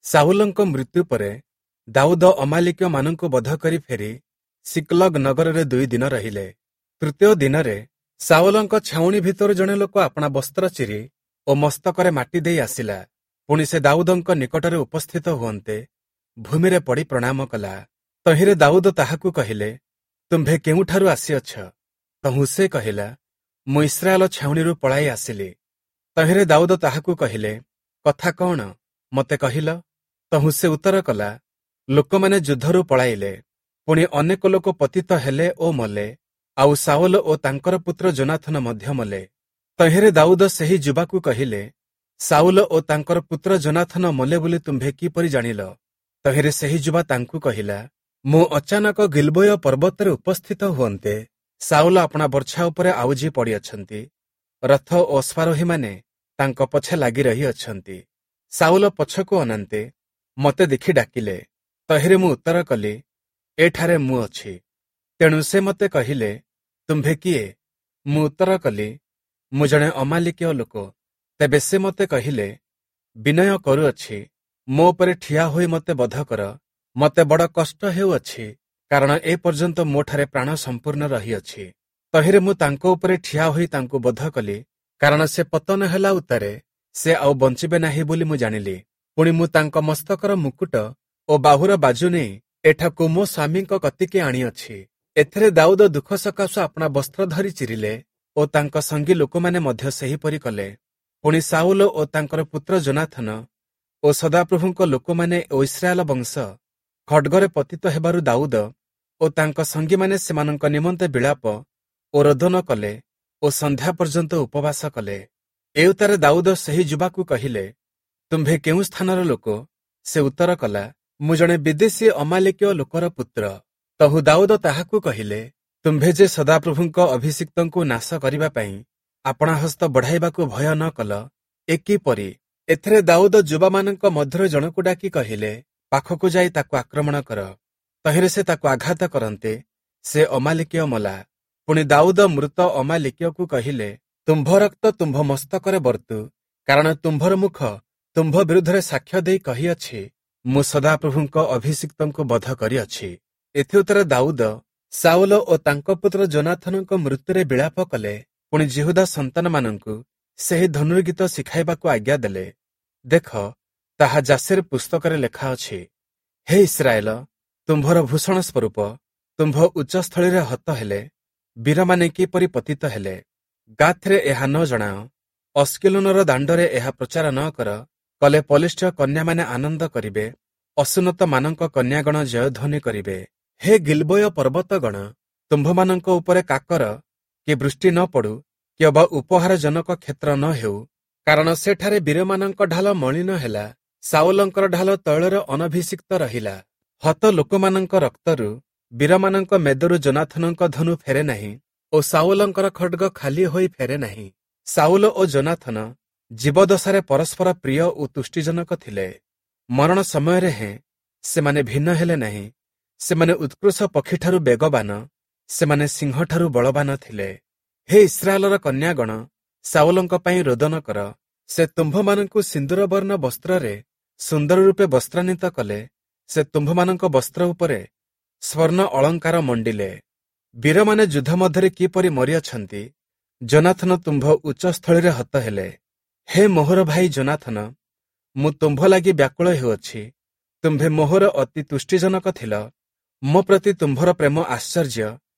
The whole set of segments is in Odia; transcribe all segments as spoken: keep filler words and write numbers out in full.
ସାଉଲଙ୍କ ମୃତ୍ୟୁ ପରେ ଦାଉଦ ଅମାଲିକୀୟମାନଙ୍କୁ ବଧ କରି ଫେରି ସିକ୍ଲଗ ନଗରରେ ଦୁଇ ଦିନ ରହିଲେ। ତୃତୀୟ ଦିନରେ ସାଉଲଙ୍କ ଛାଉଣି ଭିତରୁ ଜଣେ ଲୋକ ଆପଣା ବସ୍ତ୍ର ଚିରି ଓ ମସ୍ତକରେ ମାଟି ଦେଇ ଆସିଲା। ପୁଣି ସେ ଦାଉଦଙ୍କ ନିକଟରେ ଉପସ୍ଥିତ ହୁଅନ୍ତେ ଭୂମିରେ ପଡ଼ି ପ୍ରଣାମ କଲା। ତହିଁରେ ଦାଉଦ ତାହାକୁ କହିଲେ, ତୁମ୍ଭେ କେଉଁଠାରୁ ଆସିଅଛ? ତହୁଁ ସେ କହିଲା, ମୁଁ ଇସ୍ରାଏଲ ଛାଉଣିରୁ ପଳାଇ ଆସିଲି। ତହିଁରେ ଦାଉଦ ତାହାକୁ କହିଲେ, କଥା କଣ, ମୋତେ କହିଲ? ତହୁଁ ସେ ଉତ୍ତର କଲା, ଲୋକମାନେ ଯୁଦ୍ଧରୁ ପଳାଇଲେ, ପୁଣି ଅନେକ ଲୋକ ପତିତ ହେଲେ ଓ ମଲେ, ଆଉ ସାଉଲ ଓ ତାଙ୍କର ପୁତ୍ର ଯୋନାଥନ ମଧ୍ୟ ମଲେ। ତହିଁରେ ଦାଉଦ ସେହି ଯୁବାକୁ କହିଲେ, ସାଉଲ ଓ ତାଙ୍କର ପୁତ୍ର ଯୋନାଥନ ମଲେ ବୋଲି ତୁମ୍ଭେ କିପରି ଜାଣିଲ? ତହିଁରେ ସେହି ଯୁବା ତାଙ୍କୁ କହିଲା, ମୁଁ ଅଚାନକ ଗିଲବୋୟ ପର୍ବତରେ ଉପସ୍ଥିତ ହୁଅନ୍ତେ ସାଉଲ ଆପଣା ବର୍ଚ୍ଛା ଉପରେ ଆଉଜି ପଡ଼ିଅଛନ୍ତି, ରଥ ଓ ଅଶ୍ୱାରୋହୀମାନେ ତାଙ୍କ ପଛେ ଲାଗି ରହିଅଛନ୍ତି। ସାଉଲ ପଛକୁ ଅନାନ୍ତେ ମୋତେ ଦେଖି ଡାକିଲେ। ତହିଁରେ ମୁଁ ଉତ୍ତର କଲି, ଏଠାରେ ମୁଁ ଅଛି। ତେଣୁ ସେ ମୋତେ କହିଲେ, ତୁମ୍ଭେ କିଏ? ମୁଁ ଉତ୍ତର କଲି, ମୁଁ ଜଣେ ଅମାଲିକୀୟ ଲୋକ। ତେବେ ସେ ମୋତେ କହିଲେ, ବିନୟ କରୁଅଛି, ମୋ ଉପରେ ଠିଆ ହୋଇ ମୋତେ ବଧ କର। ମୋତେ ବଡ଼ କଷ୍ଟ ହେଉଅଛି, କାରଣ ଏ ପର୍ଯ୍ୟନ୍ତ ମୋଠାରେ ପ୍ରାଣ ସମ୍ପୂର୍ଣ୍ଣ ରହିଅଛି। ତହିଁରେ ମୁଁ ତାଙ୍କ ଉପରେ ଠିଆ ହୋଇ ତାଙ୍କୁ ବଧ କଲି, କାରଣ ସେ ପତନ ହେଲା ଉତ୍ତାରେ ସେ ଆଉ ବଞ୍ଚିବେ ନାହିଁ ବୋଲି ମୁଁ ଜାଣିଲି। ପୁଣି ମୁଁ ତାଙ୍କ ମସ୍ତକର ମୁକୁଟ ଓ ବାହୁର ବାଜୁ ନେଇ ଏଠାକୁ ମୋ ସ୍ୱାମୀଙ୍କ କତିକି ଆଣିଅଛି। ଏଥିରେ ଦାଉଦ ଦୁଃଖ ସକାଶୁ ଆପଣା ବସ୍ତ୍ର ଧରି ଚିରିଲେ ଓ ତାଙ୍କ ସଙ୍ଗୀ ଲୋକମାନେ ମଧ୍ୟ ସେହିପରି କଲେ। ପୁଣି ସାଉଲ ଓ ତାଙ୍କର ପୁତ୍ର ଯୋନାଥନ ଓ ସଦାପ୍ରଭୁଙ୍କ ଲୋକମାନେ ଓ ଇସ୍ରାଏଲ ବଂଶ ଖଡ୍ଗରେ ପତିତ ହେବାରୁ ଦାଉଦ ଓ ତାଙ୍କ ସଙ୍ଗୀମାନେ ସେମାନଙ୍କ ନିମନ୍ତେ ବିଳାପ ଓ ରୋଦନ କଲେ ଓ ସନ୍ଧ୍ୟା ପର୍ଯ୍ୟନ୍ତ ଉପବାସ କଲେ। ଏଉତ୍ତାରେ ଦାଉଦ ସେହି ଯୁବାକୁ କହିଲେ, ତୁମ୍ଭେ କେଉଁ ସ୍ଥାନର ଲୋକ? ସେ ଉତ୍ତର କଲା, ମୁଁ ଜଣେ ବିଦେଶୀ ଅମାଲିକୀୟ ଲୋକର ପୁତ୍ର। ତହୁ ଦାଉଦ ତାହାକୁ କହିଲେ, ତୁମ୍ଭେ ଯେ ସଦାପ୍ରଭୁଙ୍କ ଅଭିଷିକ୍ତଙ୍କୁ ନାଶ କରିବା ପାଇଁ ଆପଣା ହସ୍ତ ବଢ଼ାଇବାକୁ ଭୟ ନ କଲ, ଏ କିପରି? ଏଥିରେ ଦାଉଦ ଯୁବାମାନଙ୍କ ମଧ୍ୟରୁ ଜଣକୁ ଡାକି କହିଲେ, ପାଖକୁ ଯାଇ ତାକୁ ଆକ୍ରମଣ କର। ତହିଁରେ ସେ ତାକୁ ଆଘାତ କରନ୍ତେ ସେ ଅମାଲିକୀୟ ମଲା। ପୁଣି ଦାଉଦ ମୃତ ଅମାଲିକୀୟକୁ କହିଲେ, ତୁମ୍ଭ ରକ୍ତ ତୁମ୍ଭ ମସ୍ତକରେ ବର୍ତ୍ତୁ, କାରଣ ତୁମ୍ଭର ମୁଖ ତୁମ୍ଭ ବିରୁଦ୍ଧରେ ସାକ୍ଷ୍ୟ ଦେଇ କହିଅଛି, ମୁଁ ସଦାପ୍ରଭୁଙ୍କ ଅଭିଷିକ୍ତଙ୍କୁ ବଧ କରିଅଛି। ଏଥିଉତ୍ତରେ ଦାଉଦ ସାଉଲ ଓ ତାଙ୍କ ପୁତ୍ର ଯୋନାଥନଙ୍କ ମୃତ୍ୟୁରେ ବିଳାପ କଲେ। ପୁଣି ଯିହୁଦା ସନ୍ତାନମାନଙ୍କୁ ସେହି ଧନୁର୍ଗୀତ ଶିଖାଇବାକୁ ଆଜ୍ଞା ଦେଲେ। ଦେଖ, ତାହା ଯାଶେର ପୁସ୍ତକରେ ଲେଖା ଅଛି। ହେ ଇସ୍ରାଏଲ, ତୁମ୍ଭର ଭୂଷଣ ସ୍ୱରୂପ ତୁମ୍ଭ ଉଚ୍ଚସ୍ଥଳୀରେ ହତ ହେଲେ, ବୀରମାନେ କିପରି ପତିତ ହେଲେ। ଗାଥରେ ଏହା ନ ଜଣାଅ, ଅସ୍କିଲୋନର ଦାଣ୍ଡରେ ଏହା ପ୍ରଚାର ନ କର, କଲେ ପଲିଷ୍ଠ କନ୍ୟାମାନେ ଆନନ୍ଦ କରିବେ, ଅସୁନ୍ନତମାନଙ୍କ କନ୍ୟାଗଣ ଜୟଧ୍ୱନି କରିବେ। ହେ ଗିଲବୋୟ ପର୍ବତଗଣ, ତୁମ୍ଭମାନଙ୍କ ଉପରେ କାକର କି ବୃଷ୍ଟି ନ ପଡୁ, କି ଅବା ଉପହାରଜନକ କ୍ଷେତ୍ର ନ ହେଉ, କାରଣ ସେଠାରେ ବୀରମାନଙ୍କ ଢାଲ ମଳିନ ହେଲା, ସାଉଲଙ୍କର ଢାଲ ତୈଳରେ ଅନଭିଷିକ୍ତ ରହିଲା। ହତ ଲୋକମାନଙ୍କ ରକ୍ତରୁ ବୀରମାନଙ୍କ ମେଦରୁ ଯୋନାଥନଙ୍କ ଧନୁ ଫେରେ ନାହିଁ ଓ ସାଉଲଙ୍କର ଖଡ୍ଗ ଖାଲି ହୋଇ ଫେରେ ନାହିଁ। ସାଉଲ ଓ ଯୋନାଥନ ଜୀବଦଶାରେ ପରସ୍ପର ପ୍ରିୟ ଓ ତୁଷ୍ଟିଜନକ ଥିଲେ। ମରଣ ସମୟରେ ହେଁ ସେମାନେ ଭିନ୍ନ ହେଲେ ନାହିଁ। ସେମାନେ ଉତ୍କୃଷ୍ଟ ପକ୍ଷୀଠାରୁ ବେଗବାନ, ସେମାନେ ସିଂହଠାରୁ ବଳବାନ ଥିଲେ। ହେ ଇସ୍ରାଏଲର କନ୍ୟାଗଣ, ସାଉଲଙ୍କ ପାଇଁ ରୋଦନ କର। ସେ ତୁମ୍ଭମାନଙ୍କୁ ସିନ୍ଦୁରବର୍ଣ୍ଣ ବସ୍ତ୍ରରେ ସୁନ୍ଦର ରୂପେ ବସ୍ତ୍ରାନ୍ୱିତ କଲେ। ସେ ତୁମ୍ଭମାନଙ୍କ ବସ୍ତ୍ର ଉପରେ ସ୍ୱର୍ଣ୍ଣ ଅଳଙ୍କାର ମଣ୍ଡିଲେ। ବୀରମାନେ ଯୁଦ୍ଧ ମଧ୍ୟରେ କିପରି ମରିଅଛନ୍ତି, ଯୋନାଥନ ତୁମ୍ଭ ଉଚ୍ଚସ୍ଥଳୀରେ ହତ ହେଲେ। ହେ ମୋହର ଭାଇ ଯୋନାଥନ, ମୁଁ ତୁମ୍ଭ ଲାଗି ବ୍ୟାକୁଳ ହେଉଅଛି। ତୁମ୍ଭେ ମୋହର ଅତି ତୁଷ୍ଟିଜନକ ଥିଲ। ମୋ ପ୍ରତି ତୁମ୍ଭର ପ୍ରେମ ଆଶ୍ଚର୍ଯ୍ୟ,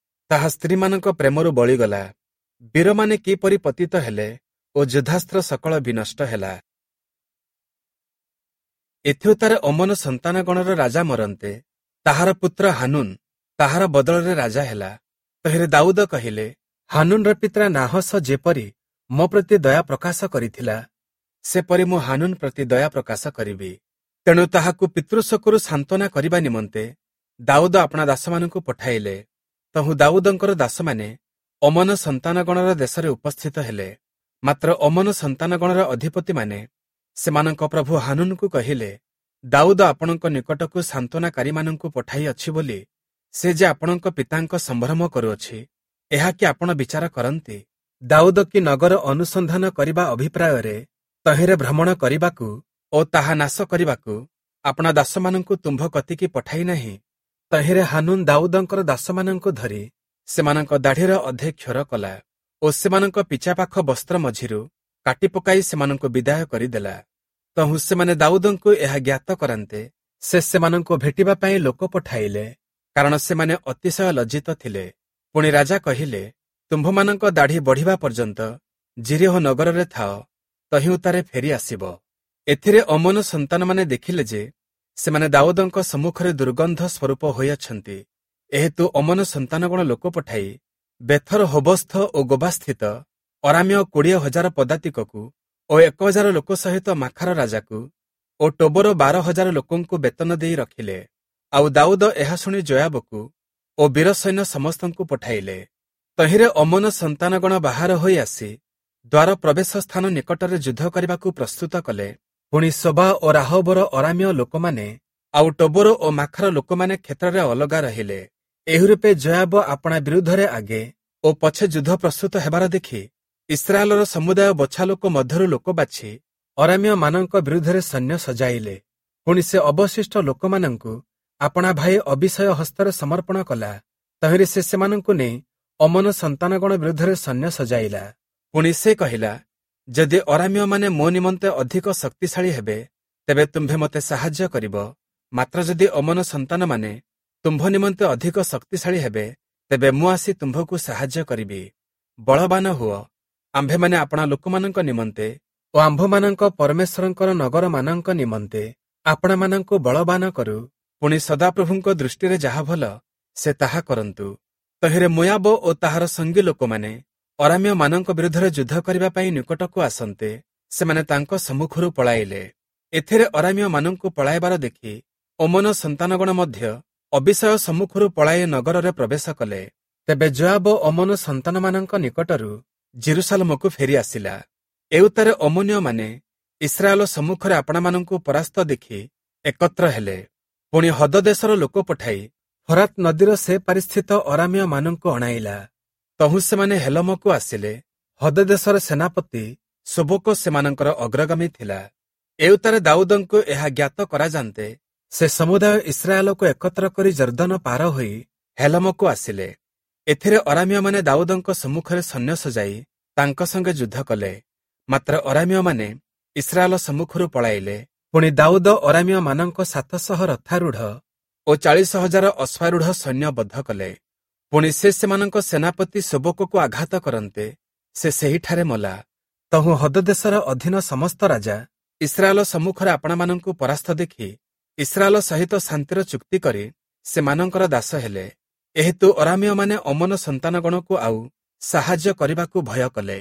ତାହା ସ୍ତ୍ରୀମାନଙ୍କ ପ୍ରେମରୁ ବଳିଗଲା। ବୀରମାନେ କିପରି ପତିତ ହେଲେ ଓ ଯୁଦ୍ଧାସ୍ତ୍ର ସକଳ ବିନଷ୍ଟ ହେଲା। ଏଥିଉତ୍ତାରେ ଅମ୍ମୋନ ସନ୍ତାନଗଣର ରାଜା ମରନ୍ତେ ତାହାର ପୁତ୍ର ହାନୁନ ତାହାର ବଦଳରେ ରାଜା ହେଲା। ତହିଁରେ ଦାଉଦ କହିଲେ, ହାନୁନର ପିତା ନାହସ ଯେପରି ମୋ ପ୍ରତି ଦୟା ପ୍ରକାଶ କରିଥିଲା, ସେପରି ମୁଁ ହାନୁନ ପ୍ରତି ଦୟା ପ୍ରକାଶ କରିବି। ତେଣୁ ତାହାକୁ ପିତୃଶୋକରୁ ସାନ୍ତ୍ୱନା କରିବା ନିମନ୍ତେ ଦାଉଦ ଆପଣା ଦାସମାନଙ୍କୁ ପଠାଇଲେ। ତହୁଁ ଦାଉଦଙ୍କର ଦାସମାନେ ଅମ୍ମୋନ ସନ୍ତାନଗଣର ଦେଶରେ ଉପସ୍ଥିତ ହେଲେ। ମାତ୍ର ଅମ୍ମୋନ ସନ୍ତାନଗଣର ଅଧିପତିମାନେ ସେମାନଙ୍କ ପ୍ରଭୁ ହାନୁନକୁ କହିଲେ, ଦାଉଦ ଆପଣଙ୍କ ନିକଟକୁ ସାନ୍ତ୍ୱନାକାରୀମାନଙ୍କୁ ପଠାଇଅଛି ବୋଲି ସେ ଯେ ଆପଣଙ୍କ ପିତାଙ୍କ ସମ୍ଭ୍ରମ କରୁଅଛି, ଏହା କି ଆପଣ ବିଚାର କରନ୍ତି? ଦାଉଦ କି ନଗର ଅନୁସନ୍ଧାନ କରିବା ଅଭିପ୍ରାୟରେ ତହିଁରେ ଭ୍ରମଣ କରିବାକୁ ଓ ତାହା ନାଶ କରିବାକୁ ଆପଣା ଦାସମାନଙ୍କୁ ତୁମ୍ଭ କତିକି ପଠାଇ ନାହିଁ? ତହିଁରେ ହାନୁନ୍ ଦାଉଦଙ୍କର ଦାସମାନଙ୍କୁ ଧରି ସେମାନଙ୍କ ଦାଢ଼ିର ଅଧେ କ୍ଷର କଲା ଓ ସେମାନଙ୍କ ପିଚାପାଖ ବସ୍ତ୍ର ମଝିରୁ କାଟି ପକାଇ ସେମାନଙ୍କୁ ବିଦାୟ କରିଦେଲା। ତହୁଁ ସେମାନେ ଦାଉଦଙ୍କୁ ଏହା ଜ୍ଞାତ କରାନ୍ତେ ସେ ସେମାନଙ୍କୁ ଭେଟିବା ପାଇଁ ଲୋକ ପଠାଇଲେ, କାରଣ ସେମାନେ ଅତିଶୟ ଲଜ୍ଜିତ ଥିଲେ। ପୁଣି ରାଜା କହିଲେ, ତୁମ୍ଭମାନଙ୍କ ଦାଢ଼ି ବଢ଼ିବା ପର୍ଯ୍ୟନ୍ତ ଯିରୀହୋ ନଗରରେ ଥାଅ, ତହିଁ ଉତ୍ତାରେ ଫେରି ଆସିବ। ଏଥିରେ ଅମ୍ମୋନ ସନ୍ତାନମାନେ ଦେଖିଲେ ଯେ ସେମାନେ ଦାଉଦଙ୍କ ସମ୍ମୁଖରେ ଦୁର୍ଗନ୍ଧ ସ୍ୱରୂପ ହୋଇଅଛନ୍ତି। ଏହେତୁ ଅମ୍ମୋନ ସନ୍ତାନଗଣ ଲୋକ ପଠାଇ ବେଥର ହୋବସ୍ଥ ଓ ଗୋବାସ୍ଥିତ ଅରାମୀୟ କୋଡ଼ିଏ ହଜାର ପଦାତିକକୁ ଓ ଏକ ହଜାର ଲୋକ ସହିତ ମାଖାର ରାଜାକୁ ଓ ଟୋବର ବାର ହଜାର ଲୋକଙ୍କୁ ବେତନ ଦେଇ ରଖିଲେ। ଆଉ ଦାଉଦ ଏହା ଶୁଣି ଯୋୟାବକୁ ଓ ବୀର ସୈନ୍ୟ ସମସ୍ତଙ୍କୁ ପଠାଇଲେ। ତହିଁରେ ଅମ୍ମୋନ ସନ୍ତାନଗଣ ବାହାର ହୋଇ ଆସି ଦ୍ୱାର ପ୍ରବେଶ ସ୍ଥାନ ନିକଟରେ ଯୁଦ୍ଧ କରିବାକୁ ପ୍ରସ୍ତୁତ କଲେ। ପୁଣି ସୋବା ଓ ରାହୋବର ଅରାମୀୟ ଲୋକମାନେ ଆଉ ଟୋବର ଓ ମାଖାର ଲୋକମାନେ କ୍ଷେତ୍ରରେ ଅଲଗା ରହିଲେ। ଏହିରୂପେ ଯୋୟାବ ଆପଣା ବିରୁଦ୍ଧରେ ଆଗେ ଓ ପଛେ ଯୁଦ୍ଧ ପ୍ରସ୍ତୁତ ହେବାର ଦେଖି ଇସ୍ରାଏଲର ସମୁଦାୟ ବଛା ଲୋକ ମଧ୍ୟରୁ ଲୋକ ବାଛି ଅରାମୀୟମାନଙ୍କ ବିରୁଦ୍ଧରେ ସୈନ୍ୟ ସଜାଇଲେ। ପୁଣି ସେ ଅବଶିଷ୍ଟ ଲୋକମାନଙ୍କୁ ଆପଣା ଭାଇ ଅବିଷୟ ହସ୍ତରେ ସମର୍ପଣ କଲା। ତହିଁରେ ସେ ସେମାନଙ୍କୁ ନେଇ ଅମ୍ମୋନ ସନ୍ତାନଗଣ ବିରୁଦ୍ଧରେ ସୈନ୍ୟ ସଜାଇଲା। ପୁଣି ସେ କହିଲା, ଯଦି ଅରାମୀୟମାନେ ମୋ ନିମନ୍ତେ ଅଧିକ ଶକ୍ତିଶାଳୀ ହେବେ, ତେବେ ତୁମ୍ଭେ ମୋତେ ସାହାଯ୍ୟ କରିବ। ମାତ୍ର ଯଦି ଅମ୍ମୋନ ସନ୍ତାନମାନେ ତୁମ୍ଭ ନିମନ୍ତେ ଅଧିକ ଶକ୍ତିଶାଳୀ ହେବେ, ତେବେ ମୁଁ ଆସି ତୁମ୍ଭକୁ ସାହାଯ୍ୟ କରିବି। ବଳବାନ ହୁଅ, ଆମ୍ଭେମାନେ ଆପଣା ଲୋକମାନଙ୍କ ନିମନ୍ତେ ଓ ଆମ୍ଭମାନଙ୍କ ପରମେଶ୍ୱରଙ୍କର ନଗରମାନଙ୍କ ନିମନ୍ତେ ଆପଣାମାନଙ୍କୁ ବଳବାନ କରୁ। ପୁଣି ସଦାପ୍ରଭୁଙ୍କ ଦୃଷ୍ଟିରେ ଯାହା ଭଲ ସେ ତାହା କରନ୍ତୁ। ତହିଁରେ ମୋୟାବ ଓ ତାହାର ସଙ୍ଗୀ ଲୋକମାନେ ଅରାମୀୟମାନଙ୍କ ବିରୁଦ୍ଧରେ ଯୁଦ୍ଧ କରିବା ପାଇଁ ନିକଟକୁ ଆସନ୍ତେ ସେମାନେ ତାଙ୍କ ସମ୍ମୁଖରୁ ପଳାଇଲେ। ଏଥିରେ ଅରାମୀୟମାନଙ୍କୁ ପଳାଇବାର ଦେଖି ଅମ୍ମୋନ ସନ୍ତାନଗଣ ମଧ୍ୟ ଅବିଷୟ ସମ୍ମୁଖରୁ ପଳାଇ ନଗରରେ ପ୍ରବେଶ କଲେ। ତେବେ ଯୋୟାବ ଅମ୍ମୋନ ସନ୍ତାନମାନଙ୍କ ନିକଟରୁ ଜେରୁସାଲମକୁ ଫେରି ଆସିଲା। ଏଉତ୍ତାରେ ଅମ୍ମୋନୀୟମାନେ ଇସ୍ରାଏଲ ସମ୍ମୁଖରେ ଆପଣାମାନଙ୍କୁ ପରାସ୍ତ ଦେଖି ଏକତ୍ର ହେଲେ। ପୁଣି ହଦ ଦେଶର ଲୋକ ପଠାଇ ଫରାତ ନଦୀର ସେ ପାରିସ୍ଥିତ ଅରାମୀୟମାନଙ୍କୁ ଅଣାଇଲା। ତହୁଁ ସେମାନେ ହେଲମକୁ ଆସିଲେ। ହଦ ଦେଶର ସେନାପତି ଶୋବକ ସେମାନଙ୍କର ଅଗ୍ରଗାମୀ ଥିଲା। ଏଉତ୍ତାରେ ଦାଉଦଙ୍କୁ ଏହା ଜ୍ଞାତ କରାଯାନ୍ତେ ସେ ସମୁଦାୟ ଇସ୍ରାଏଲକୁ ଏକତ୍ର କରି ଯର୍ଦ୍ଦନ ପାର ହୋଇ ହେଲମକୁ ଆସିଲେ। ଏଥିରେ ଅରାମୀୟମାନେ ଦାଉଦଙ୍କ ସମ୍ମୁଖରେ ସୈନ୍ୟ ସଜାଇ ତାଙ୍କ ସଙ୍ଗେ ଯୁଦ୍ଧ କଲେ। ମାତ୍ର ଅରାମୀୟମାନେ ଇସ୍ରାଏଲ ସମ୍ମୁଖରୁ ପଳାଇଲେ। ପୁଣି ଦାଉଦ ଅରାମୀୟମାନଙ୍କ ସାତଶହ ରଥାରୂଢ଼ ଓ ଚାଳିଶ ହଜାର ଅଶ୍ୱାରୂଢ଼ ସୈନ୍ୟ ବଦ୍ଧ କଲେ। ପୁଣି ସେ ସେମାନଙ୍କ ସେନାପତି ଶୋବକକୁ ଆଘାତ କରନ୍ତେ ସେ ସେହିଠାରେ ମଲା। ତହୁଁ ହଦଦେଶର ଅଧୀନ ସମସ୍ତ ରାଜା ଇସ୍ରାଏଲ ସମ୍ମୁଖରେ ଆପଣାମାନଙ୍କୁ ପରାସ୍ତ ଦେଖି ଇସ୍ରାଏଲ ସହିତ ଶାନ୍ତିର ଚୁକ୍ତି କରି ସେମାନଙ୍କର ଦାସ ହେଲେ। ଏହେତୁ ଅରାମୀୟମାନେ ଅମ୍ମୋନ ସନ୍ତାନଗଣକୁ ଆଉ ସାହାଯ୍ୟ କରିବାକୁ ଭୟ କଲେ।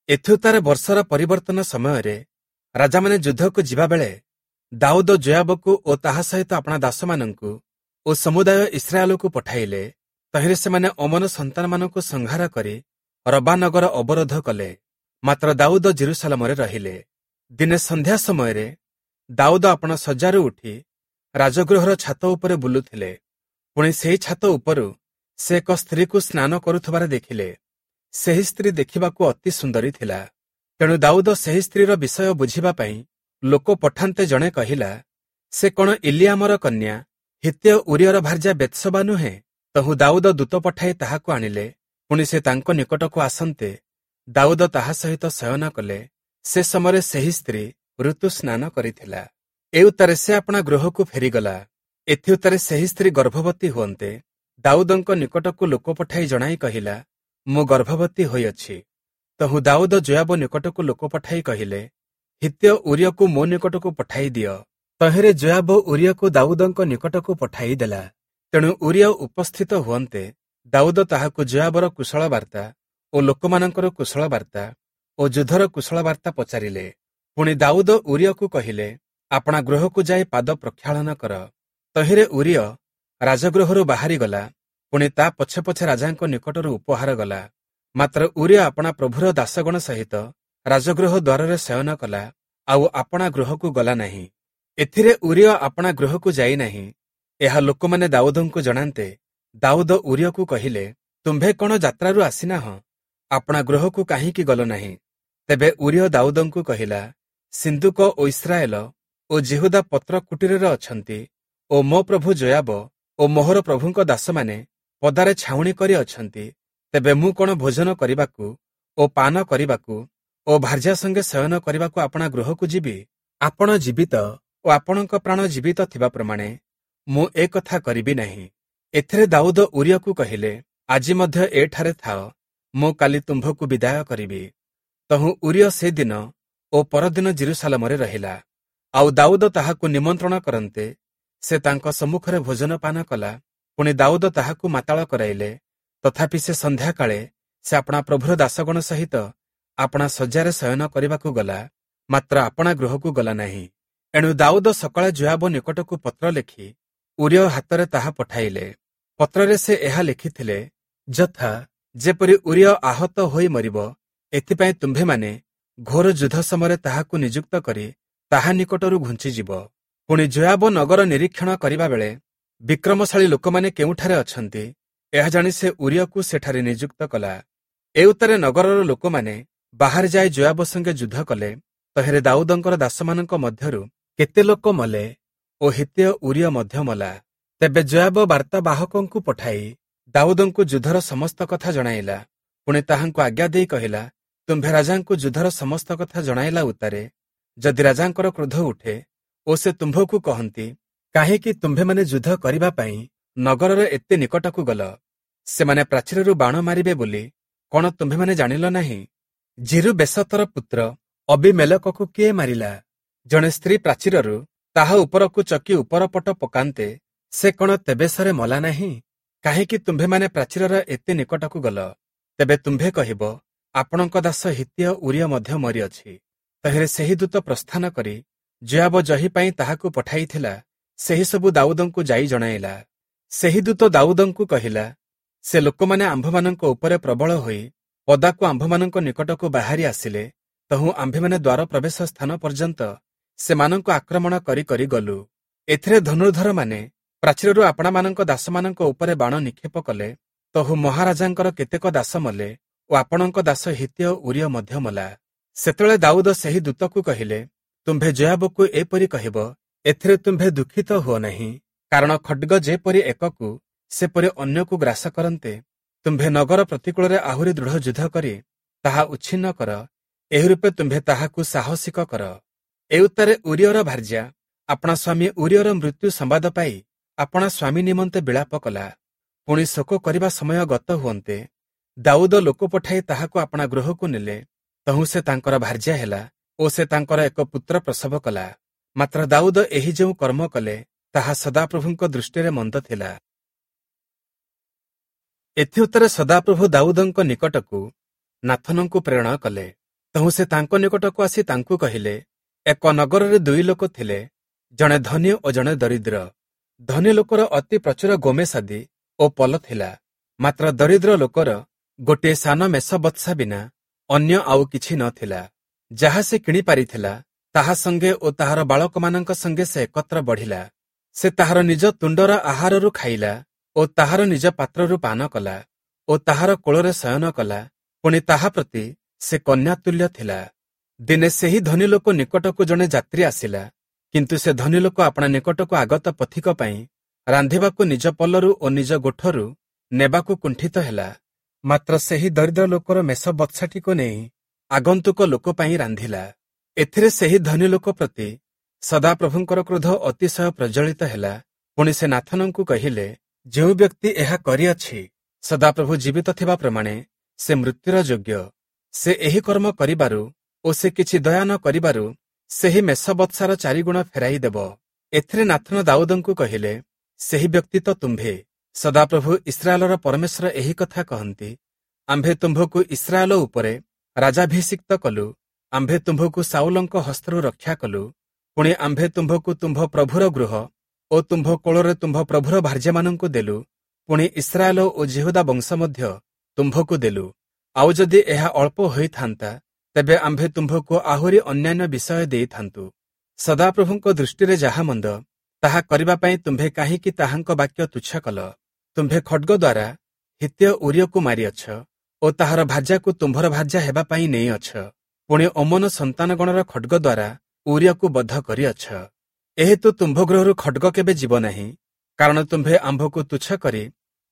ଏଥୁତାରେ ବର୍ଷର ପରିବର୍ତ୍ତନ ସମୟରେ ରାଜାମାନେ ଯୁଦ୍ଧକୁ ଯିବାବେଳେ ଦାଉଦ ଯୋୟାବକୁ ଓ ତାହା ସହିତ ଆପଣା ଦାସମାନଙ୍କୁ ଓ ସମୁଦାୟ ଇସ୍ରାଏଲକୁ ପଠାଇଲେ। ତହିଁରେ ସେମାନେ ଅମ୍ମୋନ ସନ୍ତାନମାନଙ୍କୁ ସଂହାର କରି ରବା ନଗର ଅବରୋଧ କଲେ। ମାତ୍ର ଦାଉଦ ଜେରୁସାଲମରେ ରହିଲେ। ଦିନେ ସନ୍ଧ୍ୟା ସମୟରେ ଦାଉଦ ଆପଣା ଶଯ୍ୟାରୁ ଉଠି ରାଜଗୃହର ଛାତ ଉପରେ ବୁଲୁଥିଲେ। ପୁଣି ସେହି ଛାତ ଉପରୁ ସେ ଏକ ସ୍ତ୍ରୀକୁ ସ୍ନାନ କରୁଥିବାର ଦେଖିଲେ। ସେହି ସ୍ତ୍ରୀ ଦେଖିବାକୁ ଅତି ସୁନ୍ଦରୀ ଥିଲା। ତେଣୁ ଦାଉଦ ସେହି ସ୍ତ୍ରୀର ବିଷୟ ବୁଝିବା ପାଇଁ ଲୋକ ପଠାନ୍ତେ ଜଣେ କହିଲା, ସେ କଣ ଇଲିୟାମର କନ୍ୟା ହିତ୍ତୀୟ ଉରିୟର ଭାର୍ଯ୍ୟା ବେତ୍ସବା ନୁହେଁ? ତହୁଁ ଦାଉଦ ଦୂତ ପଠାଇ ତାହାକୁ ଆଣିଲେ। ପୁଣି ସେ ତାଙ୍କ ନିକଟକୁ ଆସନ୍ତେ ଦାଉଦ ତାହା ସହିତ ଶୟନ କଲେ। ସେ ସମୟରେ ସେହି ସ୍ତ୍ରୀ ଋତୁ ସ୍ନାନ କରିଥିଲା। ଏଉତ୍ତାରେ ସେ ଆପଣା ଗୃହକୁ ଫେରିଗଲା। ଏଥିଉତ୍ତାରେ ସେହି ସ୍ତ୍ରୀ ଗର୍ଭବତୀ ହୁଅନ୍ତେ ଦାଉଦଙ୍କ ନିକଟକୁ ଲୋକ ପଠାଇ ଜଣାଇ କହିଲା, ମୁଁ ଗର୍ଭବତୀ ହୋଇଅଛି। ତହୁଁ ଦାଉଦ ଯୋୟାବ ନିକଟକୁ ଲୋକ ପଠାଇ କହିଲେ, ହିତ୍ତୀୟ ଉରିୟକୁ ମୋ ନିକଟକୁ ପଠାଇ ଦିଅ। ତହିଁରେ ଯୋୟାବ ଉରିୟକୁ ଦାଉଦଙ୍କ ନିକଟକୁ ପଠାଇ ଦେଲା। ତେଣୁ ଉରିୟ ଉପସ୍ଥିତ ହୁଅନ୍ତେ ଦାଉଦ ତାହାକୁ ଯୋୟାବର କୁଶଳ ବାର୍ତ୍ତା ଓ ଲୋକମାନଙ୍କର କୁଶଳ ବାର୍ତ୍ତା ଓ ଯୁଦ୍ଧର କୁଶଳ ବାର୍ତ୍ତା ପଚାରିଲେ। ପୁଣି ଦାଉଦ ଉରିୟକୁ କହିଲେ, ଆପଣା ଗୃହକୁ ଯାଇ ପାଦ ପ୍ରକ୍ଷାଳନ କର। ତହିଁରେ ଉରିୟ ରାଜଗୃହରୁ ବାହାରିଗଲା। ପୁଣି ତା ପଛେ ପଛେ ରାଜାଙ୍କ ନିକଟରୁ ଉପହାର ଗଲା। ମାତ୍ର ଉରିୟ ଆପଣା ପ୍ରଭୁର ଦାସଗଣ ସହିତ ରାଜଗୃହ ଦ୍ୱାରରେ ଶୟନ କଲା, ଆଉ ଆପଣା ଗୃହକୁ ଗଲା ନାହିଁ। ଏଥିରେ ଉରିୟ ଆପଣା ଗୃହକୁ ଯାଇନାହିଁ। ଏହା ଲୋକମାନେ ଦାଉଦଙ୍କୁ ଜଣାନ୍ତେ ଦାଉଦ ଉରିୟକୁ କହିଲେ, ତୁମ୍ଭେ କଣ ଯାତ୍ରାରୁ ଆସିନାହଁ? ଆପଣା ଗୃହକୁ କାହିଁକି ଗଲ ନାହିଁ? ତେବେ ଉରିୟ ଦାଉଦଙ୍କୁ କହିଲା, ସିନ୍ଦୁକ ଓ ଇସ୍ରାଏଲ ଓ ଯିହୁଦା ପତ୍ର କୁଟୀରରେ ଅଛନ୍ତି ଓ ମୋ ପ୍ରଭୁ ଯୋୟାବ ଓ ମୋହର ପ୍ରଭୁଙ୍କ ଦାସମାନେ ପଦାରେ ଛାଉଣି କରି ଅଛନ୍ତି, ତେବେ ମୁଁ କଣ ଭୋଜନ କରିବାକୁ ଓ ପାନ କରିବାକୁ ଓ ଭାର୍ଯ୍ୟା ସଙ୍ଗେ ଶୟନ କରିବାକୁ ଆପଣା ଗୃହକୁ ଯିବି? ଆପଣ ଜୀବିତ ଓ ଆପଣଙ୍କ ପ୍ରାଣ ଜୀବିତ ଥିବା ପ୍ରମାଣେ ମୁଁ ଏ କଥା କରିବି ନାହିଁ। ଏଥିରେ ଦାଉଦ ଉରିୟକୁ କହିଲେ, ଆଜି ମଧ୍ୟ ଏଠାରେ ଥାଅ, ମୁଁ କାଲି ତୁମ୍ଭକୁ ବିଦାୟ କରିବି। ତହୁଁ ଉରିୟ ସେ ଦିନ ଓ ପରଦିନ ଯିରୂଶାଲମରେ ରହିଲା। ଆଉ ଦାଉଦ ତାହାକୁ ନିମନ୍ତ୍ରଣ କରନ୍ତେ ସେ ତାଙ୍କ ସମ୍ମୁଖରେ ଭୋଜନ ପାନ କଲା। ପୁଣି ଦାଉଦ ତାହାକୁ ମାତାଳ କରାଇଲେ। ତଥାପି ସେ ସନ୍ଧ୍ୟାକାଳେ ସେ ଆପଣା ପ୍ରଭୁର ଦାସଗଣ ସହିତ ଆପଣା ଶଯ୍ୟାରେ ଶୟନ କରିବାକୁ ଗଲା, ମାତ୍ର ଆପଣା ଗୃହକୁ ଗଲା ନାହିଁ। ଏଣୁ ଦାଉଦ ସକାଳେ ଯୋୟାବ ନିକଟକୁ ପତ୍ର ଲେଖି ଉରିୟ ହାତରେ ତାହା ପଠାଇଲେ। ପତ୍ରରେ ସେ ଏହା ଲେଖିଥିଲେ, ଯଥା ଯେପରି ଉରିୟ ଆହତ ହୋଇ ମରିବ, ଏଥିପାଇଁ ତୁମ୍ଭେମାନେ ଘୋର ଯୁଦ୍ଧ ସମୟରେ ତାହାକୁ ନିଯୁକ୍ତ କରି ତାହା ନିକଟରୁ ଘୁଞ୍ଚିଯିବ। ପୁଣି ଯୋୟାବ ନଗର ନିରୀକ୍ଷଣ କରିବା ବେଳେ ବିକ୍ରମଶାଳୀ ଲୋକମାନେ କେଉଁଠାରେ ଅଛନ୍ତି, ଏହା ଜାଣି ସେ ଉରିୟକୁ ସେଠାରେ ନିଯୁକ୍ତ କଲା। ଏଉତ୍ତାରେ ନଗରର ଲୋକମାନେ ବାହାରେ ଯାଇ ଯୋୟାବ ସଙ୍ଗେ ଯୁଦ୍ଧ କଲେ। ତହିଁରେ ଦାଉଦଙ୍କର ଦାସମାନଙ୍କ ମଧ୍ୟରୁ କେତେ ଲୋକ ମଲେ ଓ ହିତ୍ତୀୟ ଉରିୟ ମଧ୍ୟ ମଲା। ତେବେ ଯୋୟାବ ବାର୍ତ୍ତାବାହକଙ୍କୁ ପଠାଇ ଦାଉଦଙ୍କୁ ଯୁଦ୍ଧର ସମସ୍ତ କଥା ଜଣାଇଲା। ପୁଣି ତାହାଙ୍କୁ ଆଜ୍ଞା ଦେଇ କହିଲା, ତୁମ୍ଭେ ରାଜାଙ୍କୁ ଯୁଦ୍ଧର ସମସ୍ତ କଥା ଜଣାଇଲା ଉତ୍ତାରେ ଯଦି ରାଜାଙ୍କର କ୍ରୋଧ ଉଠେ ଓ ସେ ତୁମ୍ଭକୁ କହନ୍ତି, କାହିଁକି ତୁମ୍ଭେମାନେ ଯୁଦ୍ଧ କରିବା ପାଇଁ ନଗରର ଏତେ ନିକଟକୁ ଗଲ? ସେମାନେ ପ୍ରାଚୀରରୁ ବାଣ ମାରିବେ ବୋଲି କଣ ତୁମ୍ଭେମାନେ ଜାଣିଲ ନାହିଁ? ଯିରୁବେଶତର ପୁତ୍ର ଅବିମେଲକକୁ କିଏ ମାରିଲା? ଜଣେ ସ୍ତ୍ରୀ ପ୍ରାଚୀରରୁ ତାହା ଉପରକୁ ଚକି ଉପର ପଟ ପକାନ୍ତେ ସେ କଣ ତେବେଶରେ ମଲା ନାହିଁ? କାହିଁକି ତୁମ୍ଭେମାନେ ପ୍ରାଚୀରର ଏତେ ନିକଟକୁ ଗଲ? ତେବେ ତୁମ୍ଭେ କହିବ, ଆପଣଙ୍କ ଦାସ ହିତ୍ତୀୟ ଉରିୟ ମଧ୍ୟ ମରିଅଛି। ତହିଁରେ ସେହି ଦୂତ ପ୍ରସ୍ଥାନ କରି ଯୋୟାବ ଯହି ପାଇଁ ତାହାକୁ ପଠାଇଥିଲା, ସେହି ସବୁ ଦାଉଦଙ୍କୁ ଯାଇ ଜଣାଇଲା। ସେହି ଦୂତ ଦାଉଦଙ୍କୁ କହିଲା, ସେ ଲୋକମାନେ ଆମ୍ଭମାନଙ୍କ ଉପରେ ପ୍ରବଳ ହୋଇ ପଦାକୁ ଆମ୍ଭମାନଙ୍କ ନିକଟକୁ ବାହାରି ଆସିଲେ। ତହୁଁ ଆମ୍ଭେମାନେ ଦ୍ୱାର ପ୍ରବେଶ ସ୍ଥାନ ପର୍ଯ୍ୟନ୍ତ ସେମାନଙ୍କୁ ଆକ୍ରମଣ କରି କରି ଗଲୁ। ଏଥିରେ ଧନୁର୍ଦ୍ଧରମାନେ ପ୍ରାଚୀରରୁ ଆପଣାମାନଙ୍କ ଦାସମାନଙ୍କ ଉପରେ ବାଣ ନିକ୍ଷେପ କଲେ। ତହୁ ମହାରାଜାଙ୍କର କେତେକ ଦାସ ମଲେ ଓ ଆପଣଙ୍କ ଦାସ ହିତ୍ତୀୟ ଉରିୟ ମଧ୍ୟ ମଲା। ସେତେବେଳେ ଦାଉଦ ସେହି ଦୂତକୁ କହିଲେ, ତୁମ୍ଭେ ଯୋୟାବକୁ ଏପରି କହିବ, ଏଥିରେ ତୁମ୍ଭେ ଦୁଃଖିତ ହୁଅ ନାହିଁ, କାରଣ ଖଡ୍ଗ ଯେପରି ଏକକୁ ସେପରି ଅନ୍ୟକୁ ଗ୍ରାସ କରନ୍ତେ, ତୁମ୍ଭେ ନଗର ପ୍ରତିକୂଳରେ ଆହୁରି ଦୃଢ଼ ଯୁଦ୍ଧ କରି ତାହା ଉଚ୍ଛିନ୍ନ କର, ଏହି ରୂପେ ତୁମ୍ଭେ ତାହାକୁ ସାହସିକ କର। ଏଉତ୍ତାରେ ଉରିୟର ଭାର୍ଯ୍ୟା ଆପଣା ସ୍ୱାମୀ ଉରିୟର ମୃତ୍ୟୁ ସମ୍ବାଦ ପାଇ ଆପଣା ସ୍ୱାମୀ ନିମନ୍ତେ ବିଳାପ କଲା। ପୁଣି ଶୋକ କରିବା ସମୟ ଗତ ହୁଅନ୍ତେ ଦାଉଦ ଲୋକ ପଠାଇ ତାହାକୁ ଆପଣା ଗୃହକୁ ନେଲେ। ତହୁଁ ସେ ତାଙ୍କର ଭାର୍ଯ୍ୟା ହେଲା ଓ ସେ ତାଙ୍କର ଏକ ପୁତ୍ର ପ୍ରସବ କଲା। ମାତ୍ର ଦାଉଦ ଏହି ଯେଉଁ କର୍ମ କଲେ, ତାହା ସଦାପ୍ରଭୁଙ୍କ ଦୃଷ୍ଟିରେ ମନ୍ଦ ଥିଲା। ଏଥିଉତ୍ତରେ ସଦାପ୍ରଭୁ ଦାଉଦଙ୍କ ନିକଟକୁ ନାଥନଙ୍କୁ ପ୍ରେରଣ କଲେ। ତହୁଁ ସେ ତାଙ୍କ ନିକଟକୁ ଆସି ତାଙ୍କୁ କହିଲେ, ଏକ ନଗରରେ ଦୁଇ ଲୋକ ଥିଲେ, ଜଣେ ଧନୀ ଓ ଜଣେ ଦରିଦ୍ର। ଧନୀ ଲୋକର ଅତି ପ୍ରଚୁର ଗୋମେଶାଦି ଓ ପଲ ଥିଲା, ମାତ୍ର ଦରିଦ୍ର ଲୋକର ଗୋଟିଏ ସାନ ମେଷ ବତ୍ସା ବିନା ଅନ୍ୟ ଆଉ କିଛି ନଥିଲା। ଯାହା ସେ କିଣି ପାରିଥିଲା ତାହା ସଙ୍ଗେ ଓ ତାହାର ବାଳକମାନଙ୍କ ସଙ୍ଗେ ସେ ଏକତ୍ର ବଢ଼ିଲା। ସେ ତାହାର ନିଜ ତୁଣ୍ଡର ଆହାରରୁ ଖାଇଲା ଓ ତାହାର ନିଜ ପାତ୍ରରୁ ପାନ କଲା ଓ ତାହାର କୋଳରେ ଶୟନ କଲା। ପୁଣି ତାହା ପ୍ରତି ସେ କନ୍ୟା ତୁଲ୍ୟ ଥିଲା। ଦିନେ ସେହି ଧନୀ ଲୋକ ନିକଟକୁ ଜଣେ ଯାତ୍ରୀ ଆସିଲା, କିନ୍ତୁ ସେ ଧନୀ ଲୋକ ଆପଣା ନିକଟକୁ ଆଗତ ପଥିକ ପାଇଁ ରାନ୍ଧିବାକୁ ନିଜ ପଲରୁ ଓ ନିଜ ଗୋଠରୁ ନେବାକୁ କୁଣ୍ଠିତ ହେଲା। ମାତ୍ର ସେହି ଦରିଦ୍ର ଲୋକର ମେଷ ବତ୍ସାଟିକୁ ନେଇ ଆଗନ୍ତୁକ ଲୋକ ପାଇଁ ରାନ୍ଧିଲା। ଏଥିରେ ସେହି ଧନୀ ଲୋକ ପ୍ରତି ସଦାପ୍ରଭୁଙ୍କର କ୍ରୋଧ ଅତିଶୟ ପ୍ରଜ୍ୱଳିତ ହେଲା। ପୁଣି ସେ ନାଥନଙ୍କୁ କହିଲେ, ଯେଉଁ ବ୍ୟକ୍ତି ଏହା କରିଅଛି, ସଦାପ୍ରଭୁ ଜୀବିତ ଥିବା ପ୍ରମାଣେ ସେ ମୃତ୍ୟୁର ଯୋଗ୍ୟ। ସେ ଏହି କର୍ମ କରିବାରୁ ଓ ସେ କିଛି ଦୟା ନ କରିବାରୁ ସେହି ମେଷ ବତ୍ସାର ଚାରିଗୁଣ ଫେରାଇ ଦେବ। ଏଥିରେ ନାଥନ ଦାଉଦଙ୍କୁ କହିଲେ, ସେହି ବ୍ୟକ୍ତି ତ ତୁମ୍ଭେ। ସଦାପ୍ରଭୁ ଇସ୍ରାଏଲର ପରମେଶ୍ୱର ଏହି କଥା କହନ୍ତି, ଆମ୍ଭେ ତୁମ୍ଭକୁ ଇସ୍ରାଏଲ ଉପରେ ରାଜାଭିଷିକ୍ତ କଲୁ, ଆମ୍ଭେ ତୁମ୍ଭକୁ ସାଉଲଙ୍କ ହସ୍ତରୁ ରକ୍ଷା କଲୁ। ପୁଣି ଆମ୍ଭେ ତୁମ୍ଭକୁ ତୁମ୍ଭ ପ୍ରଭୁର ଗୃହ ଓ ତୁମ୍ଭ କୋଳରେ ତୁମ୍ଭ ପ୍ରଭୁର ଭାର୍ଯ୍ୟାମାନଙ୍କୁ ଦେଲୁ। ପୁଣି ଇସ୍ରାଏଲ ଓ ଯିହୁଦା ବଂଶ ମଧ୍ୟ ତୁମ୍ଭକୁ ଦେଲୁ। ଆଉ ଯଦି ଏହା ଅଳ୍ପ ହୋଇଥାନ୍ତା, ତେବେ ଆମ୍ଭେ ତୁମ୍ଭକୁ ଆହୁରି ଅନ୍ୟାନ୍ୟ ବିଷୟ ଦେଇଥାନ୍ତୁ। ସଦାପ୍ରଭୁଙ୍କ ଦୃଷ୍ଟିରେ ଯାହା ମନ୍ଦ, ତାହା କରିବା ପାଇଁ ତୁମ୍ଭେ କାହିଁକି ତାହାଙ୍କ ବାକ୍ୟ ତୁଚ୍ଛ କଲ? ତୁମ୍ଭେ ଖଡ୍ଗ ଦ୍ୱାରା ହିତ୍ତୀୟ ଉରିୟକୁ ମାରିଅଛ ଓ ତାହାର ଭାର୍ଯ୍ୟାକୁ ତୁମ୍ଭର ଭାର୍ଯ୍ୟା ହେବା ପାଇଁ ନେଇଅଛ। ପୁଣି ଅମ୍ମୋନ ସନ୍ତାନଗଣର ଖଡ୍ଗ ଦ୍ୱାରା ଉରିୟକୁ ବଧ କରିଅଛ। ଏହେତୁ ତୁମ୍ଭ ଗୃହରୁ ଖଡ଼୍ଗ କେବେ ଯିବ ନାହିଁ, କାରଣ ତୁମ୍ଭେ ଆମ୍ଭକୁ ତୁଚ୍ଛ କରି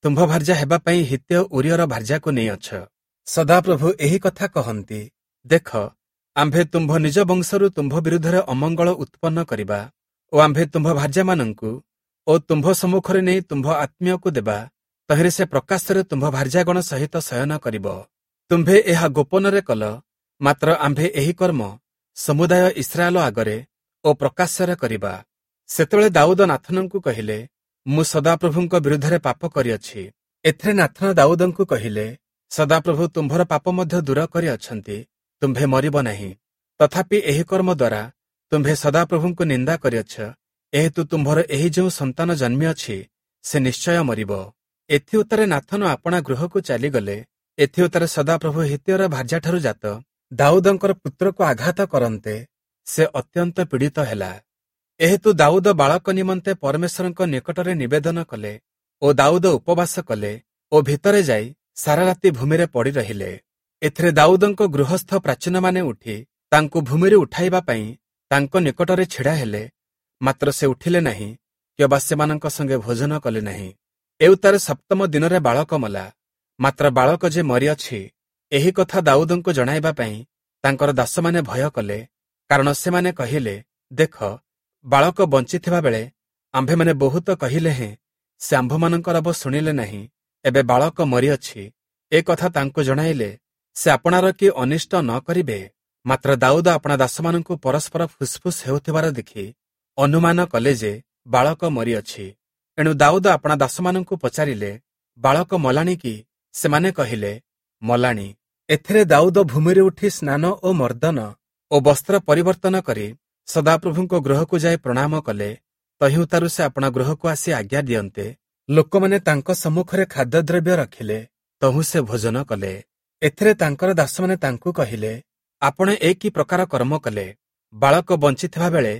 ତୁମ୍ଭ ଭାର୍ଯ୍ୟା ହେବା ପାଇଁ ହିତ୍ତୀୟ ଊରିୟର ଭାର୍ଯ୍ୟାକୁ ନେଇଅଛ। ସଦାପ୍ରଭୁ ଏହି କଥା କହନ୍ତି, ଦେଖ, ଆମ୍ଭେ ତୁମ୍ଭ ନିଜ ବଂଶରୁ ତୁମ୍ଭ ବିରୁଦ୍ଧରେ ଅମଙ୍ଗଳ ଉତ୍ପନ୍ନ କରିବା ଓ ଆମ୍ଭେ ତୁମ୍ଭ ଭାର୍ଯ୍ୟାମାନଙ୍କୁ ଓ ତୁମ୍ଭ ସମ୍ମୁଖରେ ନେଇ ତୁମ୍ଭ ଆତ୍ମୀୟକୁ ଦେବା, ତହିଁରେ ସେ ପ୍ରକାଶ୍ୟରେ ତୁମ୍ଭ ଭାର୍ଯ୍ୟାଗଣ ସହିତ ଶୟନ କରିବ। ତୁମ୍ଭେ ଏହା ଗୋପନରେ କଲ, ମାତ୍ର ଆମ୍ଭେ ଏହି କର୍ମ ସମୁଦାୟ ଇସ୍ରାଏଲ ଆଗରେ ଓ ପ୍ରକାଶ୍ୟରେ କରିବା। ସେତେବେଳେ ଦାଉଦ ନାଥନଙ୍କୁ କହିଲେ, ମୁଁ ସଦାପ୍ରଭୁଙ୍କ ବିରୁଦ୍ଧରେ ପାପ କରିଅଛି। ଏଥିରେ ନାଥନ ଦାଉଦଙ୍କୁ କହିଲେ, ସଦାପ୍ରଭୁ ତୁମ୍ଭର ପାପ ମଧ୍ୟ ଦୂର କରିଅଛନ୍ତି, ତୁମ୍ଭେ ମରିବ ନାହିଁ। ତଥାପି ଏହି କର୍ମ ଦ୍ୱାରା ତୁମ୍ଭେ ସଦାପ୍ରଭୁଙ୍କୁ ନିନ୍ଦା କରିଅଛ, ଏହେତୁ ତୁମ୍ଭର ଏହି ଯେଉଁ ସନ୍ତାନ ଜନ୍ମିଅଛି ସେ ନିଶ୍ଚୟ ମରିବ। ଏଥିଉତ୍ତାରେ ନାଥନ ଆପଣା ଗୃହକୁ ଚାଲିଗଲେ। ଏଥିଉତ୍ତାରେ ସଦାପ୍ରଭୁ ହିତ୍ତୀୟର ଭାର୍ଯ୍ୟାଠାରୁ ଜାତ ଦାଉଦଙ୍କର ପୁତ୍ରକୁ ଆଘାତ କରନ୍ତେ ସେ ଅତ୍ୟନ୍ତ ପୀଡ଼ିତ ହେଲା। ଏହେତୁ ଦାଉଦ ବାଳକ ନିମନ୍ତେ ପରମେଶ୍ୱରଙ୍କ ନିକଟରେ ନିବେଦନ କଲେ ଓ ଦାଉଦ ଉପବାସ କଲେ ଓ ଭିତରେ ଯାଇ ସାରା ରାତି ଭୂମିରେ ପଡ଼ି ରହିଲେ। ଏଥିରେ ଦାଉଦଙ୍କ ଗୃହସ୍ଥ ପ୍ରାଚୀନମାନେ ଉଠି ତାଙ୍କୁ ଭୂମିରୁ ଉଠାଇବା ପାଇଁ ତାଙ୍କ ନିକଟରେ ଛିଡ଼ା ହେଲେ, ମାତ୍ର ସେ ଉଠିଲେ ନାହିଁ କିମ୍ବା ସେମାନଙ୍କ ସଙ୍ଗେ ଭୋଜନ କଲେ ନାହିଁ। ଏଉତ୍ତାରେ ସପ୍ତମ ଦିନରେ ବାଳକ ମଲା। ମାତ୍ର ବାଳକ ଯେ ମରିଅଛି ଏହି କଥା ଦାଉଦଙ୍କୁ ଜଣାଇବା ପାଇଁ ତାଙ୍କର ଦାସମାନେ ଭୟ କଲେ, କାରଣ ସେମାନେ କହିଲେ, ଦେଖ, ବାଳକ ବଞ୍ଚିଥିବା ବେଳେ ଆମ୍ଭେମାନେ ବହୁତ କହିଲେ ହେଁ ସେ ଆମ୍ଭମାନଙ୍କ ରବ ଶୁଣିଲେ ନାହିଁ। ଏବେ ବାଳକ ମରିଅଛି, ଏ କଥା ତାଙ୍କୁ ଜଣାଇଲେ ସେ ଆପଣାର କି ଅନିଷ୍ଟ ନ କରିବେ। ମାତ୍ର ଦାଉଦ ଆପଣା ଦାସମାନଙ୍କୁ ପରସ୍ପର ଫୁସ୍ଫୁସ୍ ହେଉଥିବାର ଦେଖି ଅନୁମାନ କଲେ ଯେ ବାଳକ ମରିଅଛି। ଏଣୁ ଦାଉଦ ଆପଣା ଦାସମାନଙ୍କୁ ପଚାରିଲେ, ବାଳକ ମଲାଣି କି? ସେମାନେ କହିଲେ, ମଲାଣି। ଏଥିରେ ଦାଉଦ ଭୂମିରେ ଉଠି ସ୍ନାନ ଓ ମର୍ଦ୍ଦନ ଓ ବସ୍ତ୍ର ପରିବର୍ତ୍ତନ କରି ସଦାପ୍ରଭୁଙ୍କ ଗୃହକୁ ଯାଇ ପ୍ରଣାମ କଲେ। ତହିଁଉତାରୁ ସେ ଆପଣା ଗୃହକୁ ଆସି ଆଜ୍ଞା ଦିଅନ୍ତେ ଲୋକମାନେ ତାଙ୍କ ସମ୍ମୁଖରେ ଖାଦ୍ୟଦ୍ରବ୍ୟ ରଖିଲେ, ତହୁଁ ସେ ଭୋଜନ କଲେ। ଏଥିରେ ତାଙ୍କର ଦାସମାନେ ତାଙ୍କୁ କହିଲେ, ଆପଣ ଏ କି ପ୍ରକାର କର୍ମ କଲେ? ବାଳକ ବଞ୍ଚିଥିବା ବେଳେ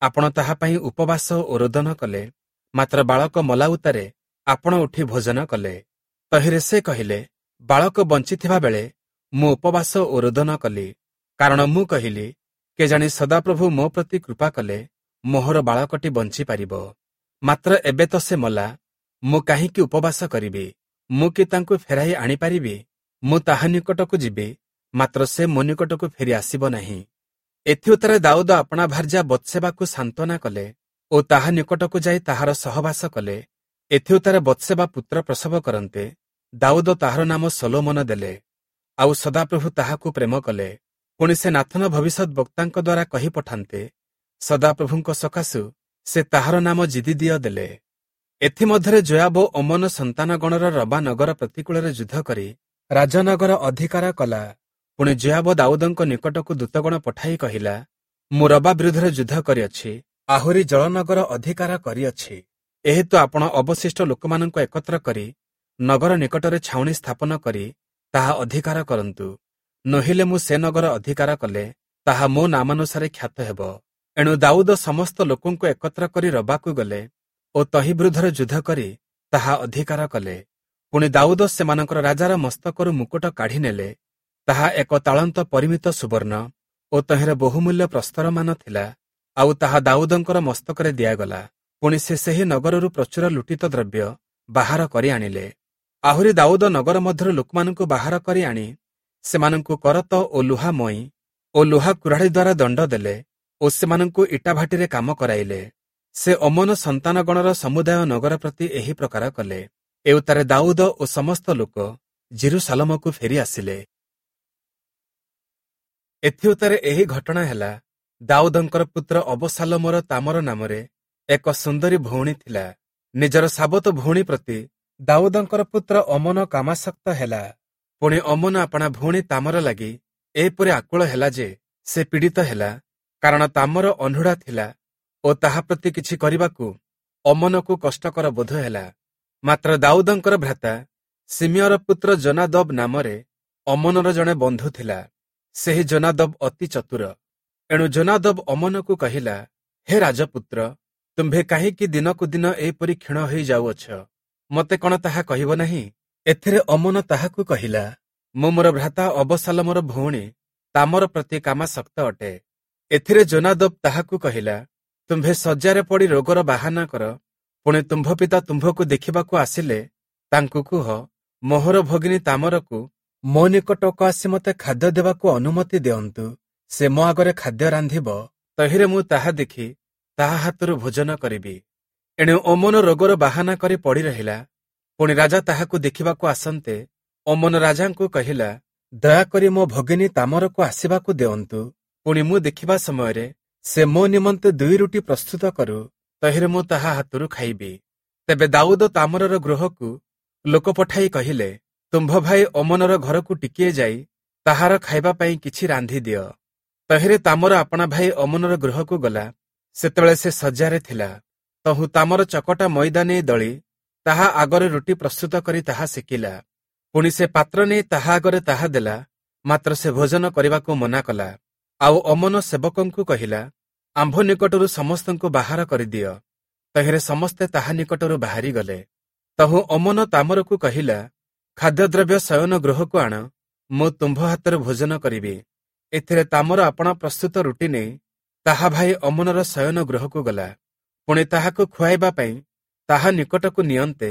ଆପଣ ତାହା ପାଇଁ ଉପବାସ ଓ ରୋଦନ କଲେ, ମାତ୍ର ବାଳକ ମଲା ଉତ୍ତାରେ ଆପଣ ଉଠି ଭୋଜନ କଲେ। ତହିଁରେ ସେ କହିଲେ, ବାଳକ ବଞ୍ଚିଥିବା ବେଳେ ମୁଁ ଉପବାସ ଓ ରୋଦନ କଲି, କାରଣ ମୁଁ କହିଲି, କେଜାଣି ସଦାପ୍ରଭୁ ମୋ ପ୍ରତି କୃପା କଲେ ମୋହର ବାଳକଟି ବଞ୍ଚିପାରିବ। ମାତ୍ର ଏବେ ତ ସେ ମଲା, ମୁଁ କାହିଁକି ଉପବାସ କରିବି? ମୁଁ କି ତାଙ୍କୁ ଫେରାଇ ଆଣିପାରିବି? ମୁଁ ତାହା ନିକଟକୁ ଯିବି, ମାତ୍ର ସେ ମୋ ନିକଟକୁ ଫେରି ଆସିବ ନାହିଁ। ଏଥିଉତ୍ତାରେ ଦାଉଦ ଆପଣା ଭାର୍ଯ୍ୟା ବତ୍ସେବାକୁ ସାନ୍ତ୍ୱନା କଲେ ଓ ତାହା ନିକଟକୁ ଯାଇ ତାହାର ସହବାସ କଲେ। ଏଥିଉତ୍ତାରେ ବତ୍ସେବା ପୁତ୍ର ପ୍ରସବ କରନ୍ତେ ଦାଉଦ ତାହାର ନାମ ସଲୋମନ ଦେଲେ, ଆଉ ସଦାପ୍ରଭୁ ତାହାକୁ ପ୍ରେମ କଲେ। ପୁଣି ସେ ନାଥନ ଭବିଷ୍ୟତ ବକ୍ତାଙ୍କ ଦ୍ୱାରା କହି ପଠାନ୍ତେ ସଦାପ୍ରଭୁଙ୍କ ସକାଶୁ ସେ ତାହାର ନାମ ଜିଦିଦିଅ ଦେଲେ। ଏଥିମଧ୍ୟରେ ଯୋୟାବ ଅମ୍ମୋନ ସନ୍ତାନଗଣର ରବା ନଗର ପ୍ରତିକୂଳରେ ଯୁଦ୍ଧ କରି ରାଜନଗର ଅଧିକାର କଲା। ପୁଣି ଯୋୟାବ ଦାଉଦଙ୍କ ନିକଟକୁ ଦୂତଗଣ ପଠାଇ କହିଲା, ମୁଁ ରବା ବିରୁଦ୍ଧରେ ଯୁଦ୍ଧ କରିଅଛି, ଆହୁରି ଜଳନଗର ଅଧିକାର କରିଅଛି। ଏହେତୁ ଆପଣ ଅବଶିଷ୍ଟ ଲୋକମାନଙ୍କୁ ଏକତ୍ର କରି ନଗର ନିକଟରେ ଛାଉଣି ସ୍ଥାପନ କରି ତାହା ଅଧିକାର କରନ୍ତୁ, ନୋହିଲେ ମୁଁ ସେ ନଗର ଅଧିକାର କଲେ ତାହା ମୋ ନାମାନୁସାରେ ଖ୍ୟାତ ହେବ। ଏଣୁ ଦାଉଦ ସମସ୍ତ ଲୋକଙ୍କୁ ଏକତ୍ର କରି ରବାକୁ ଗଲେ ଓ ତହି ବିରୁଦ୍ଧରେ ଯୁଦ୍ଧ କରି ତାହା ଅଧିକାର କଲେ। ପୁଣି ଦାଉଦ ସେମାନଙ୍କର ରାଜାର ମସ୍ତକରୁ ମୁକୁଟ କାଢ଼ି ନେଲେ। ତାହା ଏକ ତାଳନ୍ତ ପରିମିତ ସୁବର୍ଣ୍ଣ ଓ ତହିଁରେ ବହୁମୂଲ୍ୟ ପ୍ରସ୍ତରମାନ ଥିଲା, ଆଉ ତାହା ଦାଉଦଙ୍କର ମସ୍ତକରେ ଦିଆଗଲା। ପୁଣି ସେ ସେହି ନଗରରୁ ପ୍ରଚୁର ଲୁଟିତ ଦ୍ରବ୍ୟ ବାହାର କରି ଆଣିଲେ। ଆହୁରି ଦାଉଦ ନଗର ମଧ୍ୟରୁ ଲୋକମାନଙ୍କୁ ବାହାର କରି ଆଣି ସେମାନଙ୍କୁ କରତ ଓ ଲୁହା ମଇ ଓ ଲୁହା କୁରାଢ଼ୀ ଦ୍ୱାରା ଦଣ୍ଡ ଦେଲେ ଓ ସେମାନଙ୍କୁ ଇଟାଭାଟିରେ କାମ କରାଇଲେ। ସେ ଅମ୍ମୋନ ସନ୍ତାନଗଣର ସମୁଦାୟ ନଗର ପ୍ରତି ଏହି ପ୍ରକାର କଲେ। ଏଉତ୍ତାରେ ଦାଉଦ ଓ ସମସ୍ତ ଲୋକ ଯିରୂଶାଲମକୁ ଫେରି ଆସିଲେ। ଏଥିଉତ୍ତାରେ ଏହି ଘଟଣା ହେଲା, ଦାଉଦଙ୍କର ପୁତ୍ର ଅବଶାଲୋମର ତାମର ନାମରେ ଏକ ସୁନ୍ଦରୀ ଭଉଣୀ ଥିଲା। ନିଜର ସାବତ ଭଉଣୀ ପ୍ରତି ଦାଉଦଙ୍କର ପୁତ୍ର ଅମ୍ମୋନ କାମାସକ୍ତ ହେଲା। ପୁଣି ଅମ୍ମୋନ ଆପଣା ଭଉଣୀ ତାମର ଲାଗି ଏପରି ଆକୁଳ ହେଲା ଯେ ସେ ପୀଡ଼ିତ ହେଲା, କାରଣ ତାମର ଅଣ୍ଢୁଡ଼ା ଥିଲା ଓ ତାହା ପ୍ରତି କିଛି କରିବାକୁ ଅମ୍ମୋନକୁ କଷ୍ଟକର ବୋଧ ହେଲା। ମାତ୍ର ଦାଉଦଙ୍କର ଭ୍ରାତା ସିମିୟର ପୁତ୍ର ଯୋନାଦବ ନାମରେ ଅମ୍ମୋନର ଜଣେ ବନ୍ଧୁ ଥିଲା। ସେହି ଯୋନାଦବ ଅତି ଚତୁର। ଏଣୁ ଯୋନାଦବ ଅମ୍ମୋନକୁ କହିଲା, ହେ ରାଜପୁତ୍ର, ତୁମ୍ଭେ କାହିଁକି ଦିନକୁ ଦିନ ଏହିପରି କ୍ଷୀଣ ହୋଇ ଯାଉଅଛ? ମୋତେ କଣ ତାହା କହିବ ନାହିଁ? ଏଥିରେ ଅମ୍ମୋନ ତାହାକୁ କହିଲା, ମୁଁ ମୋର ଭ୍ରାତା ଅବଶାଲୋମର ଭଉଣୀ ତାମର ପ୍ରତି କାମାସକ୍ତ ଅଟେ। ଏଥିରେ ଯୋନାଦବ ତାହାକୁ କହିଲା, ତୁମ୍ଭେ ଶଯ୍ୟାରେ ପଡ଼ି ରୋଗର ବାହାନା କର। ପୁଣି ତୁମ୍ଭ ପିତା ତୁମ୍ଭକୁ ଦେଖିବାକୁ ଆସିଲେ ତାଙ୍କୁ କୁହ, ମୋହର ଭଗିନୀ ତାମରକୁ ମୋ ନିକଟକୁ ଆସି ମୋତେ ଖାଦ୍ୟ ଦେବାକୁ ଅନୁମତି ଦିଅନ୍ତୁ। ସେ ମୋ ଆଗରେ ଖାଦ୍ୟ ରାନ୍ଧିବ, ତହିଁରେ ମୁଁ ତାହା ଦେଖି ତାହା ହାତରୁ ଭୋଜନ କରିବି। ଏଣୁ ଅମ୍ନୋନ ରୋଗର ବାହାନା କରି ପଡ଼ି ରହିଲା। ପୁଣି ରାଜା ତାହାକୁ ଦେଖିବାକୁ ଆସନ୍ତେ ଅମ୍ନୋନ ରାଜାଙ୍କୁ କହିଲା, ଦୟାକରି ମୋ ଭଗିନୀ ତାମରକୁ ଆସିବାକୁ ଦିଅନ୍ତୁ। ପୁଣି ମୁଁ ଦେଖିବା ସମୟରେ ସେ ମୋ ନିମନ୍ତେ ଦୁଇ ରୁଟି ପ୍ରସ୍ତୁତ କରୁ, ତହିଁରେ ମୁଁ ତାହା ହାତରୁ ଖାଇବି। ତେବେ ଦାଉଦ ତାମରର ଗୃହକୁ ଲୋକ ପଠାଇ କହିଲେ, ତୁମ୍ଭ ଭାଇ ଅମ୍ନୋନର ଘରକୁ ଟିକିଏ ଯାଇ ତାହାର ଖାଇବା ପାଇଁ କିଛି ରାନ୍ଧି ଦିଅ। ତହିଁରେ ତାମର ଆପଣା ଭାଇ ଅମ୍ନୋନର ଗୃହକୁ ଗଲା। ସେତେବେଳେ ସେ ଶଯ୍ୟାରେ ଥିଲା। ତହୁଁ ତାମର ଚକଟା ମଇଦା ନେଇ ଦଳି ତାହା ଆଗରେ ରୁଟି ପ୍ରସ୍ତୁତ କରି ତାହା ସେକିଲା। ପୁଣି ସେ ପାତ୍ର ନେଇ ତାହା ଆଗରେ ତାହା ଦେଲା, ମାତ୍ର ସେ ଭୋଜନ କରିବାକୁ ମନା କଲା। ଆଉ ଅମ୍ନୋନ ସେବକଙ୍କୁ କହିଲା, ଆମ୍ଭ ନିକଟରୁ ସମସ୍ତଙ୍କୁ ବାହାର କରିଦିଅ। ତହିଁରେ ସମସ୍ତେ ତାହା ନିକଟରୁ ବାହାରି ଗଲେ। ତହୁଁ ଅମ୍ନୋନ ତାମରକୁ କହିଲା, ଖାଦ୍ୟଦ୍ରବ୍ୟ ଶୟନ ଗୃହକୁ ଆଣ, ମୁଁ ତୁମ୍ଭ ହାତରୁ ଭୋଜନ କରିବି। ଏଥିରେ ତାମର ଆପଣା ପ୍ରସ୍ତୁତ ରୁଟି ନେଇ ତାହା ଭାଇ ଅମ୍ନୋନର ଶୟନ ଗୃହକୁ ଗଲା। ପୁଣି ତାହାକୁ ଖୁଆଇବା ପାଇଁ ତାହା ନିକଟକୁ ନିଅନ୍ତେ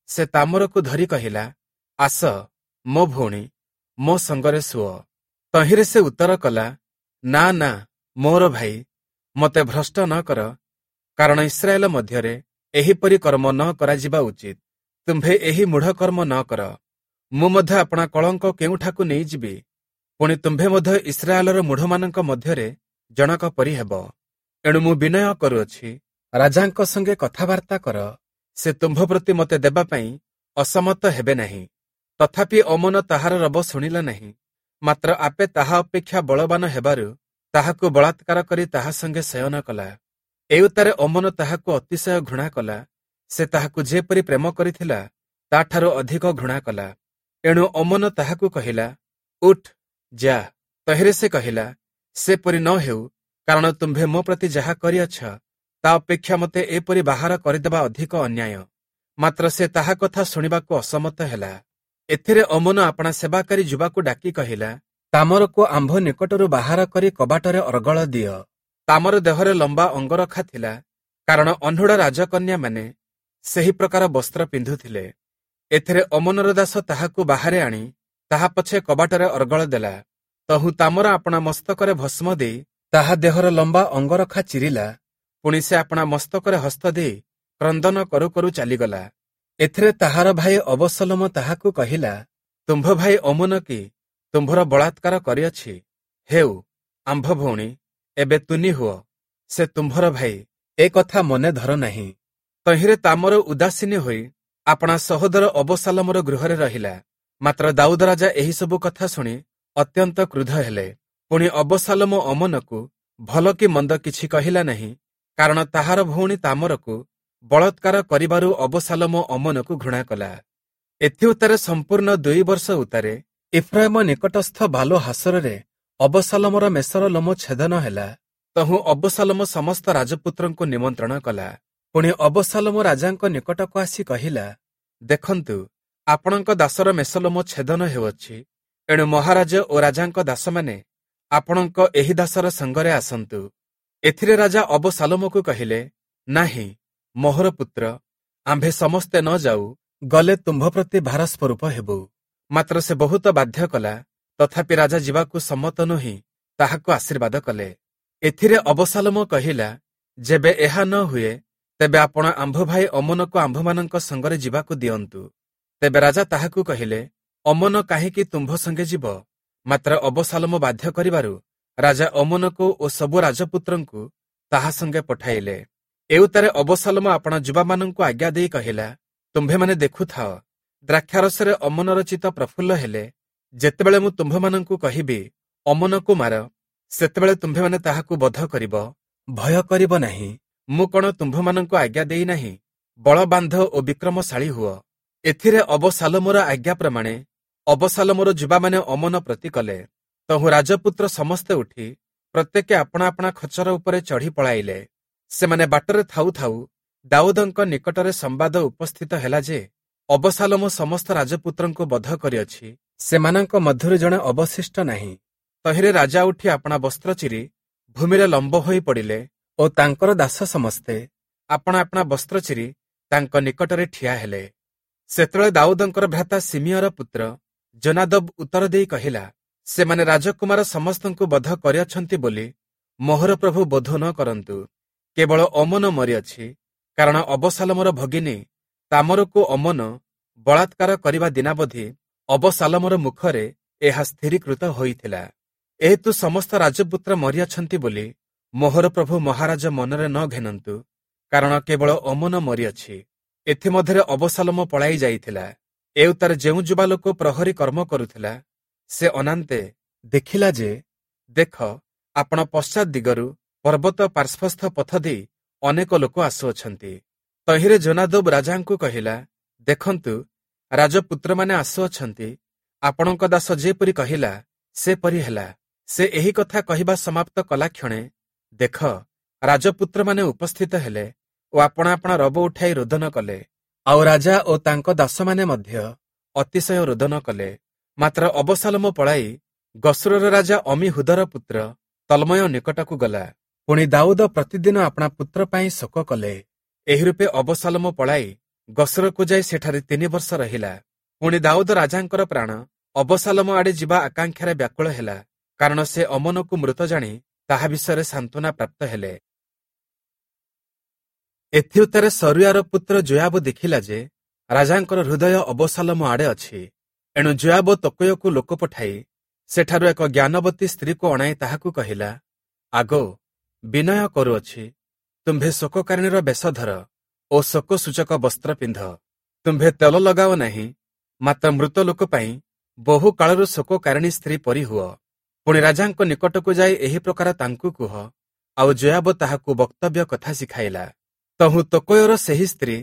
ସେ ତାମରକୁ ଧରି କହିଲା, ଆସ ମୋ ଭଉଣୀ, ମୋ ସଙ୍ଗରେ ଶୁଅ। ତହିଁରେ ସେ ଉତ୍ତର କଲା, ନା ନା, ମୋର ଭାଇ, ମୋତେ ଭ୍ରଷ୍ଟ ନ କର, କାରଣ ଇସ୍ରାଏଲ ମଧ୍ୟରେ ଏହିପରି କର୍ମ ନ କରାଯିବା ଉଚିତ। ତୁମ୍ଭେ ଏହି ମୂଢ଼ କର୍ମ ନ କର। ମୁଁ ମଧ୍ୟ ଆପଣା କଳଙ୍କ କେଉଁଠାକୁ ନେଇଯିବି? ପୁଣି ତୁମ୍ଭେ ମଧ୍ୟ ଇସ୍ରାଏଲର ମୂଢ଼ମାନଙ୍କ ମଧ୍ୟରେ ଜଣକ ପରି ହେବ। ଏଣୁ ମୁଁ ବିନୟ କରୁଅଛି, ରାଜାଙ୍କ ସଙ୍ଗେ କଥାବାର୍ତ୍ତା କର। ସେ ତୁମ୍ଭ ପ୍ରତି ମୋତେ ଦେବା ପାଇଁ ଅସମତ ହେବେ ନାହିଁ। ତଥାପି ଅମ୍ନୋନ ତାହାର ରବ ଶୁଣିଲା ନାହିଁ, ମାତ୍ର ଆପେ ତାହା ଅପେକ୍ଷା ବଳବାନ ହେବାରୁ ତାହାକୁ ବଳାତ୍କାର କରି ତାହା ସଙ୍ଗେ ଶୟନ କଲା। ଏଉତ୍ତାରେ ଅମ୍ନୋନ ତାହାକୁ ଅତିଶୟ ଘୃଣା କଲା। ସେ ତାହାକୁ ଯେପରି ପ୍ରେମ କରିଥିଲା, ତାଠାରୁ ଅଧିକ ଘୃଣା କଲା। ଏଣୁ ଅମ୍ନୋନ ତାହାକୁ କହିଲା, ଉଠ୍, ଯା। ତହିଁରେ ସେ କହିଲା, ସେପରି ନ ହେଉ, କାରଣ ତୁମ୍ଭେ ମୋ ପ୍ରତି ଯାହା କରିଅଛ, ତା ଅପେକ୍ଷା ମୋତେ ଏପରି ବାହାର କରିଦେବା ଅଧିକ ଅନ୍ୟାୟ। ମାତ୍ର ସେ ତାହା କଥା ଶୁଣିବାକୁ ଅସମତ ହେଲା। ଏଥିରେ ଅମ୍ନୋନ ଆପଣା ସେବାକାରୀ ଯୁବାକୁ ଡାକି କହିଲା, ତାମରକୁ ଆମ୍ଭ ନିକଟରୁ ବାହାର କରି କବାଟରେ ଅର୍ଗଳ ଦିଅ। ତାମର ଦେହରେ ଲମ୍ବା ଅଙ୍ଗରଖା ଥିଲା, କାରଣ ଅହ୍ନୁଡ଼ା ରାଜକନ୍ୟାମାନେ ସେହି ପ୍ରକାର ବସ୍ତ୍ର ପିନ୍ଧୁଥିଲେ। ଏଥିରେ ଅମ୍ନୋନର ଦାସ ତାହାକୁ ବାହାରେ ଆଣି ତାହା ପଛେ କବାଟରେ ଅର୍ଗଳ ଦେଲା। ତହୁଁ ତାମର ଆପଣା ମସ୍ତକରେ ଭସ୍ମ ଦେଇ ତାହା ଦେହର ଲମ୍ବା ଅଙ୍ଗରଖା ଚିରିଲା। ପୁଣି ସେ ଆପଣା ମସ୍ତକରେ ହସ୍ତ ଦେଇ କ୍ରନ୍ଦନ କରୁ କରୁ ଚାଲିଗଲା। ଏଥିରେ ତାହାର ଭାଇ ଅବଶଲୋମ ତାହାକୁ କହିଲା, ତୁମ୍ଭ ଭାଇ ଅମ୍ନୋନ କି ତୁମ୍ଭର ବଳାତ୍କାର କରିଅଛି? ହେଉ, ଆମ୍ଭ ଭଉଣୀ, ଏବେ ତୁନି ହୁଅ, ସେ ତୁମ୍ଭର ଭାଇ, ଏ କଥା ମନେ ଧର ନାହିଁ। ତହିଁରେ ତାମର ଉଦାସୀନ ହୋଇ ଆପଣା ସହୋଦର ଅବଶାଲୋମର ଗୃହରେ ରହିଲା। ମାତ୍ର ଦାଉଦ ରାଜା ଏହିସବୁ କଥା ଶୁଣି ଅତ୍ୟନ୍ତ କ୍ରୁଦ୍ଧ ହେଲେ। ପୁଣି ଅବଶାଲୋମ ଅମ୍ନୋନକୁ ଭଲ କି ମନ୍ଦ କିଛି କହିଲା ନାହିଁ, କାରଣ ତାହାର ଭଉଣୀ ତାମରକୁ ବଳାତ୍କାର କରିବାରୁ ଅବଶାଲୋମ ଅମ୍ନୋନକୁ ଘୃଣା କଲା। ଏଥିଉତ୍ତାରେ ସମ୍ପୂର୍ଣ୍ଣ ଦୁଇ ବର୍ଷ ଉତ୍ତାରେ ଇଫ୍ରାଇମ ନିକଟସ୍ଥ ବାଲୋ ହାସରରେ ଅବଶାଲୋମର ମେଷର ଲୋମ ଛେଦନ ହେଲା। ତହୁଁ ଅବଶାଲୋମ ସମସ୍ତ ରାଜପୁତ୍ରଙ୍କୁ ନିମନ୍ତ୍ରଣ କଲା। ପୁଣି ଅବଶାଲୋମ ରାଜାଙ୍କ ନିକଟକୁ ଆସି କହିଲା, ଦେଖନ୍ତୁ, ଆପଣଙ୍କ ଦାସର ମେଷଲୋମ ଛେଦନ ହେଉଅଛି। ଏଣୁ ମହାରାଜ ଓ ରାଜାଙ୍କ ଦାସମାନେ ଆପଣଙ୍କ ଏହି ଦାସର ସଙ୍ଗରେ ଆସନ୍ତୁ। ଏଥିରେ ରାଜା ଅବଶାଲୋମକୁ କହିଲେ, ନାହିଁ, ମୋହର ପୁତ୍ର, ଆମ୍ଭେ ସମସ୍ତେ ନ ଯାଉ, ଗଲେ ତୁମ୍ଭ ପ୍ରତି ଭାର ସ୍ୱରୂପ ହେବୁ। ମାତ୍ର ସେ ବହୁତ ବାଧ୍ୟ କଲା, ତଥାପି ରାଜା ଯିବାକୁ ସମ୍ମତ ନୋହି ତାହାକୁ ଆଶୀର୍ବାଦ କଲେ। ଏଥିରେ ଅବଶାଲୋମ କହିଲା, ଯେବେ ଏହା ନ ହୁଏ, ତେବେ ଆପଣ ଆମ୍ଭ ଭାଇ ଅମ୍ନୋନକୁ ଆମ୍ଭମାନଙ୍କ ସଙ୍ଗରେ ଯିବାକୁ ଦିଅନ୍ତୁ। ତେବେ ରାଜା ତାହାକୁ କହିଲେ, ଅମ୍ନୋନ କାହିଁକି ତୁମ୍ଭ ସଙ୍ଗେ ଯିବ? ମାତ୍ର ଅବଶାଲୋମ ବାଧ୍ୟ କରିବାରୁ ରାଜା ଅମ୍ନୋନକୁ ଓ ସବୁ ରାଜପୁତ୍ରଙ୍କୁ ତାହା ସଙ୍ଗେ ପଠାଇଲେ। ଏଉତ୍ତାରେ ଅବଶାଲୋମ ଆପଣା ଯୁବାମାନଙ୍କୁ ଆଜ୍ଞା ଦେଇ କହିଲା, ତୁମ୍ଭେମାନେ ଦେଖୁଥାଅ, ଦ୍ରାକ୍ଷାରସରେ ଅମ୍ନୋନର ଚିତ୍ତ ପ୍ରଫୁଲ୍ଲ ହେଲେ ଯେତେବେଳେ ମୁଁ ତୁମ୍ଭମାନଙ୍କୁ କହିବି, ଅମ୍ନୋନକୁ ମାର, ସେତେବେଳେ ତୁମ୍ଭେମାନେ ତାହାକୁ ବଧ କରିବ, ଭୟ କରିବ ନାହିଁ। ମୁଁ କଣ ତୁମ୍ଭମାନଙ୍କୁ ଆଜ୍ଞା ଦେଇନାହିଁ? ବଳ ବାନ୍ଧ ଓ ବିକ୍ରମଶାଳୀ ହୁଅ। ଏଥିରେ ଅବଶାଲୋମର ଆଜ୍ଞା ପ୍ରମାଣେ ଅବଶାଲୋମର ଯୁବାମାନେ ଅମ୍ନୋନ ପ୍ରତି କଲେ। ତହୁଁ ରାଜପୁତ୍ର ସମସ୍ତେ ଉଠି ପ୍ରତ୍ୟେକେ ଆପଣା ଆପଣା ଖଚର ଉପରେ ଚଢ଼ି ପଳାଇଲେ। ସେମାନେ ବାଟରେ ଥାଉ ଥାଉ ଦାଉଦଙ୍କ ନିକଟରେ ସମ୍ବାଦ ଉପସ୍ଥିତ ହେଲା ଯେ ଅବଶାଲୋମ ସମସ୍ତ ରାଜପୁତ୍ରଙ୍କୁ ବଧ କରିଅଛି, ସେମାନଙ୍କ ମଧ୍ୟରୁ ଜଣେ ଅବଶିଷ୍ଟ ନାହିଁ। ତହିଁରେ ରାଜା ଉଠି ଆପଣା ବସ୍ତ୍ର ଚିରି ଭୂମିରେ ଲମ୍ବ ହୋଇ ପଡ଼ିଲେ ଓ ତାଙ୍କର ଦାସ ସମସ୍ତେ ଆପଣା ଆପଣା ବସ୍ତ୍ର ଚିରି ତାଙ୍କ ନିକଟରେ ଠିଆ ହେଲେ। ସେତେବେଳେ ଦାଉଦଙ୍କର ଭ୍ରାତା ଶିମିୟର ପୁତ୍ର ଯୋନାଦବ ଉତ୍ତର ଦେଇ କହିଲା, ସେମାନେ ରାଜକୁମାର ସମସ୍ତଙ୍କୁ ବଧ କରିଅଛନ୍ତି ବୋଲି ମୋହର ପ୍ରଭୁ ବୋଧ ନ କରନ୍ତୁ। କେବଳ ଅମନ ମରିଅଛି, କାରଣ ଅବସାଲମର ଭଗିନୀ ତାମରକୁ ଅମନ ବଳାତ୍କାର କରିବା ଦିନାବଧି ଅବସାଲମର ମୁଖରେ ଏହା ସ୍ଥିରୀକୃତ ହୋଇଥିଲା। ଏହେତୁ ସମସ୍ତ ରାଜପୁତ୍ର ମରିଅଛନ୍ତି ବୋଲି ମୋହର ପ୍ରଭୁ ମହାରାଜ ମନରେ ନ ଘେନନ୍ତୁ, କାରଣ କେବଳ ଅମନ ମରିଅଛି। ଏଥିମଧ୍ୟରେ ଅବସାଲମ ପଳାଇ ଯାଇଥିଲା। ଏଉତ୍ତାରେ ଯେଉଁ ଯୁବା ଲୋକ ପ୍ରହରୀ କର୍ମ କରୁଥିଲା, ସେ ଅନାନ୍ତେ ଦେଖିଲା ଯେ, ଦେଖ, ଆପଣ ପଶ୍ଚାତ ଦିଗରୁ ପର୍ବତ ପାର୍ଶ୍ୱସ୍ଥ ପଥ ଦେଇ ଅନେକ ଲୋକ ଆସୁଅଛନ୍ତି। ତହିଁରେ ଯୋନାଦବ ରାଜାଙ୍କୁ କହିଲା, ଦେଖନ୍ତୁ, ରାଜପୁତ୍ରମାନେ ଆସୁଅଛନ୍ତି। ଆପଣଙ୍କ ଦାସ ଯେପରି କହିଲା ସେପରି ହେଲା। ସେ ଏହି କଥା କହିବା ସମାପ୍ତ କଲା କ୍ଷଣେ ଦେଖ, ରାଜପୁତ୍ରମାନେ ଉପସ୍ଥିତ ହେଲେ ଓ ଆପଣା ଆପଣା ରବ ଉଠାଇ ରୋଦନ କଲେ। ଆଉ ରାଜା ଓ ତାଙ୍କ ଦାସମାନେ ମଧ୍ୟ ଅତିଶୟ ରୋଦନ କଲେ। ମାତ୍ର ଅବସାଲମ ପଳାଇ ଗଶୂରର ରାଜା ଅମୀହୁଦର ପୁତ୍ର ତଲ୍ମୟ ନିକଟକୁ ଗଲା। ପୁଣି ଦାଉଦ ପ୍ରତିଦିନ ଆପଣା ପୁତ୍ର ପାଇଁ ଶୋକ କଲେ। ଏହି ରୂପେ ଅବସାଲମ ପଳାଇ ଗଶୂରକୁ ଯାଇ ସେଠାରେ ତିନି ବର୍ଷ ରହିଲା। ପୁଣି ଦାଉଦ ରାଜାଙ୍କର ପ୍ରାଣ ଅବସାଲମ ଆଡ଼େ ଯିବା ଆକାଂକ୍ଷାରେ ବ୍ୟାକୁଳ ହେଲା, କାରଣ ସେ ଅମନକୁ ମୃତ ଜାଣି ତାହା ବିଷୟରେ ସାନ୍ତ୍ୱନା ପ୍ରାପ୍ତ ହେଲେ। ଏଥିଉତ୍ତାରେ ସରୁୟାର ପୁତ୍ର ଯୋୟାବ ଦେଖିଲା ଯେ ରାଜାଙ୍କର ହୃଦୟ ଅବସାଲମ ଆଡ଼େ ଅଛି। ଏଣୁ ଯୋୟାବ ତକୋୟକୁ ଲୋକ ପଠାଇ ସେଠାରୁ ଏକ ଜ୍ଞାନବତୀ ସ୍ତ୍ରୀକୁ ଅଣାଇ ତାହାକୁ କହିଲା, ଆଗୋ, ବିନୟ କରୁଅଛି, ତୁମ୍ଭେ ଶୋକକାରିଣୀର ବେଶ ଧର ଓ ଶୋକ ସୂଚକ ବସ୍ତ୍ର ପିନ୍ଧ। ତୁମ୍ଭେ ତେଲ ଲଗାଅ ନାହିଁ, ମାତ୍ର ମୃତ ଲୋକ ପାଇଁ ବହୁ କାଳରୁ ଶୋକକାରିଣୀ ସ୍ତ୍ରୀ ପରି ହୁଅ। ପୁଣି ରାଜାଙ୍କ ନିକଟକୁ ଯାଇ ଏହି ପ୍ରକାର ତାଙ୍କୁ କୁହ। ଆଉ ଯୋୟାବ ତାହାକୁ ବକ୍ତବ୍ୟ କଥା ଶିଖାଇଲା। ତହୁଁ ତକୋୟର ସେହି ସ୍ତ୍ରୀ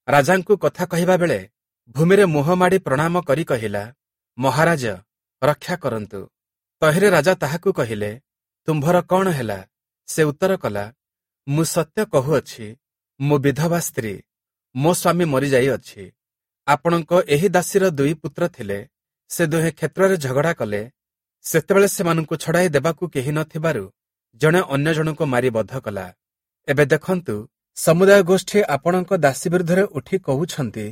ରାଜାଙ୍କୁ କଥା କହିବା ବେଳେ ଭୂମିରେ ମୁହଁ ମାଡ଼ି ପ୍ରଣାମ କରି କହିଲା, ମହାରାଜ, ରକ୍ଷା କରନ୍ତୁ। ତହିଁରେ ରାଜା ତାହାକୁ କହିଲେ, ତୁମ୍ଭର କଣ ହେଲା? ସେ ଉତ୍ତର କଲା, ମୁଁ ସତ୍ୟ କହୁଅଛି, ମୁଁ ବିଧବା ସ୍ତ୍ରୀ, ମୋ ସ୍ୱାମୀ ମରିଯାଇଅଛି। ଆପଣଙ୍କ ଏହି ଦାସୀର ଦୁଇ ପୁତ୍ର ଥିଲେ। ସେ ଦୁହେଁ କ୍ଷେତ୍ରରେ ଝଗଡ଼ା କଲେ। ସେତେବେଳେ ସେମାନଙ୍କୁ ଛଡ଼ାଇ ଦେବାକୁ କେହି ନଥିବାରୁ ଜଣେ ଅନ୍ୟ ଜଣଙ୍କୁ ମାରି ବଧ କଲା। ଏବେ ଦେଖନ୍ତୁ, ସମୁଦାୟ ଗୋଷ୍ଠୀ ଆପଣଙ୍କ ଦାସୀ ବିରୁଦ୍ଧରେ ଉଠି କହୁଛନ୍ତି,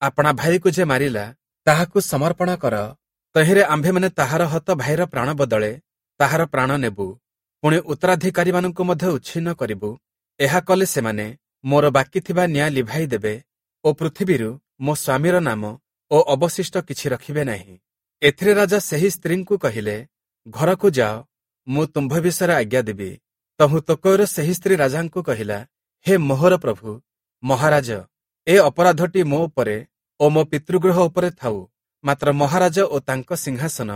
ଆପଣା ଭାଇକୁ ଯେ ମାରିଲା ତାହାକୁ ସମର୍ପଣ କର। ତହିଁରେ ଆମ୍ଭେମାନେ ତାହାର ହତ ଭାଇର ପ୍ରାଣ ବଦଳେ ତାହାର ପ୍ରାଣ ନେବୁ, ପୁଣି ଉତ୍ତରାଧିକାରୀମାନଙ୍କୁ ମଧ୍ୟ ଉଚ୍ଛିନ୍ନ କରିବୁ। ଏହା କଲେ ସେମାନେ ମୋର ବାକି ଥିବା ନିଆଁ ଲିଭାଇ ଦେବେ ଓ ପୃଥିବୀରୁ ମୋ ସ୍ୱାମୀର ନାମ ଓ ଅବଶିଷ୍ଟ କିଛି ରଖିବେ ନାହିଁ। ଏଥିରେ ରାଜା ସେହି ସ୍ତ୍ରୀଙ୍କୁ କହିଲେ, ଘରକୁ ଯାଅ, ମୁଁ ତୁମ୍ଭ ବିଷୟରେ ଆଜ୍ଞା ଦେବି। ତହୁଁ ତକୋୟର ସେହି ସ୍ତ୍ରୀ ରାଜାଙ୍କୁ କହିଲା, ହେ ମୋହର ପ୍ରଭୁ ମହାରାଜ, ଏ ଅପରାଧଟି ମୋ ଉପରେ ଓ ମୋ ପିତୃଗୃହ ଉପରେ ଥାଉ, ମାତ୍ର ମହାରାଜ ଓ ତାଙ୍କ ସିଂହାସନ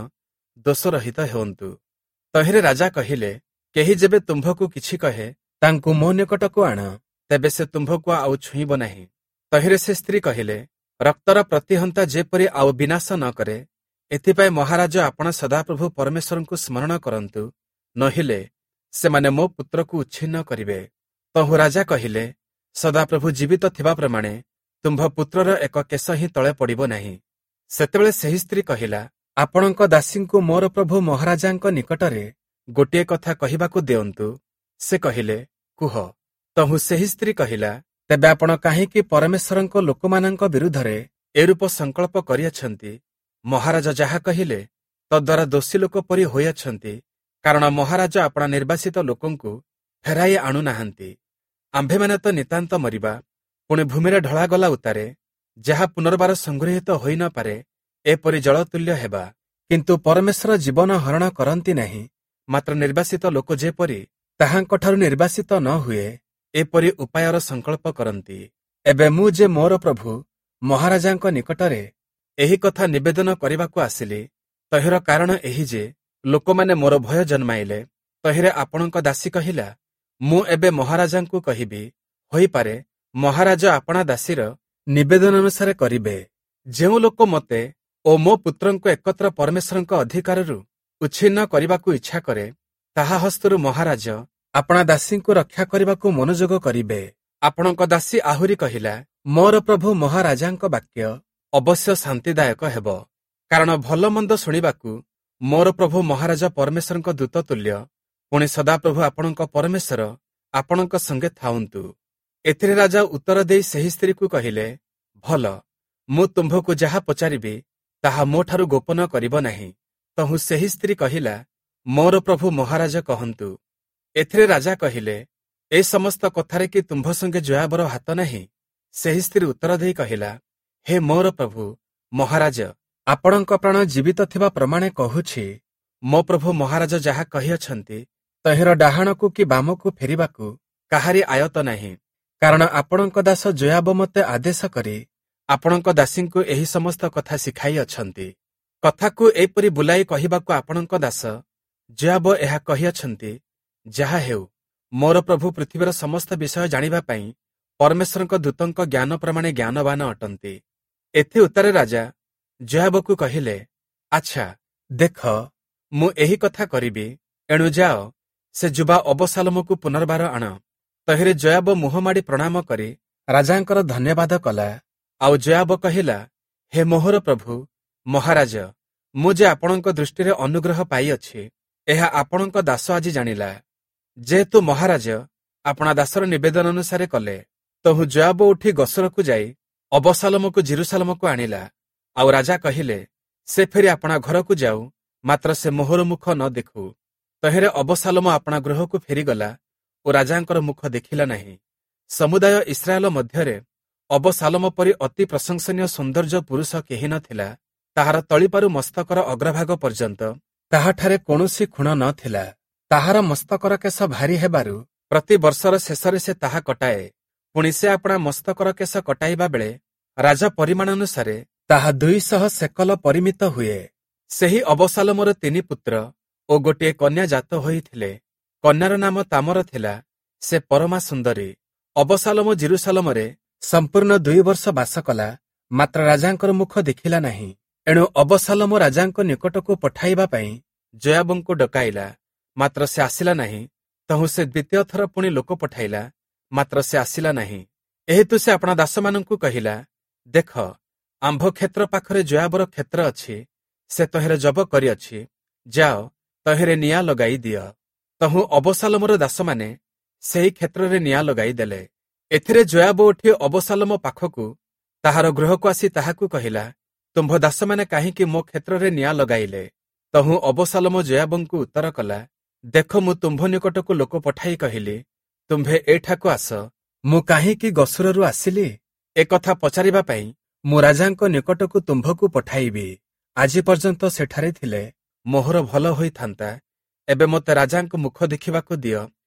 ଦୋଷରହିତ ହେଉନ୍ତୁ। ତହିଁରେ ରାଜା କହିଲେ, କେହି ଯେବେ ତୁମ୍ଭକୁ କିଛି କହେ, ତାଙ୍କୁ ମୋ ନିକଟକୁ ଆଣ, ତେବେ ସେ ତୁମ୍ଭକୁ ଆଉ ଛୁଇଁବ ନାହିଁ। ତହିଁରେ ସେ ସ୍ତ୍ରୀ କହିଲେ, ରକ୍ତର ପ୍ରତିହନ୍ତା ଯେପରି ଆଉ ବିନାଶ ନ କରେ, ଏଥିପାଇଁ ମହାରାଜ ଆପଣ ସଦାପ୍ରଭୁ ପରମେଶ୍ୱରଙ୍କୁ ସ୍ମରଣ କରନ୍ତୁ, ନହିଲେ ସେମାନେ ମୋ ପୁତ୍ରକୁ ଉଚ୍ଛିନ୍ନ କରିବେ। ତହୁଁ ରାଜା କହିଲେ, ସଦାପ୍ରଭୁ ଜୀବିତ ଥିବା ପ୍ରମାଣେ ତୁମ୍ଭ ପୁତ୍ରର ଏକ କେଶ ହିଁ ତଳେ ପଡ଼ିବ ନାହିଁ। ସେତେବେଳେ ସେହି ସ୍ତ୍ରୀ କହିଲା, ଆପଣଙ୍କ ଦାସୀଙ୍କୁ ମୋର ପ୍ରଭୁ ମହାରାଜାଙ୍କ ନିକଟରେ ଗୋଟିଏ କଥା କହିବାକୁ ଦିଅନ୍ତୁ। ସେ କହିଲେ, କୁହ। ତହୁଁ ସେହି ସ୍ତ୍ରୀ କହିଲା, ତେବେ ଆପଣ କାହିଁକି ପରମେଶ୍ୱରଙ୍କ ଲୋକମାନଙ୍କ ବିରୁଦ୍ଧରେ ଏରୂପ ସଂକଳ୍ପ କରିଅଛନ୍ତି? ମହାରାଜ ଯାହା କହିଲେ ତଦ୍ୱାରା ଦୋଷୀ ଲୋକ ପରି ହୋଇଅଛନ୍ତି, କାରଣ ମହାରାଜ ଆପଣା ନିର୍ବାସିତ ଲୋକଙ୍କୁ ଫେରାଇ ଆଣୁନାହାନ୍ତି। ଆମ୍ଭେମାନେ ତ ନିତାନ୍ତ ମରିବା, ପୁଣି ଭୂମିରେ ଢଳାଗଲା ଉତ୍ତାରେ ଯାହା ପୁନର୍ବାର ସଂଗୃହୀତ ହୋଇ ନ ପାରେ, ଏପରି ଜଳତୁଲ୍ୟ ହେବା। କିନ୍ତୁ ପରମେଶ୍ୱର ଜୀବନ ହରଣ କରନ୍ତି ନାହିଁ, ମାତ୍ର ନିର୍ବାସିତ ଲୋକ ଯେପରି ତାହାଙ୍କଠାରୁ ନିର୍ବାସିତ ନ ହୁଏ, ଏପରି ଉପାୟର ସଂକଳ୍ପ କରନ୍ତି। ଏବେ ମୁଁ ଯେ ମୋର ପ୍ରଭୁ ମହାରାଜାଙ୍କ ନିକଟରେ ଏହି କଥା ନିବେଦନ କରିବାକୁ ଆସିଲି, ତହିଁର କାରଣ ଏହି ଯେ ଲୋକମାନେ ମୋର ଭୟ ଜନ୍ମାଇଲେ। ତହିଁରେ ଆପଣଙ୍କ ଦାସୀ କହିଲା, ମୁଁ ଏବେ ମହାରାଜାଙ୍କୁ କହିବି, ହୋଇପାରେ ମହାରାଜ ଆପଣା ଦାସୀର ନିବେଦନ ଅନୁସାରେ କରିବେ। ଯେଉଁ ଲୋକ ମୋତେ ଓ ମୋ ପୁତ୍ରଙ୍କୁ ଏକତ୍ର ପରମେଶ୍ୱରଙ୍କ ଅଧିକାରରୁ ଉଚ୍ଛିନ୍ନ କରିବାକୁ ଇଚ୍ଛା କରେ, ତାହା ହସ୍ତରୁ ମହାରାଜ ଆପଣା ଦାସୀଙ୍କୁ ରକ୍ଷା କରିବାକୁ ମନୋଯୋଗ କରିବେ। ଆପଣଙ୍କ ଦାସୀ ଆହୁରି କହିଲା, ମୋର ପ୍ରଭୁ ମହାରାଜାଙ୍କ ବାକ୍ୟ ଅବଶ୍ୟ ଶାନ୍ତିଦାୟକ ହେବ, କାରଣ ଭଲ ମନ୍ଦ ଶୁଣିବାକୁ ମୋର ପ୍ରଭୁ ମହାରାଜା ପରମେଶ୍ୱରଙ୍କ ଦୂତ ତୁଲ୍ୟ। ପୁଣି ସଦାପ୍ରଭୁ ଆପଣଙ୍କ ପରମେଶ୍ୱର ଆପଣଙ୍କ ସଙ୍ଗେ ଥାଉନ୍ତୁ। ଏଥିରେ ରାଜା ଉତ୍ତର ଦେଇ ସେହି ସ୍ତ୍ରୀକୁ କହିଲେ, ଭଲ, ମୁଁ ତୁମ୍ଭକୁ ଯାହା ପଚାରିବି ତାହା ମୋଠାରୁ ଗୋପନ କରିବ ନାହିଁ। ତହୁଁ ସେହି ସ୍ତ୍ରୀ କହିଲା, ମୋର ପ୍ରଭୁ ମହାରାଜ କହନ୍ତୁ। ଏଥିରେ ରାଜା କହିଲେ, ଏ ସମସ୍ତ କଥାରେ କି ତୁମ୍ଭ ସଙ୍ଗେ ଯୋୟାବର ହାତ ନାହିଁ? ସେହି ସ୍ତ୍ରୀ ଉତ୍ତର ଦେଇ କହିଲା, ହେ ମୋର ପ୍ରଭୁ ମହାରାଜ, ଆପଣଙ୍କ ପ୍ରାଣ ଜୀବିତ ଥିବା ପ୍ରମାଣେ କହୁଛି, ମୋ ପ୍ରଭୁ ମହାରାଜ ଯାହା କହିଅଛନ୍ତି ତହିଁର ଡାହାଣକୁ କି ବାମକୁ ଫେରିବାକୁ କାହାରି ଆୟତ ନାହିଁ। କାରଣ ଆପଣଙ୍କ ଦାସ ଯୋୟାବ ମୋତେ ଆଦେଶ କରି ଆପଣଙ୍କ ଦାସୀଙ୍କୁ ଏହି ସମସ୍ତ କଥା ଶିଖାଇ ଅଛନ୍ତି। କଥାକୁ ଏପରି ବୁଲାଇ କହିବାକୁ ଆପଣଙ୍କ ଦାସ ଯୋୟାବ ଏହା କହିଅଛନ୍ତି। ଯାହା ହେଉ, ମୋର ପ୍ରଭୁ ପୃଥିବୀର ସମସ୍ତ ବିଷୟ ଜାଣିବା ପାଇଁ ପରମେଶ୍ୱରଙ୍କ ଦୂତଙ୍କ ଜ୍ଞାନ ପ୍ରମାଣେ ଜ୍ଞାନବାନ ଅଟନ୍ତି। ଏଥି ଉତ୍ତରେ ରାଜା ଯୋୟାବକୁ କହିଲେ, ଆଚ୍ଛା ଦେଖ, ମୁଁ ଏହି କଥା କରିବି, ଏଣୁ ଯାଅ, ସେ ଯୁବା ଅବସାଲୋମକୁ ପୁନର୍ବାର ଆଣ। ତହିଁରେ ଯୋୟାବ ମୁହଁ ମାଡ଼ି ପ୍ରଣାମ କରି ରାଜାଙ୍କର ଧନ୍ୟବାଦ କଲା। ଆଉ ଯୋୟାବ କହିଲା, ହେ ମୋହର ପ୍ରଭୁ ମହାରାଜ, ମୁଁ ଯେ ଆପଣଙ୍କ ଦୃଷ୍ଟିରେ ଅନୁଗ୍ରହ ପାଇଅଛି, ଏହା ଆପଣଙ୍କ ଦାସ ଆଜି ଜାଣିଲା। ଯେହେତୁ ମହାରାଜ ଆପଣା ଦାସର ନିବେଦନ ଅନୁସାରେ କଲେ। ତହୁଁ ଯୋୟାବ ଉଠି ଗସରକୁ ଯାଇ ଅବସାଲୋମକୁ ଯିରୂଶାଲମକୁ ଆଣିଲା। ଆଉ ରାଜା କହିଲେ, ସେ ଫେରି ଆପଣା ଘରକୁ ଯାଉ, ମାତ୍ର ସେ ମୋହର ମୁଖ ନ ଦେଖୁ। ତହିଁରେ ଅବସାଲୋମ ଆପଣା ଗୃହକୁ ଫେରିଗଲା ଓ ରାଜାଙ୍କର ମୁଖ ଦେଖିଲା ନାହିଁ। ସମୁଦାୟ ଇସ୍ରାଏଲ ମଧ୍ୟରେ ଅବସାଲୋମ ପରି ଅତି ପ୍ରଶଂସନୀୟ ସୌନ୍ଦର୍ଯ୍ୟ ପୁରୁଷ କେହି ନଥିଲା। ତାହାର ତଳିପାରୁ ମସ୍ତକର ଅଗ୍ରଭାଗ ପର୍ଯ୍ୟନ୍ତ ତାହାଠାରେ କୌଣସି ଖୁଣ ନ ଥିଲା। ତାହାର ମସ୍ତକର କେଶ ଭାରି ହେବାରୁ ପ୍ରତି ବର୍ଷର ଶେଷରେ ସେ ତାହା କଟାଏ। ପୁଣି ସେ ଆପଣା ମସ୍ତକର କେଶ କଟାଇବା ବେଳେ ରାଜ ପରିମାଣ ଅନୁସାରେ ତାହା ଦୁଇଶହ ସେକଲ ପରିମିତ ହୁଏ। ସେହି ଅବସାଲୋମର ତିନି ପୁତ୍ର ଓ ଗୋଟିଏ କନ୍ୟା ଜାତ ହୋଇଥିଲେ। କନ୍ୟାର ନାମ ତାମର ଥିଲା, ସେ ପରମା ସୁନ୍ଦରୀ। ଅବସାଲୋମ ଯିରୂଶାଲମରେ ସମ୍ପୂର୍ଣ୍ଣ ଦୁଇ ବର୍ଷ ବାସ କଲା, ମାତ୍ର ରାଜାଙ୍କର ମୁଖ ଦେଖିଲା ନାହିଁ। ଏଣୁ ଅବସାଲୋମ ରାଜାଙ୍କ ନିକଟକୁ ପଠାଇବା ପାଇଁ ଯୋୟାବଙ୍କୁ ଡକାଇଲା, ମାତ୍ର ସେ ଆସିଲା ନାହିଁ। ତହୁଁ ସେ ଦ୍ୱିତୀୟ ଥର ପୁଣି ଲୋକ ପଠାଇଲା, ମାତ୍ର ସେ ଆସିଲା ନାହିଁ। ଏହେତୁ ସେ ଆପଣା ଦାସମାନଙ୍କୁ କହିଲା, ଦେଖ, ଆମ୍ଭ କ୍ଷେତ୍ର ପାଖରେ ଯୋୟାବର କ୍ଷେତ୍ର ଅଛି, ସେ ତହିଁରେ ଜବ କରିଅଛି, ଯାଅ ତହିଁରେ ନିଆଁ ଲଗାଇ ଦିଅ। ତହୁଁ ଅବସାଲୋମର ଦାସମାନେ ସେହି କ୍ଷେତ୍ରରେ ନିଆଁ ଲଗାଇ ଦେଲେ। ଏଥିରେ ଯୋୟାବ ଉଠି ଅବସାଲୋମ ପାଖକୁ ତାହାର ଗୃହକୁ ଆସି ତାହାକୁ କହିଲା, ତୁମ୍ଭ ଦାସମାନେ କାହିଁକି ମୋ କ୍ଷେତ୍ରରେ ନିଆଁ ଲଗାଇଲେ? ତହୁଁ ଅବସାଲୋମ ଯୋୟାବଙ୍କୁ ଉତ୍ତର କଲା, ଦେଖ, ମୁଁ ତୁମ୍ଭ ନିକଟକୁ ଲୋକ ପଠାଇ କହିଲି, ତୁମ୍ଭେ ଏଠାକୁ ଆସ, ମୁଁ କାହିଁକି ଗସୁରରୁ ଆସିଲି ଏକଥା ପଚାରିବା ପାଇଁ ମୁଁ ରାଜାଙ୍କ ନିକଟକୁ ତୁମ୍ଭକୁ ପଠାଇବି। ଆଜି ପର୍ଯ୍ୟନ୍ତ ସେଠାରେ ଥିଲେ ମୋହର ଭଲ ହୋଇଥାନ୍ତା। ଏବେ ମୋତେ ରାଜାଙ୍କ ମୁଖ ଦେଖିବାକୁ ଦିଅ,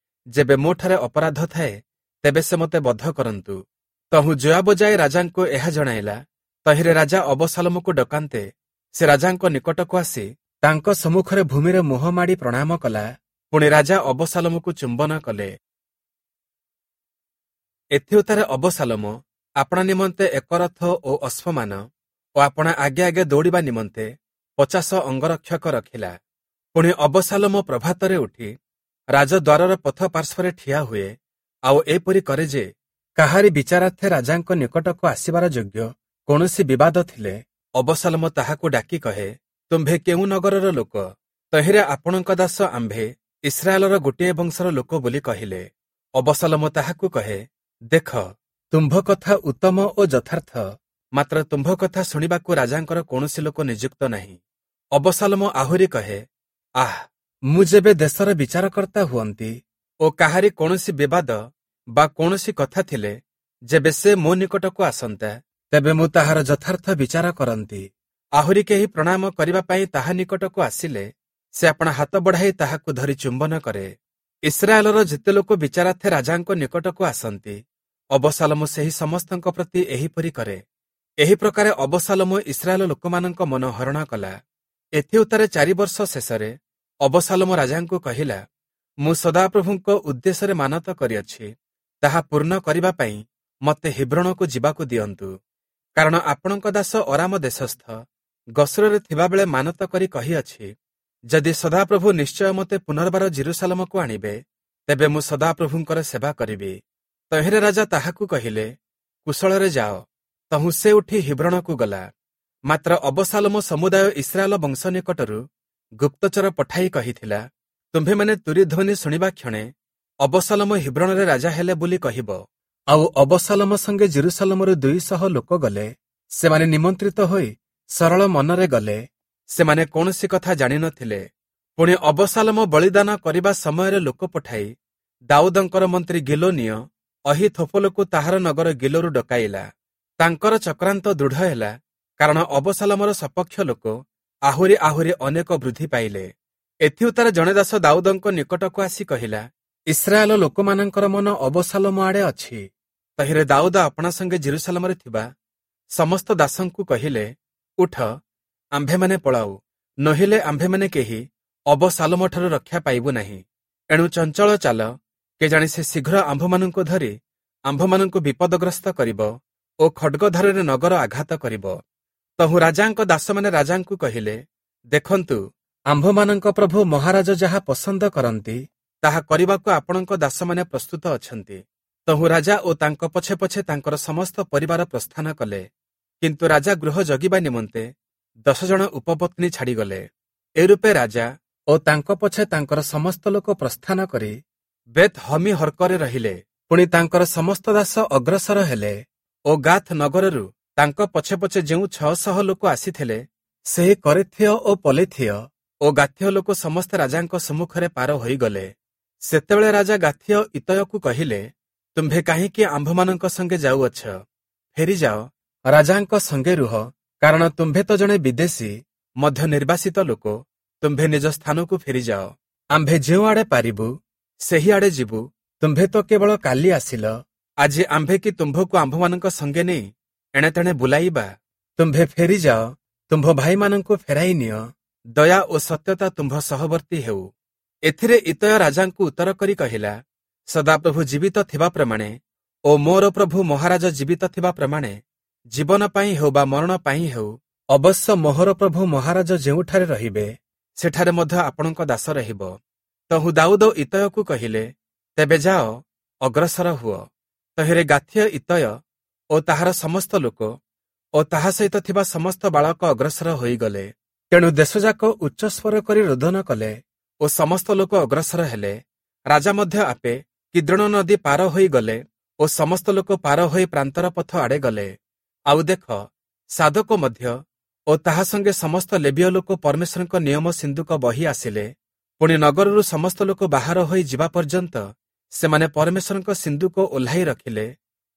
ଯେବେ ମୋଠାରେ ଅପରାଧ ଥାଏ ତେବେ ସେ ମୋତେ ବଧ କରନ୍ତୁ। ତହୁଁ ଯୋୟାବ ଯାଇ ରାଜାଙ୍କୁ ଏହା ଜଣାଇଲା। ତହିଁରେ ରାଜା ଅବସାଲୋମକୁ ଡକାନ୍ତେ ସେ ରାଜାଙ୍କ ନିକଟକୁ ଆସି ତାଙ୍କ ସମ୍ମୁଖରେ ଭୂମିରେ ମୁହଁ ମାଡ଼ି ପ୍ରଣାମ କଲା। ପୁଣି ରାଜା ଅବସାଲୋମକୁ ଚୁମ୍ବନ କଲେ। ଏଥିଉତ୍ତାରେ ଅବସାଲୋମ ଆପଣା ନିମନ୍ତେ ଏକ ରଥ ଓ ଅଶ୍ୱମାନ ଓ ଆପଣା ଆଗେ ଆଗେ ଦୌଡ଼ିବା ନିମନ୍ତେ ପଚାଶ ଅଙ୍ଗରକ୍ଷକ ରଖିଲା। ପୁଣି ଅବସାଲୋମ ପ୍ରଭାତରେ ଉଠି ରାଜଦ୍ୱାରର ପଥ ପାର୍ଶ୍ୱରେ ଠିଆ ହୁଏ, ଆଉ ଏପରି କରେ ଯେ କାହାରି ବିଚାରାର୍ଥେ ରାଜାଙ୍କ ନିକଟକୁ ଆସିବାର ଯୋଗ୍ୟ କୌଣସି ବିବାଦ ଥିଲେ ଅବସାଲୋମ ତାହାକୁ ଡାକି କହେ, ତୁମ୍ଭେ କେଉଁ ନଗରର ଲୋକ? ତହିଁରେ ଆପଣଙ୍କ ଦାସ ଆମ୍ଭେ ଇସ୍ରାଏଲର ଗୋଟିଏ ବଂଶର ଲୋକ ବୋଲି କହିଲେ। ଅବସାଲୋମ ତାହାକୁ କହେ, ଦେଖ, ତୁମ୍ଭ କଥା ଉତ୍ତମ ଓ ଯଥାର୍ଥ, ମାତ୍ର ତୁମ୍ଭ କଥା ଶୁଣିବାକୁ ରାଜାଙ୍କର କୌଣସି ଲୋକ ନିଯୁକ୍ତ ନାହିଁ। ଅବସାଲୋମ ଆହୁରି କହେ, ଆଃ, ମୁଁ ଯେବେ ଦେଶର ବିଚାରକର୍ତ୍ତା ହୁଅନ୍ତି ଓ କାହାରି କୌଣସି ବିବାଦ ବା କୌଣସି କଥା ଥିଲେ ଯେବେ ସେ ମୋ ନିକଟକୁ ଆସନ୍ତା, ତେବେ ମୁଁ ତାହାର ଯଥାର୍ଥ ବିଚାର କରନ୍ତି। ଆହୁରି କେହି ପ୍ରଣାମ କରିବା ପାଇଁ ତାହା ନିକଟକୁ ଆସିଲେ ସେ ଆପଣା ହାତ ବଢ଼ାଇ ତାହାକୁ ଧରି ଚୁମ୍ବନ କରେ। ଇସ୍ରାଏଲର ଯେତେ ଲୋକ ବିଚାରାର୍ଥେ ରାଜାଙ୍କ ନିକଟକୁ ଆସନ୍ତି, ଅବସାଲୋମ ସେହି ସମସ୍ତଙ୍କ ପ୍ରତି ଏହିପରି କରେ। ଏହି ପ୍ରକାରେ ଅବସାଲୋମ ଇସ୍ରାଏଲ ଲୋକମାନଙ୍କ ମନ ହରଣ କଲା। ଏଥିଉତ୍ତାରେ ଚାରି ବର୍ଷ ଶେଷରେ ଅବସାଲୋମ ରାଜାଙ୍କୁ କହିଲା, ମୁଁ ସଦାପ୍ରଭୁଙ୍କ ଉଦ୍ଦେଶ୍ୟରେ ମାନତ କରିଅଛି, ତାହା ପୂର୍ଣ୍ଣ କରିବା ପାଇଁ ମୋତେ ହିବ୍ରୋଣକୁ ଯିବାକୁ ଦିଅନ୍ତୁ। କାରଣ ଆପଣଙ୍କ ଦାସ ଅରାମ ଦେଶସ୍ଥ ଗସରରେ ଥିବାବେଳେ ମାନତ କରି କହିଅଛି, ଯଦି ସଦାପ୍ରଭୁ ନିଶ୍ଚୟ ମୋତେ ପୁନର୍ବାର ଯିରୂଶାଲମକୁ ଆଣିବେ, ତେବେ ମୁଁ ସଦାପ୍ରଭୁଙ୍କର ସେବା କରିବି। ତହିଁରେ ରାଜା ତାହାକୁ କହିଲେ, କୁଶଳରେ ଯାଅ। ତହୁଁ ସେ ଉଠି ହିବ୍ରୋଣକୁ ଗଲା। ମାତ୍ର ଅବସାଲୋମ ସମୁଦାୟ ଇସ୍ରାଏଲ ବଂଶ ନିକଟରୁ ଗୁପ୍ତଚର ପଠାଇ କହିଥିଲା, ତୁମ୍ଭେମାନେ ତୁରୀଧ୍ୱନି ଶୁଣିବା କ୍ଷଣେ ଅବଶାଲୋମ ହିବ୍ରୋଣରେ ରାଜା ହେଲେ ବୋଲି କହିବ। ଆଉ ଅବଶାଲୋମ ସଙ୍ଗେ ଯିରୂଶାଲମରୁ ଦୁଇ ଶହ ଲୋକ ଗଲେ। ସେମାନେ ନିମନ୍ତ୍ରିତ ହୋଇ ସରଳ ମନରେ ଗଲେ, ସେମାନେ କୌଣସି କଥା ଜାଣିନଥିଲେ। ପୁଣି ଅବଶାଲୋମ ବଳିଦାନ କରିବା ସମୟରେ ଲୋକ ପଠାଇ ଦାଉଦଙ୍କର ମନ୍ତ୍ରୀ ଗିଲୋନୀୟ ଅହୀଥୋଫଲକୁ ତାହାର ନଗର ଗିଲୋରୁ ଡକାଇଲା। ତାଙ୍କର ଚକ୍ରାନ୍ତ ଦୃଢ଼ ହେଲା, କାରଣ ଅବଶାଲୋମର ସପକ୍ଷ ଲୋକ ଆହୁରି ଆହୁରି ଅନେକ ବୃଦ୍ଧି ପାଇଲେ। ଏଥିଉତ୍ତାରେ ଜଣେ ଦାସ ଦାଉଦଙ୍କ ନିକଟକୁ ଆସି କହିଲା, ଇସ୍ରାଏଲ ଲୋକମାନଙ୍କର ମନ ଅବଶାଲୋମ ଆଡ଼େ ଅଛି। ତହିଁରେ ଦାଉଦ ଆପଣା ସଙ୍ଗେ ଯିରୂଶାଲମରେ ଥିବା ସମସ୍ତ ଦାସଙ୍କୁ କହିଲେ, ଉଠ, ଆମ୍ଭେମାନେ ପଳାଉ, ନୋହିଲେ ଆମ୍ଭେମାନେ କେହି ଅବଶାଲୋମଠାରୁ ରକ୍ଷା ପାଇବୁ ନାହିଁ। ଏଣୁ ଚଞ୍ଚଳ ଚାଲ, କେଜାଣି ସେ ଶୀଘ୍ର ଆମ୍ଭମାନଙ୍କୁ ଧରି ଆମ୍ଭମାନଙ୍କୁ ବିପଦଗ୍ରସ୍ତ କରିବ ଓ ଖଡ୍ଗଧାରରେ ନଗର ଆଘାତ କରିବ। ତହୁଁ ରାଜାଙ୍କ ଦାସମାନେ ରାଜାଙ୍କୁ କହିଲେ, ଦେଖନ୍ତୁ, ଆମ୍ଭମାନଙ୍କ ପ୍ରଭୁ ମହାରାଜ ଯାହା ପସନ୍ଦ କରନ୍ତି, ତାହା କରିବାକୁ ଆପଣଙ୍କ ଦାସମାନେ ପ୍ରସ୍ତୁତ ଅଛନ୍ତି। ତହୁଁ ରାଜା ଓ ତାଙ୍କ ପଛେ ପଛେ ତାଙ୍କର ସମସ୍ତ ପରିବାର ପ୍ରସ୍ଥାନ କଲେ। କିନ୍ତୁ ରାଜା ଗୃହ ଜଗିବା ନିମନ୍ତେ ଦଶ ଜଣ ଉପପତ୍ନୀ ଛାଡ଼ିଗଲେ। ଏରୂପେ ରାଜା ଓ ତାଙ୍କ ପଛେ ତାଙ୍କର ସମସ୍ତ ଲୋକ ପ୍ରସ୍ଥାନ କରି ବେତ୍ ହମିହର୍କରେ ରହିଲେ। ପୁଣି ତାଙ୍କର ସମସ୍ତ ଦାସ ଅଗ୍ରସର ହେଲେ ଓ ଗାଥ୍ ନଗରରୁ ତାଙ୍କ ପଛେ ପଛେ ଯେଉଁ ଛଅଶହ ଲୋକ ଆସିଥିଲେ, ସେହି କରେଥୀୟ ଓ ପଲେଥୀୟ ଓ ଗାଥୀୟ ଲୋକ ସମସ୍ତେ ରାଜାଙ୍କ ସମ୍ମୁଖରେ ପାର ହୋଇଗଲେ। ସେତେବେଳେ ରାଜା ଗାଥୀୟ ଇତୟକୁ କହିଲେ, ତୁମ୍ଭେ କାହିଁକି ଆମ୍ଭମାନଙ୍କ ସଙ୍ଗେ ଯାଉଅଛ? ଫେରିଯାଅ, ରାଜାଙ୍କ ସଙ୍ଗେ ରୁହ, କାରଣ ତୁମ୍ଭେ ତ ଜଣେ ବିଦେଶୀ, ମଧ୍ୟ ନିର୍ବାସିତ ଲୋକ। ତୁମ୍ଭେ ନିଜ ସ୍ଥାନକୁ ଫେରିଯାଅ। ଆମ୍ଭେ ଯେଉଁଆଡ଼େ ପାରିବୁ ସେହିଆଡ଼େ ଯିବୁ। ତୁମ୍ଭେ ତ କେବଳ କାଲି ଆସିଲ, ଆଜି ଆମ୍ଭେ କି ତୁମ୍ଭକୁ ଆମ୍ଭମାନଙ୍କ ସଙ୍ଗେ ନେଇ ଏଣେତେଣେ ବୁଲାଇବା? ତୁମ୍ଭେ ଫେରିଯାଅ, ତୁମ୍ଭ ଭାଇମାନଙ୍କୁ ଫେରାଇ ନିଅ। ଦୟା ଓ ସତ୍ୟତା ତୁମ୍ଭ ସହବର୍ତ୍ତୀ ହେଉ। ଏଥିରେ ଇତୟ ରାଜାଙ୍କୁ ଉତ୍ତର କରି କହିଲା, ସଦାପ୍ରଭୁ ଜୀବିତ ଥିବା ପ୍ରମାଣେ ଓ ମୋର ପ୍ରଭୁ ମହାରାଜ ଜୀବିତ ଥିବା ପ୍ରମାଣେ, ଜୀବନ ପାଇଁ ହେଉ ବା ମରଣ ପାଇଁ ହେଉ, ଅବଶ୍ୟ ମୋହର ପ୍ରଭୁ ମହାରାଜ ଯେଉଁଠାରେ ରହିବେ, ସେଠାରେ ମଧ୍ୟ ଆପଣଙ୍କ ଦାସ ରହିବ। ତହୁଁ ଦାଉଦ ଇତୟକୁ କହିଲେ, ତେବେ ଯାଅ, ଅଗ୍ରସର ହୁଅ। ତହିଁରେ ଗାଥୀୟ ଇତୟ ଓ ତାହାର ସମସ୍ତ ଲୋକ ଓ ତାହା ସହିତ ଥିବା ସମସ୍ତ ବାଳକ ଅଗ୍ରସର ହୋଇଗଲେ। ତେଣୁ ଦେଶଯାକ ଉଚ୍ଚସ୍ୱର କରି ରୋଦନ କଲେ ଓ ସମସ୍ତ ଲୋକ ଅଗ୍ରସର ହେଲେ। ରାଜା ମଧ୍ୟ ଆପେ କିଦ୍ରୋଣ ନଦୀ ପାର ହୋଇଗଲେ ଓ ସମସ୍ତ ଲୋକ ପାର ହୋଇ ପ୍ରାନ୍ତର ପଥ ଆଡ଼େ ଗଲେ। ଆଉ ଦେଖ, ସାଦୋକ ମଧ୍ୟ ଓ ତାହା ସଙ୍ଗେ ସମସ୍ତ ଲେବୀୟ ଲୋକ ପରମେଶ୍ୱରଙ୍କ ନିୟମ ସିନ୍ଦୁକ ବହି ଆସିଲେ। ପୁଣି ନଗରରୁ ସମସ୍ତ ଲୋକ ବାହାର ହୋଇ ଯିବା ପର୍ଯ୍ୟନ୍ତ ସେମାନେ ପରମେଶ୍ୱରଙ୍କ ସିନ୍ଦୁକ ଓହ୍ଲାଇ ରଖିଲେ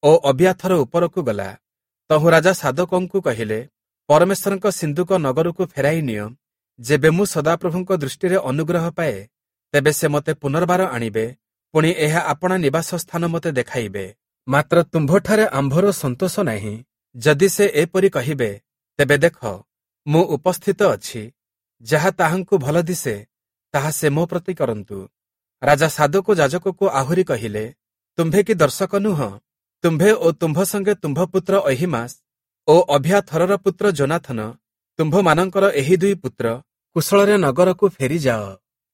ଓ ଅବିୟାଥର ଉପରକୁ ଗଲା। ତହୁଁ ରାଜା ସାଦୋକଙ୍କୁ କହିଲେ, ପରମେଶ୍ୱରଙ୍କ ସିନ୍ଦୁକ ନଗରକୁ ଫେରାଇ ନିଅ। ଯେବେ ମୁଁ ସଦାପ୍ରଭୁଙ୍କ ଦୃଷ୍ଟିରେ ଅନୁଗ୍ରହ ପାଏ, ତେବେ ସେ ମୋତେ ପୁନର୍ବାର ଆଣିବେ, ପୁଣି ଏହା ଆପଣା ନିବାସ ସ୍ଥାନ ମୋତେ ଦେଖାଇବେ। ମାତ୍ର ତୁମ୍ଭଠାରେ ଆମ୍ଭର ସନ୍ତୋଷ ନାହିଁ। ଯଦି ସେ ଏପରି କହିବେ, ତେବେ ଦେଖ, ମୁଁ ଉପସ୍ଥିତ ଅଛି। ଯାହା ତାହାଙ୍କୁ ଭଲ ଦିଶେ, ତାହା ସେ ମୋ ପ୍ରତି କରନ୍ତୁ। ରାଜା ସାଦୋକ ଯାଜକକୁ ଆହୁରି କହିଲେ, ତୁମ୍ଭେ କି ଦର୍ଶକ ନୁହଁ? ତୁମ୍ଭେ ଓ ତୁମ୍ଭ ସଙ୍ଗେ ତୁମ୍ଭ ପୁତ୍ର ଅହୀମାସ ଓ ଅଭିୟାଥରର ପୁତ୍ର ଯୋନାଥନ, ତୁମ୍ଭମାନଙ୍କର ଏହି ଦୁଇ ପୁତ୍ର କୁଶଳରେ ନଗରକୁ ଫେରିଯାଅ।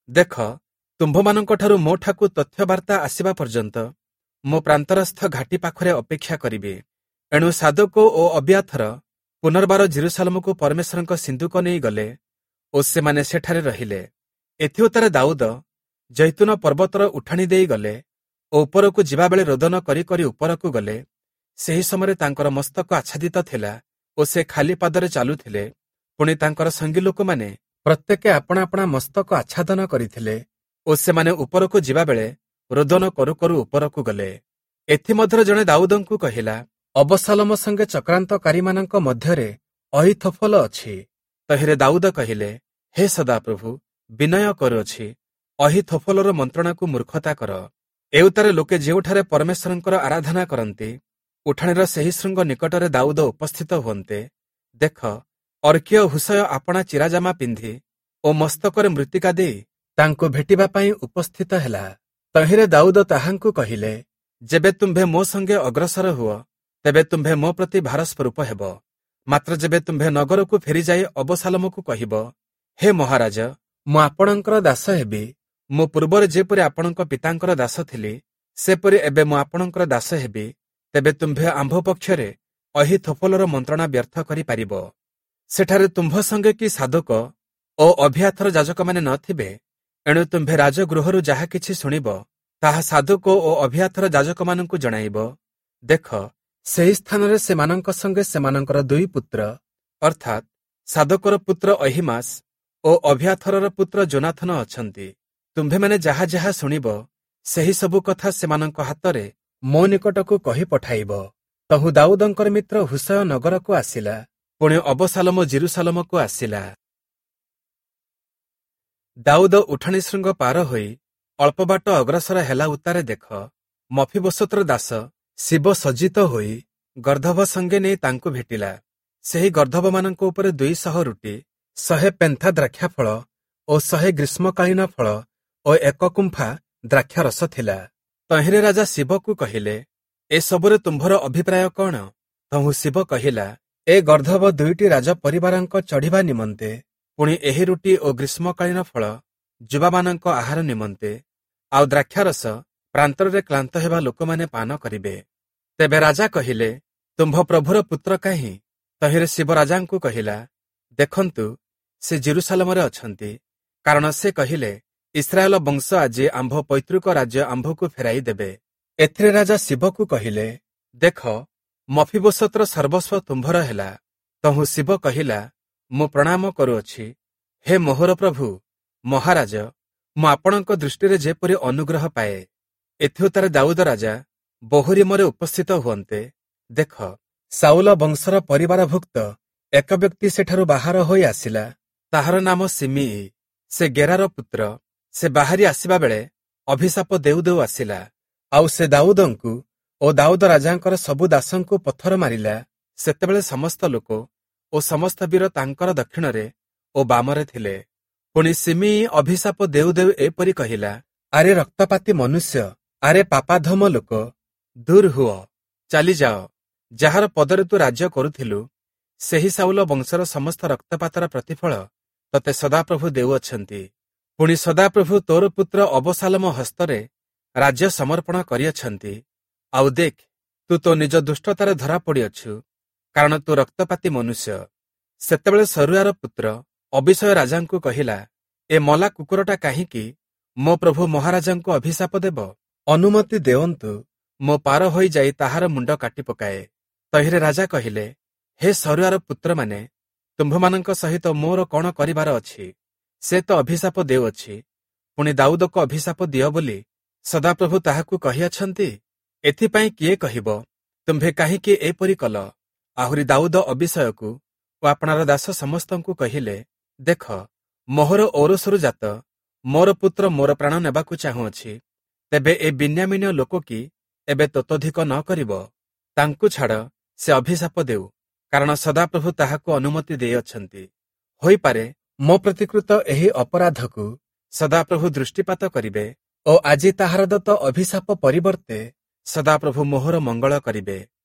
ଦେଖ, ତୁମ୍ଭମାନଙ୍କଠାରୁ ମୋଠାକୁ ତଥ୍ୟବାର୍ତ୍ତା ଆସିବା ପର୍ଯ୍ୟନ୍ତ ମୁଁ ପ୍ରାନ୍ତରସ୍ଥ ଘାଟି ପାଖରେ ଅପେକ୍ଷା କରିବି। ଏଣୁ ସାଦୋକ ଓ ଅବିୟାଥର ପୁନର୍ବାର ଯିରୂଶାଲମକୁ ପରମେଶ୍ୱରଙ୍କ ସିନ୍ଦୁକ ନେଇଗଲେ ଓ ସେମାନେ ସେଠାରେ ରହିଲେ। ଏଥିଉତ୍ତାରେ ଦାଉଦ ଜୈତୁନ ପର୍ବତର ଉଠାଣି ଦେଇ ଗଲେ ଓ ଉପରକୁ ଯିବାବେଳେ ରୋଦନ କରି କରି ଉପରକୁ ଗଲେ। ସେହି ସମୟରେ ତାଙ୍କର ମସ୍ତକ ଆଚ୍ଛାଦିତ ଥିଲା ଓ ସେ ଖାଲି ପାଦରେ ଚାଲୁଥିଲେ। ପୁଣି ତାଙ୍କର ସଙ୍ଗୀ ଲୋକମାନେ ପ୍ରତ୍ୟେକେ ଆପଣା ଆପଣା ମସ୍ତକ ଆଚ୍ଛାଦନ କରିଥିଲେ ଓ ସେମାନେ ଉପରକୁ ଯିବାବେଳେ ରୋଦନ କରୁ କରୁ ଉପରକୁ ଗଲେ। ଏଥିମଧ୍ୟରେ ଜଣେ ଦାଉଦଙ୍କୁ କହିଲା, ଅବଶାଲୋମ ସଙ୍ଗେ ଚକ୍ରାନ୍ତକାରୀମାନଙ୍କ ମଧ୍ୟରେ ଅହୀଥୋଫଲ ଅଛି। ତହିଁରେ ଦାଉଦ କହିଲେ, ହେ ସଦାପ୍ରଭୁ, ବିନୟ କରୁଅଛି, ଅହୀଥୋଫଲର ମନ୍ତ୍ରଣାକୁ ମୂର୍ଖତା କର। ଏଉତ୍ତାରେ ଲୋକେ ଯେଉଁଠାରେ ପରମେଶ୍ୱରଙ୍କର ଆରାଧନା କରନ୍ତି, ଉଠାଣିର ସେହି ଶୃଙ୍ଗ ନିକଟରେ ଦାଉଦ ଉପସ୍ଥିତ ହୁଅନ୍ତେ, ଦେଖ, ଅର୍କୀୟ ହୁଶୟ ଆପଣା ଚିରାଜାମା ପିନ୍ଧି ଓ ମସ୍ତକରେ ମୃତ୍ତିକା ଦେଇ ତାଙ୍କୁ ଭେଟିବା ପାଇଁ ଉପସ୍ଥିତ ହେଲା। ତହିଁରେ ଦାଉଦ ତାହାଙ୍କୁ କହିଲେ, ଯେବେ ତୁମ୍ଭେ ମୋ ସଙ୍ଗେ ଅଗ୍ରସର ହୁଅ, ତେବେ ତୁମ୍ଭେ ମୋ ପ୍ରତି ଭାର ସ୍ୱରୂପ ହେବ। ମାତ୍ର ଯେବେ ତୁମ୍ଭେ ନଗରକୁ ଫେରିଯାଇ ଅବଶାଲୋମକୁ କହିବ, ହେ ମହାରାଜ, ମୁଁ ଆପଣଙ୍କର ଦାସ ହେବି, ମୁଁ ପୂର୍ବରେ ଯେପରି ଆପଣଙ୍କ ପିତାଙ୍କର ଦାସ ଥିଲି, ସେପରି ଏବେ ମୁଁ ଆପଣଙ୍କର ଦାସ ହେବି, ତେବେ ତୁମ୍ଭେ ଆମ୍ଭ ପକ୍ଷରେ ଅହୀଥୋଫଲର ମନ୍ତ୍ରଣା ବ୍ୟର୍ଥ କରିପାରିବ। ସେଠାରେ ତୁମ୍ଭ ସଙ୍ଗେ କି ସାଦୋକ ଓ ଅଭିୟାଥର ଯାଜକମାନେ ନଥିବେ, ଏଣୁ ତୁମ୍ଭେ ରାଜଗୃହରୁ ଯାହା କିଛି ଶୁଣିବ, ତାହା ସାଦୋକ ଓ ଅବିୟାଥର ଯାଜକମାନଙ୍କୁ ଜଣାଇବ। ଦେଖ, ସେହି ସ୍ଥାନରେ ସେମାନଙ୍କ ସଙ୍ଗେ ସେମାନଙ୍କର ଦୁଇ ପୁତ୍ର ଅର୍ଥାତ୍ ସାଦୋକର ପୁତ୍ର ଅହୀମାସ ଓ ଅବିୟାଥରର ପୁତ୍ର ଯୋନାଥନ ଅଛନ୍ତି। ତୁମ୍ଭେମାନେ ଯାହା ଯାହା ଶୁଣିବ, ସେହି ସବୁ କଥା ସେମାନଙ୍କ ହାତରେ ମୋ ନିକଟକୁ କହି ପଠାଇବ। ତହୁଁ ଦାଉଦଙ୍କର ମିତ୍ର ହୁଶୟ ନଗରକୁ ଆସିଲା, ପୁଣି ଅବଶାଲୋମ ଯିରୂଶାଲମକୁ ଆସିଲା। ଦାଉଦ ଉଠାଣି ଶୃଙ୍ଗ ପାର ହୋଇ ଅଳ୍ପ ବାଟ ଅଗ୍ରସର ହେଲା ଉତ୍ତାରେ ଦେଖ, ମଫୀବୋଶତର ଦାସ ଶିବ ସଜ୍ଜିତ ହୋଇ ଗର୍ଦ୍ଦଭ ସଙ୍ଗେ ନେଇ ତାଙ୍କୁ ଭେଟିଲା। ସେହି ଗର୍ଦ୍ଦଭମାନଙ୍କ ଉପରେ ଦୁଇ ଶହ ରୁଟି, ଶହେ ପେନ୍ଥା ଦ୍ରାକ୍ଷାଫଳ ଓ ଶହେ ଗ୍ରୀଷ୍ମକାଳୀନ ଫଳ ଓ ଏକ କୁମ୍ଫା ଦ୍ରାକ୍ଷାରସ ଥିଲା। ତହିଁରେ ରାଜା ଶିବକୁ କହିଲେ, ଏସବୁରେ ତୁମ୍ଭର ଅଭିପ୍ରାୟ କଣ? ତହୁଁ ଶିବ କହିଲା, ଏ ଗର୍ଦ୍ଦଭ ଦୁଇଟି ରାଜ ପରିବାରଙ୍କ ଚଢ଼ିବା ନିମନ୍ତେ, ପୁଣି ଏହି ରୁଟି ଓ ଗ୍ରୀଷ୍ମକାଳୀନ ଫଳ ଯୁବାମାନଙ୍କ ଆହାର ନିମନ୍ତେ, ଆଉ ଦ୍ରାକ୍ଷାରସ ପ୍ରାନ୍ତରରେ କ୍ଳାନ୍ତ ହେବା ଲୋକମାନେ ପାନ କରିବେ। ତେବେ ରାଜା କହିଲେ, ତୁମ୍ଭ ପ୍ରଭୁର ପୁତ୍ର କାହିଁ? ତହିଁରେ ଶିବ ରାଜାଙ୍କୁ କହିଲା, ଦେଖନ୍ତୁ, ସେ ଯିରୂଶାଲମରେ ଅଛନ୍ତି, କାରଣ ସେ କହିଲେ, ଇସ୍ରାଏଲ ବଂଶ ଆଜି ଆମ୍ଭ ପୈତୃକ ରାଜ୍ୟ ଆମ୍ଭକୁ ଫେରାଇ ଦେବେ। ଏଥିରେ ରାଜା ଶିବକୁ କହିଲେ, ଦେଖ, ମଫୀବୋଶତର ସର୍ବସ୍ୱ ତୁମ୍ଭର ହେଲା। ତହୁଁ ଶିବ କହିଲା, ମୁଁ ପ୍ରଣାମ କରୁଅଛି, ହେ ମୋହର ପ୍ରଭୁ ମହାରାଜ, ମୁଁ ଆପଣଙ୍କ ଦୃଷ୍ଟିରେ ଯେପରି ଅନୁଗ୍ରହ ପାଏ। ଏଥିଉତ୍ତାରେ ଦାଉଦ ରାଜା ବହୂରୀମରେ ଉପସ୍ଥିତ ହୁଅନ୍ତେ, ଦେଖ, ସାଉଲ ବଂଶର ପରିବାରଭୁକ୍ତ ଏକ ବ୍ୟକ୍ତି ସେଠାରୁ ବାହାର ହୋଇ ଆସିଲା। ତାହାର ନାମ ସିମିଇ, ସେ ଗେରାର ପୁତ୍ର। ସେ ବାହାରି ଆସିବା ବେଳେ ଅଭିଶାପ ଦେଉ ଦେଉ ଆସିଲା। ଆଉ ସେ ଦାଉଦଙ୍କୁ ଓ ଦାଉଦ ରାଜାଙ୍କର ସବୁ ଦାସଙ୍କୁ ପଥର ମାରିଲା। ସେତେବେଳେ ସମସ୍ତ ଲୋକ ଓ ସମସ୍ତ ବୀର ତାଙ୍କର ଦକ୍ଷିଣରେ ଓ ବାମରେ ଥିଲେ। ପୁଣି ସିମିଇ ଅଭିଶାପ ଦେଉ ଦେଉ ଏପରି କହିଲା, ଆରେ ରକ୍ତପାତୀ ମନୁଷ୍ୟ, ଆରେ ପାପାଧମ ଲୋକ, ଦୂର ହୁଅ, ଚାଲିଯାଅ। ଯାହାର ପଦରେ ତୁ ରାଜ୍ୟ କରୁଥିଲୁ, ସେହି ସାଉଲ ବଂଶର ସମସ୍ତ ରକ୍ତପାତର ପ୍ରତିଫଳ ତତେ ସଦାପ୍ରଭୁ ଦେଉଅଛନ୍ତି। ପୁଣି ସଦାପ୍ରଭୁ ତୋର ପୁତ୍ର ଅବଶାଲୋମ ହସ୍ତରେ ରାଜ୍ୟ ସମର୍ପଣ କରିଅଛନ୍ତି। ଆଉ ଦେଖ, ତୁ ତୋ ନିଜ ଦୁଷ୍ଟତାରେ ଧରା ପଡ଼ିଅଛୁ, କାରଣ ତୁ ରକ୍ତପାତୀ ମନୁଷ୍ୟ। ସେତେବେଳେ ସରୁୟାର ପୁତ୍ର ଅବିଷୟ ରାଜାଙ୍କୁ କହିଲା, ଏ ମଲା କୁକୁରଟା କାହିଁକି ମୋ ପ୍ରଭୁ ମହାରାଜାଙ୍କୁ ଅଭିଶାପ ଦେବ? ଅନୁମତି ଦେଅନ୍ତୁ, ମୋ ପାର ହୋଇଯାଇ ତାହାର ମୁଣ୍ଡ କାଟି ପକାଏ। ତହିଁରେ ରାଜା କହିଲେ, ହେ ସରୁୟାର ପୁତ୍ରମାନେ, ତୁମ୍ଭମାନଙ୍କ ସହିତ ମୋର କଣ କରିବାର ଅଛି? ସେ ତ ଅଭିଶାପ ଦେଉଅଛି, ପୁଣି ଦାଉଦକୁ ଅଭିଶାପ ଦିଅ ବୋଲି ସଦାପ୍ରଭୁ ତାହାକୁ କହିଅଛନ୍ତି। ଏଥିପାଇଁ କିଏ କହିବ, ତୁମ୍ଭେ କାହିଁକି ଏପରି କଲ? ଆହୁରି ଦାଉଦ ଅବିଷୟକୁ ଓ ଆପଣାର ଦାସ ସମସ୍ତଙ୍କୁ କହିଲେ, ଦେଖ, ମୋହର ଔରସରୁ ଜାତ ମୋର ପୁତ୍ର ମୋର ପ୍ରାଣ ନେବାକୁ ଚାହୁଁଅଛି। ତେବେ ଏ ବିନ୍ୟାମୀନୀୟ ଲୋକ କି ଏବେ ତତୋଧିକ ନ କରିବ? ତାଙ୍କୁ ଛାଡ଼, ସେ ଅଭିଶାପ ଦେଉ, କାରଣ ସଦାପ୍ରଭୁ ତାହାକୁ ଅନୁମତି ଦେଇଅଛନ୍ତି। ହୋଇପାରେ ମୋ ପ୍ରତିକୃତ ଏହି ଅପରାଧକୁ ସଦାପ୍ରଭୁ ଦୃଷ୍ଟିପାତ କରିବେ ଓ ଆଜି ତାହାର ଦତ୍ତ ଅଭିଶାପ ପରିବର୍ତ୍ତେ ସଦାପ୍ରଭୁ ମୋହର ମଙ୍ଗଳ କରିବେ।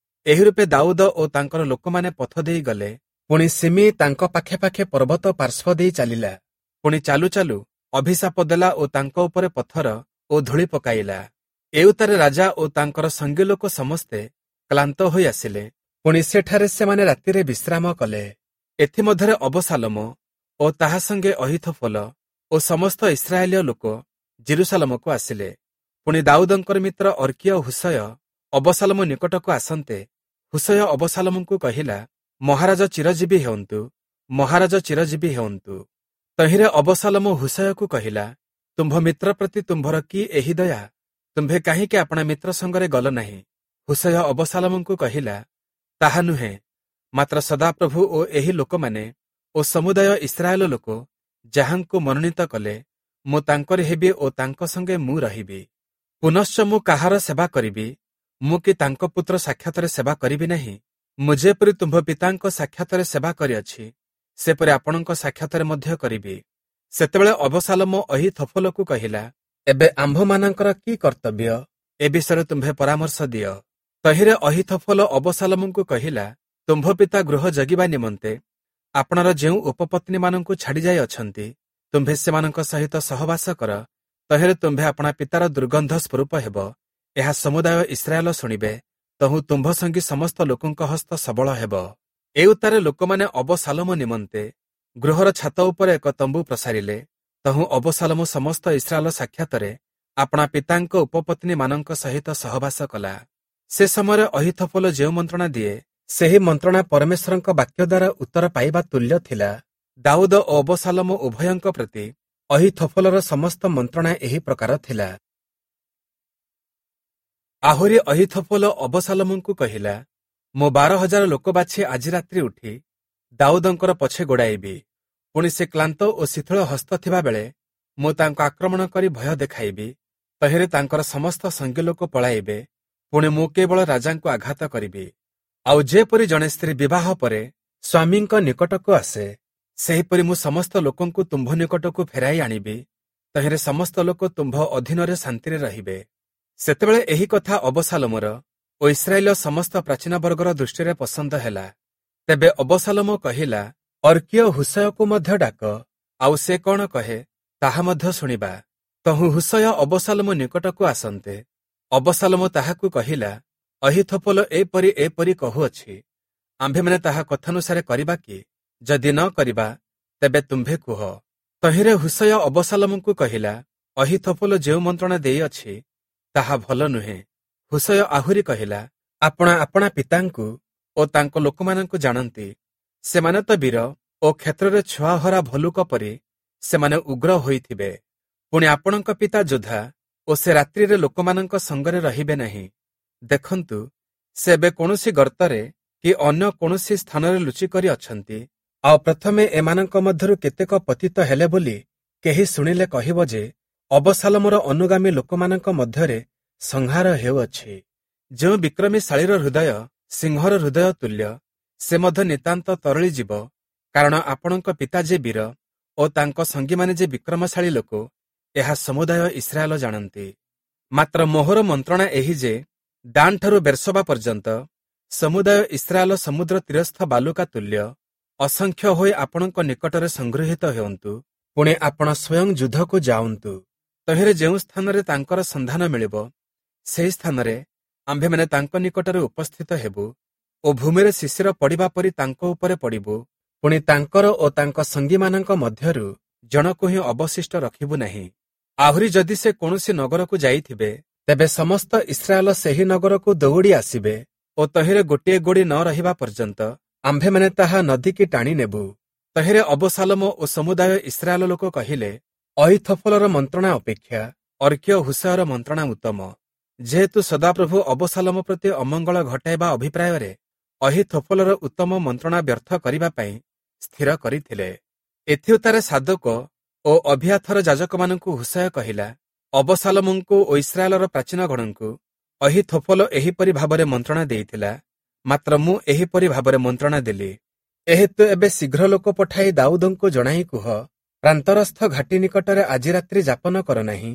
ଏହି ରୂପେ ଦାଉଦ ଓ ତାଙ୍କର ଲୋକମାନେ ପଥ ଦେଇ ଗଲେ। ପୁଣି ସିମି ତାଙ୍କ ପାଖେ ପାଖେ ପର୍ବତ ପାର୍ଶ୍ୱ ଦେଇ ଚାଲିଲା। ପୁଣି ଚାଲୁ ଚାଲୁ ଅଭିଶାପ ଦେଲା ଓ ତାଙ୍କ ଉପରେ ପଥର ଓ ଧୂଳି ପକାଇଲା। ଏଉତ୍ତାରେ ରାଜା ଓ ତାଙ୍କର ସଙ୍ଗୀ ଲୋକ ସମସ୍ତେ କ୍ଳାନ୍ତ ହୋଇ ଆସିଲେ। ପୁଣି ସେଠାରେ ସେମାନେ ରାତିରେ ବିଶ୍ରାମ କଲେ। ଏଥିମଧ୍ୟରେ ଅବଶାଲୋମ ଓ ତାହା ସଙ୍ଗେ ଅହୀଥୋଫଲ ଓ ସମସ୍ତ ଇସ୍ରାଏଲୀୟ ଲୋକ ଯିରୂଶାଲମକୁ ଆସିଲେ। ପୁଣି ଦାଉଦଙ୍କର ମିତ୍ର ଅର୍କୀୟ ହୁଶୟ ଅବଶାଲୋମ ନିକଟକୁ ଆସନ୍ତେ, ହୁଶୟ ଅବଶାଲୋମଙ୍କୁ କହିଲା, ମହାରାଜ ଚିରଜୀବୀ ହେଉନ୍ତୁ, ମହାରାଜ ଚିରଜୀବୀ ହେଉନ୍ତୁ। ତହିଁରେ ଅବଶାଲୋମ ହୁଶୟକୁ କହିଲା, ତୁମ୍ଭ ମିତ୍ର ପ୍ରତି ତୁମ୍ଭର କି ଏହି ଦୟା? ତୁମ୍ଭେ କାହିଁକି ଆପଣା ମିତ୍ର ସଙ୍ଗରେ ଗଲ ନାହିଁ? ହୁଶୟ ଅବଶାଲୋମଙ୍କୁ କହିଲା, ତାହା ନୁହେଁ, ମାତ୍ର ସଦାପ୍ରଭୁ ଓ ଏହି ଲୋକମାନେ ଓ ସମୁଦାୟ ଇସ୍ରାଏଲ ଲୋକ ଯାହାଙ୍କୁ ମନୋନୀତ କଲେ, ମୁଁ ତାଙ୍କରି ହେବି ଓ ତାଙ୍କ ସଙ୍ଗେ ମୁଁ ରହିବି। ପୁନଶ୍ଚ ମୁଁ କାହାର ସେବା କରିବି? ମୁଁ କି ତାଙ୍କ ପୁତ୍ର ସାକ୍ଷାତରେ ସେବା କରିବି ନାହିଁ? ମୁଁ ଯେପରି ତୁମ୍ଭ ପିତାଙ୍କ ସାକ୍ଷାତରେ ସେବା କରିଅଛି, ସେପରି ଆପଣଙ୍କ ସାକ୍ଷାତରେ ମଧ୍ୟ କରିବି। ସେତେବେଳେ ଅବଶାଲୋମ ଅହୀଥୋଫଲକୁ କହିଲା, ଏବେ ଆମ୍ଭମାନଙ୍କର କି କର୍ତ୍ତବ୍ୟ? ଏ ବିଷୟରେ ତୁମ୍ଭେ ପରାମର୍ଶ ଦିଅ। ତହିଁରେ ଅହୀଥୋଫଲ ଅବଶାଲୋମଙ୍କୁ କହିଲା, ତୁମ୍ଭ ପିତା ଗୃହ ଜଗିବା ନିମନ୍ତେ ଆପଣାର ଯେଉଁ ଉପପତ୍ନୀମାନଙ୍କୁ ଛାଡ଼ିଯାଇ ଅଛନ୍ତି, ତୁମ୍ଭେ ସେମାନଙ୍କ ସହିତ ସହବାସ କର। ତହିଁରେ ତୁମ୍ଭେ ଆପଣା ପିତାର ଦୁର୍ଗନ୍ଧ ସ୍ୱରୂପ ହେବ। ଏହା ସମୁଦାୟ ଇସ୍ରାଏଲ ଶୁଣିବେ। ତହୁଁ ତୁମ୍ଭ ସଙ୍ଗୀ ସମସ୍ତ ଲୋକଙ୍କ ହସ୍ତ ସବଳ ହେବ। ଏଉତ୍ତାରେ ଲୋକମାନେ ଅବଶାଲୋମ ନିମନ୍ତେ ଗୃହର ଛାତ ଉପରେ ଏକ ତମ୍ବୁ ପ୍ରସାରିଲେ। ତହୁଁ ଅବଶାଲୋମ ସମସ୍ତ ଇସ୍ରାଏଲ ସାକ୍ଷାତରେ ଆପଣା ପିତାଙ୍କ ଉପପତ୍ନୀମାନଙ୍କ ସହିତ ସହବାସ କଲା। ସେ ସମୟରେ ଅହୀଥୋଫଲ ଯେଉଁ ମନ୍ତ୍ରଣା ଦିଏ, ସେହି ମନ୍ତ୍ରଣା ପରମେଶ୍ୱରଙ୍କ ବାକ୍ୟ ଦ୍ୱାରା ଉତ୍ତର ପାଇବା ତୁଲ୍ୟ ଥିଲା। ଦାଉଦ ଓ ଅବଶାଲୋମ ଉଭୟଙ୍କ ପ୍ରତି ଅହୀଥୋଫଲର ସମସ୍ତ ମନ୍ତ୍ରଣା ଏହି ପ୍ରକାର ଥିଲା। ଆହୁରି ଅହୀଥୋଫଲ ଅବଶାଲୋମଙ୍କୁ କହିଲା, ମୁଁ ବାର ହଜାର ଲୋକ ବାଛି ଆଜି ରାତ୍ରି ଉଠି ଦାଉଦଙ୍କର ପଛେ ଗୋଡ଼ାଇବି। ପୁଣି ସେ କ୍ଳାନ୍ତ ଓ ଶିଥିଳ ହସ୍ତ ଥିବାବେଳେ ମୁଁ ତାଙ୍କୁ ଆକ୍ରମଣ କରି ଭୟ ଦେଖାଇବି। ତହିଁରେ ତାଙ୍କର ସମସ୍ତ ସଙ୍ଗୀ ଲୋକ ପଳାଇବେ। ପୁଣି ମୁଁ କେବଳ ରାଜାଙ୍କୁ ଆଘାତ କରିବି। ଆଉ ଯେପରି ଜଣେ ସ୍ତ୍ରୀ ବିବାହ ପରେ ସ୍ୱାମୀଙ୍କ ନିକଟକୁ ଆସେ, ସେହିପରି ମୁଁ ସମସ୍ତ ଲୋକଙ୍କୁ ତୁମ୍ଭ ନିକଟକୁ ଫେରାଇ ଆଣିବି। ତହିଁରେ ସମସ୍ତ ଲୋକ ତୁମ୍ଭ ଅଧୀନରେ ଶାନ୍ତିରେ ରହିବେ। ସେତେବେଳେ ଏହି କଥା ଅବଶାଲୋମର ଓ ଇସ୍ରାଏଲର ସମସ୍ତ ପ୍ରାଚୀନ ବର୍ଗର ଦୃଷ୍ଟିରେ ପସନ୍ଦ ହେଲା। ତେବେ ଅବଶାଲୋମ କହିଲା, ଅର୍କୀୟ ହୁଶୟକୁ ମଧ୍ୟ ଡାକ, ଆଉ ସେ କଣ କହେ ତାହା ମଧ୍ୟ ଶୁଣିବା। ତହୁଁ ହୁଶୟ ଅବଶାଲୋମ ନିକଟକୁ ଆସନ୍ତେ ଅବଶାଲୋମ ତାହାକୁ କହିଲା, ଅହୀଥୋଫଲ ଏପରି ଏପରି କହୁଅଛି, ଆମ୍ଭେମାନେ ତାହା କଥାନୁସାରେ କରିବା କି? ଯଦି ନ କରିବା, ତେବେ ତୁମ୍ଭେ କୁହ। ତହିଁରେ ହୁଶୟ ଅବଶାଲୋମଙ୍କୁ କହିଲା, ଅହୀଥୋଫଲ ଯେଉଁ ମନ୍ତ୍ରଣା ଦେଇଅଛି ତାହା ଭଲ ନୁହେଁ। ହୁଶୟ ଆହୁରି କହିଲା, ଆପଣା ଆପଣା ପିତାଙ୍କୁ ଓ ତାଙ୍କ ଲୋକମାନଙ୍କୁ ଜାଣନ୍ତି। ସେମାନେ ତ ବୀର ଓ କ୍ଷେତ୍ରରେ ଛୁଆହରା ଭଲୁକ ପରି ସେମାନେ ଉଗ୍ର ହୋଇଥିବେ। ପୁଣି ଆପଣଙ୍କ ପିତା ଯୋଦ୍ଧା ଓ ସେ ରାତ୍ରିରେ ଲୋକମାନଙ୍କ ସଙ୍ଗରେ ରହିବେ ନାହିଁ। ଦେଖନ୍ତୁ, ସେ ଏବେ କୌଣସି ଗର୍ତ୍ତରେ କି ଅନ୍ୟ କୌଣସି ସ୍ଥାନରେ ଲୁଚିକରି ଅଛନ୍ତି। ଆଉ ପ୍ରଥମେ ଏମାନଙ୍କ ମଧ୍ୟରୁ କେତେକ ପତିତ ହେଲେ ବୋଲି କେହି ଶୁଣିଲେ କହିବ ଯେ ଅବଶାଲୋମର ଅନୁଗାମୀ ଲୋକମାନଙ୍କ ମଧ୍ୟରେ ସଂହାର ହେଉଅଛି। ଯେଉଁ ବିକ୍ରମୀଶାଳୀର ହୃଦୟ ସିଂହର ହୃଦୟ ତୁଲ୍ୟ, ସେ ମଧ୍ୟ ନିତାନ୍ତ ତରଳିଯିବ। କାରଣ ଆପଣଙ୍କ ପିତା ଯେ ବୀର ଓ ତାଙ୍କ ସଙ୍ଗୀମାନେ ଯେ ବିକ୍ରମଶାଳୀ ଲୋକ, ଏହା ସମୁଦାୟ ଇସ୍ରାଏଲ ଜାଣନ୍ତି। ମାତ୍ର ମୋହର ମନ୍ତ୍ରଣା ଏହି ଯେ ଦାନଠାରୁ ବେର୍ଶବା ପର୍ଯ୍ୟନ୍ତ ସମୁଦାୟ ଇସ୍ରାଏଲ ସମୁଦ୍ର ତୀରସ୍ଥ ବାଲୁକା ତୁଲ୍ୟ ଅସଂଖ୍ୟ ହୋଇ ଆପଣଙ୍କ ନିକଟରେ ସଂଗୃହୀତ ହେଉନ୍ତୁ। ପୁଣି ଆପଣ ସ୍ୱୟଂ ଯୁଦ୍ଧକୁ ଯାଉନ୍ତୁ। ତହିଁରେ ଯେଉଁ ସ୍ଥାନରେ ତାଙ୍କର ସନ୍ଧାନ ମିଳିବ, ସେହି ସ୍ଥାନରେ ଆମ୍ଭେମାନେ ତାଙ୍କ ନିକଟରେ ଉପସ୍ଥିତ ହେବୁ ଓ ଭୂମିରେ ଶିଶିର ପଡ଼ିବା ପରି ତାଙ୍କ ଉପରେ ପଡ଼ିବୁ। ପୁଣି ତାଙ୍କର ଓ ତାଙ୍କ ସଙ୍ଗୀମାନଙ୍କ ମଧ୍ୟରୁ ଜଣକୁ ହିଁ ଅବଶିଷ୍ଟ ରଖିବୁ ନାହିଁ। ଆହୁରି ଯଦି ସେ କୌଣସି ନଗରକୁ ଯାଇଥିବେ, ତେବେ ସମସ୍ତ ଇସ୍ରାଏଲ ସେହି ନଗରକୁ ଦୌଡ଼ି ଆସିବେ ଓ ତହିଁରେ ଗୋଟିଏ ଗୋଡ଼ି ନ ରହିବା ପର୍ଯ୍ୟନ୍ତ ଆମ୍ଭେମାନେ ତାହା ନଦୀକି ଟାଣି ନେବୁ। ତହିଁରେ ଅବଶାଲୋମ ଓ ସମୁଦାୟ ଇସ୍ରାଏଲ ଲୋକ କହିଲେ, ଅହୀଥୋଫଲର ମନ୍ତ୍ରଣା ଅପେକ୍ଷା ଅର୍କୀୟ ହୁଶୟର ମନ୍ତ୍ରଣା ଉତ୍ତମ। ଯେହେତୁ ସଦାପ୍ରଭୁ ଅବଶାଲୋମ ପ୍ରତି ଅମଙ୍ଗଳ ଘଟାଇବା ଅଭିପ୍ରାୟରେ ଅହୀଥୋଫଲର ଉତ୍ତମ ମନ୍ତ୍ରଣା ବ୍ୟର୍ଥ କରିବା ପାଇଁ ସ୍ଥିର କରିଥିଲେ। ଏଥିଉତ୍ତାରେ ସାଦୋକ ଓ ଅବିୟାଥର ଯାଜକମାନଙ୍କୁ ହୁଶୟ କହିଲା, ଅବଶାଲୋମଙ୍କୁ ଓ ଇସ୍ରାଏଲର ପ୍ରାଚୀନଗଣଙ୍କୁ ଅହୀଥୋଫଲ ଏହିପରି ଭାବରେ ମନ୍ତ୍ରଣା ଦେଇଥିଲା, ମାତ୍ର ମୁଁ ଏହିପରି ଭାବରେ ମନ୍ତ୍ରଣା ଦେଲି। ଏହେତୁ ଏବେ ଶୀଘ୍ର ଲୋକ ପଠାଇ ଦାଉଦଙ୍କୁ ଜଣାଇ କୁହ, ପ୍ରାନ୍ତରସ୍ଥ ଘାଟି ନିକଟରେ ଆଜି ରାତ୍ରି ଯାପନ କର ନାହିଁ,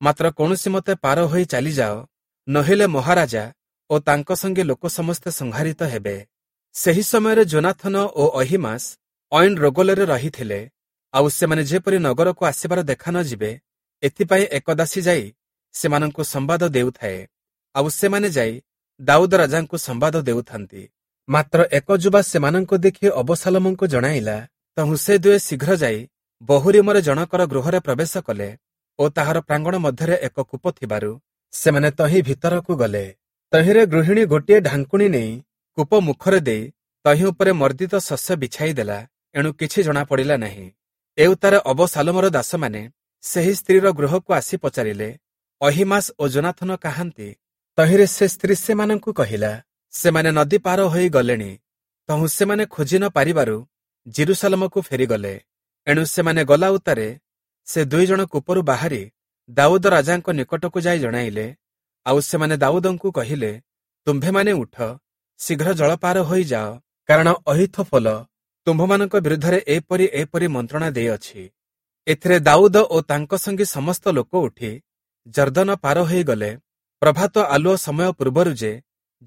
ମାତ୍ର କୌଣସି ମତେ ପାର ହୋଇ ଚାଲିଯାଅ, ନୋହିଲେ ମହାରାଜା ଓ ତାଙ୍କ ସଙ୍ଗେ ଲୋକ ସମସ୍ତେ ସଂହାରିତ ହେବେ। ସେହି ସମୟରେ ଯୋନାଥନ ଓ ଅହୀମାସ ଐନ୍ ରୋଗଲରେ ରହିଥିଲେ। ଆଉ ସେମାନେ ଯେପରି ନଗରକୁ ଆସିବାର ଦେଖା ନ ଯିବେ, ଏଥିପାଇଁ ଏକ ଦାସୀ ଯାଇ ସେମାନଙ୍କୁ ସମ୍ବାଦ ଦେଉଥାଏ। ଆଉ ସେମାନେ ଯାଇ ଦାଉଦ ରାଜାଙ୍କୁ ସମ୍ବାଦ ଦେଉଥାନ୍ତି। ମାତ୍ର ଏକ ଯୁବା ସେମାନଙ୍କୁ ଦେଖି ଅବଶାଲୋମଙ୍କୁ ଜଣାଇଲା। ତହୁଁ ସେ ଦୁହେଁ ଶୀଘ୍ର ଯାଇ ବହୁରୀମରେ ଜଣକର ଗୃହରେ ପ୍ରବେଶ କଲେ ଓ ତାହାର ପ୍ରାଙ୍ଗଣ ମଧ୍ୟରେ ଏକ କୂପ ଥିବାରୁ ସେମାନେ ତହିଁ ଭିତରକୁ ଗଲେ। ତହିଁରେ ଗୃହିଣୀ ଗୋଟିଏ ଢାଙ୍କୁଣୀ ନେଇ କୂପ ମୁଖରେ ଦେଇ ତହିଁ ଉପରେ ମର୍ଦ୍ଦିତ ଶସ୍ୟ ବିଛାଇ ଦେଲା। ଏଣୁ କିଛି ଜଣାପଡ଼ିଲା ନାହିଁ। ଏଉତ୍ତାରେ ଅବଶାଲୋମର ଦାସମାନେ ସେହି ସ୍ତ୍ରୀର ଗୃହକୁ ଆସି ପଚାରିଲେ, ଅହୀମାସ ଓ ଯୋନାଥନ କାହାନ୍ତି? ତହିଁରେ ସେ ସ୍ତ୍ରୀ ସେମାନଙ୍କୁ କହିଲା, ସେମାନେ ନଦୀ ପାର ହୋଇ ଗଲେଣି। ତହୁଁ ସେମାନେ ଖୋଜି ନ ପାରିବାରୁ ଯିରୂଶାଲମକୁ ଫେରିଗଲେ। ଏଣୁ ସେମାନେ ଗଲା ଉତ୍ତାରେ ସେ ଦୁଇ ଜଣ କୂପରୁ ବାହାରି ଦାଉଦ ରାଜାଙ୍କ ନିକଟକୁ ଯାଇ ଜଣାଇଲେ। ଆଉ ସେମାନେ ଦାଉଦଙ୍କୁ କହିଲେ, ତୁମ୍ଭେମାନେ ଉଠ, ଶୀଘ୍ର ଜଳପାର ହୋଇଯାଅ, କାରଣ ଅହୀଥୋଫଲ ତୁମ୍ଭମାନଙ୍କ ବିରୁଦ୍ଧରେ ଏପରି ଏପରି ମନ୍ତ୍ରଣା ଦେଇଅଛି। ଏଥିରେ ଦାଉଦ ଓ ତାଙ୍କ ସଙ୍ଗୀ ସମସ୍ତ ଲୋକ ଉଠି ଯର୍ଦ୍ଦନ ପାର ହୋଇଗଲେ। ପ୍ରଭାତ ଆଲୁଅ ସମୟ ପୂର୍ବରୁ ଯେ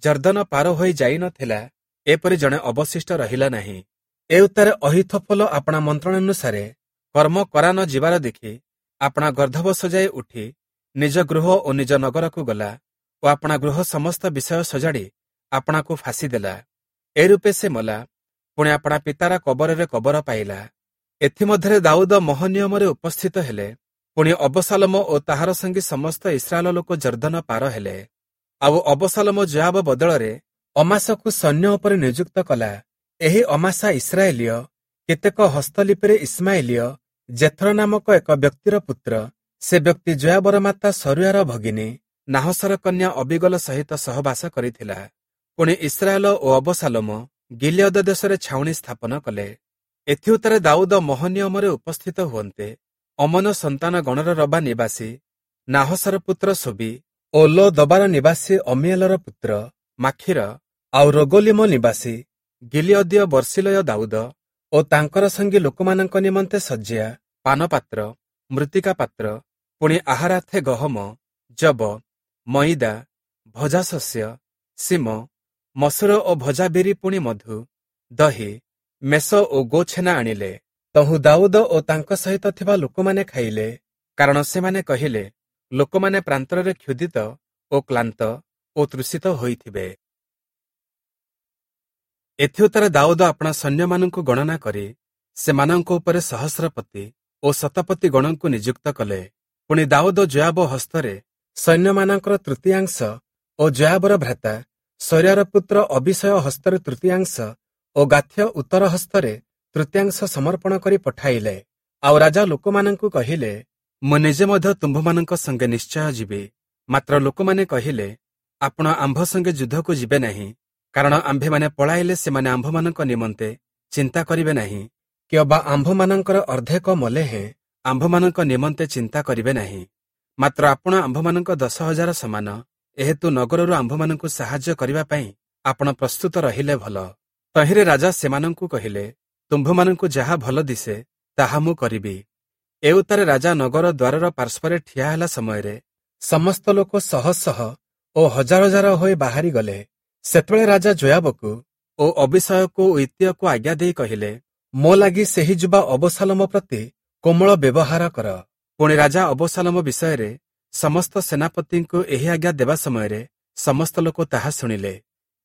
ଯର୍ଦ୍ଦନ ପାର ହୋଇ ଯାଇନଥିଲା, ଏପରି ଜଣେ ଅବଶିଷ୍ଟ ରହିଲା ନାହିଁ। ଏଉତ୍ତାରେ ଅହୀଥୋଫଲ ଆପଣା ମନ୍ତ୍ରଣାନୁସାରେ କର୍ମ କରା ନ ଯିବାର ଦେଖି ଆପଣା ଗର୍ଦ୍ଦଭ ସଜାଇ ଉଠି ନିଜ ଗୃହ ଓ ନିଜ ନଗରକୁ ଗଲା ଓ ଆପଣା ଗୃହ ସମସ୍ତ ବିଷୟ ସଜାଡ଼ି ଆପଣାକୁ ଫାଶୀ ଦେଲା। ଏ ରୂପେ ସେ ମଲା, ପୁଣି ଆପଣା ପିତାର କବରରେ କବର ପାଇଲା। ଏଥିମଧ୍ୟରେ ଦାଉଦ ମହନିୟମରେ ଉପସ୍ଥିତ ହେଲେ। ପୁଣି ଅବସାଲୋମ ଓ ତାହାର ସଙ୍ଗୀ ସମସ୍ତ ଇସ୍ରାଏଲ ଲୋକ ଯର୍ଦ୍ଦନ ପାର ହେଲେ। ଆଉ ଅବସାଲୋମ ଯୋଆବ ବଦଳରେ ଅମାସାକୁ ସୈନ୍ୟ ଉପରେ ନିଯୁକ୍ତ କଲା। ଏହି ଅମାସା ଇସ୍ରାଏଲୀୟ କେତେକ ହସ୍ତଲିପିରେ ଇସ୍ମାଏଲୀୟ ଜେଥର ନାମକ ଏକ ବ୍ୟକ୍ତିର ପୁତ୍ର। ସେ ବ୍ୟକ୍ତି ଯୋଆବର ମାତା ସରୁୟାର ଭଗିନୀ ନାହସର କନ୍ୟା ଅବିଗଲ ସହିତ ସହବାସ କରିଥିଲା। ପୁଣି ଇସ୍ରାଏଲ ଓ ଅବସାଲୋମ ଗିଲିୟଦ ଦେଶରେ ଛାଉଣି ସ୍ଥାପନ କଲେ। ଏଥିଉତ୍ତାରେ ଦାଉଦ ମହନିୟମରେ ଉପସ୍ଥିତ ହୁଅନ୍ତେ ଅମନ ସନ୍ତାନ ଗଣର ରବା ନିବାସୀ ନାହସର ପୁତ୍ର ସୋବି ଓ ଲୋ ଦବାର ନିବାସୀ ଅମିଏଲର ପୁତ୍ର ମାଖିର ଆଉ ରୋଗୋଲିମ ନିବାସୀ ଗିଲିୟଦୀୟ ବର୍ସିଲୟ ଦାଉଦ ଓ ତାଙ୍କର ସଙ୍ଗୀ ଲୋକମାନଙ୍କ ନିମନ୍ତେ ଶଯ୍ୟା, ପାନପାତ୍ର, ମୃତ୍ତିକା ପାତ୍ର, ପୁଣି ଆହାରାର୍ଥେ ଗହମ, ଯବ, ମଇଦା, ଭଜା ଶସ୍ୟ, ସିମ, ମସୁର ଓ ଭଜା ବିରି, ପୁଣି ମଧୁ, ଦହି, ମେଷ ଓ ଗୋଛେନା ଆଣିଲେ। ତହୁଁ ଦାଉଦ ଓ ତାଙ୍କ ସହିତ ଥିବା ଲୋକମାନେ ଖାଇଲେ, କାରଣ ସେମାନେ କହିଲେ, ଲୋକମାନେ ପ୍ରାନ୍ତରରେ କ୍ଷୁଧିତ ଓ କ୍ଳାନ୍ତ ଓ ତୃଷିତ ହୋଇଥିବେ। ଏଥିଉତ୍ତାରେ ଦାଉଦ ଆପଣା ସୈନ୍ୟମାନଙ୍କୁ ଗଣନା କରି ସେମାନଙ୍କ ଉପରେ ସହସ୍ରପତି ଓ ଶତପତି ଗଣଙ୍କୁ ନିଯୁକ୍ତ କଲେ। ପୁଣି ଦାଉଦ ଯୋଆବ ହସ୍ତରେ ସୈନ୍ୟମାନଙ୍କର ତୃତୀୟାଂଶ ଓ ଯୋଆବର ଭ୍ରାତା ସୈରାର ପୁତ୍ର ଅବିଷୟ ହସ୍ତରେ ତୃତୀୟାଂଶ ଓ ଗାଥ୍ୟ ଉତ୍ତର ହସ୍ତରେ ତୃତୀୟାଂଶ ସମର୍ପଣ କରି ପଠାଇଲେ। ଆଉ ରାଜା ଲୋକମାନଙ୍କୁ କହିଲେ, ମୁଁ ନିଜେ ମଧ୍ୟ ତୁମ୍ଭମାନଙ୍କ ସଙ୍ଗେ ନିଶ୍ଚୟ ଯିବି। ମାତ୍ର ଲୋକମାନେ କହିଲେ, ଆପଣ ଆମ୍ଭ ସଙ୍ଗେ ଯୁଦ୍ଧକୁ ଯିବେ ନାହିଁ, କାରଣ ଆମ୍ଭେମାନେ ପଳାଇଲେ ସେମାନେ ଆମ୍ଭମାନଙ୍କ ନିମନ୍ତେ ଚିନ୍ତା କରିବେ ନାହିଁ, କିଅବା ଆମ୍ଭମାନଙ୍କର ଅର୍ଦ୍ଧେକ ମଲେ ହେଁ ଆମ୍ଭମାନଙ୍କ ନିମନ୍ତେ ଚିନ୍ତା କରିବେ ନାହିଁ। ମାତ୍ର ଆପଣ ଆମ୍ଭମାନଙ୍କ ଦଶ ହଜାର ସମାନ, ଏହେତୁ ନଗରରୁ ଆମ୍ଭମାନଙ୍କୁ ସାହାଯ୍ୟ କରିବା ପାଇଁ ଆପଣ ପ୍ରସ୍ତୁତ ରହିଲେ ଭଲ। ତହିଁରେ ରାଜା ସେମାନଙ୍କୁ କହିଲେ, ତୁମ୍ଭମାନଙ୍କୁ ଯାହା ଭଲ ଦିଶେ ତାହା ମୁଁ କରିବି। ଏଉତ୍ତାରେ ରାଜା ନଗର ଦ୍ୱାରର ପାର୍ଶ୍ୱରେ ଠିଆ ହେଲା ସମୟରେ ସମସ୍ତ ଲୋକ ଶହ ଶହ ଓ ହଜାର ହଜାର ହୋଇ ବାହାରି ଗଲେ। ସେତେବେଳେ ରାଜା ଯୋୟାବକୁ ଓ ଅବିଷୟକୁ ଓ ଇତ୍ତିୟକୁ ଆଜ୍ଞା ଦେଇ କହିଲେ, ମୋ ଲାଗି ସେହି ଯୁବା ଅବସାଲୋମ ପ୍ରତି କୋମଳ ବ୍ୟବହାର କର। ପୁଣି ରାଜା ଅବସାଲୋମ ବିଷୟରେ ସମସ୍ତ ସେନାପତିଙ୍କୁ ଏହି ଆଜ୍ଞା ଦେବା ସମୟରେ ସମସ୍ତ ଲୋକ ତାହା ଶୁଣିଲେ।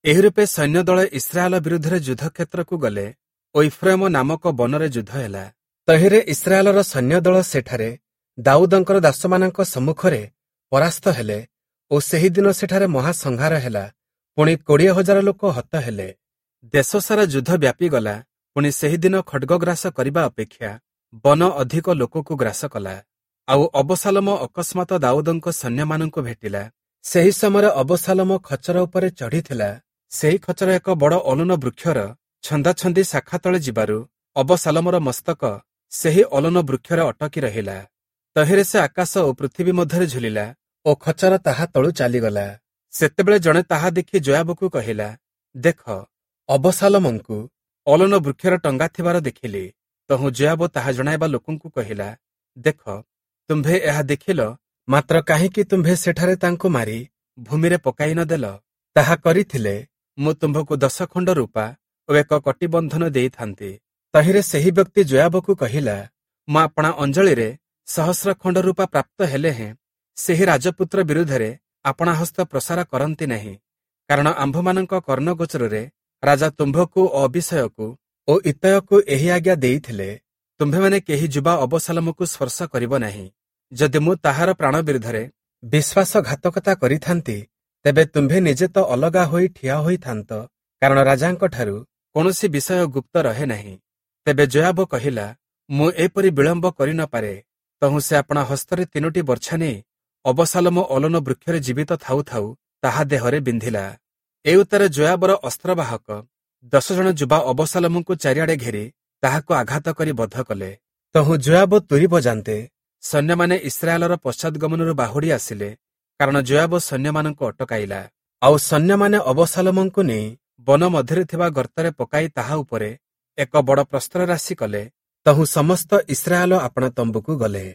ଏହି ରୂପେ ସୈନ୍ୟଦଳ ଇସ୍ରାଏଲ ବିରୁଦ୍ଧରେ ଯୁଦ୍ଧକ୍ଷେତ୍ରକୁ ଗଲେ ଓ ଇଫ୍ରାଇମ ନାମକ ବନରେ ଯୁଦ୍ଧ ହେଲା। ତହିଁରେ ଇସ୍ରାଏଲର ସୈନ୍ୟଦଳ ସେଠାରେ ଦାଉଦଙ୍କର ଦାସମାନଙ୍କ ସମ୍ମୁଖରେ ପରାସ୍ତ ହେଲେ ଓ ସେହିଦିନ ସେଠାରେ ମହାସଂହାର ହେଲା। ପୁଣି କୋଡ଼ିଏ ହଜାର ଲୋକ ହତ ହେଲେ। ଦେଶସାରା ଯୁଦ୍ଧ ବ୍ୟାପିଗଲା। ପୁଣି ସେହିଦିନ ଖଡ୍ଗଗ୍ରାସ କରିବା ଅପେକ୍ଷା ବନ ଅଧିକ ଲୋକକୁ ଗ୍ରାସ କଲା। ଆଉ ଅବସାଲୋମ ଅକସ୍ମାତ ଦାଉଦଙ୍କ ସୈନ୍ୟମାନଙ୍କୁ ଭେଟିଲା। ସେହି ସମୟରେ ଅବସାଲୋମ ଖଚର ଉପରେ ଚଢ଼ିଥିଲା। ସେହି ଖଚର ଏକ ବଡ଼ ଅଲୁନ ବୃକ୍ଷର ଛନ୍ଦାଛନ୍ଦି ଶାଖା ତଳେ ଯିବାରୁ ଅବସାଲୋମର ମସ୍ତକ ସେହି ଅଲୁନ ବୃକ୍ଷରେ ଅଟକି ରହିଲା। ତହିଁରେ ସେ ଆକାଶ ଓ ପୃଥିବୀ ମଧ୍ୟରେ ଝୁଲିଲା ଓ ଖଚର ତାହା ତଳୁ ଚାଲିଗଲା। ସେତେବେଳେ ଜଣେ ତାହା ଦେଖି ଯୋୟାବକୁ କହିଲା, ଦେଖ, ଅବସାଲୋମଙ୍କୁ ଅଲୁନ ବୃକ୍ଷରେ ଟଙ୍ଗା ଥିବାର ଦେଖିଲି। ତହୁଁ ଯୋୟାବ ତାହା ଜଣାଇବା ଲୋକଙ୍କୁ କହିଲା, ଦେଖ, ତୁମ୍ଭେ ଏହା ଦେଖିଲ, ମାତ୍ର କାହିଁକି ତୁମ୍ଭେ ସେଠାରେ ତାଙ୍କୁ ମାରି ଭୂମିରେ ପକାଇ ନ ଦେଲ? ତାହା କରିଥିଲେ ମୁଁ ତୁମ୍ଭକୁ ଦଶ ଖଣ୍ଡ ରୂପା ଓ ଏକ କଟିବନ୍ଧନ ଦେଇଥାନ୍ତି। ତହିଁରେ ସେହି ବ୍ୟକ୍ତି ଯୋୟାବକୁ କହିଲା, ମୁଁ ଆପଣା ଅଞ୍ଜଳିରେ ସହସ୍ର ଖଣ୍ଡ ରୂପା ପ୍ରାପ୍ତ ହେଲେ ହେଁ ସେହି ରାଜପୁତ୍ର ବିରୁଦ୍ଧରେ ଆପଣା ହସ୍ତ ପ୍ରସାର କରନ୍ତି ନାହିଁ, କାରଣ ଆମ୍ଭମାନଙ୍କ କର୍ଣ୍ଣଗୋଚରରେ ରାଜା ତୁମ୍ଭକୁ ଓ ଅବିଷୟକୁ ଓ ଇତ୍ତୟକୁ ଏହି ଆଜ୍ଞା ଦେଇଥିଲେ, ତୁମ୍ଭେମାନେ କେହି ଯୁବା ଅବସାଲୋମକୁ ସ୍ପର୍ଶ କରିବ ନାହିଁ। ଯଦି ମୁଁ ତାହାର ପ୍ରାଣ ବିରୁଦ୍ଧରେ ବିଶ୍ୱାସଘାତକତା କରିଥାନ୍ତି, ତେବେ ତୁମ୍ଭେ ନିଜେ ତ ଅଲଗା ହୋଇ ଠିଆ ହୋଇଥାନ୍ତ, କାରଣ ରାଜାଙ୍କଠାରୁ କୌଣସି ବିଷୟ ଗୁପ୍ତ ରହେ ନାହିଁ। ତେବେ ଯୋୟାବ କହିଲା, ମୁଁ ଏପରି ବିଳମ୍ବ କରି ନ ପାରେ। ତହୁଁ ସେ ଆପଣା ହସ୍ତରେ ତିନୋଟି ବର୍ଚ୍ଛା ନେଇ ଅବସାଲୋମ ଅଲନ ବୃକ୍ଷରେ ଜୀବିତ ଥାଉ ଥାଉ ତାହା ଦେହରେ ବିନ୍ଧିଲା। ଏଉତ୍ତାରେ ଯୋୟାବର ଅସ୍ତ୍ରବାହକ ଦଶ ଜଣ ଯୁବା ଅବସାଲୋମଙ୍କୁ ଚାରିଆଡ଼େ ଘେରି ତାହାକୁ ଆଘାତ କରି ବଧ କଲେ। ତହୁଁ ଯୋୟାବ ତୁରୀ ବଜାନ୍ତେ ସୈନ୍ୟମାନେ ଇସ୍ରାଏଲର ପଶ୍ଚାଦଗମନରୁ ବାହୁଡ଼ି ଆସିଲେ, କାରଣ ଯୋୟାବ ସୈନ୍ୟମାନଙ୍କୁ ଅଟକାଇଲା। ଆଉ ସୈନ୍ୟମାନେ ଅବସାଲୋମଙ୍କୁ ନେଇ ବନ ମଧ୍ୟରେ ଥିବା ଗର୍ତ୍ତରେ ପକାଇ ତାହା ଉପରେ ଏକ ବଡ଼ ପ୍ରସ୍ତର ରାଶି କଲେ। ତହୁଁ ସମସ୍ତ ଇସ୍ରାଏଲ ଆପଣା ତମ୍ବୁକୁ ଗଲେ।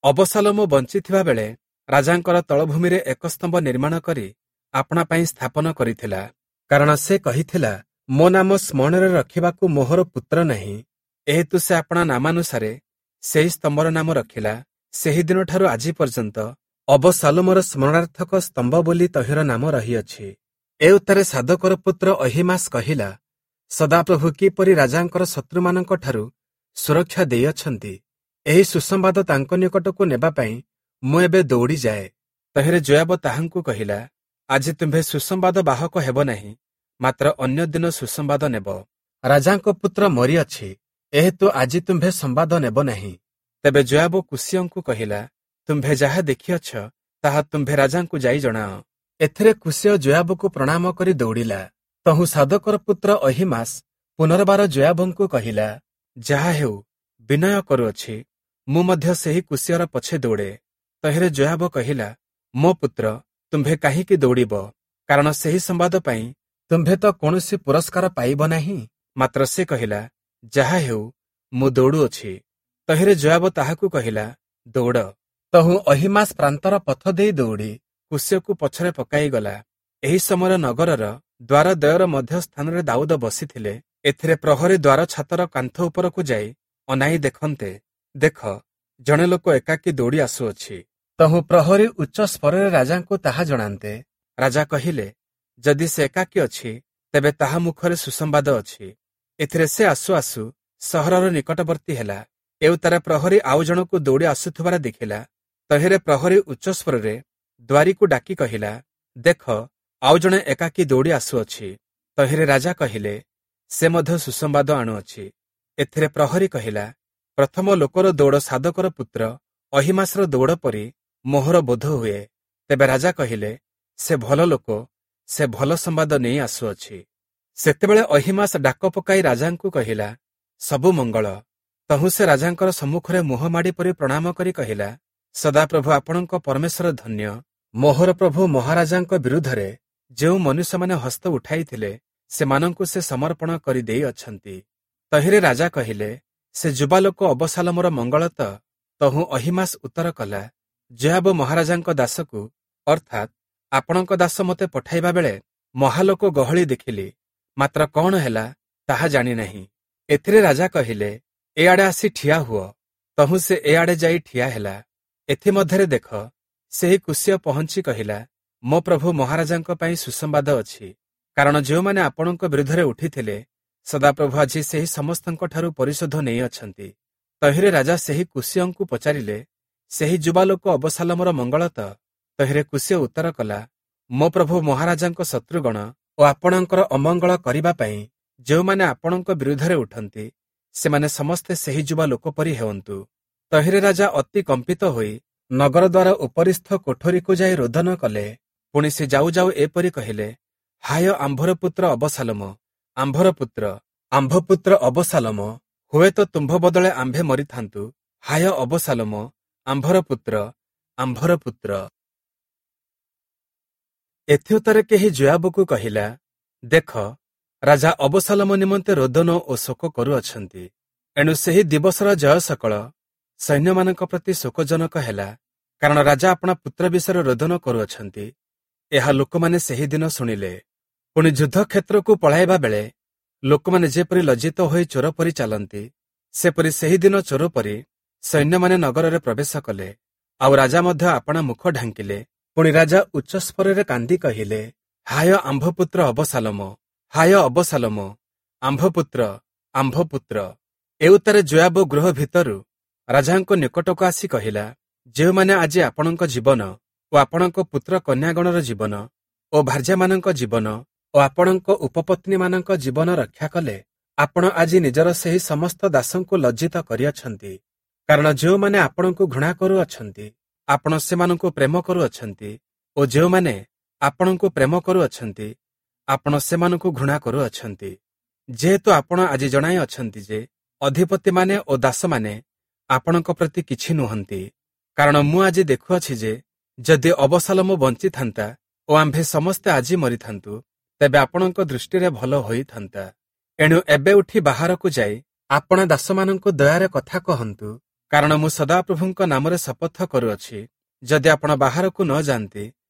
ଅବସାଲୋମ ବଞ୍ଚିଥିବା ବେଳେ ରାଜାଙ୍କର ତଳଭୂମିରେ ଏକ ସ୍ତମ୍ଭ ନିର୍ମାଣ କରି ଆପଣା ପାଇଁ ସ୍ଥାପନ କରିଥିଲା, କାରଣ ସେ କହିଥିଲା, ମୋ ନାମ ସ୍ମରଣରେ ରଖିବାକୁ ମୋହର ପୁତ୍ର ନାହିଁ। ଏହେତୁ ସେ ଆପଣା ନାମାନୁସାରେ ସେହି ସ୍ତମ୍ଭର ନାମ ରଖିଲା। ସେହିଦିନଠାରୁ ଆଜି ପର୍ଯ୍ୟନ୍ତ ଅବସାଲୋମର ସ୍ମରଣାର୍ଥକ ସ୍ତମ୍ଭ ବୋଲି ତହିଁର ନାମ ରହିଅଛି। ଏ ଉତ୍ତାରେ ସାଦୋକର ପୁତ୍ର ଅହୀମାସ କହିଲା, ସଦାପ୍ରଭୁ କିପରି ରାଜାଙ୍କର ଶତ୍ରୁମାନଙ୍କଠାରୁ ସୁରକ୍ଷା ଦେଇଅଛନ୍ତି, ଏହି ସୁସମ୍ବାଦ ତାଙ୍କ ନିକଟକୁ ନେବା ପାଇଁ ମୁଁ ଏବେ ଦୌଡ଼ିଯାଏ। ତହିଁରେ ଯୋୟାବ ତାହାଙ୍କୁ କହିଲା, ଆଜି ତୁମ୍ଭେ ସୁସମ୍ବାଦ ବାହକ ହେବ ନାହିଁ, ମାତ୍ର ଅନ୍ୟ ଦିନ ସୁସମ୍ବାଦ ନେବ। ରାଜାଙ୍କ ପୁତ୍ର ମରିଅଛି, ଏହେତୁ ଆଜି ତୁମ୍ଭେ ସମ୍ବାଦ ନେବ ନାହିଁ। ତେବେ ଯୋୟାବ କୁଶୀୟଙ୍କୁ କହିଲା, ତୁମ୍ଭେ ଯାହା ଦେଖିଅଛ ତାହା ତୁମ୍ଭେ ରାଜାଙ୍କୁ ଯାଇ ଜଣାଅ। ଏଥିରେ କୁଶୀୟ ଯୋୟାବକୁ ପ୍ରଣାମ କରି ଦୌଡ଼ିଲା। ତହୁଁ ସାଦୋକର ପୁତ୍ର ଅହୀମାସ ପୁନର୍ବାର ଯୋୟାବଙ୍କୁ କହିଲା, ଯାହା ହେଉ ବିନୟ କରୁଅଛି, ମୁଁ ମଧ୍ୟ ସେହି କୁଶୀୟର ପଛେ ଦୌଡ଼େ। ତହିଁରେ ଯୋୟାବ କହିଲା, ମୋ ପୁତ୍ର, ତୁମ୍ଭେ କାହିଁକି ଦୌଡ଼ିବ? କାରଣ ସେହି ସମ୍ବାଦ ପାଇଁ ତୁମ୍ଭେ ତ କୌଣସି ପୁରସ୍କାର ପାଇବ ନାହିଁ। ମାତ୍ର ସେ କହିଲା, ଯାହା ହେଉ ମୁଁ ଦୌଡ଼ୁଅଛି। ତହିଁରେ ଯୋୟାବ ତାହାକୁ କହିଲା, ଦୌଡ଼। ତହୁଁ ଅହୀମାସ ପ୍ରାନ୍ତର ପଥ ଦେଇ ଦୌଡ଼ି କୁଶୀୟକୁ ପଛରେ ପକାଇଗଲା। ଏହି ସମୟରେ ନଗରର ଦ୍ୱାରଦ୍ୱୟର ମଧ୍ୟ ସ୍ଥାନରେ ଦାଉଦ ବସିଥିଲେ। ଏଥିରେ ପ୍ରହରୀ ଦ୍ୱାର ଛାତର କାନ୍ଥ ଉପରକୁ ଯାଇ ଅନାଇ ଦେଖନ୍ତେ, ଦେଖ, ଜଣେ ଲୋକ ଏକାକୀ ଦୌଡ଼ି ଆସୁଅଛି। ତହୁଁ ପ୍ରହରୀ ଉଚ୍ଚ ସ୍ୱରରେ ରାଜାଙ୍କୁ ତାହା ଜଣାନ୍ତେ, ରାଜା କହିଲେ, ଯଦି ସେ ଏକାକୀ ଅଛି, ତେବେ ତାହା ମୁଖରେ ସୁସମ୍ବାଦ ଅଛି। ଏଥିରେ ସେ ଆସୁ ଆସୁ ସହରର ନିକଟବର୍ତ୍ତୀ ହେଲା। ଏଉତାରେ ପ୍ରହରୀ ଆଉ ଜଣକୁ ଦୌଡ଼ି ଆସୁଥିବାର ଦେଖିଲା। ତହିଁରେ ପ୍ରହରୀ ଉଚ୍ଚ ସ୍ୱରରେ ଦ୍ୱାରୀକୁ ଡାକି କହିଲା, ଦେଖ, ଆଉ ଜଣେ ଏକାକୀ ଦୌଡ଼ି ଆସୁଅଛି। ତହିଁରେ ରାଜା କହିଲେ, ସେ ମଧ୍ୟ ସୁସମ୍ବାଦ ଆଣୁଅଛି। ଏଥିରେ ପ୍ରହରୀ କହିଲା, ପ୍ରଥମ ଲୋକର ଦୌଡ଼ ସାଦୋକର ପୁତ୍ର ଅହୀମାସର ଦୌଡ଼ ପରି ମୋହର ବୋଧ ହୁଏ। ତେବେ ରାଜା କହିଲେ, ସେ ଭଲ ଲୋକ, ସେ ଭଲ ସମ୍ବାଦ ନେଇ ଆସୁଅଛି। ସେତେବେଳେ ଅହୀମାସ ଡାକ ପକାଇ ରାଜାଙ୍କୁ କହିଲା, ସବୁ ମଙ୍ଗଳ। ତହୁଁ ସେ ରାଜାଙ୍କର ସମ୍ମୁଖରେ ମୁହଁ ମାଡ଼ି ପରି ପ୍ରଣାମ କରି କହିଲା, ସଦାପ୍ରଭୁ ଆପଣଙ୍କ ପରମେଶ୍ୱର ଧନ୍ୟ। ମୋହର ପ୍ରଭୁ ମହାରାଜାଙ୍କ ବିରୁଦ୍ଧରେ ଯେଉଁ ମନୁଷ୍ୟମାନେ ହସ୍ତ ଉଠାଇଥିଲେ, ସେମାନଙ୍କୁ ସେ ସମର୍ପଣ କରି ଦେଇଅଛନ୍ତି। ତହିଁରେ ରାଜା କହିଲେ, ସେ ଯୁବାଲୋକ ଅବସାଲମର ମଙ୍ଗଳ ତ? ତହୁଁ ଅହୀମାସ ଉତ୍ତର କଲା, ଯୋୟାବ ମହାରାଜାଙ୍କ ଦାସକୁ, ଅର୍ଥାତ୍ ଆପଣଙ୍କ ଦାସ ମୋତେ ପଠାଇବା ବେଳେ ମହାଲୋକ ଗହଳି ଦେଖିଲି, ମାତ୍ର କଣ ହେଲା ତାହା ଜାଣିନାହିଁ। ଏଥିରେ ରାଜା କହିଲେ, ଏଆଡ଼େ ଆସି ଠିଆ ହୁଅ। ତହୁଁ ସେ ଏଆଡ଼େ ଯାଇ ଠିଆ ହେଲା। ଏଥିମଧ୍ୟରେ ଦେଖ, ସେହି କୁଶୀୟ ପହଞ୍ଚି କହିଲା, ମୋ ପ୍ରଭୁ ମହାରାଜାଙ୍କ ପାଇଁ ସୁସମ୍ବାଦ ଅଛି। କାରଣ ଯେଉଁମାନେ ଆପଣଙ୍କ ବିରୁଦ୍ଧରେ ଉଠିଥିଲେ, ସଦାପ୍ରଭୁ ଆଜି ସେହି ସମସ୍ତଙ୍କଠାରୁ ପରିଶୋଧ ନେଇଅଛନ୍ତି। ତହିଁରେ ରାଜା ସେହି କୁଶୀୟଙ୍କୁ ପଚାରିଲେ, ସେହି ଯୁବାଲୋକ ଅବସାଲମର ମଙ୍ଗଳ ତ? ତହିଁରେ କୁଶୀୟ ଉତ୍ତର କଲା, ମୋ ପ୍ରଭୁ ମହାରାଜାଙ୍କ ଶତ୍ରୁଗଣ ଓ ଆପଣଙ୍କର ଅମଙ୍ଗଳ କରିବା ପାଇଁ ଯେଉଁମାନେ ଆପଣଙ୍କ ବିରୁଦ୍ଧରେ ଉଠନ୍ତି, ସେମାନେ ସମସ୍ତେ ସେହି ଯୁବା ଲୋକ ପରି ହେଉନ୍ତୁ। ତହିଁରେ ରାଜା ଅତି କମ୍ପିତ ହୋଇ ନଗର ଦ୍ୱାର ଉପରିସ୍ଥ କୋଠରୀକୁ ଯାଇ ରୋଦନ କଲେ। ପୁଣି ସେ ଯାଉ ଯାଉ ଏପରି କହିଲେ, ହାୟ ଆମ୍ଭର ପୁତ୍ର ଅବସାଲମ, ଆମ୍ଭର ପୁତ୍ର, ଆମ୍ଭ ପୁତ୍ର ଅବସାଲମ, ହୁଏତ ତୁମ୍ଭ ବଦଳେ ଆମ୍ଭେ ମରିଥାନ୍ତୁ। ହାୟ ଅବସାଲମ, ଆମ୍ଭର ପୁତ୍ର, ଆମ୍ଭର ପୁତ୍ର। ଏଥିଉତ୍ତରେ କେହି ଯୋୟାବକୁ କହିଲା, ଦେଖ, ରାଜା ଅବସାଲମ ନିମନ୍ତେ ରୋଦନ ଓ ଶୋକ କରୁଅଛନ୍ତି। ଏଣୁ ସେହି ଦିବସର ଜୟ ସକଳ ସୈନ୍ୟମାନଙ୍କ ପ୍ରତି ଶୋକଜନକ ହେଲା, କାରଣ ରାଜା ଆପଣା ପୁତ୍ର ବିଷୟରେ ରୋଦନ କରୁଅଛନ୍ତି। ଏହା ଲୋକମାନେ ସେହି ଦିନ ଶୁଣିଲେ। ପୁଣି ଯୁଦ୍ଧକ୍ଷେତ୍ରକୁ ପଳାଇବା ବେଳେ ଲୋକମାନେ ଯେପରି ଲଜ୍ଜିତ ହୋଇ ଚୋର ପରି ଚାଲନ୍ତି, ସେପରି ସେହି ଦିନ ଚୋର ପରି ସୈନ୍ୟମାନେ ନଗରରେ ପ୍ରବେଶ କଲେ। ଆଉ ରାଜା ମଧ୍ୟ ଆପଣା ମୁଖ ଢାଙ୍କିଲେ। ପୁଣି ରାଜା ଉଚ୍ଚସ୍ୱରରେ କାନ୍ଦି କହିଲେ, ହାୟ ଆମ୍ଭ ପୁତ୍ର ଅବସାଲମ, ହାୟ ଅବସାଲମ, ଆମ୍ଭ ପୁତ୍ର, ଆମ୍ଭ ପୁତ୍ର। ଏଉତ୍ତାରେ ଯୋୟାବ ଗୃହ ଭିତରୁ ରାଜାଙ୍କ ନିକଟକୁ ଆସି କହିଲା, ଯେଉଁମାନେ ଆଜି ଆପଣଙ୍କ ଜୀବନ ଓ ଆପଣଙ୍କ ପୁତ୍ର କନ୍ୟାଗଣର ଜୀବନ ଓ ଭାର୍ଯ୍ୟାମାନଙ୍କ ଜୀବନ ଓ ଆପଣଙ୍କ ଉପପତ୍ନୀମାନଙ୍କ ଜୀବନ ରକ୍ଷା କଲେ, ଆପଣ ଆଜି ନିଜର ସେହି ସମସ୍ତ ଦାସଙ୍କୁ ଲଜ୍ଜିତ କରିଅଛନ୍ତି। କାରଣ ଯେଉଁମାନେ ଆପଣଙ୍କୁ ଘୃଣା କରୁଅଛନ୍ତି, ଆପଣ ସେମାନଙ୍କୁ ପ୍ରେମ କରୁଅଛନ୍ତି ଓ ଯେଉଁମାନେ ଆପଣଙ୍କୁ ପ୍ରେମ କରୁଅଛନ୍ତି, ଆପଣ ସେମାନଙ୍କୁ ଘୃଣା କରୁଅଛନ୍ତି। ଯେହେତୁ ଆପଣ ଆଜି ଜଣାଇ ଅଛନ୍ତି ଯେ ଅଧିପତିମାନେ ଓ ଦାସମାନେ ଆପଣଙ୍କ ପ୍ରତି କିଛି ନୁହନ୍ତି। କାରଣ ମୁଁ ଆଜି ଦେଖୁଅଛି ଯେ ଯଦି ଅବସାଲମ ବଞ୍ଚିଥାନ୍ତା ଓ ଆମ୍ଭେ ସମସ୍ତେ ଆଜି ମରିଥାନ୍ତୁ, ତେବେ ଆପଣଙ୍କ ଦୃଷ୍ଟିରେ ଭଲ ହୋଇଥାନ୍ତା। ଏଣୁ ଏବେ ଉଠି ବାହାରକୁ ଯାଇ ଆପଣା ଦାସମାନଙ୍କୁ ଦୟାରେ କଥା କହନ୍ତୁ, କାରଣ ମୁଁ ସଦାପ୍ରଭୁଙ୍କ ନାମରେ ଶପଥ କରୁଅଛି, ଯଦି ଆପଣ ବାହାରକୁ ନ ଯାଆନ୍ତି,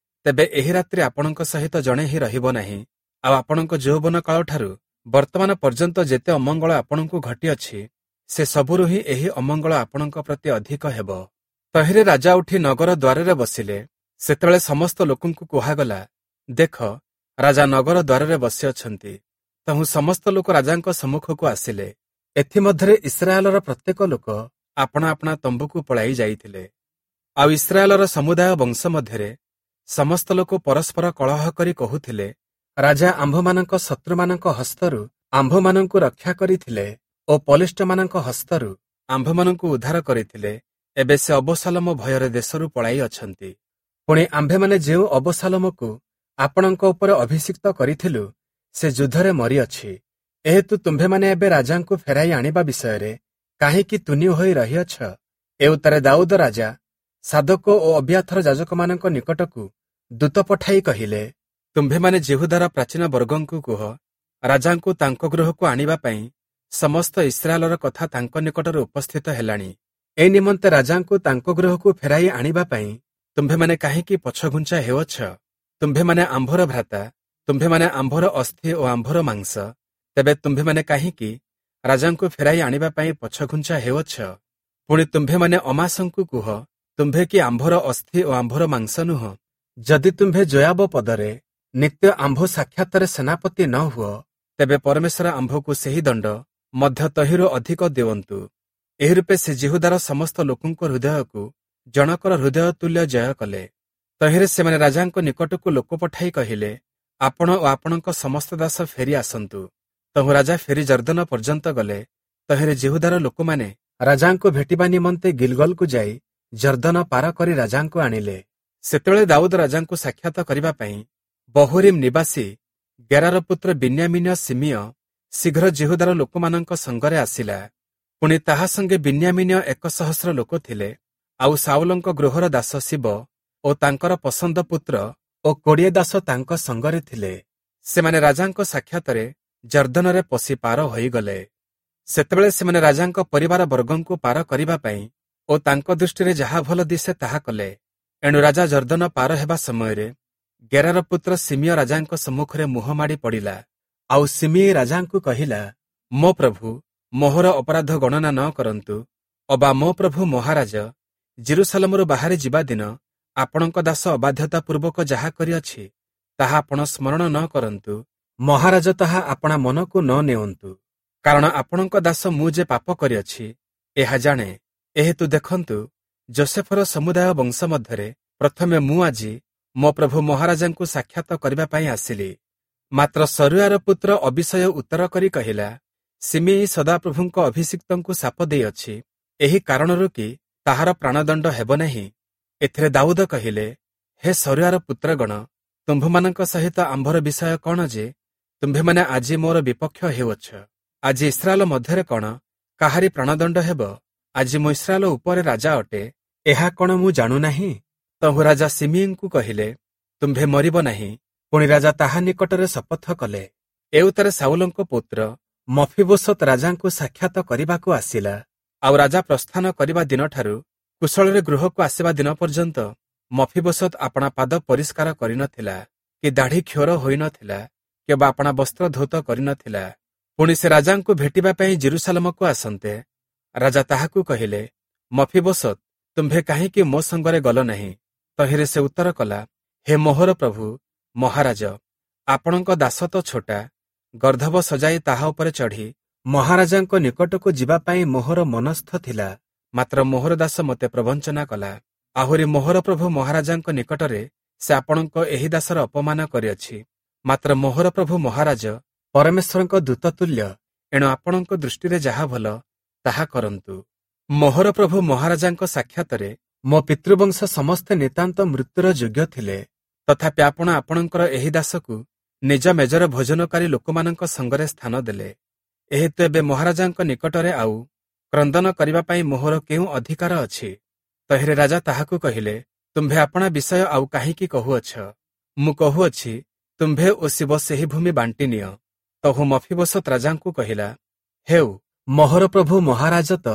ତେବେ ଏହି ରାତ୍ରି ଆପଣଙ୍କ ସହିତ ଜଣେ ହିଁ ରହିବ ନାହିଁ। ଆଉ ଆପଣଙ୍କ ଯୌବନ କାଳଠାରୁ ବର୍ତ୍ତମାନ ପର୍ଯ୍ୟନ୍ତ ଯେତେ ଅମଙ୍ଗଳ ଆପଣଙ୍କୁ ଘଟିଅଛି, ସେ ସବୁରୁ ହିଁ ଏହି ଅମଙ୍ଗଳ ଆପଣଙ୍କ ପ୍ରତି ଅଧିକ ହେବ। ତହିଁରେ ରାଜା ଉଠି ନଗର ଦ୍ୱାରରେ ବସିଲେ। ସେତେବେଳେ ସମସ୍ତ ଲୋକଙ୍କୁ କୁହାଗଲା, ଦେଖ, ରାଜା ନଗର ଦ୍ୱାରରେ ବସିଅଛନ୍ତି। ତହୁଁ ସମସ୍ତ ଲୋକ ରାଜାଙ୍କ ସମ୍ମୁଖକୁ ଆସିଲେ। ଏଥିମଧ୍ୟରେ ଇସ୍ରାଏଲର ପ୍ରତ୍ୟେକ ଲୋକ ଆପଣା ଆପଣା ତମ୍ବୁକୁ ପଳାଇ ଯାଇଥିଲେ। ଆଉ ଇସ୍ରାଏଲର ସମୁଦାୟ ବଂଶ ମଧ୍ୟରେ ସମସ୍ତ ଲୋକ ପରସ୍ପର କଳହ କରି କହୁଥିଲେ, ରାଜା ଆମ୍ଭମାନଙ୍କ ଶତ୍ରୁମାନଙ୍କ ହସ୍ତରୁ ଆମ୍ଭମାନଙ୍କୁ ରକ୍ଷା କରିଥିଲେ ଓ ପଲିଷ୍ଟମାନଙ୍କ ହସ୍ତରୁ ଆମ୍ଭମାନଙ୍କୁ ଉଦ୍ଧାର କରିଥିଲେ। ଏବେ ସେ ଅବସାଲୋମ ଭୟରେ ଦେଶରୁ ପଳାଇ ଅଛନ୍ତି। ପୁଣି ଆମ୍ଭେମାନେ ଯେଉଁ ଅବସାଲୋମକୁ ଆପଣଙ୍କ ଉପରେ ଅଭିଷିକ୍ତ କରିଥିଲୁ, ସେ ଯୁଦ୍ଧରେ ମରିଅଛି। ଏହେତୁ ତୁମ୍ଭେମାନେ ଏବେ ରାଜାଙ୍କୁ ଫେରାଇ ଆଣିବା ବିଷୟରେ କାହିଁକି ତୁନି ହୋଇ ରହିଅଛ? ଏଉତ୍ତାରେ ଦାଉଦ ରାଜା ସାଦୋକ ଓ ଅବିୟାଥର ଯାଜକମାନଙ୍କ ନିକଟକୁ ଦୂତ ପଠାଇ କହିଲେ, ତୁମ୍ଭେମାନେ ଯିହୁଦାର ପ୍ରାଚୀନ ବର୍ଗଙ୍କୁ କୁହ, ରାଜାଙ୍କୁ ତାଙ୍କ ଗୃହକୁ ଆଣିବା ପାଇଁ ସମସ୍ତ ଇସ୍ରାଏଲର କଥା ତାଙ୍କ ନିକଟରେ ଉପସ୍ଥିତ ହେଲାଣି। ଏ ନିମନ୍ତେ ରାଜାଙ୍କୁ ତାଙ୍କ ଗୃହକୁ ଫେରାଇ ଆଣିବା ପାଇଁ ତୁମ୍ଭେମାନେ କାହିଁକି ପଛଘୁଞ୍ଚା ହେଉଅଛ? ତୁମ୍ଭେମାନେ ଆମ୍ଭର ଭ୍ରାତା, ତୁମ୍ଭେମାନେ ଆମ୍ଭର ଅସ୍ଥି ଓ ଆମ୍ଭର ମାଂସ। ତେବେ ତୁମ୍ଭେମାନେ କାହିଁକି ରାଜାଙ୍କୁ ଫେରାଇ ଆଣିବା ପାଇଁ ପଛଘୁଞ୍ଚା ହେଉଅଛ? ପୁଣି ତୁମ୍ଭେମାନେ ଅମାସଙ୍କୁ କୁହ, ତୁମ୍ଭେ କି ଆମ୍ଭର ଅସ୍ଥି ଓ ଆମ୍ଭର ମାଂସ ନୁହଁ? ଯଦି ତୁମ୍ଭେ ଯୋୟାବ ପଦରେ ନିତ୍ୟ ଆମ୍ଭ ସାକ୍ଷାତରେ ସେନାପତି ନ ହୁଅ, ତେବେ ପରମେଶ୍ୱର ଆମ୍ଭକୁ ସେହି ଦଣ୍ଡ ମଧ୍ୟ ତହିଁରୁ ଅଧିକ ଦେଉନ୍ତୁ। ଏହି ରୂପେ ସେ ଯିହୁଦାର ସମସ୍ତ ଲୋକଙ୍କ ହୃଦୟକୁ ଜଣକର ହୃଦୟ ତୁଲ୍ୟ ଜୟ କଲେ। ତହିଁରେ ସେମାନେ ରାଜାଙ୍କ ନିକଟକୁ ଲୋକ ପଠାଇ କହିଲେ, ଆପଣ ଓ ଆପଣଙ୍କ ସମସ୍ତ ଦାସ ଫେରି ଆସନ୍ତୁ। ତହୁଁ ରାଜା ଫେରି ଯର୍ଦ୍ଦନ ପର୍ଯ୍ୟନ୍ତ ଗଲେ। ତହିଁରେ ଯିହୁଦାର ଲୋକମାନେ ରାଜାଙ୍କୁ ଭେଟିବା ନିମନ୍ତେ ଗିଲଗଲକୁ ଯାଇ ଯର୍ଦ୍ଦନ ପାର କରି ରାଜାଙ୍କୁ ଆଣିଲେ। ସେତେବେଳେ ଦାଉଦ ରାଜାଙ୍କୁ ସାକ୍ଷାତ କରିବା ପାଇଁ ବହୁରିମ୍ ନିବାସୀ ଗେରାର ପୁତ୍ର ବିନ୍ୟାମୀନୀୟ ଶିମିୟ ଶୀଘ୍ର ଯିହୁଦାର ଲୋକମାନଙ୍କ ସଙ୍ଗରେ ଆସିଲା। ପୁଣି ତାହା ସଙ୍ଗେ ବିନ୍ୟାମୀନୀୟ ଏକ ସହସ୍ର ଲୋକ ଥିଲେ। ଆଉ ସାଉଲଙ୍କ ଗୃହର ଦାସ ଶିବ ଓ ତାଙ୍କର ପସନ୍ଦ ପୁତ୍ର ଓ କୋଡ଼ିଏ ଦାସ ତାଙ୍କ ସଙ୍ଗରେ ଥିଲେ। ସେମାନେ ରାଜାଙ୍କ ସାକ୍ଷାତରେ ଯର୍ଦ୍ଦନରେ ପଶି ପାର ହୋଇଗଲେ। ସେତେବେଳେ ସେମାନେ ରାଜାଙ୍କ ପରିବାର ବର୍ଗଙ୍କୁ ପାର କରିବା ପାଇଁ ଓ ତାଙ୍କ ଦୃଷ୍ଟିରେ ଯାହା ଭଲ ଦିଶେ ତାହା କଲେ। ଏଣୁ ରାଜା ଯର୍ଦ୍ଦନ ପାର ହେବା ସମୟରେ ଗେରାର ପୁତ୍ର ଶିମିୟ ରାଜାଙ୍କ ସମ୍ମୁଖରେ ମୁହଁ ମାଡ଼ି ପଡ଼ିଲା। ଆଉ ଶିମିୟ ରାଜାଙ୍କୁ କହିଲା, ମୋ ପ୍ରଭୁ ମୋହର ଅପରାଧ ଗଣନା ନ କରନ୍ତୁ, ଅବା ମୋ ପ୍ରଭୁ ମହାରାଜ ଯିରୂଶାଲମରୁ ବାହାରି ଯିବା ଦିନ ଆପଣଙ୍କ ଦାସ ଅବାଧ୍ୟତା ପୂର୍ବକ ଯାହା କରିଅଛି ତାହା ଆପଣ ସ୍ମରଣ ନ କରନ୍ତୁ। ମହାରାଜ ତାହା ଆପଣା ମନକୁ ନ ନେଉନ୍ତୁ, କାରଣ ଆପଣଙ୍କ ଦାସ ମୁଁ ଯେ ପାପ କରିଅଛି ଏହା ଜାଣେ। ଏହେତୁ ଦେଖନ୍ତୁ, ଯୋସେଫର ସମୁଦାୟ ବଂଶ ମଧ୍ୟରେ ପ୍ରଥମେ ମୁଁ ଆଜି ମୋ ପ୍ରଭୁ ମହାରାଜାଙ୍କୁ ସାକ୍ଷାତ କରିବା ପାଇଁ ଆସିଲି। ମାତ୍ର ସରୁୟାର ପୁତ୍ର ଅବିଷୟ ଉତ୍ତର କରି କହିଲା, ଶିମିୟି ସଦାପ୍ରଭୁଙ୍କ ଅଭିଷିକ୍ତଙ୍କୁ ଶାପ ଦେଇଅଛି, ଏହି କାରଣରୁ କି ତାହାର ପ୍ରାଣଦଣ୍ଡ ହେବ ନାହିଁ? ଏଥିରେ ଦାଉଦ କହିଲେ, ହେ ସରୁୟାର ପୁତ୍ରଗଣ, ତୁମ୍ଭମାନଙ୍କ ସହିତ ଆମ୍ଭର ବିଷୟ କଣ ଯେ ତୁମ୍ଭେମାନେ ଆଜି ମୋର ବିପକ୍ଷ ହେଉଅଛ? ଆଜି ଇସ୍ରାଏଲ ମଧ୍ୟରେ କଣ କାହାରି ପ୍ରାଣଦଣ୍ଡ ହେବ? ଆଜି ମୁଁ ଇସ୍ରାଏଲ ଉପରେ ରାଜା ଅଟେ, ଏହା କଣ ମୁଁ ଜାଣୁନାହିଁ? ତହୁଁ ରାଜା ଶିମିୟିଙ୍କୁ କହିଲେ, ତୁମ୍ଭେ ମରିବ ନାହିଁ। ପୁଣି ରାଜା ତାହା ନିକଟରେ ଶପଥ କଲେ। ଏଉତ୍ତାରେ ସାଉଲଙ୍କ ପୁତ୍ର ମଫିବୋଶତ ରାଜାଙ୍କୁ ସାକ୍ଷାତ କରିବାକୁ ଆସିଲା। ଆଉ ରାଜା ପ୍ରସ୍ଥାନ କରିବା ଦିନଠାରୁ କୁଶଳରେ ଗୃହକୁ ଆସିବା ଦିନ ପର୍ଯ୍ୟନ୍ତ ମଫିବୋଶତ ଆପଣା ପାଦ ପରିଷ୍କାର କରିନଥିଲା, କି ଦାଢ଼ି କ୍ଷୌର ହୋଇନଥିଲା, କିମ୍ବା ଆପଣା ବସ୍ତ୍ର ଧୌତ କରିନଥିଲା। ପୁଣି ସେ ରାଜାଙ୍କୁ ଭେଟିବା ପାଇଁ ଯିରୂଶାଲମକୁ ଆସନ୍ତେ ରାଜା ତାହାକୁ କହିଲେ, ମଫିବୋଶତ, ତୁମ୍ଭେ କାହିଁକି ମୋ ସଙ୍ଗରେ ଗଲ ନାହିଁ? ତହିଁରେ ସେ ଉତ୍ତର କଲା, ହେ ମୋହର ପ୍ରଭୁ ମହାରାଜ, ଆପଣଙ୍କ ଦାସ ତ ଛୋଟା, ଗର୍ଦ୍ଧବ ସଜାଇ ତାହା ଉପରେ ଚଢ଼ି ମହାରାଜାଙ୍କ ନିକଟକୁ ଯିବା ପାଇଁ ମୋହର ମନସ୍ଥ ଥିଲା, ମାତ୍ର ମୋହର ଦାସ ମୋତେ ପ୍ରବଞ୍ଚନା କଲା। ଆହୁରି ମୋହର ପ୍ରଭୁ ମହାରାଜାଙ୍କ ନିକଟରେ ସେ ଆପଣଙ୍କ ଏହି ଦାସର ଅପମାନ କରିଅଛି। ମାତ୍ର ମୋହର ପ୍ରଭୁ ମହାରାଜ ପରମେଶ୍ୱରଙ୍କ ଦୂତ ତୁଲ୍ୟ, ଏଣୁ ଆପଣଙ୍କ ଦୃଷ୍ଟିରେ ଯାହା ଭଲ ତାହା କରନ୍ତୁ। ମୋହର ପ୍ରଭୁ ମହାରାଜାଙ୍କ ସାକ୍ଷାତରେ ମୋ ପିତୃବଂଶ ସମସ୍ତେ ନିତାନ୍ତ ମୃତ୍ୟୁର ଯୋଗ୍ୟ ଥିଲେ, ତଥାପି ଆପଣ ଆପଣଙ୍କର ଏହି ଦାସକୁ ନିଜ ମେଜର ଭୋଜନକାରୀ ଲୋକମାନଙ୍କ ସଙ୍ଗରେ ସ୍ଥାନ ଦେଲେ। ଏହେତୁ ଏବେ ମହାରାଜାଙ୍କ ନିକଟରେ ଆଉ କ୍ରନ୍ଦନ କରିବା ପାଇଁ ମୋହର କେଉଁ ଅଧିକାର ଅଛି? ତହିଁରେ ରାଜା ତାହାକୁ କହିଲେ, ତୁମ୍ଭେ ଆପଣା ବିଷୟ ଆଉ କାହିଁକି କହୁଅଛ? ମୁଁ କହୁଅଛି, ତୁମ୍ଭେ ଓ ଶିବ ସେହି ଭୂମି ବାଣ୍ଟି ନିଅ। ତହୁଁ ମଫିବୋଶତ ରାଜାଙ୍କୁ କହିଲା, ହେଉ, ମୋହର ପ୍ରଭୁ ମହାରାଜ ତ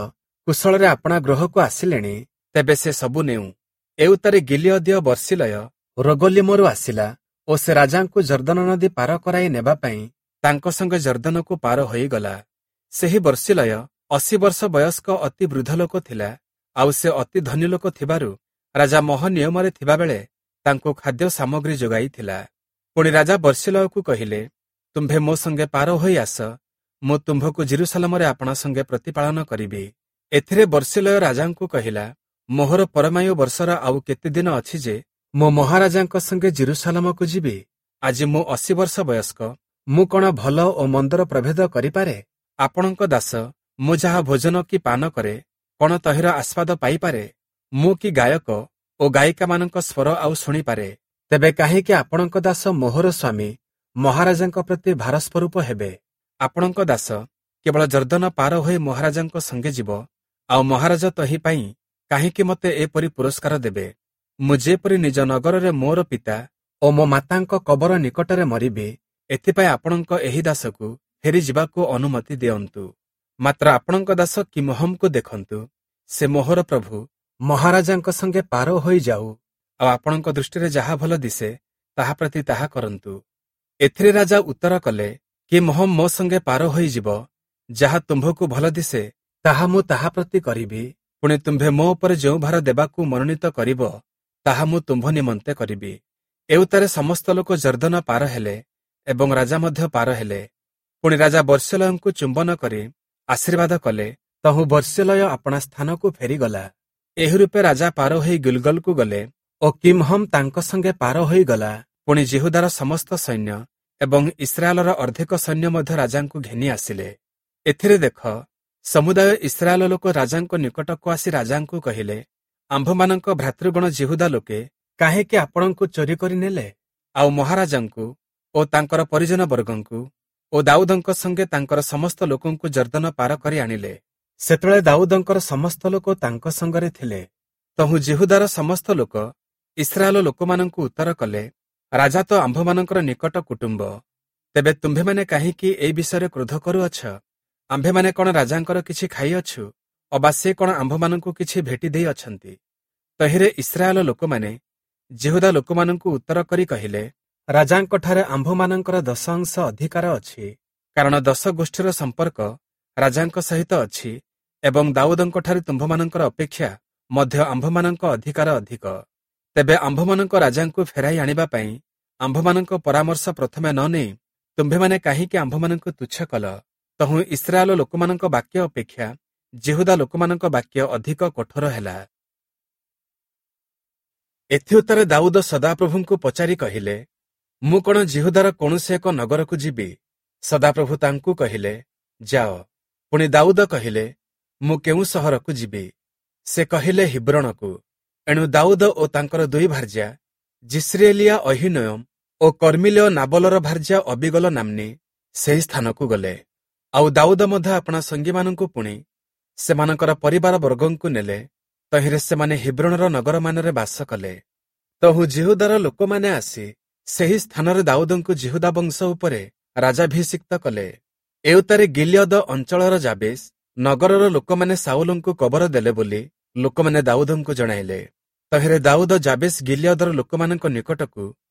କୁଶଳରେ ଆପଣା ଗୃହକୁ ଆସିଲେଣି, ତେବେ ସେ ସବୁ ନେଉ। ଏଉତ୍ତାରେ ଗିଲିୟଦୀୟ ବର୍ସିଲୟ ରୋଗଲିମରୁ ଆସିଲା ଓ ସେ ରାଜାଙ୍କୁ ଯର୍ଦ୍ଦନ ନଦୀ ପାର କରାଇ ନେବା ପାଇଁ ତାଙ୍କ ସଙ୍ଗେ ଯର୍ଦ୍ଦନକୁ ପାର ହୋଇଗଲା। ସେହି ବର୍ସିଲୟ ଅଶୀ ବର୍ଷ ବୟସ୍କ ଅତି ବୃଦ୍ଧ ଲୋକ ଥିଲା। ଆଉ ସେ ଅତି ଧନୀ ଲୋକ ଥିବାରୁ ରାଜା ମହ ନିୟମରେ ଥିବାବେଳେ ତାଙ୍କୁ ଖାଦ୍ୟ ସାମଗ୍ରୀ ଯୋଗାଇଥିଲା। ପୁଣି ରାଜା ବର୍ସିଲୟକୁ କହିଲେ, ତୁମ୍ଭେ ମୋ ସଙ୍ଗେ ପାର ହୋଇ ଆସ, ମୁଁ ତୁମ୍ଭକୁ ଯିରୂଶାଲମରେ ଆପଣା ସଙ୍ଗେ ପ୍ରତିପାଳନ କରିବି। ଏଥିରେ ବର୍ସିଲୟ ରାଜାଙ୍କୁ କହିଲା, ମୋହର ପରମାୟୁ ବର୍ଷର ଆଉ କେତେ ଦିନ ଅଛି ଯେ ମୁଁ ମହାରାଜାଙ୍କ ସଙ୍ଗେ ଯିରୂଶାଲମକୁ ଯିବି? ଆଜି ମୁଁ ଅଶୀ ବର୍ଷ ବୟସ୍କ, ମୁଁ କଣ ଭଲ ଓ ମନ୍ଦର ପ୍ରଭେଦ କରିପାରେ? ଆପଣଙ୍କ ଦାସ ମୁଁ ଯାହା ଭୋଜନ କି ପାନ କରେ, କଣ ତହିଁର ଆସ୍ୱାଦ ପାଇପାରେ? ମୁଁ କି ଗାୟକ ଓ ଗାୟିକାମାନଙ୍କ ସ୍ୱର ଆଉ ଶୁଣିପାରେ? ତେବେ କାହିଁକି ଆପଣଙ୍କ ଦାସ ମୋହର ସ୍ୱାମୀ ମହାରାଜାଙ୍କ ପ୍ରତି ଭାରସ୍ୱରୂପ ହେବେ? ଆପଣଙ୍କ ଦାସ କେବଳ ଯର୍ଦ୍ଦନ ପାର ହୋଇ ମହାରାଜାଙ୍କ ସଙ୍ଗେ ଯିବ, ଆଉ ମହାରାଜ ତହିଁ ପାଇଁ କାହିଁକି ମୋତେ ଏପରି ପୁରସ୍କାର ଦେବେ? ମୁଁ ଯେପରି ନିଜ ନଗରରେ ମୋର ପିତା ଓ ମୋ ମାତାଙ୍କ କବର ନିକଟରେ ମରିବି, ଏଥିପାଇଁ ଆପଣଙ୍କ ଏହି ଦାସକୁ ଫେରିଯିବାକୁ ଅନୁମତି ଦିଅନ୍ତୁ। ମାତ୍ର ଆପଣଙ୍କ ଦାସ କିମହମକୁ ଦେଖନ୍ତୁ, ସେ ମୋହର ପ୍ରଭୁ ମହାରାଜାଙ୍କ ସଙ୍ଗେ ପାର ହୋଇଯାଉ, ଆଉ ଆପଣଙ୍କ ଦୃଷ୍ଟିରେ ଯାହା ଭଲ ଦିଶେ ତାହା ପ୍ରତି ତାହା କରନ୍ତୁ। ଏଥିରେ ରାଜା ଉତ୍ତର କଲେ, କିମହମ ମୋ ସଙ୍ଗେ ପାର ହୋଇଯିବ, ଯାହା ତୁମ୍ଭକୁ ଭଲ ଦିଶେ ତାହା ମୁଁ ତାହା ପ୍ରତି କରିବି। ପୁଣି ତୁମ୍ଭେ ମୋ ଉପରେ ଯେଉଁ ଭାର ଦେବାକୁ ମନୋନୀତ କରିବ, ତାହା ମୁଁ ତୁମ୍ଭ ନିମନ୍ତେ କରିବି। ଏଉତ୍ତାରେ ସମସ୍ତ ଲୋକ ଯର୍ଦ୍ଦନ ପାର ହେଲେ ଏବଂ ରାଜା ମଧ୍ୟ ପାର ହେଲେ। ପୁଣି ରାଜା ବର୍ସିଲୟଙ୍କୁ ଚୁମ୍ବନ କରି ଆଶୀର୍ବାଦ କଲେ। ତହୁଁ ବର୍ସିଲୟ ଆପଣା ସ୍ଥାନକୁ ଫେରିଗଲା। ଏହି ରୂପେ ରାଜା ପାର ହୋଇ ଗିଲଗଲକୁ ଗଲେ ଓ କିମହମ ତାଙ୍କ ସଙ୍ଗେ ପାର ହୋଇଗଲା। ପୁଣି ଯିହୁଦାର ସମସ୍ତ ସୈନ୍ୟ ଏବଂ ଇସ୍ରାଏଲର ଅର୍ଦ୍ଧେକ ସୈନ୍ୟ ମଧ୍ୟ ରାଜାଙ୍କୁ ଘେନି ଆସିଲେ। ଏଥିରେ ଦେଖ, ସମୁଦାୟ ଇସ୍ରାଏଲ ଲୋକ ରାଜାଙ୍କ ନିକଟକୁ ଆସି ରାଜାଙ୍କୁ କହିଲେ, ଆମ୍ଭମାନଙ୍କ ଭ୍ରାତୃଗଣ ଯିହୁଦା ଲୋକେ କାହିଁକି ଆପଣଙ୍କୁ ଚୋରି କରି ନେଲେ? ଆଉ ମହାରାଜାଙ୍କୁ ଓ ତାଙ୍କର ପରିଜନ ବର୍ଗଙ୍କୁ ଓ ଦାଉଦଙ୍କ ସଙ୍ଗେ ତାଙ୍କର ସମସ୍ତ ଲୋକଙ୍କୁ ଯର୍ଦ୍ଦନ ପାର କରି ଆଣିଲେ। ସେତେବେଳେ ଦାଉଦଙ୍କର ସମସ୍ତ ଲୋକ ତାଙ୍କ ସଙ୍ଗରେ ଥିଲେ। ତହୁଁ ଯିହୁଦାର ସମସ୍ତ ଲୋକ ଇସ୍ରାଏଲ ଲୋକମାନଙ୍କୁ ଉତ୍ତର କଲେ, ରାଜା ତ ଆମ୍ଭମାନଙ୍କର ନିକଟ କୁଟୁମ୍ବ, ତେବେ ତୁମ୍ଭେମାନେ କାହିଁକି ଏହି ବିଷୟରେ କ୍ରୋଧ କରୁଅଛ? ଆମ୍ଭେମାନେ କଣ ରାଜାଙ୍କର କିଛି ଖାଇଅଛୁ, ଅବା ସେ କଣ ଆମ୍ଭମାନଙ୍କୁ କିଛି ଭେଟି ଦେଇଅଛନ୍ତି? ତହିଁରେ ଇସ୍ରାଏଲ ଲୋକମାନେ ଯିହୁଦା ଲୋକମାନଙ୍କୁ ଉତ୍ତର କରି କହିଲେ, ରାଜାଙ୍କଠାରେ ଆମ୍ଭମାନଙ୍କର ଦଶ ଅଂଶ ଅଧିକାର ଅଛି, କାରଣ ଦଶ ଗୋଷ୍ଠୀର ସମ୍ପର୍କ ରାଜାଙ୍କ ସହିତ ଅଛି ଏବଂ ଦାଉଦଙ୍କଠାରେ ତୁମ୍ଭମାନଙ୍କର ଅପେକ୍ଷା ମଧ୍ୟ ଆମ୍ଭମାନଙ୍କ ଅଧିକାର ଅଧିକ। ତେବେ ଆମ୍ଭମାନଙ୍କ ରାଜାଙ୍କୁ ଫେରାଇ ଆଣିବା ପାଇଁ ଆମ୍ଭମାନଙ୍କ ପରାମର୍ଶ ପ୍ରଥମେ ନ ନେଇ ତୁମ୍ଭେମାନେ କାହିଁକି ଆମ୍ଭମାନଙ୍କୁ ତୁଚ୍ଛ କଲ? ତହୁଁ ଇସ୍ରାଏଲ ଲୋକମାନଙ୍କ ବାକ୍ୟ ଅପେକ୍ଷା ଯିହୁଦା ଲୋକମାନଙ୍କ ବାକ୍ୟ ଅଧିକ କଠୋର ହେଲା। ଏଥିଉତ୍ତାରେ ଦାଉଦ ସଦାପ୍ରଭୁଙ୍କୁ ପଚାରି କହିଲେ, ମୁଁ କଣ ଯିହୁଦାର କୌଣସି ଏକ ନଗରକୁ ଯିବି? ସଦାପ୍ରଭୁ ତାଙ୍କୁ କହିଲେ, ଯାଅ। ପୁଣି ଦାଉଦ କହିଲେ, ମୁଁ କେଉଁ ସହରକୁ ଯିବି? ସେ କହିଲେ, ହିବ୍ରୋଣକୁ। ଏଣୁ ଦାଉଦ ଓ ତାଙ୍କର ଦୁଇ ଭାର୍ଯ୍ୟା ଯିସ୍ରିଏଲୀୟା ଅହୀନୋୟମ ଓ କର୍ମିଲୀୟ ନାବଲର ଭାର୍ଯ୍ୟା ଅବିଗଲ ନାମ୍ନୀ ସେହି ସ୍ଥାନକୁ ଗଲେ। ଆଉ ଦାଉଦ ମଧ୍ୟ ଆପଣା ସଙ୍ଗୀମାନଙ୍କୁ ପୁଣି ସେମାନଙ୍କର ପରିବାର ବର୍ଗଙ୍କୁ ନେଲେ। ତହିଁରେ ସେମାନେ ହିବ୍ରୋଣର ନଗରମାନରେ ବାସ କଲେ। ତହୁଁ ଯିହୁଦାର ଲୋକମାନେ ଆସି ସେହି ସ୍ଥାନରେ ଦାଉଦଙ୍କୁ ଯିହୁଦା ବଂଶ ଉପରେ ରାଜାଭିଷିକ୍ତ କଲେ। ଏଉତ୍ତାରେ ଗିଲିୟଦ ଅଞ୍ଚଳର ଯାବେଶ ନଗରର ଲୋକମାନେ ସାଉଲଙ୍କୁ କବର ଦେଲେ ବୋଲି ଲୋକମାନେ ଦାଉଦଙ୍କୁ ଜଣାଇଲେ। ତହିଁରେ ଦାଉଦ ଯାବେଶ ଗିଲିୟଦର ଲୋକମାନଙ୍କ ନିକଟକୁ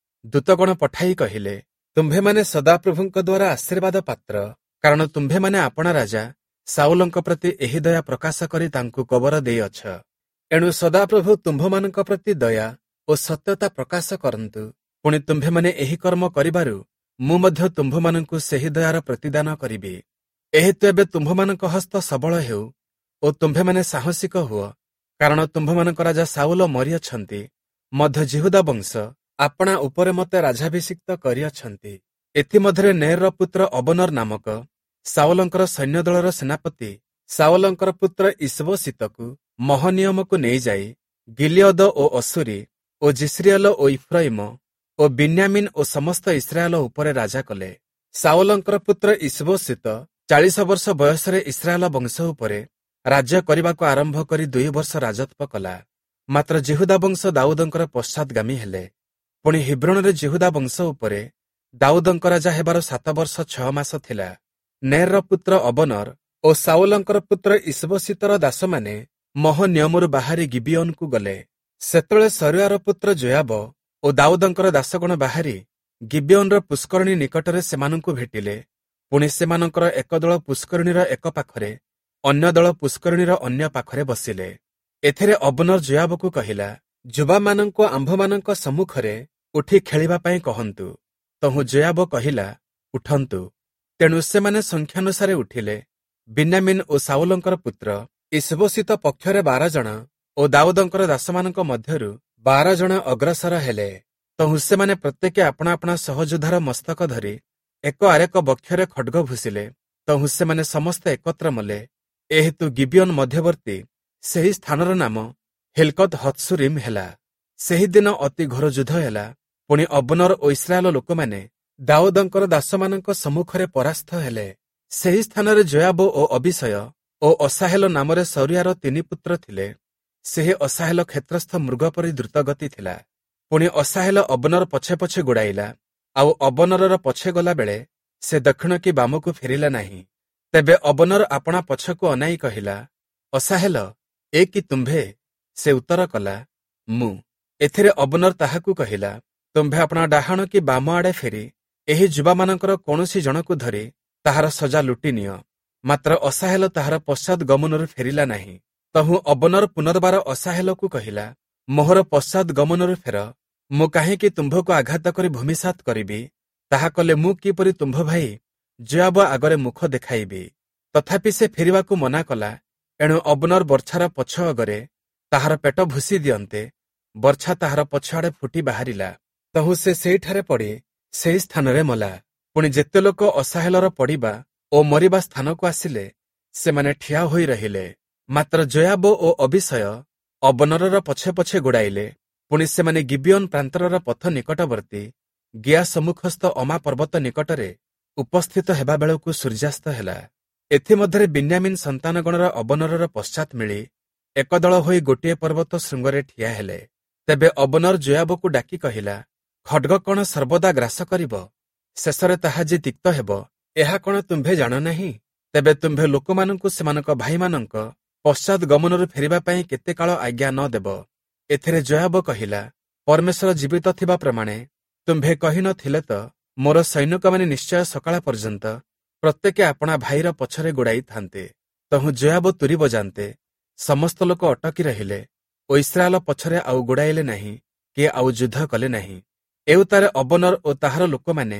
ଦୂତଗଣ ପଠାଇ କହିଲେ, ତୁମ୍ଭେମାନେ ସଦାପ୍ରଭୁଙ୍କ ଦ୍ୱାରା ଆଶୀର୍ବାଦ ପାତ୍ର, କାରଣ ତୁମ୍ଭେମାନେ ଆପଣା ରାଜା ସାଉଲଙ୍କ ପ୍ରତି ଏହି ଦୟା ପ୍ରକାଶ କରି ତାଙ୍କୁ କବର ଦେଇଅଛ। ଏଣୁ ସଦାପ୍ରଭୁ ତୁମ୍ଭମାନଙ୍କ ପ୍ରତି ଦୟା ଓ ସତ୍ୟତା ପ୍ରକାଶ କରନ୍ତୁ। ପୁଣି ତୁମ୍ଭେମାନେ ଏହି କର୍ମ କରିବାରୁ ମୁଁ ମଧ୍ୟ ତୁମ୍ଭମାନଙ୍କୁ ସେହି ଦୟାର ପ୍ରତିଦାନ କରିବି। ଏହେତୁ ଏବେ ତୁମ୍ଭମାନଙ୍କ ହସ୍ତ ସବଳ ହେଉ ଓ ତୁମ୍ଭେମାନେ ସାହସିକ ହୁଅ, କାରଣ ତୁମ୍ଭମାନଙ୍କ ରାଜା ସାଉଲ ମରିଅଛନ୍ତି, ମଧ୍ୟ ଯିହୁଦା ବଂଶ ଆପଣା ଉପରେ ମୋତେ ରାଜାଭିଷିକ୍ତ କରିଅଛନ୍ତି। ଏଥିମଧ୍ୟରେ ନେର୍‌ର ପୁତ୍ର ଅବନର ନାମକ ସାଉଲଙ୍କର ସୈନ୍ୟଦଳର ସେନାପତି ସାଉଲଙ୍କର ପୁତ୍ର ଇଶ୍ବୋଶୀତକୁ ମହନିୟମକୁ ନେଇଯାଇ ଗିଲିୟଦ ଓ ଅଶୂରୀ ଓ ଯିସ୍ରିଏଲ ଓ ଇଫ୍ରୟିମ ଓ ବିନ୍ୟାମିନ୍ ଓ ସମସ୍ତ ଇସ୍ରାଏଲ ଉପରେ ରାଜା କଲେ। ସାଉଲଙ୍କର ପୁତ୍ର ଇଶ୍ବୋଶୀତ ଚାଳିଶ ବର୍ଷ ବୟସରେ ଇସ୍ରାଏଲ ବଂଶ ଉପରେ ରାଜ୍ୟ କରିବାକୁ ଆରମ୍ଭ କରି ଦୁଇ ବର୍ଷ ରାଜତ୍ୱ କଲା। ମାତ୍ର ଯିହୁଦା ବଂଶ ଦାଉଦଙ୍କର ପଶ୍ଚାତ୍‌ଗାମୀ ହେଲେ। ପୁଣି ହିବ୍ରୋଣରେ ଯିହୁଦା ବଂଶ ଉପରେ ଦାଉଦଙ୍କ ରାଜା ହେବାର ସାତ ବର୍ଷ ଛଅ ମାସ ଥିଲା। ନେର୍‌ର ପୁତ୍ର ଅବନର ଓ ସାଉଲଙ୍କର ପୁତ୍ର ଇଶ୍ବୋଶୀତର ଦାସମାନେ ମହନିୟମରୁ ବାହାରି ଗିବିୟୋନକୁ ଗଲେ। ସେତେବେଳେ ସରୁୟାର ପୁତ୍ର ଯୋୟାବ ଓ ଦାଉଦଙ୍କର ଦାସଗଣ ବାହାରି ଗିବିୟୋନର ପୁଷ୍କରିଣୀ ନିକଟରେ ସେମାନଙ୍କୁ ଭେଟିଲେ। ପୁଣି ସେମାନଙ୍କର ଏକ ଦଳ ପୁଷ୍କରିଣୀର ଏକ ପାଖରେ, ଅନ୍ୟ ଦଳ ପୁଷ୍କରିଣୀର ଅନ୍ୟ ପାଖରେ ବସିଲେ। ଏଥିରେ ଅବନର ଯୋୟାବକୁ କହିଲା, ଯୁବାମାନଙ୍କୁ ଆମ୍ଭମାନଙ୍କ ସମ୍ମୁଖରେ ଉଠି ଖେଳିବା ପାଇଁ କହନ୍ତୁ। ତହୁଁ ଯୋୟାବ କହିଲା, ଉଠନ୍ତୁ। ତେଣୁ ସେମାନେ ସଂଖ୍ୟାନୁସାରେ ଉଠିଲେ। ବିନ୍ୟାମିନ୍ ଓ ସାଉଲଙ୍କର ପୁତ୍ର ଇଶବୋଶୀତ ପକ୍ଷରେ ବାର ଜଣ ଓ ଦାଉଦଙ୍କର ଦାସମାନଙ୍କ ମଧ୍ୟରୁ ବାର ଜଣ ଅଗ୍ରସର ହେଲେ। ତହୁଁ ସେମାନେ ପ୍ରତ୍ୟେକେ ଆପଣା ଆପଣା ସହଯୋଦ୍ଧାର ମସ୍ତକ ଧରି ଏକ ଆରେକ ବକ୍ଷରେ ଖଡ୍ଗ ଭୁସିଲେ। ତହୁଁ ସେମାନେ ସମସ୍ତେ ଏକତ୍ର ମଲେ। ଏହେତୁ ଗିବିୟନ ମଧ୍ୟବର୍ତ୍ତୀ ସେହି ସ୍ଥାନର ନାମ ହିଲ୍କତ୍ ହତ୍ସୁରିମ୍ ହେଲା। ସେହିଦିନ ଅତି ଘୋର ଯୁଦ୍ଧ ହେଲା। ପୁଣି ଅବନର ଓ ଇସ୍ରାଏଲ ଲୋକମାନେ ଦାଉଦଙ୍କର ଦାସମାନଙ୍କ ସମ୍ମୁଖରେ ପରାସ୍ତ ହେଲେ। ସେହି ସ୍ଥାନରେ ଯୋୟାବ ଓ ଅବିଷୟ ଓ ଅସାହେଲ ନାମରେ ସରିଆର ତିନି ପୁତ୍ର ଥିଲେ। ସେହି ଅସାହେଲ କ୍ଷେତ୍ରସ୍ଥ ମୃଗ ପରି ଦ୍ରୁତଗତି ଥିଲା। ପୁଣି ଅସାହେଲ ଅବନର ପଛେ ପଛେ ଗୋଡ଼ାଇଲା, ଆଉ ଅବନରର ପଛେ ଗଲାବେଳେ ସେ ଦକ୍ଷିଣ କି ବାମକୁ ଫେରିଲା ନାହିଁ। ତେବେ ଅବନର ଆପଣା ପଛକୁ ଅନାଇ କହିଲା, ଅସାହେଲ, ଏ କି ତୁମ୍ଭେ? ସେ ଉତ୍ତର କଲା, ମୁଁ। ଏଥିରେ ଅବନର ତାହାକୁ କହିଲା, ତୁମ୍ଭେ ଆପଣା ଡାହାଣ କି ବାମ ଆଡ଼େ ଫେରି ଏହି ଯୁବାମାନଙ୍କର କୌଣସି ଜଣକୁ ଧରି ତାହାର ସଜା ଲୁଟି ନିଅ। ମାତ୍ର ଅସାହେଲ ତାହାର ପଶ୍ଚାତ୍ ଗମନରୁ ଫେରିଲା ନାହିଁ। ତହୁଁ ଅବନର ପୁନର୍ବାର ଅସାହେଲକୁ କହିଲା, ମୋହର ପଶ୍ଚାତ୍ ଗମନରୁ ଫେର, ମୁଁ କାହିଁକି ତୁମ୍ଭକୁ ଆଘାତ କରି ଭୂମିସାତ କରିବି? ତାହା କଲେ ମୁଁ କିପରି ତୁମ୍ଭ ଭାଇ ଯୋୟାବ ଆଗରେ ମୁଖ ଦେଖାଇବି? ତଥାପି ସେ ଫେରିବାକୁ ମନା କଲା। ଏଣୁ ଅବନର ବର୍ଚ୍ଛାର ପଛ ଅଗରେ ତାହାର ପେଟ ଭୁସି ଦିଅନ୍ତେ ବର୍ଚ୍ଛା ତାହାର ପଛଆଡ଼େ ଫୁଟି ବାହାରିଲା। ତହୁଁ ସେ ସେଇଠାରେ ପଡ଼ି ସେହି ସ୍ଥାନରେ ମଲା। ପୁଣି ଯେତେ ଲୋକ ଅସାହେଲର ପଡ଼ିବା ଓ ମରିବା ସ୍ଥାନକୁ ଆସିଲେ, ସେମାନେ ଠିଆ ହୋଇ ରହିଲେ। ମାତ୍ର ଯୋୟାବ ଓ ଅବିଷୟ ଅବନରର ପଛେ ପଛେ ଗୋଡ଼ାଇଲେ। ପୁଣି ସେମାନେ ଗିବିୟନ ପ୍ରାନ୍ତରର ପଥ ନିକଟବର୍ତ୍ତୀ ଗିଆ ସମ୍ମୁଖସ୍ଥ ଅମା ପର୍ବତ ନିକଟରେ ଉପସ୍ଥିତ ହେବା ବେଳକୁ ସୂର୍ଯ୍ୟାସ୍ତ ହେଲା। ଏଥିମଧ୍ୟରେ ବିନ୍ୟାମିନ୍ ସନ୍ତାନଗଣର ଅବନରର ପଶ୍ଚାତ୍ ମିଳି ଏକ ଦଳ ହୋଇ ଗୋଟିଏ ପର୍ବତ ଶୃଙ୍ଗରେ ଠିଆ ହେଲେ। ତେବେ ଅବନର ଯୋୟାବକୁ ଡାକି କହିଲା, ଖଡ୍ଗ କଣ ସର୍ବଦା ଗ୍ରାସ କରିବ? ଶେଷରେ ତାହା ଯେ ତିକ୍ତ ହେବ, ଏହା କଣ ତୁମ୍ଭେ ଜାଣ ନାହିଁ? ତେବେ ତୁମ୍ଭେ ଲୋକମାନଙ୍କୁ ସେମାନଙ୍କ ଭାଇମାନଙ୍କ ପଶ୍ଚାତ୍ ଗମନରୁ ଫେରିବା ପାଇଁ କେତେ କାଳ ଆଜ୍ଞା ନ ଦେବ? ଏଥିରେ ଯୋୟାବ କହିଲା, ପରମେଶ୍ୱର ଜୀବିତ ଥିବା ପ୍ରମାଣେ ତୁମ୍ଭେ କହି ନଥିଲେ ତ ମୋର ସୈନିକମାନେ ନିଶ୍ଚୟ ସକାଳ ପର୍ଯ୍ୟନ୍ତ ପ୍ରତ୍ୟେକେ ଆପଣା ଭାଇର ପଛରେ ଗୋଡ଼ାଇଥାନ୍ତେ। ତହୁଁ ଯୋୟାବ ତୁରୀ ବଜାନ୍ତେ ସମସ୍ତ ଲୋକ ଅଟକି ରହିଲେ ଓ ଇସ୍ରାଏଲ ପଛରେ ଆଉ ଗୋଡ଼ାଇଲେ ନାହିଁ କି ଆଉ ଯୁଦ୍ଧ କଲେ ନାହିଁ। ଏଉତାରେ ଅବନର ଓ ତାହାର ଲୋକମାନେ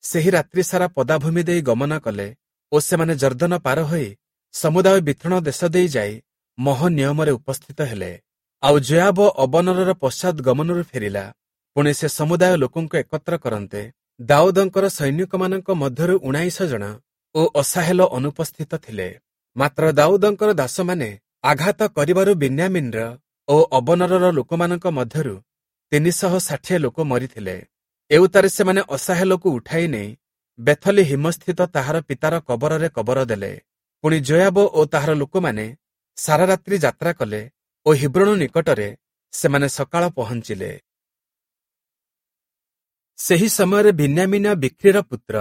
ସେହି ରାତ୍ରି ସାରା ପଦାଭୂମି ଦେଇ ଗମନ କଲେ ଓ ସେମାନେ ଯର୍ଦ୍ଦନ ପାର ହୋଇ ସମୁଦାୟ ବିଥଣ ଦେଶ ଦେଇ ଯାଇ ମହ ନିୟମରେ ଉପସ୍ଥିତ ହେଲେ। ଆଉ ଯୋୟାବ ଅବନରର ପଶ୍ଚାତ୍ ଗମନରୁ ଫେରିଲା। ପୁଣି ସେ ସମୁଦାୟ ଲୋକଙ୍କୁ ଏକତ୍ର କରନ୍ତେ ଦାଉଦଙ୍କର ସୈନିକମାନଙ୍କ ମଧ୍ୟରୁ ଉଣାଇଶ ଜଣ ଓ ଅସାହେଲ ଅନୁପସ୍ଥିତ ଥିଲେ। ମାତ୍ର ଦାଉଦଙ୍କର ଦାସମାନେ ଆଘାତ କରିବାରୁ ବିନ୍ୟାମିନ୍ର ଓ ଅବନରର ଲୋକମାନଙ୍କ ମଧ୍ୟରୁ ତିନିଶହ ଷାଠିଏ ଲୋକ ମରିଥିଲେ। ଏଉତାରେ ସେମାନେ ଅସାହେଲକୁ ଉଠାଇ ନେଇ ବେଥଲି ହିମସ୍ଥିତ ତାହାର ପିତାର କବରରେ କବର ଦେଲେ। ପୁଣି ଯୋୟାବ ଓ ତାହାର ଲୋକମାନେ ସାରା ରାତ୍ରି ଯାତ୍ରା କଲେ ଓ ହିବ୍ରୋଣ ନିକଟରେ ସେମାନେ ସକାଳ ପହଞ୍ଚିଲେ। ସେହି ସମୟରେ ବିନ୍ୟାମିନ ବିକ୍ରିର ପୁତ୍ର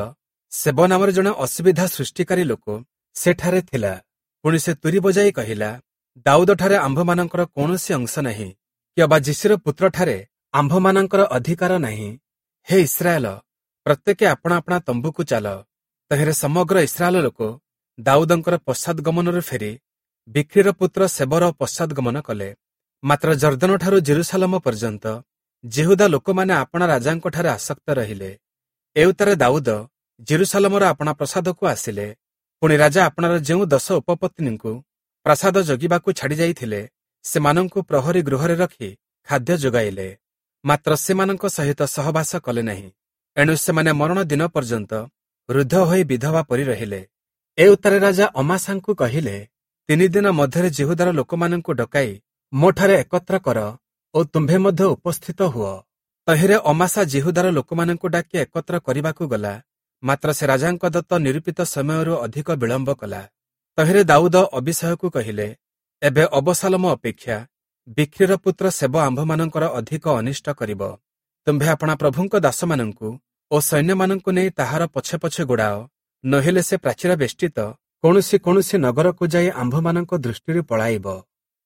ସେବ ନାମରେ ଜଣେ ଅସୁବିଧା ସୃଷ୍ଟିକାରୀ ଲୋକ ସେଠାରେ ଥିଲା। ପୁଣି ସେ ତୁରୀ ବଜାଇ କହିଲା, ଦାଉଦଠାରେ ଆମ୍ଭମାନଙ୍କର କୌଣସି ଅଂଶ ନାହିଁ, କି ଅବା ଯିଶୀର ପୁତ୍ରଠାରେ ଆମ୍ଭମାନଙ୍କର ଅଧିକାର ନାହିଁ। ହେ ଇସ୍ରାଏଲ, ପ୍ରତ୍ୟେକେ ଆପଣା ଆପଣା ତମ୍ବୁକୁ ଚାଲ। ତହିଁରେ ସମଗ୍ର ଇସ୍ରାଏଲ ଲୋକ ଦାଉଦଙ୍କର ପଶ୍ଚାତ୍ ଗମନରୁ ଫେରି ବିକ୍ରିର ପୁତ୍ର ସେବର ପଶ୍ଚାତ୍ ଗମନ କଲେ। ମାତ୍ର ଯର୍ଦ୍ଦନଠାରୁ ଜେରୁସାଲମ ପର୍ଯ୍ୟନ୍ତ ଯିହୁଦା ଲୋକମାନେ ଆପଣା ରାଜାଙ୍କଠାରେ ଆସକ୍ତ ରହିଲେ। ଏଉତାରେ ଦାଉଦ ଜେରୁସାଲମର ଆପଣା ପ୍ରାସାଦକୁ ଆସିଲେ। ପୁଣି ରାଜା ଆପଣାର ଯେଉଁ ଦଶ ଉପପତ୍ନୀଙ୍କୁ ପ୍ରାସାଦ ଜଗିବାକୁ ଛାଡ଼ି ଯାଇଥିଲେ, ସେମାନଙ୍କୁ ପ୍ରହରୀ ଗୃହରେ ରଖି ଖାଦ୍ୟ ଯୋଗାଇଲେ। ମାତ୍ର ସେମାନଙ୍କ ସହିତ ସହବାସ କଲେ ନାହିଁ। ଏଣୁ ସେମାନେ ମରଣ ଦିନ ପର୍ଯ୍ୟନ୍ତ ରୁଦ୍ଧ ହୋଇ ବିଧବା ପରି ରହିଲେ। ଏ ଉତ୍ତାରେ ରାଜା ଅମାସାଙ୍କୁ କହିଲେ, ତିନି ଦିନ ମଧ୍ୟରେ ଯିହୁଦାର ଲୋକମାନଙ୍କୁ ଡକାଇ ମୋଠାରେ ଏକତ୍ର କର ଓ ତୁମ୍ଭେ ମଧ୍ୟ ଉପସ୍ଥିତ ହୁଅ। ତହିଁରେ ଅମାସା ଯିହୁଦାର ଲୋକମାନଙ୍କୁ ଡାକି ଏକତ୍ର କରିବାକୁ ଗଲା, ମାତ୍ର ସେ ରାଜାଙ୍କ ଦତ୍ତ ନିରୂପିତ ସମୟରୁ ଅଧିକ ବିଳମ୍ବ କଲା। ତହିଁରେ ଦାଉଦ ଅବିଷୟକୁ କହିଲେ, ଏବେ ଅବସାଲମ ଅପେକ୍ଷା ବିକ୍ରିର ପୁତ୍ର ସେବ ଆମ୍ଭମାନଙ୍କର ଅଧିକ ଅନିଷ୍ଟ କରିବ। ତୁମ୍ଭେ ଆପଣା ପ୍ରଭୁଙ୍କ ଦାସମାନଙ୍କୁ ଓ ସୈନ୍ୟମାନଙ୍କୁ ନେଇ ତାହାର ପଛେ ପଛେ ଗୋଡ଼ାଅ, ନୋହିଲେ ସେ ପ୍ରାଚୀର ବେଷ୍ଟିତ କୌଣସି କୌଣସି ନଗରକୁ ଯାଇ ଆମ୍ଭମାନଙ୍କ ଦୃଷ୍ଟିରୁ ପଳାଇବ।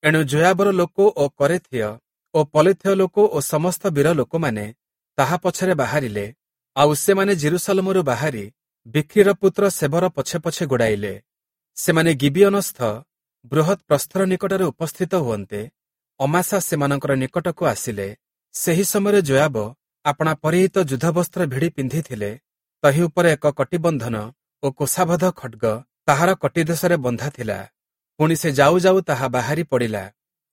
ଏଣୁ ଯୋୟାବର ଲୋକ ଓ କରେଥୀୟ ଓ ପଲେଥୀୟ ଲୋକ ଓ ସମସ୍ତ ବୀର ଲୋକମାନେ ତାହା ପଛରେ ବାହାରିଲେ। ଆଉ ସେମାନେ ଜେରୁସାଲମରୁ ବାହାରି ବିକ୍ରିର ପୁତ୍ର ସେବର ପଛେ ପଛେ ଗୋଡ଼ାଇଲେ। ସେମାନେ ଗିବିୟନସ୍ଥ ବୃହତ୍ ପ୍ରସ୍ତର ନିକଟରେ ଉପସ୍ଥିତ ହୁଅନ୍ତେ ଅମାସା ସେମାନଙ୍କର ନିକଟକୁ ଆସିଲେ। ସେହି ସମୟରେ ଯୋୟାବ ଆପଣା ପରିହିତ ଯୁଦ୍ଧବସ୍ତ୍ର ଭିଡ଼ି ପିନ୍ଧିଥିଲେ। ତହିଁ ଉପରେ ଏକ କଟିବନ୍ଧନ ଓ କୋଷାବଦ୍ଧ ଖଡ୍ଗ ତାହାର କଟିଦେଶରେ ବନ୍ଧା ଥିଲା। ପୁଣି ସେ ଯାଉ ଯାଉ ତାହା ବାହାରି ପଡ଼ିଲା।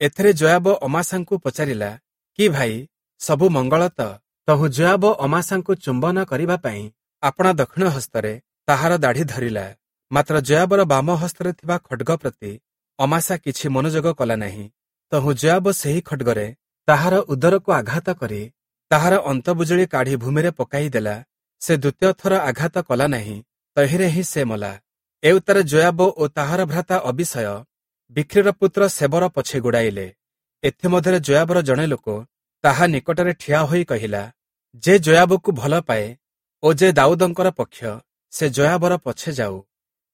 ଏଥିରେ ଯୋୟାବ ଅମାସାଙ୍କୁ ପଚାରିଲା, କି ଭାଇ, ସବୁ ମଙ୍ଗଳ ତ? ତହୁଁ ଯୋୟାବ ଅମାସାଙ୍କୁ ଚୁମ୍ବନ କରିବା ପାଇଁ ଆପଣା ଦକ୍ଷିଣ ହସ୍ତରେ ତାହାର ଦାଢ଼ି ଧରିଲା। ମାତ୍ର ଯୋୟାବର ବାମ ହସ୍ତରେ ଥିବା ଖଡ୍ଗ ପ୍ରତି ଅମାସା କିଛି ମନୋଯୋଗ କଲା ନାହିଁ। ତହୁଁ ଯୋୟାବ ସେହି ଖଡ୍ଗରେ ତାହାର ଉଦରକୁ ଆଘାତ କରି ତାହାର ଅନ୍ତବୁଜୁଳି କାଢ଼ି ଭୂମିରେ ପକାଇ ଦେଲା। ସେ ଦ୍ୱିତୀୟ ଥର ଆଘାତ କଲା ନାହିଁ, ତହିଁରେ ହିଁ ସେ ମଲା। ଏଉତ୍ତାରେ ଯୋୟାବ ଓ ତାହାର ଭ୍ରାତା ଅବିଷୟ ବିଖ୍ରୀର ପୁତ୍ର ଶେବର ପଛେ ଗୋଡ଼ାଇଲେ। ଏଥିମଧ୍ୟରେ ଯୋୟାବର ଜଣେ ଲୋକ ତାହା ନିକଟରେ ଠିଆ ହୋଇ କହିଲା, ଯେ ଯୋୟାବକୁ ଭଲ ପାଏ ଓ ଯେ ଦାଉଦଙ୍କର ପକ୍ଷ, ସେ ଯୋୟାବର ପଛେ ଯାଉ।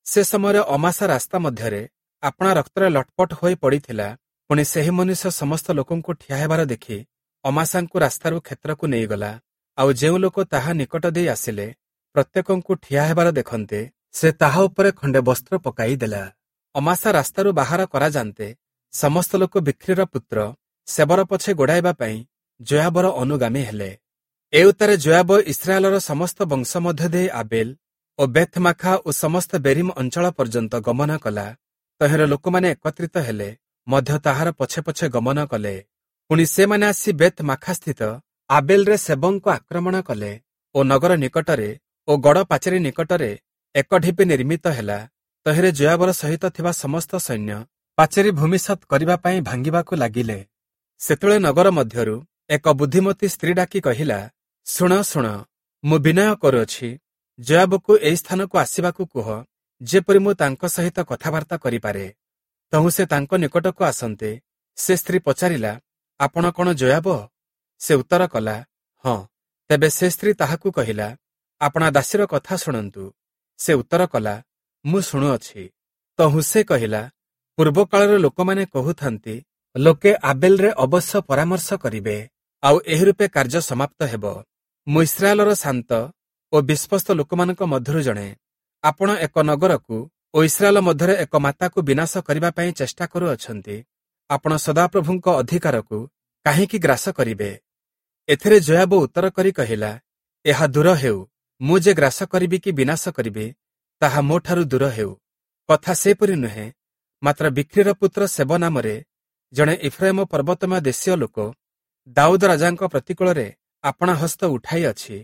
ସେ ସମୟରେ ଅମାସା ରାସ୍ତା ମଧ୍ୟରେ ଆପଣା ରକ୍ତରେ ଲଟପଟ ହୋଇ ପଡ଼ିଥିଲା। ପୁଣି ସେହି ମନୁଷ୍ୟ ସମସ୍ତ ଲୋକଙ୍କୁ ଠିଆ ହେବାର ଦେଖି ଅମାସାଙ୍କୁ ରାସ୍ତାରୁ କ୍ଷେତ୍ରକୁ ନେଇଗଲା। ଆଉ ଯେଉଁ ଲୋକ ତାହା ନିକଟ ଦେଇ ଆସିଲେ, ପ୍ରତ୍ୟେକଙ୍କୁ ଠିଆ ହେବାର ଦେଖନ୍ତେ ସେ ତାହା ଉପରେ ଖଣ୍ଡେ ବସ୍ତ୍ର ପକାଇ ଦେଲା। ଅମାସା ରାସ୍ତାରୁ ବାହାର କରାଯାନ୍ତେ ସମସ୍ତ ଲୋକ ବିଖ୍ରୀର ପୁତ୍ର ଶେବର ପଛେ ଗୋଡ଼ାଇବା ପାଇଁ ଯୋୟାବର ଅନୁଗାମୀ ହେଲେ। ଏଉତ୍ତାରେ ଯୋୟାବ ଇସ୍ରାଏଲର ସମସ୍ତ ବଂଶ ମଧ୍ୟ ଦେଇ ଆବେଲ ଓ ବେଥମାଖା ଓ ସମସ୍ତ ବେରିମ ଅଞ୍ଚଳ ପର୍ଯ୍ୟନ୍ତ ଗମନ କଲା। ତହିଁର ଲୋକମାନେ ଏକତ୍ରିତ ହେଲେ ମଧ୍ୟ ତାହାର ପଛେ ପଛେ ଗମନ କଲେ। ପୁଣି ସେମାନେ ଆସି ବେଥ୍ ମାଖାସ୍ଥିତ ଆବେଲରେ ସେବଙ୍କୁ ଆକ୍ରମଣ କଲେ ଓ ନଗର ନିକଟରେ ଓ ଗଡ଼ ପାଚେରୀ ନିକଟରେ ଏକ ଢିପି ନିର୍ମିତ ହେଲା। ତହିଁରେ ଯୋୟାବର ସହିତ ଥିବା ସମସ୍ତ ସୈନ୍ୟ ପାଚେରୀ ଭୂମିସାତ୍ କରିବା ପାଇଁ ଭାଙ୍ଗିବାକୁ ଲାଗିଲେ। ସେତେବେଳେ ନଗର ମଧ୍ୟରୁ ଏକ ବୁଦ୍ଧିମତୀ ସ୍ତ୍ରୀ ଡାକି କହିଲା, ଶୁଣ ଶୁଣ, ମୁଁ ବିନୟ କରୁଅଛି, ଯୋୟାବକୁ ଏହି ସ୍ଥାନକୁ ଆସିବାକୁ କୁହ, ଯେପରି ମୁଁ ତାଙ୍କ ସହିତ କଥାବାର୍ତ୍ତା କରିପାରେ। ତହୁଁ ସେ ତାଙ୍କ ନିକଟକୁ ଆସନ୍ତେ ସେ ସ୍ତ୍ରୀ ପଚାରିଲା, ଆପଣ କଣ ଯୋୟାବ? ସେ ଉତ୍ତର କଲା, ହଁ। ତେବେ ସେ ସ୍ତ୍ରୀ ତାହାକୁ କହିଲା, ଆପଣା ଦାସୀର କଥା ଶୁଣନ୍ତୁ। ସେ ଉତ୍ତର କଲା, ମୁଁ ଶୁଣୁଅଛି। ତହୁଁ ସେ କହିଲା, ପୂର୍ବକାଳର ଲୋକମାନେ କହୁଥାନ୍ତି, ଲୋକେ ଆବେଲରେ ଅବଶ୍ୟ ପରାମର୍ଶ କରିବେ, ଆଉ ଏହି ରୂପେ କାର୍ଯ୍ୟ ସମାପ୍ତ ହେବ। ମୁଁ ଇସ୍ରାଏଲର ଶାନ୍ତ ଓ ବିଶ୍ୱସ୍ତ ଲୋକମାନଙ୍କ ମଧ୍ୟରୁ ଜଣେ। ଆପଣ ଏକ ନଗରକୁ ଓ ଇସ୍ରାଏଲ ମଧ୍ୟରେ ଏକ ମାତାକୁ ବିନାଶ କରିବା ପାଇଁ ଚେଷ୍ଟା କରୁଅଛନ୍ତି। ଆପଣ ସଦାପ୍ରଭୁଙ୍କ ଅଧିକାରକୁ କାହିଁକି ଗ୍ରାସ କରିବେ? ଏଥିରେ ଯୋୟାବ ଉତ୍ତର କରି କହିଲା, ଏହା ଦୂର ହେଉ, ମୁଁ ଯେ ଗ୍ରାସ କରିବି କି ବିନାଶ କରିବି, ତାହା ମୋଠାରୁ ଦୂର ହେଉ। କଥା ସେପରି ନୁହେଁ, ମାତ୍ର ବିଖ୍ରୀର ପୁତ୍ର ଶେବ ନାମରେ ଜଣେ ଇଫ୍ରାଇମ ପର୍ବତମୟ ଦେଶୀୟ ଲୋକ ଦାଉଦ ରାଜାଙ୍କ ପ୍ରତିକୂଳରେ ଆପଣା ହସ୍ତ ଉଠାଇଅଛି।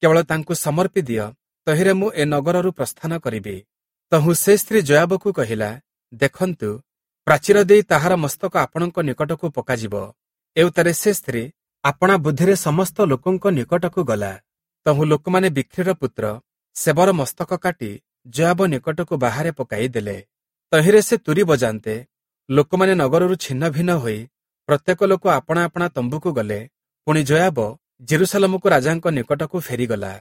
କେବଳ ତାଙ୍କୁ ସମର୍ପି ଦିଅ, ତହିଁରେ ମୁଁ ଏ ନଗରରୁ ପ୍ରସ୍ଥାନ କରିବି। ତହୁଁ ସେ ସ୍ତ୍ରୀ ଯୋୟାବକୁ କହିଲା, ଦେଖନ୍ତୁ, ପ୍ରାଚୀର ଦେଇ ତାହାର ମସ୍ତକ ଆପଣଙ୍କ ନିକଟକୁ ପକାଯିବ। ଏଉତ୍ତାରେ ସେ ସ୍ତ୍ରୀ ଆପଣା ବୁଦ୍ଧିରେ ସମସ୍ତ ଲୋକଙ୍କ ନିକଟକୁ ଗଲା। ତହୁଁ ଲୋକମାନେ ବିଖ୍ରୀର ପୁତ୍ର ଶେବର ମସ୍ତକ କାଟି ଯୋୟାବ ନିକଟକୁ ବାହାରେ ପକାଇ ଦେଲେ। ତହିଁରେ ସେ ତୁରୀ ବଜାନ୍ତେ ଲୋକମାନେ ନଗରରୁ ଛିନ୍ନ ଭିନ୍ନ ହୋଇ ପ୍ରତ୍ୟେକ ଲୋକ ଆପଣା ଆପଣା ତମ୍ବୁକୁ ଗଲେ। ପୁଣି ଯୋୟାବ ଜେରୁସାଲମକୁ ରାଜାଙ୍କ ନିକଟକୁ ଫେରିଗଲା।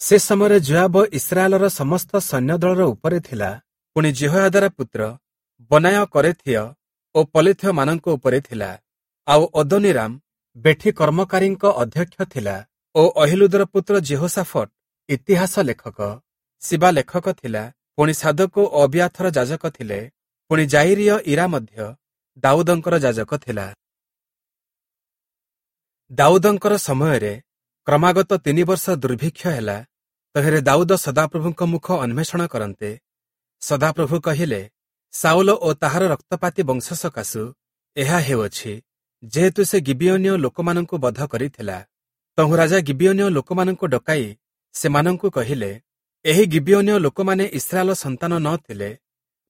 ସେ ସମୟରେ ଯୋୟାବ ଇସ୍ରାଏଲର ସମସ୍ତ ସୈନ୍ୟଦଳର ଉପରେ ଥିଲା। ପୁଣି ଯିହୋୟାଦାର ପୁତ୍ର ବନାୟ କରେଥୀୟ ଓ ପଲେଥୀୟମାନଙ୍କ ଉପରେ ଥିଲା। ଆଉ ଅଦୋନୀରାମ ବେଠି କର୍ମକାରୀଙ୍କ ଅଧ୍ୟକ୍ଷ ଥିଲା ଓ ଅହିଲୁଦର ପୁତ୍ର ଯିହୋଶାଫଟ ଇତିହାସ ଲେଖକ, ଶିବା ଲେଖକ ଥିଲା। ପୁଣି ସାଦୋକ ଓ ଅବିୟାଥର ଯାଜକ ଥିଲେ। ପୁଣି ଜାଇରୀୟ ଇରା ମଧ୍ୟ ଦାଉଦଙ୍କର ଯାଜକ ଥିଲା। ଦାଉଦଙ୍କର ସମୟରେ କ୍ରମାଗତ ତିନି ବର୍ଷ ଦୁର୍ଭିକ୍ଷ ହେଲା। ତହିଁରେ ଦାଉଦ ସଦାପ୍ରଭୁଙ୍କ ମୁଖ ଅନ୍ୱେଷଣ କରନ୍ତେ ସଦାପ୍ରଭୁ କହିଲେ, ସାଉଲ ଓ ତାହାର ରକ୍ତପାତୀ ବଂଶ ସକାଶୁ ଏହା ହେଉଅଛି, ଯେହେତୁ ସେ ଗିବିୟୋନୀୟ ଲୋକମାନଙ୍କୁ ବଧ କରିଥିଲା। ତହୁଁ ରାଜା ଗିବିୟୋନୀୟ ଲୋକମାନଙ୍କୁ ଡକାଇ ସେମାନଙ୍କୁ କହିଲେ, ଏହି ଗିବିୟୋନୀୟ ଲୋକମାନେ ଇସ୍ରାଏଲ ସନ୍ତାନ ନ ଥିଲେ,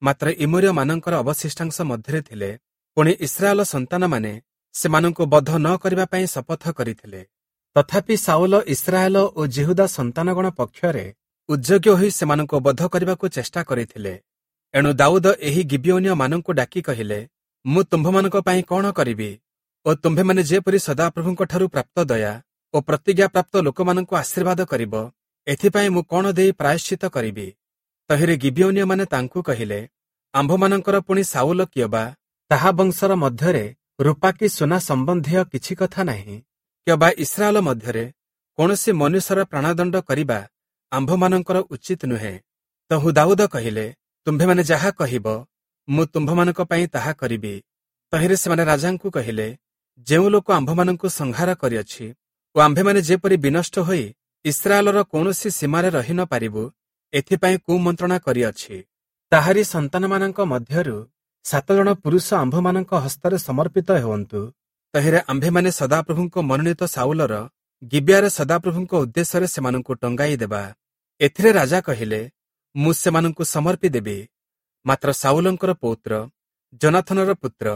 ମାତ୍ର ଇମୋରୀୟମାନଙ୍କର ଅବଶିଷ୍ଟାଂଶ ମଧ୍ୟରେ ଥିଲେ। ପୁଣି ଇସ୍ରାଏଲ ସନ୍ତାନମାନେ ସେମାନଙ୍କୁ ବଧ ନ କରିବା ପାଇଁ ଶପଥ କରିଥିଲେ। ତଥାପି ସାଉଲ ଇସ୍ରାଏଲ ଓ ଯିହୁଦା ସନ୍ତାନଗଣ ପକ୍ଷରେ ଉଦ୍ଯୋଗୀ ହୋଇ ସେମାନଙ୍କୁ ବଧ କରିବାକୁ ଚେଷ୍ଟା କରିଥିଲେ। ଏଣୁ ଦାଉଦ ଏହି ଗିବିୟୋନୀୟମାନଙ୍କୁ ଡାକି କହିଲେ, ମୁଁ ତୁମ୍ଭମାନଙ୍କ ପାଇଁ କଣ କରିବି ଓ ତୁମ୍ଭେମାନେ ଯେପରି ସଦାପ୍ରଭୁଙ୍କଠାରୁ ପ୍ରାପ୍ତ ଦୟା ଓ ପ୍ରତିଜ୍ଞାପ୍ରାପ୍ତ ଲୋକମାନଙ୍କୁ ଆଶୀର୍ବାଦ କରିବ, ଏଥିପାଇଁ ମୁଁ କଣ ଦେଇ ପ୍ରାୟଶ୍ଚିତ କରିବି? ତହିଁରେ ଗିବିୟୋନୀୟମାନେ ତାଙ୍କୁ କହିଲେ, ଆମ୍ଭମାନଙ୍କର ପୁଣି ସାଉଲ କିଅବା ତାହା ବଂଶର ମଧ୍ୟରେ ରୂପା କି ସୁନା ସମ୍ବନ୍ଧୀୟ କିଛି କଥା ନାହିଁ, କିଅବା ଇସ୍ରାଏଲ ମଧ୍ୟରେ କୌଣସି ମନୁଷ୍ୟର ପ୍ରାଣଦଣ୍ଡ କରିବା ଆମ୍ଭମାନଙ୍କର ଉଚିତ ନୁହେଁ। ତହୁଁ ଦାଉଦ କହିଲେ, ତୁମ୍ଭେମାନେ ଯାହା କହିବ ମୁଁ ତୁମ୍ଭମାନଙ୍କ ପାଇଁ ତାହା କରିବି। ତହିଁରେ ସେମାନେ ରାଜାଙ୍କୁ କହିଲେ, ଯେଉଁ ଲୋକ ଆମ୍ଭମାନଙ୍କୁ ସଂହାର କରିଅଛି ଓ ଆମ୍ଭେମାନେ ଯେପରି ବିନଷ୍ଟ ହୋଇ ଇସ୍ରାଏଲର କୌଣସି ସୀମାରେ ରହି ନ ପାରିବୁ, ଏଥିପାଇଁ କୁମନ୍ତ୍ରଣା କରିଅଛି, ତାହାରି ସନ୍ତାନମାନଙ୍କ ମଧ୍ୟରୁ ସାତ ଜଣ ପୁରୁଷ ଆମ୍ଭମାନଙ୍କ ହସ୍ତରେ ସମର୍ପିତ ହୁଅନ୍ତୁ। ତହିଁରେ ଆମ୍ଭେମାନେ ସଦାପ୍ରଭୁଙ୍କ ମନୋନୀତ ସାଉଲର ଗିବିଆରେ ସଦାପ୍ରଭୁଙ୍କ ଉଦ୍ଦେଶ୍ୟରେ ସେମାନଙ୍କୁ ଟଙ୍ଗାଇ ଦେବା। ଏଥିରେ ରାଜା କହିଲେ, ମୁଁ ସେମାନଙ୍କୁ ସମର୍ପି ଦେବି। ମାତ୍ର ସାଉଲଙ୍କର ପୌତ୍ର ଯୋନାଥନର ପୁତ୍ର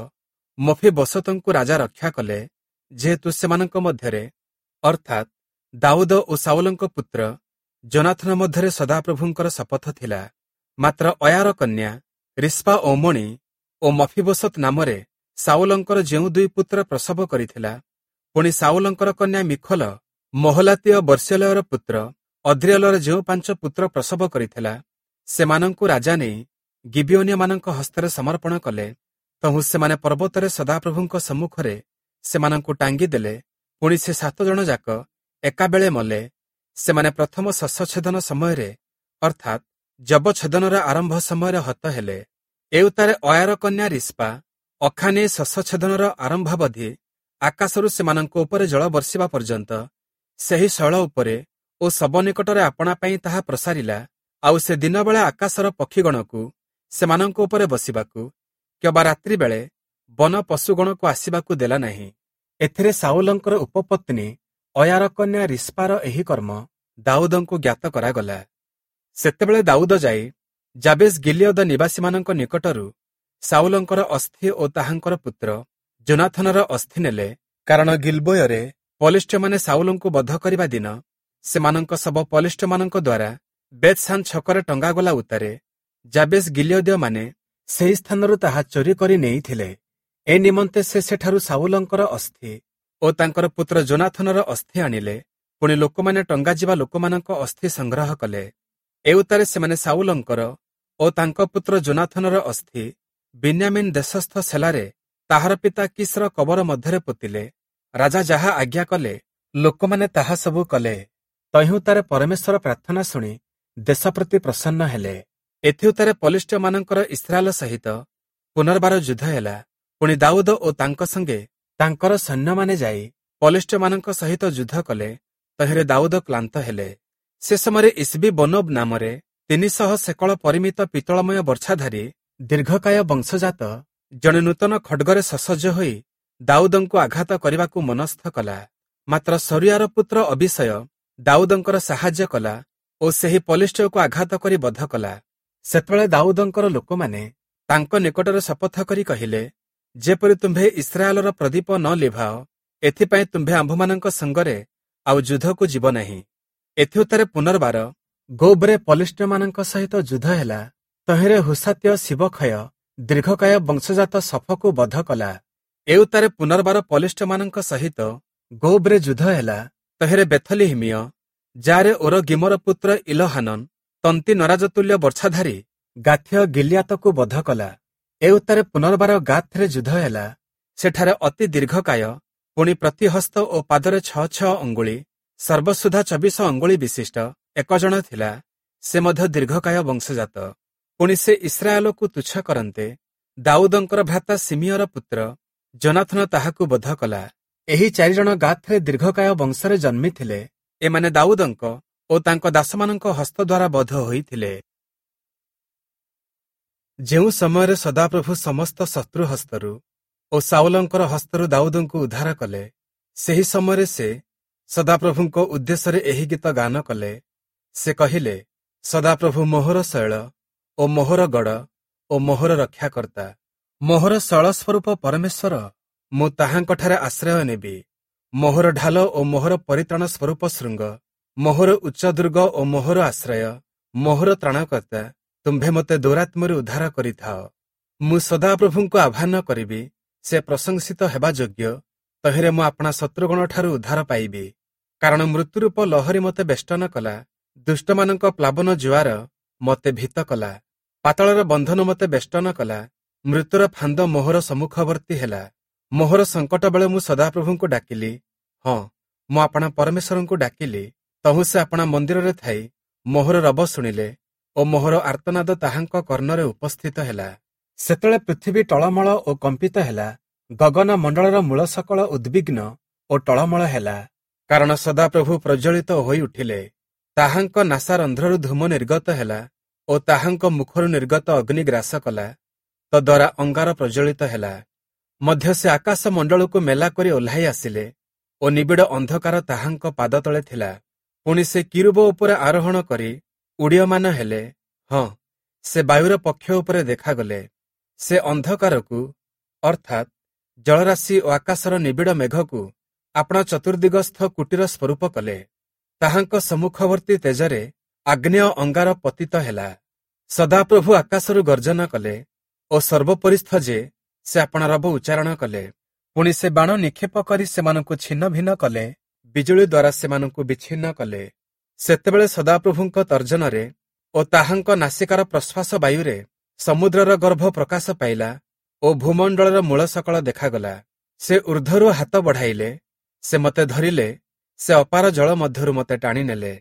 ମଫିବୋଶତଙ୍କୁ ରାଜା ରକ୍ଷା କଲେ, ଯେହେତୁ ସେମାନଙ୍କ ମଧ୍ୟରେ ଅର୍ଥାତ୍ ଦାଉଦ ଓ ସାଉଲଙ୍କ ପୁତ୍ର ଯୋନାଥନ ମଧ୍ୟରେ ସଦାପ୍ରଭୁଙ୍କର ଶପଥ ଥିଲା। ମାତ୍ର ଅୟାର କନ୍ୟା ରିସ୍ପା ଓମଣି ଓ ମଫିବୋଶତ ନାମରେ ସାଉଲଙ୍କର ଯେଉଁ ଦୁଇ ପୁତ୍ର ପ୍ରସବ କରିଥିଲା, ପୁଣି ସାଉଲଙ୍କର କନ୍ୟା ମିଖଲ ମହଲାତୀୟ ବର୍ଷ୍ୟଲୟର ପୁତ୍ର ଅଦ୍ରିୟଲର ଯେଉଁ ପାଞ୍ଚ ପୁତ୍ର ପ୍ରସବ କରିଥିଲା, ସେମାନଙ୍କୁ ରାଜା ନେଇ ଗିବିଓନୀୟମାନଙ୍କ ହସ୍ତରେ ସମର୍ପଣ କଲେ। ତହୁଁ ସେମାନେ ପର୍ବତରେ ସଦାପ୍ରଭୁଙ୍କ ସମ୍ମୁଖରେ ସେମାନଙ୍କୁ ଟାଙ୍ଗି ଦେଲେ। ପୁଣି ସେ ସାତ ଜଣ ଯାକ ଏକାବେଳେ ମଲେ। ସେମାନେ ପ୍ରଥମ ଶସ୍ୟଛେଦନ ସମୟରେ ଅର୍ଥାତ୍ ଯବଛେଦନର ଆରମ୍ଭ ସମୟରେ ହତ ହେଲେ। ଏଉତାରେ ଅୟାର କନ୍ୟା ରିସ୍ପା ଅଖା ନେଇ ଶସ୍ୟଛେଦନର ଆରମ୍ଭାବଧି ଆକାଶରୁ ସେମାନଙ୍କ ଉପରେ ଜଳ ବର୍ଷିବା ପର୍ଯ୍ୟନ୍ତ ସେହି ଶୈଳ ଉପରେ ଓ ଶବ ନିକଟରେ ଆପଣା ପାଇଁ ତାହା ପ୍ରସାରିଲା। ଆଉ ସେ ଦିନବେଳା ଆକାଶର ପକ୍ଷୀଗଣକୁ ସେମାନଙ୍କ ଉପରେ ବସିବାକୁ କିମ୍ବା ରାତ୍ରି ବେଳେ ବନ ପଶୁଗଣକୁ ଆସିବାକୁ ଦେଲା ନାହିଁ। ଏଥିରେ ସାଉଲଙ୍କର ଉପପତ୍ନୀ ଅୟାର କନ୍ୟା ରିସ୍ପାର ଏହି କର୍ମ ଦାଉଦଙ୍କୁ ଜ୍ଞାତ କରାଗଲା। ସେତେବେଳେ ଦାଉଦ ଯାଇ ଜାବେଶ ଗିଲିୟଦ ନିବାସୀମାନଙ୍କ ନିକଟରୁ ସାଉଲଙ୍କର ଅସ୍ଥି ଓ ତାହାଙ୍କର ପୁତ୍ର ଯୋନାଥନର ଅସ୍ଥି ନେଲେ, କାରଣ ଗିଲବୋୟରେ ପଲିଷ୍ଠ୍ୟମାନେ ସାଉଲଙ୍କୁ ବଧ କରିବା ଦିନ ସେମାନଙ୍କ ଶବ ପଲିଷ୍ଠ୍ୟମାନଙ୍କ ଦ୍ୱାରା ବେତ୍ସାନ ଛକରେ ଟଙ୍ଗାଗଲା ଉତ୍ତାରେ ଜାବେଶ ଗିଲିୟଦୀୟମାନେ ସେହି ସ୍ଥାନରୁ ତାହା ଚୋରି କରି ନେଇଥିଲେ। ଏ ନିମନ୍ତେ ସେ ସେଠାରୁ ସାଉଲଙ୍କର ଅସ୍ଥି ଓ ତାଙ୍କର ପୁତ୍ର ଯୋନାଥନର ଅସ୍ଥି ଆଣିଲେ। ପୁଣି ଲୋକମାନେ ଟଙ୍ଗାଯିବା ଲୋକମାନଙ୍କ ଅସ୍ଥି ସଂଗ୍ରହ କଲେ। ଏଉତ୍ତାରେ ସେମାନେ ସାଉଲଙ୍କର ଓ ତାଙ୍କ ପୁତ୍ର ଯୋନାଥନର ଅସ୍ଥି ବିନ୍ୟାମିନ୍ ଦେଶସ୍ଥ ସେଲାରେ ତାହାର ପିତା କିସ୍ର କବର ମଧ୍ୟରେ ପୋତିଲେ। ରାଜା ଯାହା ଆଜ୍ଞା କଲେ ଲୋକମାନେ ତାହା ସବୁ କଲେ। ତହିଁଉତ୍ତାରେ ପରମେଶ୍ୱର ପ୍ରାର୍ଥନା ଶୁଣି ଦେଶ ପ୍ରତି ପ୍ରସନ୍ନ ହେଲେ। ଏଥିଉତ୍ତାରେ ପଲିଷ୍ଠ୍ୟମାନଙ୍କର ଇସ୍ରାଏଲ ସହିତ ପୁନର୍ବାର ଯୁଦ୍ଧ ହେଲା। ପୁଣି ଦାଉଦ ଓ ତାଙ୍କ ସଙ୍ଗେ ତାଙ୍କର ସୈନ୍ୟମାନେ ଯାଇ ପଲିଷ୍ଠ୍ୟମାନଙ୍କ ସହିତ ଯୁଦ୍ଧ କଲେ। ତହିଁରେ ଦାଉଦ କ୍ଳାନ୍ତ ହେଲେ। ସେ ସମୟରେ ଇସ୍ବି ବନୋବ ନାମରେ ତିନିଶହ ସେକଳ ପରିମିତ ପିତ୍ତଳମୟ ବର୍ଚ୍ଛାଧାରୀ ଦୀର୍ଘକାୟ ବଂଶଜାତ ଜଣେ ନୂତନ ଖଡ୍ଗରେ ସସଜ୍ଜ ହୋଇ ଦାଉଦଙ୍କୁ ଆଘାତ କରିବାକୁ ମନସ୍ଥ କଲା। ମାତ୍ର ସରିଆର ପୁତ୍ର ଅବିଷୟ ଦାଉଦଙ୍କର ସାହାଯ୍ୟ କଲା ଓ ସେହି ପଲିଷ୍ଠ୍ୟକୁ ଆଘାତ କରି ବଧ କଲା। ସେତେବେଳେ ଦାଉଦଙ୍କର ଲୋକମାନେ ତାଙ୍କ ନିକଟରେ ଶପଥ କରି କହିଲେ, ଯେପରି ତୁମ୍ଭେ ଇସ୍ରାଏଲର ପ୍ରଦୀପ ନ ଲିଭାଅ, ଏଥିପାଇଁ ତୁମ୍ଭେ ଆମ୍ଭମାନଙ୍କ ସଙ୍ଗରେ ଆଉ ଯୁଦ୍ଧକୁ ଯିବ ନାହିଁ। ଏଥିଉତ୍ତାରେ ପୁନର୍ବାର ଗୋବରେ ପଲିଷ୍ଠ୍ୟମାନଙ୍କ ସହିତ ଯୁଦ୍ଧ ହେଲା। ତହିଁରେ ହୁସାତୀୟ ଶିବକ୍ଷୟ ଦୀର୍ଘକାୟ ବଂଶଜାତ ସଫକୁ ବଧ କଲା। ଏଉତ୍ତାରେ ପୁନର୍ବାର ପଲିଷ୍ଠ୍ୟମାନଙ୍କ ସହିତ ଗୋବରେ ଯୁଦ୍ଧ ହେଲା। ତହିଁରେ ବେଥଲିହିମୀୟ ଯାରେ ଓର ଗିମର ପୁତ୍ର ଇଲହାନନ ତନ୍ତି ନରାଜତୁଲ୍ୟ ବର୍ଚ୍ଛାଧାରୀ ଗାଥୀୟ ଗିଲିଆତକୁ ବଧ କଲା। ଏଉତ୍ତାରେ ପୁନର୍ବାର ଗାଥରେ ଯୁଦ୍ଧ ହେଲା। ସେଠାରେ ଅତି ଦୀର୍ଘକାୟ ପୁଣି ପ୍ରତିହସ୍ତ ଓ ପାଦରେ ଛଅ ଛଅ ଅଙ୍ଗୁଳି ସର୍ବସୁଦ୍ଧା ଚବିଶ ଅଙ୍ଗୁଳି ବିଶିଷ୍ଟ ଏକ ଜଣ ଥିଲା। ସେ ମଧ୍ୟ ଦୀର୍ଘକାୟ ବଂଶଜାତ। ପୁଣି ସେ ଇସ୍ରାଏଲକୁ ତୁଚ୍ଛ କରନ୍ତେ ଦାଉଦଙ୍କର ଭ୍ରାତା ସିମିୟର ପୁତ୍ର ଯୋନାଥନ ତାହାକୁ ବଧ କଲା। ଏହି ଚାରିଜଣ ଗାଥରେ ଦୀର୍ଘକାୟ ବଂଶରେ ଜନ୍ମିଥିଲେ। ଏମାନେ ଦାଉଦଙ୍କ ଓ ତାଙ୍କ ଦାସମାନଙ୍କ ହସ୍ତ ଦ୍ୱାରା ବଧ ହୋଇଥିଲେ। ଯେଉଁ ସମୟରେ ସଦାପ୍ରଭୁ ସମସ୍ତ ଶତ୍ରୁ ହସ୍ତରୁ ଓ ସାଉଲଙ୍କର ହସ୍ତରୁ ଦାଉଦଙ୍କୁ ଉଦ୍ଧାର କଲେ, ସେହି ସମୟରେ ସେ ସଦାପ୍ରଭୁଙ୍କ ଉଦ୍ଦେଶ୍ୟରେ ଏହି ଗୀତ ଗାନ କଲେ। ସେ କହିଲେ, ସଦାପ୍ରଭୁ ମୋହର ଶୈଳ ଓ ମୋହର ଗଡ଼ ଓ ମୋହର ରକ୍ଷାକର୍ତ୍ତା, ମୋହର ଶୈଳ ସ୍ୱରୂପ ପରମେଶ୍ୱର, ମୁଁ ତାହାଙ୍କଠାରେ ଆଶ୍ରୟ ନେବି। ମୋହର ଢାଲ ଓ ମୋହର ପରିତ୍ରାଣ ସ୍ୱରୂପ ଶୃଙ୍ଗ, ମୋହର ଉଚ୍ଚ ଦୁର୍ଗ ଓ ମୋହର ଆଶ୍ରୟ, ମୋହର ତ୍ରାଣକର୍ତ୍ତା, ତୁମ୍ଭେ ମୋତେ ଦୌରାତ୍ମ୍ୟରୁ ଉଦ୍ଧାର କରିଥାଅ। ମୁଁ ସଦାପ୍ରଭୁଙ୍କୁ ଆହ୍ୱାନ କରିବି, ସେ ପ୍ରଶଂସିତ ହେବା ଯୋଗ୍ୟ, ତହିଁରେ ମୁଁ ଆପଣା ଶତ୍ରୁଗଣଠାରୁ ଉଦ୍ଧାର ପାଇବି। କାରଣ ମୃତ୍ୟୁରୂପ ଲହରୀ ମୋତେ ବେଷ୍ଟନ କଲା, ଦୁଷ୍ଟମାନଙ୍କ ପ୍ଲାବନ ଜୁଆର ମୋତେ ଭୀତ କଲା, ପାତାଳର ବନ୍ଧନ ମୋତେ ବେଷ୍ଟନ କଲା, ମୃତ୍ୟୁର ଫାନ୍ଦ ମୋହର ସମ୍ମୁଖବର୍ତ୍ତୀ ହେଲା। ମୋହର ସଙ୍କଟ ବେଳେ ମୁଁ ସଦାପ୍ରଭୁଙ୍କୁ ଡାକିଲି, ହଁ, ମୁଁ ଆପଣା ପରମେଶ୍ୱରଙ୍କୁ ଡାକିଲି। ତହୁଁ ସେ ଆପଣା ମନ୍ଦିରରେ ଥାଇ ମୋହର ରବ ଶୁଣିଲେ ଓ ମୋହର ଆର୍ତ୍ତନାଦ ତାହାଙ୍କ କର୍ଣ୍ଣରେ ଉପସ୍ଥିତ ହେଲା। ସେତେବେଳେ ପୃଥିବୀ ଟଳମଳ ଓ କମ୍ପିତ ହେଲା, ଗଗନ ମଣ୍ଡଳର ମୂଳ ସକଳ ଉଦ୍ବିଗ୍ନ ଓ ଟଳମଳ ହେଲା। କାରଣ ସଦାପ୍ରଭୁ ପ୍ରଜ୍ୱଳିତ ହୋଇ ଉଠିଲେ, ତାହାଙ୍କ ନାସାରନ୍ଧ୍ରରୁ ଧୂମ ନିର୍ଗତ ହେଲା ଓ ତାହାଙ୍କ ମୁଖରୁ ନିର୍ଗତ ଅଗ୍ନି ଗ୍ରାସ କଲା। ତଦ୍ୱାରା ଅଙ୍ଗାର ପ୍ରଜ୍ୱଳିତ ହେଲା। ମଧ୍ୟ ସେ ଆକାଶ ମଣ୍ଡଳକୁ ମେଲା କରି ଓହ୍ଲାଇ ଆସିଲେ ଓ ନିବିଡ଼ ଅନ୍ଧକାର ତାହାଙ୍କ ପାଦ ତଳେ ଥିଲା। ପୁଣି ସେ କିରୂବ ଉପରେ ଆରୋହଣ କରି ଉଡ଼ୀୟମାନ ହେଲେ, ହଁ, ସେ ବାୟୁର ପକ୍ଷ ଉପରେ ଦେଖାଗଲେ। ସେ ଅନ୍ଧକାରକୁ ଅର୍ଥାତ୍ ଜଳରାଶି ଓ ଆକାଶର ନିବିଡ଼ ମେଘକୁ ଆପଣା ଚତୁର୍ଦିଗସ୍ଥ କୁଟୀର ସ୍ୱରୂପ କଲେ। ତାହାଙ୍କ ସମ୍ମୁଖବର୍ତ୍ତୀ ତେଜରେ ଆଗ୍ନେୟ ଅଙ୍ଗାର ପତିତ ହେଲା। ସଦାପ୍ରଭୁ ଆକାଶରୁ ଗର୍ଜନ କଲେ ଓ ସର୍ବୋପରିସ୍ଥ ଯେ ସେ ଆପଣା ରବ ଉଚ୍ଚାରଣ କଲେ। ପୁଣି ସେ ବାଣ ନିକ୍ଷେପ କରି ସେମାନଙ୍କୁ ଛିନ୍ନ ଭିନ୍ନ କଲେ, ବିଜୁଳି ଦ୍ୱାରା ସେମାନଙ୍କୁ ବିଚ୍ଛିନ୍ନ କଲେ। ସେତେବେଳେ ସଦାପ୍ରଭୁଙ୍କ ତର୍ଜନରେ ଓ ତାହାଙ୍କ ନାସିକାର ପ୍ରଶ୍ୱାସ ବାୟୁରେ ସମୁଦ୍ରର ଗର୍ଭ ପ୍ରକାଶ ପାଇଲା ଓ ଭୂମଣ୍ଡଳର ମୂଳ ସକଳ ଦେଖାଗଲା। ସେ ଊର୍ଦ୍ଧ୍ୱରୁ ହାତ ବଢ଼ାଇଲେ, ସେ ମୋତେ ଧରିଲେ, ସେ ଅପାର ଜଳ ମଧ୍ୟରୁ ମୋତେ ଟାଣିନେଲେ।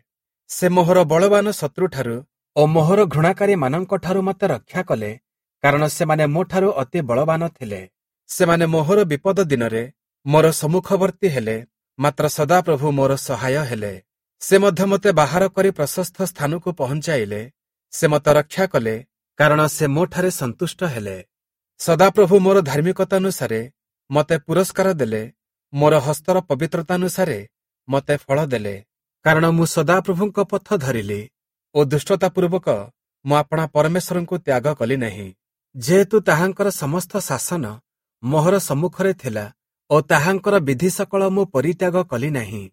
ସେ ମୋହର ବଳବାନ ଶତ୍ରୁଠାରୁ ଓ ମୋହର ଘୃଣାକାରୀମାନଙ୍କଠାରୁ ମୋତେ ରକ୍ଷା କଲେ, କାରଣ ସେମାନେ ମୋଠାରୁ ଅତି ବଳବାନ ଥିଲେ। ସେମାନେ ମୋହର ବିପଦ ଦିନରେ ମୋର ସମ୍ମୁଖବର୍ତ୍ତୀ ହେଲେ, ମାତ୍ର ସଦାପ୍ରଭୁ ମୋର ସହାୟ ହେଲେ। ସେ ମଧ୍ୟ ମୋତେ ବାହାର କରି ପ୍ରଶସ୍ତ ସ୍ଥାନକୁ ପହଞ୍ଚାଇଲେ। ସେ ମୋତେ ରକ୍ଷା କଲେ, କାରଣ ସେ ମୋଠାରେ ସନ୍ତୁଷ୍ଟ ହେଲେ। ସଦାପ୍ରଭୁ ମୋର ଧାର୍ମିକତାନୁସାରେ ମୋତେ ପୁରସ୍କାର ଦେଲେ, ମୋର ହସ୍ତର ପବିତ୍ରତାନୁସାରେ ମୋତେ ଫଳ ଦେଲେ। କାରଣ ମୁଁ ସଦାପ୍ରଭୁଙ୍କ ପଥ ଧରିଲି ଓ ଦୁଷ୍ଟତାପୂର୍ବକ ମୁଁ ଆପଣା ପରମେଶ୍ୱରଙ୍କୁ ତ୍ୟାଗ କଲି ନାହିଁ। ଯେହେତୁ ତାହାଙ୍କର ସମସ୍ତ ଶାସନ ମୋହର ସମ୍ମୁଖରେ ଥିଲା ଓ ତାହାଙ୍କର ବିଧି ସକଳ ମୁଁ ପରିତ୍ୟାଗ କଲି ନାହିଁ।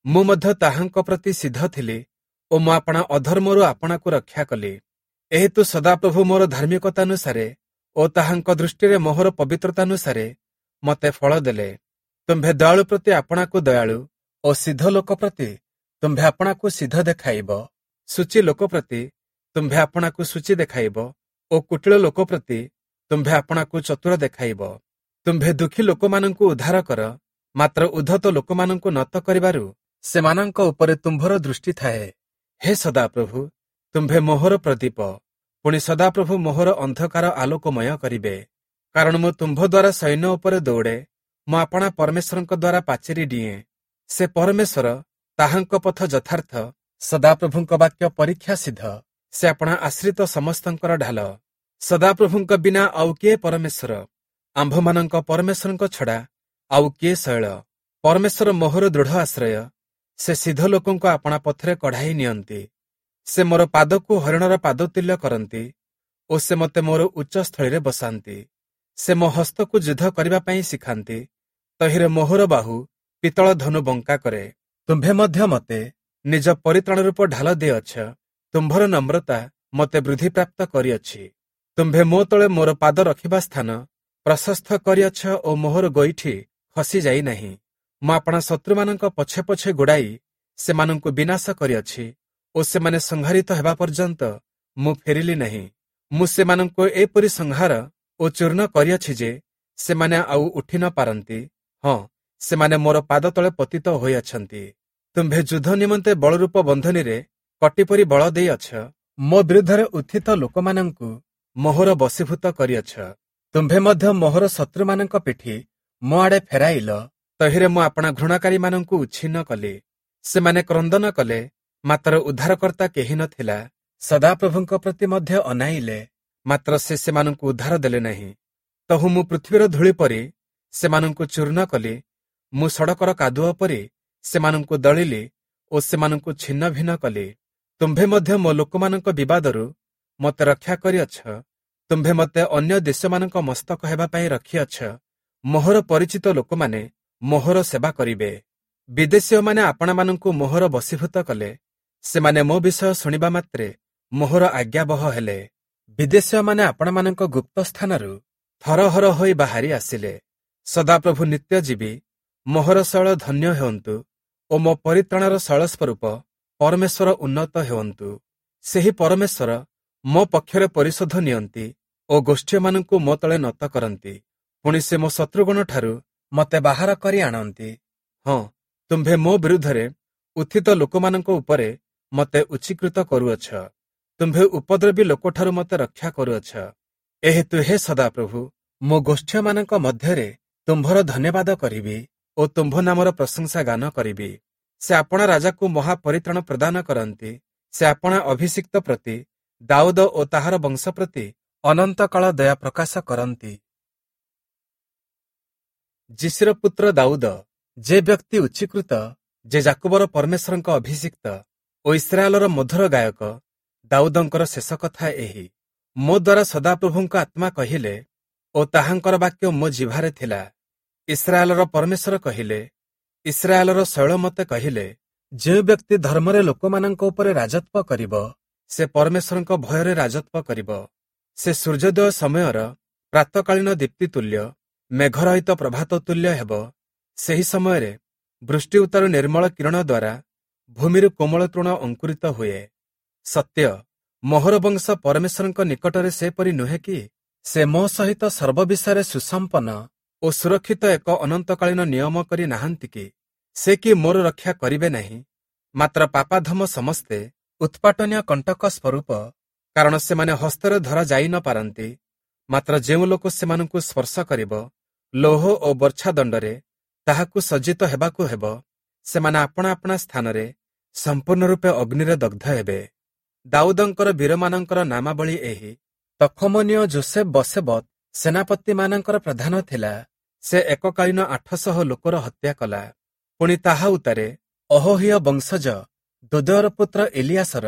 ମୁଁ ମଧ୍ୟ ତାହାଙ୍କ ପ୍ରତି ସିଦ୍ଧ ଥିଲି ଓ ମୁଁ ଆପଣା ଅଧର୍ମରୁ ଆପଣାକୁ ରକ୍ଷା କଲି। ଏହେତୁ ସଦାପ୍ରଭୁ ମୋର ଧାର୍ମିକତାନୁସାରେ ଓ ତାହାଙ୍କ ଦୃଷ୍ଟିରେ ମୋହର ପବିତ୍ରତାନୁସାରେ ମୋତେ ଫଳ ଦେଲେ। ତୁମ୍ଭେ ଦୟାଳୁ ପ୍ରତି ଆପଣାକୁ ଦୟାଳୁ ଓ ସିଦ୍ଧ ଲୋକ ପ୍ରତି ତୁମ୍ଭେ ଆପଣାକୁ ସିଦ୍ଧ ଦେଖାଇବ। ଶୁଚି ଲୋକ ପ୍ରତି ତୁମ୍ଭେ ଆପଣାକୁ ଶୁଚି ଦେଖାଇବ ଓ କୁଟିଳ ଲୋକ ପ୍ରତି ତୁମ୍ଭେ ଆପଣାକୁ ଚତୁର ଦେଖାଇବ। ତୁମ୍ଭେ ଦୁଃଖୀ ଲୋକମାନଙ୍କୁ ଉଦ୍ଧାର କର, ମାତ୍ର ଉଦ୍ଧତ ଲୋକମାନଙ୍କୁ ନତ କରିବାରୁ ସେମାନଙ୍କ ଉପରେ ତୁମ୍ଭର ଦୃଷ୍ଟି ଥାଏ। ହେ ସଦାପ୍ରଭୁ, ତୁମ୍ଭେ ମୋହର ପ୍ରଦୀପ, ପୁଣି ସଦାପ୍ରଭୁ ମୋହର ଅନ୍ଧକାର ଆଲୋକମୟ କରିବେ। କାରଣ ମୁଁ ତୁମ୍ଭ ଦ୍ୱାରା ସୈନ୍ୟ ଉପରେ ଦୌଡ଼େ, ମୁଁ ଆପଣା ପରମେଶ୍ୱରଙ୍କ ଦ୍ୱାରା ପାଚେରୀ ଡିଏଁ। ସେ ପରମେଶ୍ୱର, ତାହାଙ୍କ ପଥ ଯଥାର୍ଥ, ସଦାପ୍ରଭୁଙ୍କ ବାକ୍ୟ ପରୀକ୍ଷା ସିଦ୍ଧ, ସେ ଆପଣା ଆଶ୍ରିତ ସମସ୍ତଙ୍କର ଢାଲ। ସଦାପ୍ରଭୁଙ୍କ ବିନା ଆଉ କିଏ ପରମେଶ୍ୱର? ଆମ୍ଭମାନଙ୍କ ପରମେଶ୍ୱରଙ୍କ ଛଡ଼ା ଆଉ କିଏ ଶୈଳ? ପରମେଶ୍ୱର ମୋହର ଦୃଢ଼ ଆଶ୍ରୟ, ସେ ସିଦ୍ଧ ଲୋକଙ୍କୁ ଆପଣା ପଥରେ କଢ଼ାଇ ନିଅନ୍ତି। ସେ ମୋର ପାଦକୁ ହରିଣର ପାଦ ତୁଲ୍ୟ କରନ୍ତି ଓ ସେ ମୋତେ ମୋର ଉଚ୍ଚ ସ୍ଥଳୀରେ ବସାନ୍ତି। ସେ ମୋ ହସ୍ତକୁ ଯୁଦ୍ଧ କରିବା ପାଇଁ ଶିଖାନ୍ତି, ତହିଁରେ ମୋହର ବାହୁ ପିତ୍ତଳ ଧନୁ ବଙ୍କା କରେ। ତୁମ୍ଭେ ମଧ୍ୟ ମୋତେ ନିଜ ପରିତ୍ରାଣ ରୂପ ଢାଲ ଦେଇଅଛ, ତୁମ୍ଭର ନମ୍ରତା ମୋତେ ବୃଦ୍ଧିପ୍ରାପ୍ତ କରିଅଛି। ତୁମ୍ଭେ ମୋ ତଳେ ମୋର ପାଦ ରଖିବା ସ୍ଥାନ ପ୍ରଶସ୍ତ କରିଅଛ ଓ ମୋହର ଗୋଇଠି ଖସି ଯାଇନାହିଁ। ମୁଁ ଆପଣା ଶତ୍ରୁମାନଙ୍କ ପଛେ ପଛେ ଗୋଡ଼ାଇ ସେମାନଙ୍କୁ ବିନାଶ କରିଅଛି ଓ ସେମାନେ ସଂହାରିତ ହେବା ପର୍ଯ୍ୟନ୍ତ ମୁଁ ଫେରିଲି ନାହିଁ। ମୁଁ ସେମାନଙ୍କୁ ଏପରି ସଂହାର ଓ ଚୂର୍ଣ୍ଣ କରିଅଛି ଯେ ସେମାନେ ଆଉ ଉଠି ନ ପାରନ୍ତି, ହଁ, ସେମାନେ ମୋର ପାଦ ତଳେ ପତିତ ହୋଇଅଛନ୍ତି। ତୁମ୍ଭେ ଯୁଦ୍ଧ ନିମନ୍ତେ ବଳରୂପ ବନ୍ଧନୀରେ କଟିପରି ବଳ ଦେଇଅଛ, ମୋ ବିରୁଦ୍ଧରେ ଉତ୍ଥିତ ଲୋକମାନଙ୍କୁ ମୋହର ବଶୀଭୂତ କରିଅଛ। ତୁମ୍ଭେ ମଧ୍ୟ ମୋହର ଶତ୍ରୁମାନଙ୍କ ପିଠି ମୋ ଆଡ଼େ ଫେରାଇଲ, ତହିଁରେ ମୁଁ ଆପଣା ଘୃଣାକାରୀମାନଙ୍କୁ ଉଚ୍ଛିନ୍ନ କଲି। ସେମାନେ କ୍ରନ୍ଦନ କଲେ, ମାତ୍ର ଉଦ୍ଧାରକର୍ତ୍ତା କେହି ନଥିଲା। ସଦାପ୍ରଭୁଙ୍କ ପ୍ରତି ମଧ୍ୟ ଅନାଇଲେ, ମାତ୍ର ସେ ସେମାନଙ୍କୁ ଉଦ୍ଧାର ଦେଲେ ନାହିଁ। ତହୁଁ ମୁଁ ପୃଥିବୀର ଧୂଳି ପରି ସେମାନଙ୍କୁ ଚୂର୍ଣ୍ଣ କଲି, ମୁଁ ସଡ଼କର କାଦୁଅ ପରି ସେମାନଙ୍କୁ ଦଳିଲି ଓ ସେମାନଙ୍କୁ ଛିନ୍ନ ଭିନ୍ନ କଲି। ତୁମ୍ଭେ ମଧ୍ୟ ମୋ ଲୋକମାନଙ୍କ ବିବାଦରୁ ମୋତେ ରକ୍ଷା କରିଅଛ, ତୁମ୍ଭେ ମୋତେ ଅନ୍ୟ ଦେଶମାନଙ୍କ ମସ୍ତକ ହେବା ପାଇଁ ରଖିଅଛ। ମୋହର ପରିଚିତ ଲୋକମାନେ ମୋହର ସେବା କରିବେ। ବିଦେଶୀୟମାନେ ଆପଣାମାନଙ୍କୁ ମୋହର ବଶୀଭୂତ କଲେ, ସେମାନେ ମୋ ବିଷୟ ଶୁଣିବା ମାତ୍ରେ ମୋହର ଆଜ୍ଞାବହ ହେଲେ। ବିଦେଶୀୟମାନେ ଆପଣମାନଙ୍କ ଗୁପ୍ତ ସ୍ଥାନରୁ ଥରହର ହୋଇ ବାହାରି ଆସିଲେ। ସଦାପ୍ରଭୁ ନିତ୍ୟଜୀବୀ ମୋହର ଶୈଳ ଧନ୍ୟ ହେଉନ୍ତୁ ଓ ମୋ ପରିତ୍ରାଣର ଶୈଳ ସ୍ୱରୂପ ପରମେଶ୍ୱର ଉନ୍ନତ ହେଉନ୍ତୁ। ସେହି ପରମେଶ୍ୱର ମୋ ପକ୍ଷରେ ପରିଶୋଧ ନିଅନ୍ତି ଓ ଗୋଷ୍ଠୀୟମାନଙ୍କୁ ମୋ ତଳେ ନତ କରନ୍ତି। ପୁଣି ସେ ମୋ ଶତ୍ରୁଗଣଠାରୁ ମୋତେ ବାହାର କରି ଆଣନ୍ତି। ହଁ, ତୁମ୍ଭେ ମୋ ବିରୁଦ୍ଧରେ ଉତ୍ଥିତ ଲୋକମାନଙ୍କ ଉପରେ ମୋତେ ଉଚ୍ଚୀକୃତ କରୁଅଛ, ତୁମ୍ଭେ ଉପଦ୍ରବୀ ଲୋକଠାରୁ ମୋତେ ରକ୍ଷା କରୁଅଛ। ଏହେତୁ ହେ ସଦାପ୍ରଭୁ, ମୋ ଗୋଷ୍ଠୀୟମାନଙ୍କ ମଧ୍ୟରେ ତୁମ୍ଭର ଧନ୍ୟବାଦ କରିବି ଓ ତୁମ୍ଭ ନାମର ପ୍ରଶଂସା ଗାନ କରିବି। ସେ ଆପଣା ରାଜାକୁ ମହାପରିତ୍ରାଣ ପ୍ରଦାନ କରନ୍ତି, ସେ ଆପଣା ଅଭିଷିକ୍ତ ପ୍ରତି ଦାଉଦ ଓ ତାହାର ବଂଶ ପ୍ରତି ଅନନ୍ତକାଳ ଦୟା ପ୍ରକାଶ କରନ୍ତି। ଯିଶୀର ପୁତ୍ର ଦାଉଦ, ଯେ ବ୍ୟକ୍ତି ଉଚ୍ଚୀକୃତ, ଯେ ଯାକୁବର ପରମେଶ୍ୱରଙ୍କ ଅଭିଷିକ୍ତ ଓ ଇସ୍ରାଏଲର ମଧୁର ଗାୟକ ଦାଉଦଙ୍କର ଶେଷ କଥା ଏହି। ମୋ ଦ୍ୱାରା ସଦାପ୍ରଭୁଙ୍କ ଆତ୍ମା କହିଲେ ଓ ତାହାଙ୍କର ବାକ୍ୟ ମୋ ଜିହ୍ବାରେ ଥିଲା। ଇସ୍ରାଏଲର ପରମେଶ୍ୱର କହିଲେ, ଇସ୍ରାଏଲର ଶୈଳ ମୋତେ କହିଲେ, ଯେଉଁ ବ୍ୟକ୍ତି ଧର୍ମରେ ଲୋକମାନଙ୍କ ଉପରେ ରାଜତ୍ୱ କରିବ, ସେ ପରମେଶ୍ୱରଙ୍କ ଭୟରେ ରାଜତ୍ୱ କରିବ। ସେ ସୂର୍ଯ୍ୟୋଦୟ ସମୟର ପ୍ରାତଃକାଳୀନ ଦୀପ୍ତି ତୁଲ୍ୟ, ମେଘରହିତ ପ୍ରଭାତ ତୁଲ୍ୟ ହେବ। ସେହି ସମୟରେ ବୃଷ୍ଟି ଉତ୍ତାରୁ ନିର୍ମଳ କିରଣ ଦ୍ୱାରା ଭୂମିରୁ କୋମଳ ତୃଣ ଅଙ୍କୁରିତ ହୁଏ। ସତ୍ୟ, ମୋହର ବଂଶ ପରମେଶ୍ୱରଙ୍କ ନିକଟରେ ସେପରି ନୁହେଁ କି? ସେ ମୋ ସହିତ ସର୍ବବିଷୟରେ ସୁସମ୍ପନ୍ନ ଓ ସୁରକ୍ଷିତ ଏକ ଅନନ୍ତକାଳୀନ ନିୟମ କରି ନାହାନ୍ତି କି? ସେ କି ମୋର ରକ୍ଷା କରିବେ ନାହିଁ? ମାତ୍ର ପାପାଧମ ସମସ୍ତେ ଉତ୍ପାଟନୀୟ କଣ୍ଟକ ସ୍ୱରୂପ, କାରଣ ସେମାନେ ହସ୍ତରେ ଧରା ଯାଇ ନ ପାରନ୍ତି। ମାତ୍ର ଯେଉଁ ଲୋକ ସେମାନଙ୍କୁ ସ୍ପର୍ଶ କରିବ, ଲୌହ ଓ ବର୍ଚ୍ଛା ଦଣ୍ଡରେ ତାହାକୁ ସଜ୍ଜିତ ହେବାକୁ ହେବ। ସେମାନେ ଆପଣା ଆପଣା ସ୍ଥାନରେ ସମ୍ପୂର୍ଣ୍ଣ ରୂପେ ଅଗ୍ନିରେ ଦଗ୍ଧ ହେବେ। ଦାଉଦଙ୍କର ବୀରମାନଙ୍କର ନାମାବଳୀ ଏହି। ତଖମନୀୟ ଜୋସେଫ ବସେବତ ସେନାପତିମାନଙ୍କର ପ୍ରଧାନ ଥିଲା। ସେ ଏକକାଳୀନ ଆଠଶହ ଲୋକର ହତ୍ୟା କଲା। ପୁଣି ତାହା ଉତ୍ତାରେ ଅହୋହୀୟ ବଂଶଜ ଦୋଦୟର ପୁତ୍ର ଏଲିଆସର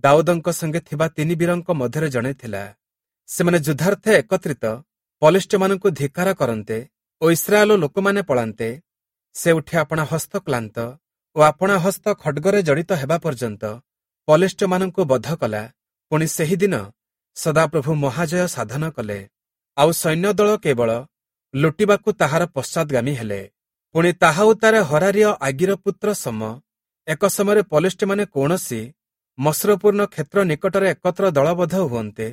ଦାଉଦଙ୍କ ସଙ୍ଗେ ଥିବା ତିନି ବୀରଙ୍କ ମଧ୍ୟରେ ଜଣେ ଥିଲା। ସେମାନେ ଯୁଦ୍ଧାର୍ଥେ ଏକତ୍ରିତ ପଲେଷ୍ଟୀୟମାନଙ୍କୁ ଧିକ୍କାର କରନ୍ତେ ଓ ଇସ୍ରାଏଲ ଲୋକମାନେ ପଳାନ୍ତେ, ସେ ଉଠି ଆପଣା ହସ୍ତ କ୍ଳାନ୍ତ ଓ ଆପଣା ହସ୍ତ ଖଡ୍ଗରେ ଜଡ଼ିତ ହେବା ପର୍ଯ୍ୟନ୍ତ ପଲେଷ୍ଟୀୟମାନଙ୍କୁ ବଧ କଲା। ପୁଣି ସେହିଦିନ ସଦାପ୍ରଭୁ ମହାଜୟ ସାଧନ କଲେ। ଆଉ ସୈନ୍ୟଦଳ କେବଳ ଲୁଟିବାକୁ ତାହାର ପଶ୍ଚାଦଗାମୀ ହେଲେ। ପୁଣି ତାହା ଉତ୍ତାରେ ହରାରୀୟ ଆଗିର ପୁତ୍ର ସମ ଏକ ସମୟରେ ପଲେଷ୍ଟୀୟମାନେ କୌଣସି ମଶ୍ରୁପୂର୍ଣ୍ଣ କ୍ଷେତ୍ର ନିକଟରେ ଏକତ୍ର ଦଳବଦ୍ଧ ହୁଅନ୍ତେ,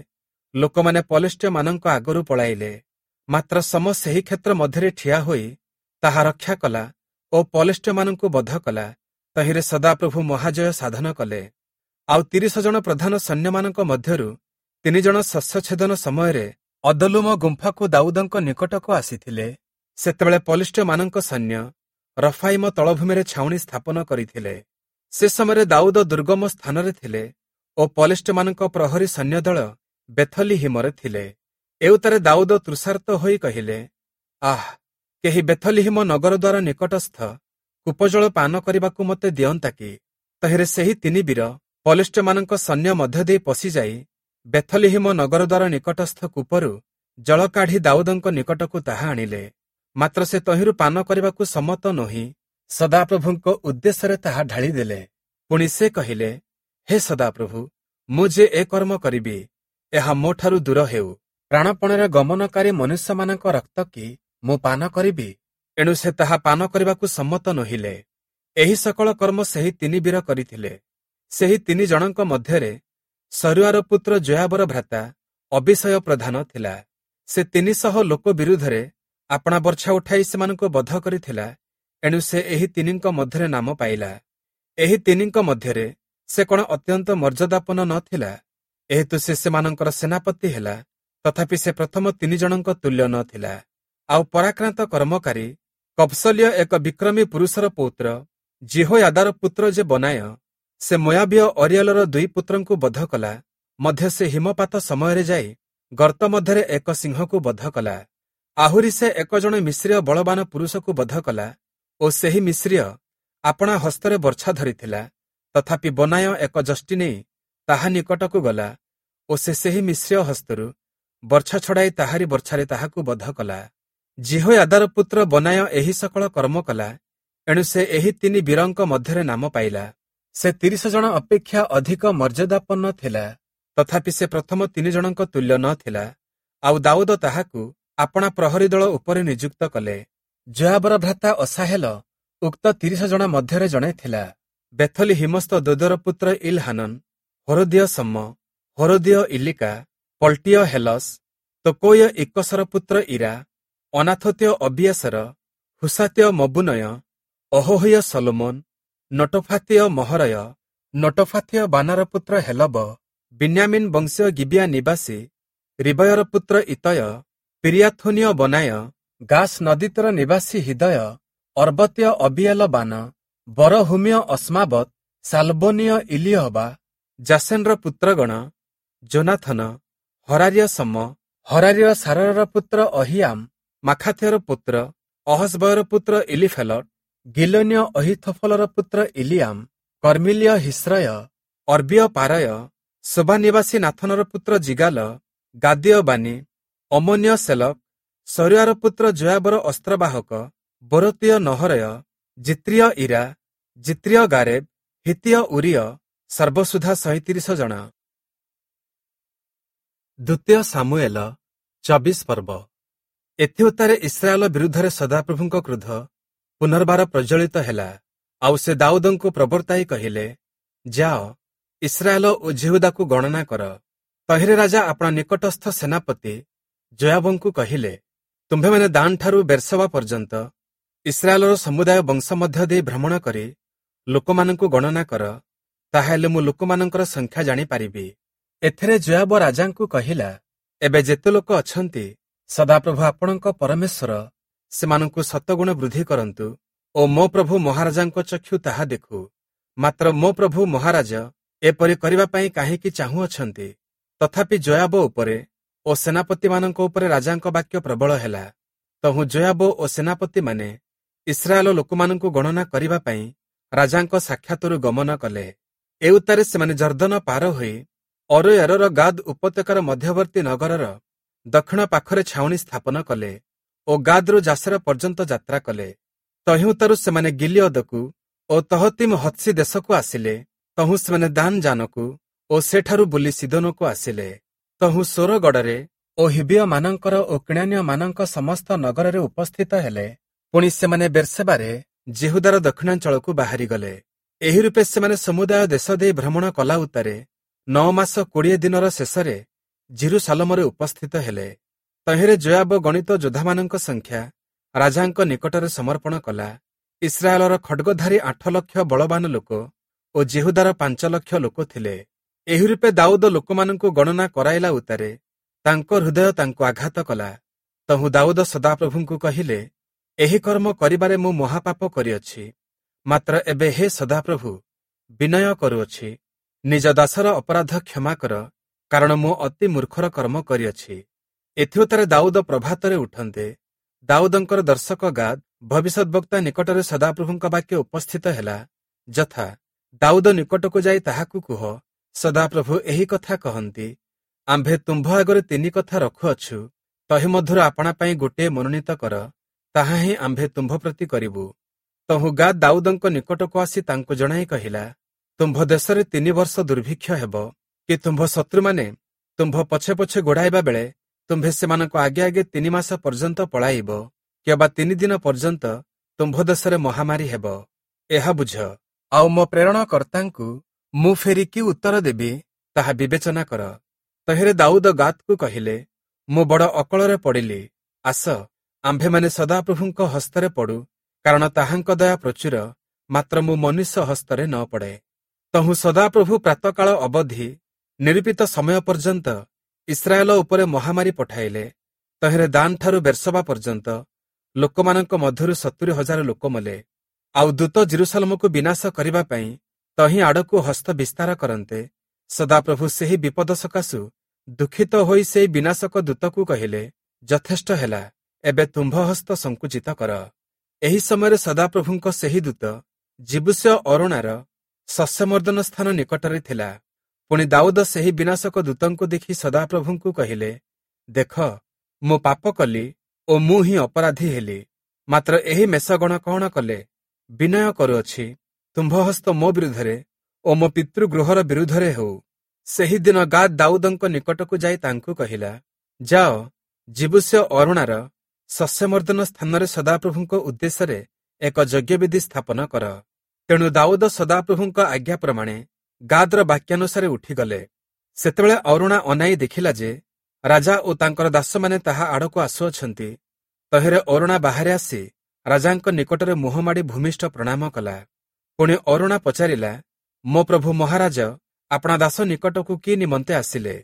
ଲୋକମାନେ ପଲେଷ୍ଟୀୟମାନଙ୍କ ଆଗରୁ ପଳାଇଲେ। ମାତ୍ର ସମ ସେହି କ୍ଷେତ୍ର ମଧ୍ୟରେ ଠିଆ ହୋଇ ତାହା ରକ୍ଷା କଲା ଓ ପଲେଷ୍ଟୀୟମାନଙ୍କୁ ବଧ କଲା। ତହିଁରେ ସଦାପ୍ରଭୁ ମହାଜୟ ସାଧନ କଲେ। ଆଉ ତିରିଶ ଜଣ ପ୍ରଧାନ ସୈନ୍ୟମାନଙ୍କ ମଧ୍ୟରୁ ତିନି ଜଣ ଶସ୍ୟଛେଦନ ସମୟରେ ଅଦଲୁମ ଗୁମ୍ଫାକୁ ଦାଉଦଙ୍କ ନିକଟକୁ ଆସିଥିଲେ। ସେତେବେଳେ ପଲେଷ୍ଟୀୟମାନଙ୍କ ସୈନ୍ୟ ରଫାଇମ ତଳଭୂମିରେ ଛାଉଣି ସ୍ଥାପନ କରିଥିଲେ। ସେ ସମୟରେ ଦାଉଦ ଦୁର୍ଗମ ସ୍ଥାନରେ ଥିଲେ ଓ ପଲେଷ୍ଟୀୟମାନଙ୍କ ପ୍ରହରୀ ସୈନ୍ୟଦଳ ବେଥଲିହିମରେ ଥିଲେ। ଏଉତ୍ତାରେ ଦାଉଦ ତୃଷାର୍ତ୍ତ ହୋଇ କହିଲେ, ଆଃ, କେହି ବେଥଲିହିମ ନଗର ଦ୍ୱାର ନିକଟସ୍ଥ କୂପଜଳ ପାନ କରିବାକୁ ମୋତେ ଦିଅନ୍ତା କି? ତହିଁରେ ସେହି ତିନି ବୀର ପଲେଷ୍ଟୀୟମାନଙ୍କ ସୈନ୍ୟ ମଧ୍ୟ ଦେଇ ପଶିଯାଇ ବେଥଲିହିମ ନଗର ଦ୍ୱାର ନିକଟସ୍ଥ କୂପରୁ ଜଳ କାଢ଼ି ଦାଉଦଙ୍କ ନିକଟକୁ ତାହା ଆଣିଲେ। ମାତ୍ର ସେ ତହିଁରୁ ପାନ କରିବାକୁ ସମ୍ମତ ନୋହି ସଦାପ୍ରଭୁଙ୍କ ଉଦ୍ଦେଶ୍ୟରେ ତାହା ଢାଳିଦେଲେ। ପୁଣି ସେ କହିଲେ, ହେ ସଦାପ୍ରଭୁ, ମୁଁ ଯେ ଏ କର୍ମ କରିବି, ଏହା ମୋଠାରୁ ଦୂର ହେଉ। ପ୍ରାଣପଣରେ ଗମନକାରୀ ମନୁଷ୍ୟମାନଙ୍କ ରକ୍ତ କି ମୁଁ ପାନ କରିବି? ଏଣୁ ସେ ତାହା ପାନ କରିବାକୁ ସମ୍ମତ ନୋହିଲେ। ଏହି ସକଳ କର୍ମ ସେହି ତିନି ବୀର କରିଥିଲେ। ସେହି ତିନି ଜଣଙ୍କ ମଧ୍ୟରେ ସରୁଆର ପୁତ୍ର ଯୋୟାବର ଭ୍ରାତା ଅବିଷୟ ପ୍ରଧାନ ଥିଲା। ସେ ତିନିଶହ ଲୋକ ବିରୁଦ୍ଧରେ ଆପଣା ବର୍ଚ୍ଛା ଉଠାଇ ସେମାନଙ୍କୁ ବଧ କରିଥିଲା। ଏଣୁ ସେ ଏହି ତିନିଙ୍କ ମଧ୍ୟରେ ନାମ ପାଇଲା। ଏହି ତିନିଙ୍କ ମଧ୍ୟରେ ସେ କଣ ଅତ୍ୟନ୍ତ ମର୍ଯ୍ୟାଦାପନ୍ନ ନ ଥିଲା? ଏହେତୁ ସେ ସେମାନଙ୍କର ସେନାପତି ହେଲା, ତଥାପି ସେ ପ୍ରଥମ ତିନି ଜଣଙ୍କ ତୁଲ୍ୟ ନ ଥିଲା। ଆଉ ପରାକ୍ରାନ୍ତ କର୍ମକାରୀ କବ୍ସଲୀୟ ଏକ ବିକ୍ରମୀ ପୁରୁଷର ପୌତ୍ର ଯିହୋୟାଦାର ପୁତ୍ର ଯେ ବନାୟ, ସେ ମୋୟାବୀୟ ଅରିୟଲର ଦୁଇ ପୁତ୍ରଙ୍କୁ ବଧ କଲା। ମଧ୍ୟ ସେ ହିମପାତ ସମୟରେ ଯାଇ ଗର୍ତ୍ତ ମଧ୍ୟରେ ଏକ ସିଂହକୁ ବଧ କଲା। ଆହୁରି ସେ ଏକ ଜଣ ମିଶ୍ରୀୟ ବଳବାନ ପୁରୁଷକୁ ବଧ କଲା ଓ ସେହି ମିଶ୍ରୀୟ ଆପଣା ହସ୍ତରେ ବର୍ଚ୍ଛା ଧରିଥିଲା। ତଥାପି ବନାୟ ଏକ ଯଷ୍ଟି ନେଇ ତାହା ନିକଟକୁ ଗଲା ଓ ସେ ସେହି ମିଶ୍ରୀୟ ହସ୍ତରୁ ବର୍ଚ୍ଛା ଛଡ଼ାଇ ତାହାରି ବର୍ଚ୍ଛାରେ ତାହାକୁ ବଧ କଲା। ଯିହୋୟାଦାର ପୁତ୍ର ବନାୟ ଏହି ସକଳ କର୍ମ କଲା। ଏଣୁ ସେ ଏହି ତିନି ବୀରଙ୍କ ମଧ୍ୟରେ ନାମ ପାଇଲା। ସେ ତିରିଶ ଜଣ ଅପେକ୍ଷା ଅଧିକ ମର୍ଯ୍ୟାଦାପନ୍ନ ଥିଲା, ତଥାପି ସେ ପ୍ରଥମ ତିନି ଜଣଙ୍କ ତୁଲ୍ୟ ନ ଥିଲା। ଆଉ ଦାଉଦ ତାହାକୁ ଆପଣା ପ୍ରହରୀ ଦଳ ଉପରେ ନିଯୁକ୍ତ କଲେ। ଯୋୟାବର ଭ୍ରାତା ଅସାହେଲ ଉକ୍ତ ତିରିଶ ଜଣ ମଧ୍ୟରେ ଜଣେ ଥିଲା। ବେଥଲି ହିମସ୍ଥ ଦୋଦର ପୁତ୍ର ଇଲହାନନ, ହୋରଦୀୟ ସମ୍ମ, ହୋରଦୀୟ ଇଲିକା, ପଲ୍ଟୀୟ ହେଲସ୍, ତୋକୋୟ ଇକସର ପୁତ୍ର ଇରା, ଅନାଥୋତୀୟ ଅବିୟାସର, ହୁସାତୀୟ ମବୁନୟ, ଅହୋହୀୟ ସଲୋମନ, ନଟୋଫାତୀୟ ମହରୟ, ନଟୋଫାତୀୟ ବାନାର ପୁତ୍ର ହେଲବ, ବିନ୍ୟାମିନ୍ ବଂଶୀୟ ଗିବିଆ ନିବାସୀ ରିବୟର ପୁତ୍ର ଇତୟ, ପିରିୟାଥୋନୀୟ ବନାୟ, ଗାସ୍ ନଦୀତୀର ନିବାସୀ ହିଦୟ, ଅର୍ବତୀୟ ଅବିଏଲ ବାନ, ବରହୁମୀୟ ଅସ୍ମାବତ, ସାଲବୋନୀୟ ଇଲିହବା, ଜାସେନର ପୁତ୍ରଗଣ, ଜୋନାଥନ, ହରାରୀୟ ଶମ୍ମ, ହରାରୀୟ ସାରରର ପୁତ୍ର ଅହୀୟାମ, ମାଖାଥୀୟର ପୁତ୍ର ଅହସ୍ବୟର ପୁତ୍ର ଇଲିଫେଲଟ, ଗିଲୋନୀୟ ଅହୀଥୋଫଲର ପୁତ୍ର ଇଲିୟାମ, କର୍ମିଲୀୟ ହିସ୍ରୟ, ଅର୍ବୀୟ ପାରୟ, ସୋବା ନିବାସୀ ନାଥନର ପୁତ୍ର ଯିଗାଲ, ଗାଦୀୟ ବାନି, ଅମ୍ମୋନୀୟ ସେଲକ, ସରୁୟାର ପୁତ୍ର ଯୋୟାବର ଅସ୍ତ୍ରବାହକ, ବେରୋତୀୟ ନହରୟ, ଜିତ୍ରୀୟ ଇରା, ଜିତ୍ରୀୟ ଗାରେବ, ହିତ୍ତୀୟ ଊରୀୟ, ସର୍ବସୁଦ୍ଧା ସଇଁତିରିଶ ଜଣ। ଦ୍ୱିତୀୟ ସାମୁଏଲ ଚବିଶ ପର୍ବ। ଏଥିଉତ୍ତାରେ ଇସ୍ରାଏଲ ବିରୁଦ୍ଧରେ ସଦାପ୍ରଭୁଙ୍କ କ୍ରୋଧ ପୁନର୍ବାର ପ୍ରଜ୍ୱଳିତ ହେଲା। ଆଉ ସେ ଦାଉଦଙ୍କୁ ପ୍ରବର୍ତ୍ତାଇ କହିଲେ, ଯାଅ, ଇସ୍ରାଏଲ ଓ ଯିହୁଦାକୁ ଗଣନା କର। ତହିଁରେ ରାଜା ଆପଣା ନିକଟସ୍ଥ ସେନାପତି ଯୋୟାବଙ୍କୁ କହିଲେ, ତୁମ୍ଭେମାନେ ଦାନଠାରୁ ବେର୍ସବା ପର୍ଯ୍ୟନ୍ତ ଇସ୍ରାଏଲର ସମୁଦାୟ ବଂଶ ମଧ୍ୟ ଦେଇ ଭ୍ରମଣ କରି ଲୋକମାନଙ୍କୁ ଗଣନା କର, ତାହାହେଲେ ମୁଁ ଲୋକମାନଙ୍କର ସଂଖ୍ୟା ଜାଣିପାରିବି। ଏଥିରେ ଯୋୟାବ ରାଜାଙ୍କୁ କହିଲା, ଏବେ ଯେତେ ଲୋକ ଅଛନ୍ତି, ସଦାପ୍ରଭୁ ଆପଣଙ୍କ ପରମେଶ୍ୱର ସେମାନଙ୍କୁ ଶତଗୁଣ ବୃଦ୍ଧି କରନ୍ତୁ ଓ ମୋ ପ୍ରଭୁ ମହାରାଜାଙ୍କ ଚକ୍ଷୁ ତାହା ଦେଖୁ। ମାତ୍ର ମୋ ପ୍ରଭୁ ମହାରାଜ ଏପରି କରିବା ପାଇଁ କାହିଁକି ଚାହୁଁଅଛନ୍ତି? ତଥାପି ଯୋୟାବ ଉପରେ ଓ ସେନାପତିମାନଙ୍କ ଉପରେ ରାଜାଙ୍କ ବାକ୍ୟ ପ୍ରବଳ ହେଲା। ତହୁଁ ଯୋୟାବ ଓ ସେନାପତିମାନେ ଇସ୍ରାଏଲ ଲୋକମାନଙ୍କୁ ଗଣନା କରିବା ପାଇଁ ରାଜାଙ୍କ ସାକ୍ଷାତରୁ ଗମନ କଲେ। ଏଉତ୍ତାରେ ସେମାନେ ଯର୍ଦ୍ଦନ ପାର ହୋଇ ଅରୋୟରର ଗାଦ ଉପତ୍ୟକାର ମଧ୍ୟବର୍ତ୍ତୀ ନଗରର ଦକ୍ଷିଣ ପାଖରେ ଛାଉଣି ସ୍ଥାପନ କଲେ ଓ ଗାଦରୁ ଜାସେର ପର୍ଯ୍ୟନ୍ତ ଯାତ୍ରା କଲେ। ତହିଁଉତ୍ତାରୁ ସେମାନେ ଗିଲିୟଦକୁ ଓ ତହତିମ ହତ୍ସି ଦେଶକୁ ଆସିଲେ। ତହୁଁ ସେମାନେ ଦାନ ଯାନକୁ ଓ ସେଠାରୁ ବୁଲି ସିଦୋନକୁ ଆସିଲେ। ତହୁଁ ସୋରଗଡ଼ରେ ଓ ହିବିୟମାନଙ୍କର ଓ କିଣାନୀୟମାନଙ୍କ ସମସ୍ତ ନଗରରେ ଉପସ୍ଥିତ ହେଲେ। ପୁଣି ସେମାନେ ବେର୍ସେବାରେ ଯିହୁଦାର ଦକ୍ଷିଣାଞ୍ଚଳକୁ ବାହାରିଗଲେ। ଏହି ରୂପେ ସେମାନେ ସମୁଦାୟ ଦେଶ ଦେଇ ଭ୍ରମଣ କଲା ଉତ୍ତାରେ ନଅ ମାସ କୋଡ଼ିଏ ଦିନର ଶେଷରେ ଯିରୂଶାଲମରେ ଉପସ୍ଥିତ ହେଲେ। ତହିଁରେ ଯୋୟାବ ଗଣିତ ଯୋଦ୍ଧାମାନଙ୍କ ସଂଖ୍ୟା ରାଜାଙ୍କ ନିକଟରେ ସମର୍ପଣ କଲା। ଇସ୍ରାଏଲର ଖଡ୍ଗଧାରୀ ଆଠ ଲକ୍ଷ ବଳବାନ ଲୋକ ଓ ଯିହୁଦାର ପାଞ୍ଚ ଲକ୍ଷ ଲୋକ ଥିଲେ। ଏହି ରୂପେ ଦାଉଦ ଲୋକମାନଙ୍କୁ ଗଣନା କରାଇଲା ଉତ୍ତାରେ ତାଙ୍କ ହୃଦୟ ତାଙ୍କୁ ଆଘାତ କଲା। ତହୁଁ ଦାଉଦ ସଦାପ୍ରଭୁଙ୍କୁ କହିଲେ, ଏହି କର୍ମ କରିବାରେ ମୁଁ ମହାପାପ କରିଅଛି। ମାତ୍ର ଏବେ ହେ ସଦାପ୍ରଭୁ, ବିନୟ କରୁଅଛି, ନିଜ ଦାସର ଅପରାଧ କ୍ଷମା କର, କାରଣ ମୁଁ ଅତି ମୂର୍ଖର କର୍ମ କରିଅଛି। ଏଥିଉତ୍ତାରେ ଦାଉଦ ପ୍ରଭାତରେ ଉଠନ୍ତେ ଦାଉଦଙ୍କର ଦର୍ଶକ ଗାଦ ଭବିଷ୍ୟଦ୍‌ବକ୍ତା ନିକଟରେ ସଦାପ୍ରଭୁଙ୍କ ବାକ୍ୟ ଉପସ୍ଥିତ ହେଲା, ଯଥା, ଦାଉଦ ନିକଟକୁ ଯାଇ ତାହାକୁ କୁହ, ସଦାପ୍ରଭୁ ଏହି କଥା କହନ୍ତି, ଆମ୍ଭେ ତୁମ୍ଭ ଆଗରେ ତିନି କଥା ରଖୁଅଛୁ, ତହିଁ ମଧ୍ୟରୁ ଆପଣା ପାଇଁ ଗୋଟିଏ ମନୋନୀତ କର, ତାହା ହିଁ ଆମ୍ଭେ ତୁମ୍ଭ ପ୍ରତି କରିବୁ। ତହୁଁ ଗାଦ ଦାଉଦଙ୍କ ନିକଟକୁ ଆସି ତାଙ୍କୁ ଜଣାଇ କହିଲା, ତୁମ୍ଭ ଦେଶରେ ତିନି ବର୍ଷ ଦୁର୍ଭିକ୍ଷ ହେବ କି ତୁମ୍ଭ ଶତ୍ରୁମାନେ ତୁମ୍ଭ ପଛେ ପଛେ ଗୋଡ଼ାଇବା ବେଳେ ତୁମ୍ଭେ ସେମାନଙ୍କ ଆଗେ ଆଗେ ତିନି ମାସ ପର୍ଯ୍ୟନ୍ତ ପଳାଇବ, କିମ୍ବା ତିନି ଦିନ ପର୍ଯ୍ୟନ୍ତ ତୁମ୍ଭ ଦେଶରେ ମହାମାରୀ ହେବ। ଏହା ବୁଝ, ଆଉ ମୋ ପ୍ରେରଣକର୍ତ୍ତାଙ୍କୁ ମୁଁ ଫେରି କି ଉତ୍ତର ଦେବି ତାହା ବିବେଚନା କର। ତହିଁରେ ଦାଉଦ ଗାଦକୁ କହିଲେ, ମୁଁ ବଡ଼ ଅକଳରେ ପଡ଼ିଲି। ଆସ, ଆମ୍ଭେମାନେ ସଦାପ୍ରଭୁଙ୍କ ହସ୍ତରେ ପଡୁ, କାରଣ ତାହାଙ୍କ ଦୟା ପ୍ରଚୁର, ମାତ୍ର ମୁଁ ମନୁଷ୍ୟ ହସ୍ତରେ ନ ପଡ଼େ। ତହୁଁ ସଦାପ୍ରଭୁ ପ୍ରାତଃକାଳ ଅବଧି ନିରୂପିତ ସମୟ ପର୍ଯ୍ୟନ୍ତ ଇସ୍ରାଏଲ ଉପରେ ମହାମାରୀ ପଠାଇଲେ। ତହିଁରେ ଦାନଠାରୁ ବେର୍ସବା ପର୍ଯ୍ୟନ୍ତ ଲୋକମାନଙ୍କ ମଧ୍ୟରୁ ସତୁରି ହଜାର ଲୋକ ମଲେ। ଆଉ ଦୂତ ଯିରୂଶାଲମକୁ ବିନାଶ କରିବା ପାଇଁ ତହିଁ ଆଡ଼କୁ ହସ୍ତ ବିସ୍ତାର କରନ୍ତେ ସଦାପ୍ରଭୁ ସେହି ବିପଦ ସକାଶୁ ଦୁଃଖିତ ହୋଇ ସେହି ବିନାଶକ ଦୂତକୁ କହିଲେ, ଯଥେଷ୍ଟ ହେଲା, ଏବେ ତୁମ୍ଭ ହସ୍ତ ସଂକୁଚିତ କର। ଏହି ସମୟରେ ସଦାପ୍ରଭୁଙ୍କ ସେହି ଦୂତ ଯିବୂସୀୟ ଅରୌଣାର ଶସ୍ୟମର୍ଦ୍ଦନ ସ୍ଥାନ ନିକଟରେ ଥିଲା। ପୁଣି ଦାଉଦ ସେହି ବିନାଶକ ଦୂତଙ୍କୁ ଦେଖି ସଦାପ୍ରଭୁଙ୍କୁ କହିଲେ, ଦେଖ, ମୁଁ ପାପ କଲି ଓ ମୁଁ ହିଁ ଅପରାଧୀ ହେଲି। ମାତ୍ର ଏହି ମେଷଗଣ କଣ କଲେ? ବିନୟ କରୁଅଛି, ତୁମ୍ଭ ହସ୍ତ ମୋ ବିରୁଦ୍ଧରେ ଓ ମୋ ପିତୃଗୃହର ବିରୁଦ୍ଧରେ ହେଉ। ସେହିଦିନ ଗାଦ ଦାଉଦଙ୍କ ନିକଟକୁ ଯାଇ ତାଙ୍କୁ କହିଲା, ଯାଅ, ଯିବୂସୀୟ ଅରୌଣାର ଶସ୍ୟମର୍ଦ୍ଦନ ସ୍ଥାନରେ ସଦାପ୍ରଭୁଙ୍କ ଉଦ୍ଦେଶ୍ୟରେ ଏକ ଯଜ୍ଞବେଦୀ ସ୍ଥାପନ କର। ତେଣୁ ଦାଉଦ ସଦାପ୍ରଭୁଙ୍କ ଆଜ୍ଞା ପ୍ରମାଣେ ଗାଦର ବାକ୍ୟାନୁସାରେ ଉଠିଗଲେ। ସେତେବେଳେ ଅରୁଣା ଅନାଇ ଦେଖିଲା ଯେ ରାଜା ଓ ତାଙ୍କର ଦାସମାନେ ତାହା ଆଡ଼କୁ ଆସୁଅଛନ୍ତି। ତହିଁରେ ଅରୁଣା ବାହାରେ ଆସି ରାଜାଙ୍କ ନିକଟରେ ମୁହଁ ମାଡ଼ି ଭୂମିଷ୍ଠ ପ୍ରଣାମ କଲା। ପୁଣି ଅରୁଣା ପଚାରିଲା, ମୋ ପ୍ରଭୁ ମହାରାଜ ଆପଣା ଦାସ ନିକଟକୁ କି ନିମନ୍ତେ ଆସିଲେ?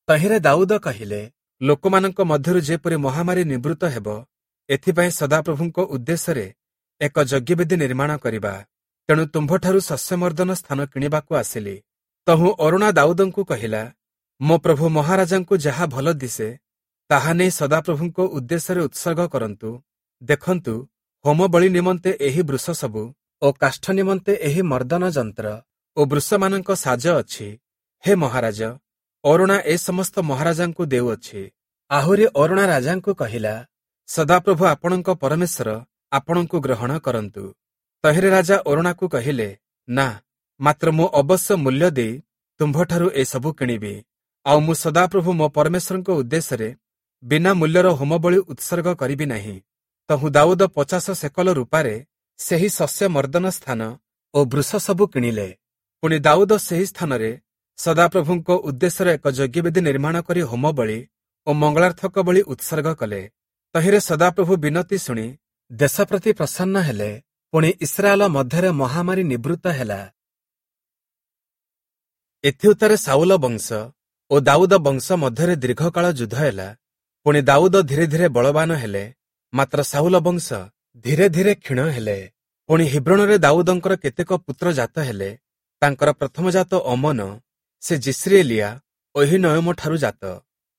ତହିଁରେ ଦାଉଦ କହିଲେ, ଲୋକମାନଙ୍କ ମଧ୍ୟରୁ ଯେପରି ମହାମାରୀ ନିବୃତ୍ତ ହେବ, ଏଥିପାଇଁ ସଦାପ୍ରଭୁଙ୍କ ଉଦ୍ଦେଶ୍ୟରେ ଏକ ଯଜ୍ଞବେଦୀ ନିର୍ମାଣ କରିବା। ତେଣୁ ତୁମ୍ଭଠାରୁ ଶସ୍ୟମର୍ଦ୍ଦନ ସ୍ଥାନ କିଣିବାକୁ ଆସିଲି। ତହୁଁ ଅରୁଣା ଦାଉଦଙ୍କୁ କହିଲା, ମୋ ପ୍ରଭୁ ମହାରାଜାଙ୍କୁ ଯାହା ଭଲ ଦିଶେ ତାହା ନେଇ ସଦାପ୍ରଭୁଙ୍କ ଉଦ୍ଦେଶ୍ୟରେ ଉତ୍ସର୍ଗ କରନ୍ତୁ। ଦେଖନ୍ତୁ, ହୋମ ବଳି ନିମନ୍ତେ ଏହି ବୃଷ ସବୁ ଓ କାଷ୍ଠ ନିମନ୍ତେ ଏହି ମର୍ଦ୍ଦନ ଯନ୍ତ୍ର ଓ ବୃଷମାନଙ୍କ ସାଜ ଅଛି। ହେ ମହାରାଜ, ଅରୁଣା ଏ ସମସ୍ତ ମହାରାଜାଙ୍କୁ ଦେଉଅଛି। ଆହୁରି ଅରୁଣା ରାଜାଙ୍କୁ କହିଲା, ସଦାପ୍ରଭୁ ଆପଣଙ୍କ ପରମେଶ୍ୱର ଆପଣଙ୍କୁ ଗ୍ରହଣ କରନ୍ତୁ। ତହିଁରେ ରାଜା ଅରୁଣାକୁ କହିଲେ, ନା, ମାତ୍ର ମୁଁ ଅବଶ୍ୟ ମୂଲ୍ୟ ଦେଇ ତୁମ୍ଭଠାରୁ ଏସବୁ କିଣିବି। ଆଉ ମୁଁ ସଦାପ୍ରଭୁ ମୋ ପରମେଶ୍ୱରଙ୍କ ଉଦ୍ଦେଶ୍ୟରେ ବିନା ମୂଲ୍ୟର ହୋମବଳି ଉତ୍ସର୍ଗ କରିବି ନାହିଁ। ତହୁଁ ଦାଉଦ ପଚାଶ ସେକଲ ରୂପାରେ ସେହି ଶସ୍ୟ ମର୍ଦ୍ଦନ ସ୍ଥାନ ଓ ବୃଷ ସବୁ କିଣିଲେ। ପୁଣି ଦାଉଦ ସେହି ସ୍ଥାନରେ ସଦାପ୍ରଭୁଙ୍କ ଉଦ୍ଦେଶ୍ୟରେ ଏକ ଯଜ୍ଞବେଦୀ ନିର୍ମାଣ କରି ହୋମବଳି ଓ ମଙ୍ଗଳାର୍ଥକ ବଳି ଉତ୍ସର୍ଗ କଲେ। ତହିଁରେ ସଦାପ୍ରଭୁ ବିନତି ଶୁଣି ଦେଶ ପ୍ରତି ପ୍ରସନ୍ନ ହେଲେ। ପୁଣି ଇସ୍ରାଏଲ ମଧ୍ୟରେ ମହାମାରୀ ନିବୃତ୍ତ ହେଲା। ଏଥିଉତ୍ତାରେ ସାଉଲ ବଂଶ ଓ ଦାଉଦ ବଂଶ ମଧ୍ୟରେ ଦୀର୍ଘକାଳ ଯୁଦ୍ଧ ହେଲା। ପୁଣି ଦାଉଦ ଧୀରେ ଧୀରେ ବଳବାନ ହେଲେ, ମାତ୍ର ସାଉଲ ବଂଶ ଧୀରେ ଧୀରେ କ୍ଷୀଣ ହେଲେ। ପୁଣି ହିବ୍ରୋଣରେ ଦାଉଦଙ୍କର କେତେକ ପୁତ୍ର ଜାତ ହେଲେ। ତାଙ୍କର ପ୍ରଥମ ଜାତ ଅମନ, ସେ ଯିସ୍ରିଏଲିଆ ଅହୀନୟମଠାରୁ ଜାତ।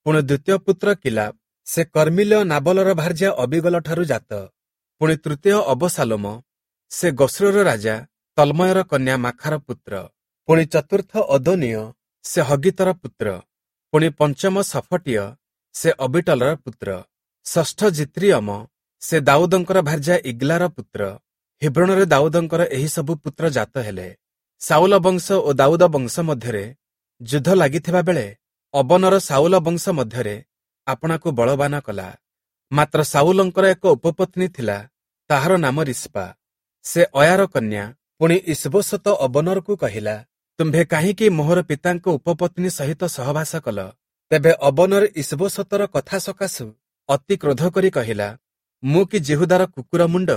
ପୁଣି ଦ୍ୱିତୀୟ ପୁତ୍ର କିଲାବ, ସେ କର୍ମିଲୀୟ ନାବଲର ଭାର୍ଯ୍ୟା ଅବିଗଲଠାରୁ ଜାତ। ପୁଣି ତୃତୀୟ ଅବସାଲୋମ, ସେ ଗଶୂରର ରାଜା ତଲ୍ମୟର କନ୍ୟା ମାଖାର ପୁତ୍ର। ପୁଣି ଚତୁର୍ଥ ଅଦୋନୀୟ, ସେ ହଗୀତର ପୁତ୍ର। ପୁଣି ପଞ୍ଚମ ସଫଟୀୟ, ସେ ଅବିଟଲର ପୁତ୍ର। ଷଷ୍ଠ ଜିତ୍ରିୟମ, ସେ ଦାଉଦଙ୍କର ଭାର୍ଯ୍ୟା ଇଗ୍ଲାର ପୁତ୍ର। ହିବ୍ରୋଣରେ ଦାଉଦଙ୍କର ଏହି ସବୁ ପୁତ୍ର ଜାତ ହେଲେ। ସାଉଲ ବଂଶ ଓ ଦାଉଦ ବଂଶ ମଧ୍ୟରେ ଯୁଦ୍ଧ ଲାଗିଥିବା ବେଳେ ଅବନର ସାଉଲ ବଂଶ ମଧ୍ୟରେ ଆପଣାକୁ ବଳବାନ କଲା। ମାତ୍ର ସାଉଲଙ୍କର ଏକ ଉପପତ୍ନୀ ଥିଲା, ତାହାର ନାମ ରିସ୍ପା, ସେ ଅୟାର କନ୍ୟା। ପୁଣି ଇସବୋଶତ ଅବନରକୁ କହିଲା, ତୁମ୍ଭେ କାହିଁକି ମୋହର ପିତାଙ୍କ ଉପପତ୍ନୀ ସହିତ ସହବାସ କଲ? ତେବେ ଅବନର ଇସବୋଶତର କଥା ସକାଶୁ ଅତି କ୍ରୋଧ କରି କହିଲା, ମୁଁ କି ଯିହୁଦାର କୁକୁର ମୁଣ୍ଡ?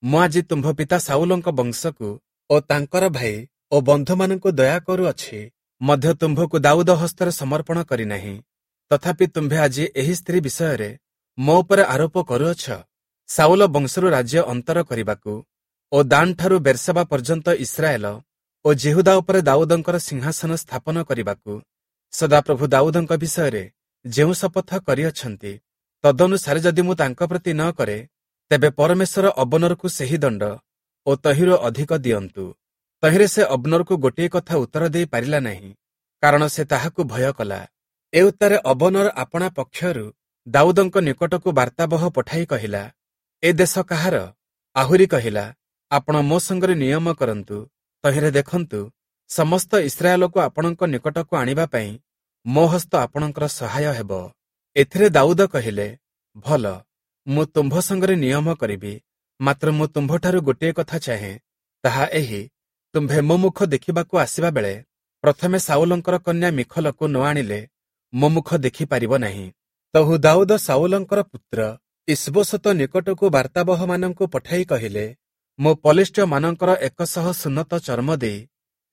ମୁଁ ଆଜି ତୁମ୍ଭ ପିତା ସାଉଲଙ୍କ ବଂଶକୁ ଓ ତାଙ୍କର ଭାଇ ଓ ବନ୍ଧୁମାନଙ୍କୁ ଦୟା କରୁଅଛି, ମଧ୍ୟ ତୁମ୍ଭକୁ ଦାଉଦ ହସ୍ତରେ ସମର୍ପଣ କରିନାହିଁ। ତଥାପି ତୁମ୍ଭେ ଆଜି ଏହି ସ୍ତ୍ରୀ ବିଷୟରେ ମୋ ଉପରେ ଆରୋପ କରୁଅଛ। ସାଉଲ ବଂଶରୁ ରାଜ୍ୟ ଅନ୍ତର କରିବାକୁ ଓ ଦାନଠାରୁ ବେର୍ସେବା ପର୍ଯ୍ୟନ୍ତ ଇସ୍ରାଏଲ ଓ ଯିହୁଦା ଉପରେ ଦାଉଦଙ୍କର ସିଂହାସନ ସ୍ଥାପନ କରିବାକୁ ସଦାପ୍ରଭୁ ଦାଉଦଙ୍କ ବିଷୟରେ ଯେଉଁ ଶପଥ କରିଅଛନ୍ତି, ତଦନୁସାରେ ଯଦି ମୁଁ ତାଙ୍କ ପ୍ରତି ନ କରେ, ତେବେ ପରମେଶ୍ୱର ଅବନରକୁ ସେହି ଦଣ୍ଡ ଓ ତହିଁରୁ ଅଧିକ ଦିଅନ୍ତୁ। ତହିଁରେ ସେ ଅବନରକୁ ଗୋଟିଏ କଥା ଉତ୍ତର ଦେଇ ପାରିଲା ନାହିଁ, କାରଣ ସେ ତାହାକୁ ଭୟ କଲା। ଏ ଉତ୍ତାରେ ଅବନର ଆପଣା ପକ୍ଷରୁ ଦାଉଦଙ୍କ ନିକଟକୁ ବାର୍ତ୍ତାବହ ପଠାଇ କହିଲା, ଏ ଦେଶ କାହାର? ଆହୁରି କହିଲା, ଆପଣ ମୋ ସଙ୍ଗରେ ନିୟମ କରନ୍ତୁ, ତହିଁରେ ଦେଖନ୍ତୁ ସମସ୍ତ ଇସ୍ରାଏଲକୁ ଆପଣଙ୍କ ନିକଟକୁ ଆଣିବା ପାଇଁ ମୋ ହସ୍ତ ଆପଣଙ୍କର ସହାୟ ହେବ। ଏଥିରେ ଦାଉଦ କହିଲେ, ଭଲ, ମୁଁ ତୁମ୍ଭ ସଙ୍ଗରେ ନିୟମ କରିବି, ମାତ୍ର ମୁଁ ତୁମ୍ଭଠାରୁ ଗୋଟିଏ କଥା ଚାହେଁ, ତାହା ଏହି, ତୁମ୍ଭେ ମୋ ମୁଖ ଦେଖିବାକୁ ଆସିବା ବେଳେ ପ୍ରଥମେ ସାଉଲଙ୍କର କନ୍ୟା ମିଖଲକୁ ନ ଆଣିଲେ ମୋ ମୁଖ ଦେଖିପାରିବ ନାହିଁ। ତହୁ ଦାଉଦ ସାଉଲଙ୍କର ପୁତ୍ର ଇସବୋଶତ ନିକଟକୁ ବାର୍ତ୍ତାବହମାନଙ୍କୁ ପଠାଇ କହିଲେ, ମୁଁ ପଲିଷ୍ଠୀୟମାନଙ୍କର ଏକଶହ ସୁନ୍ନତ ଚର୍ମ ଦେଇ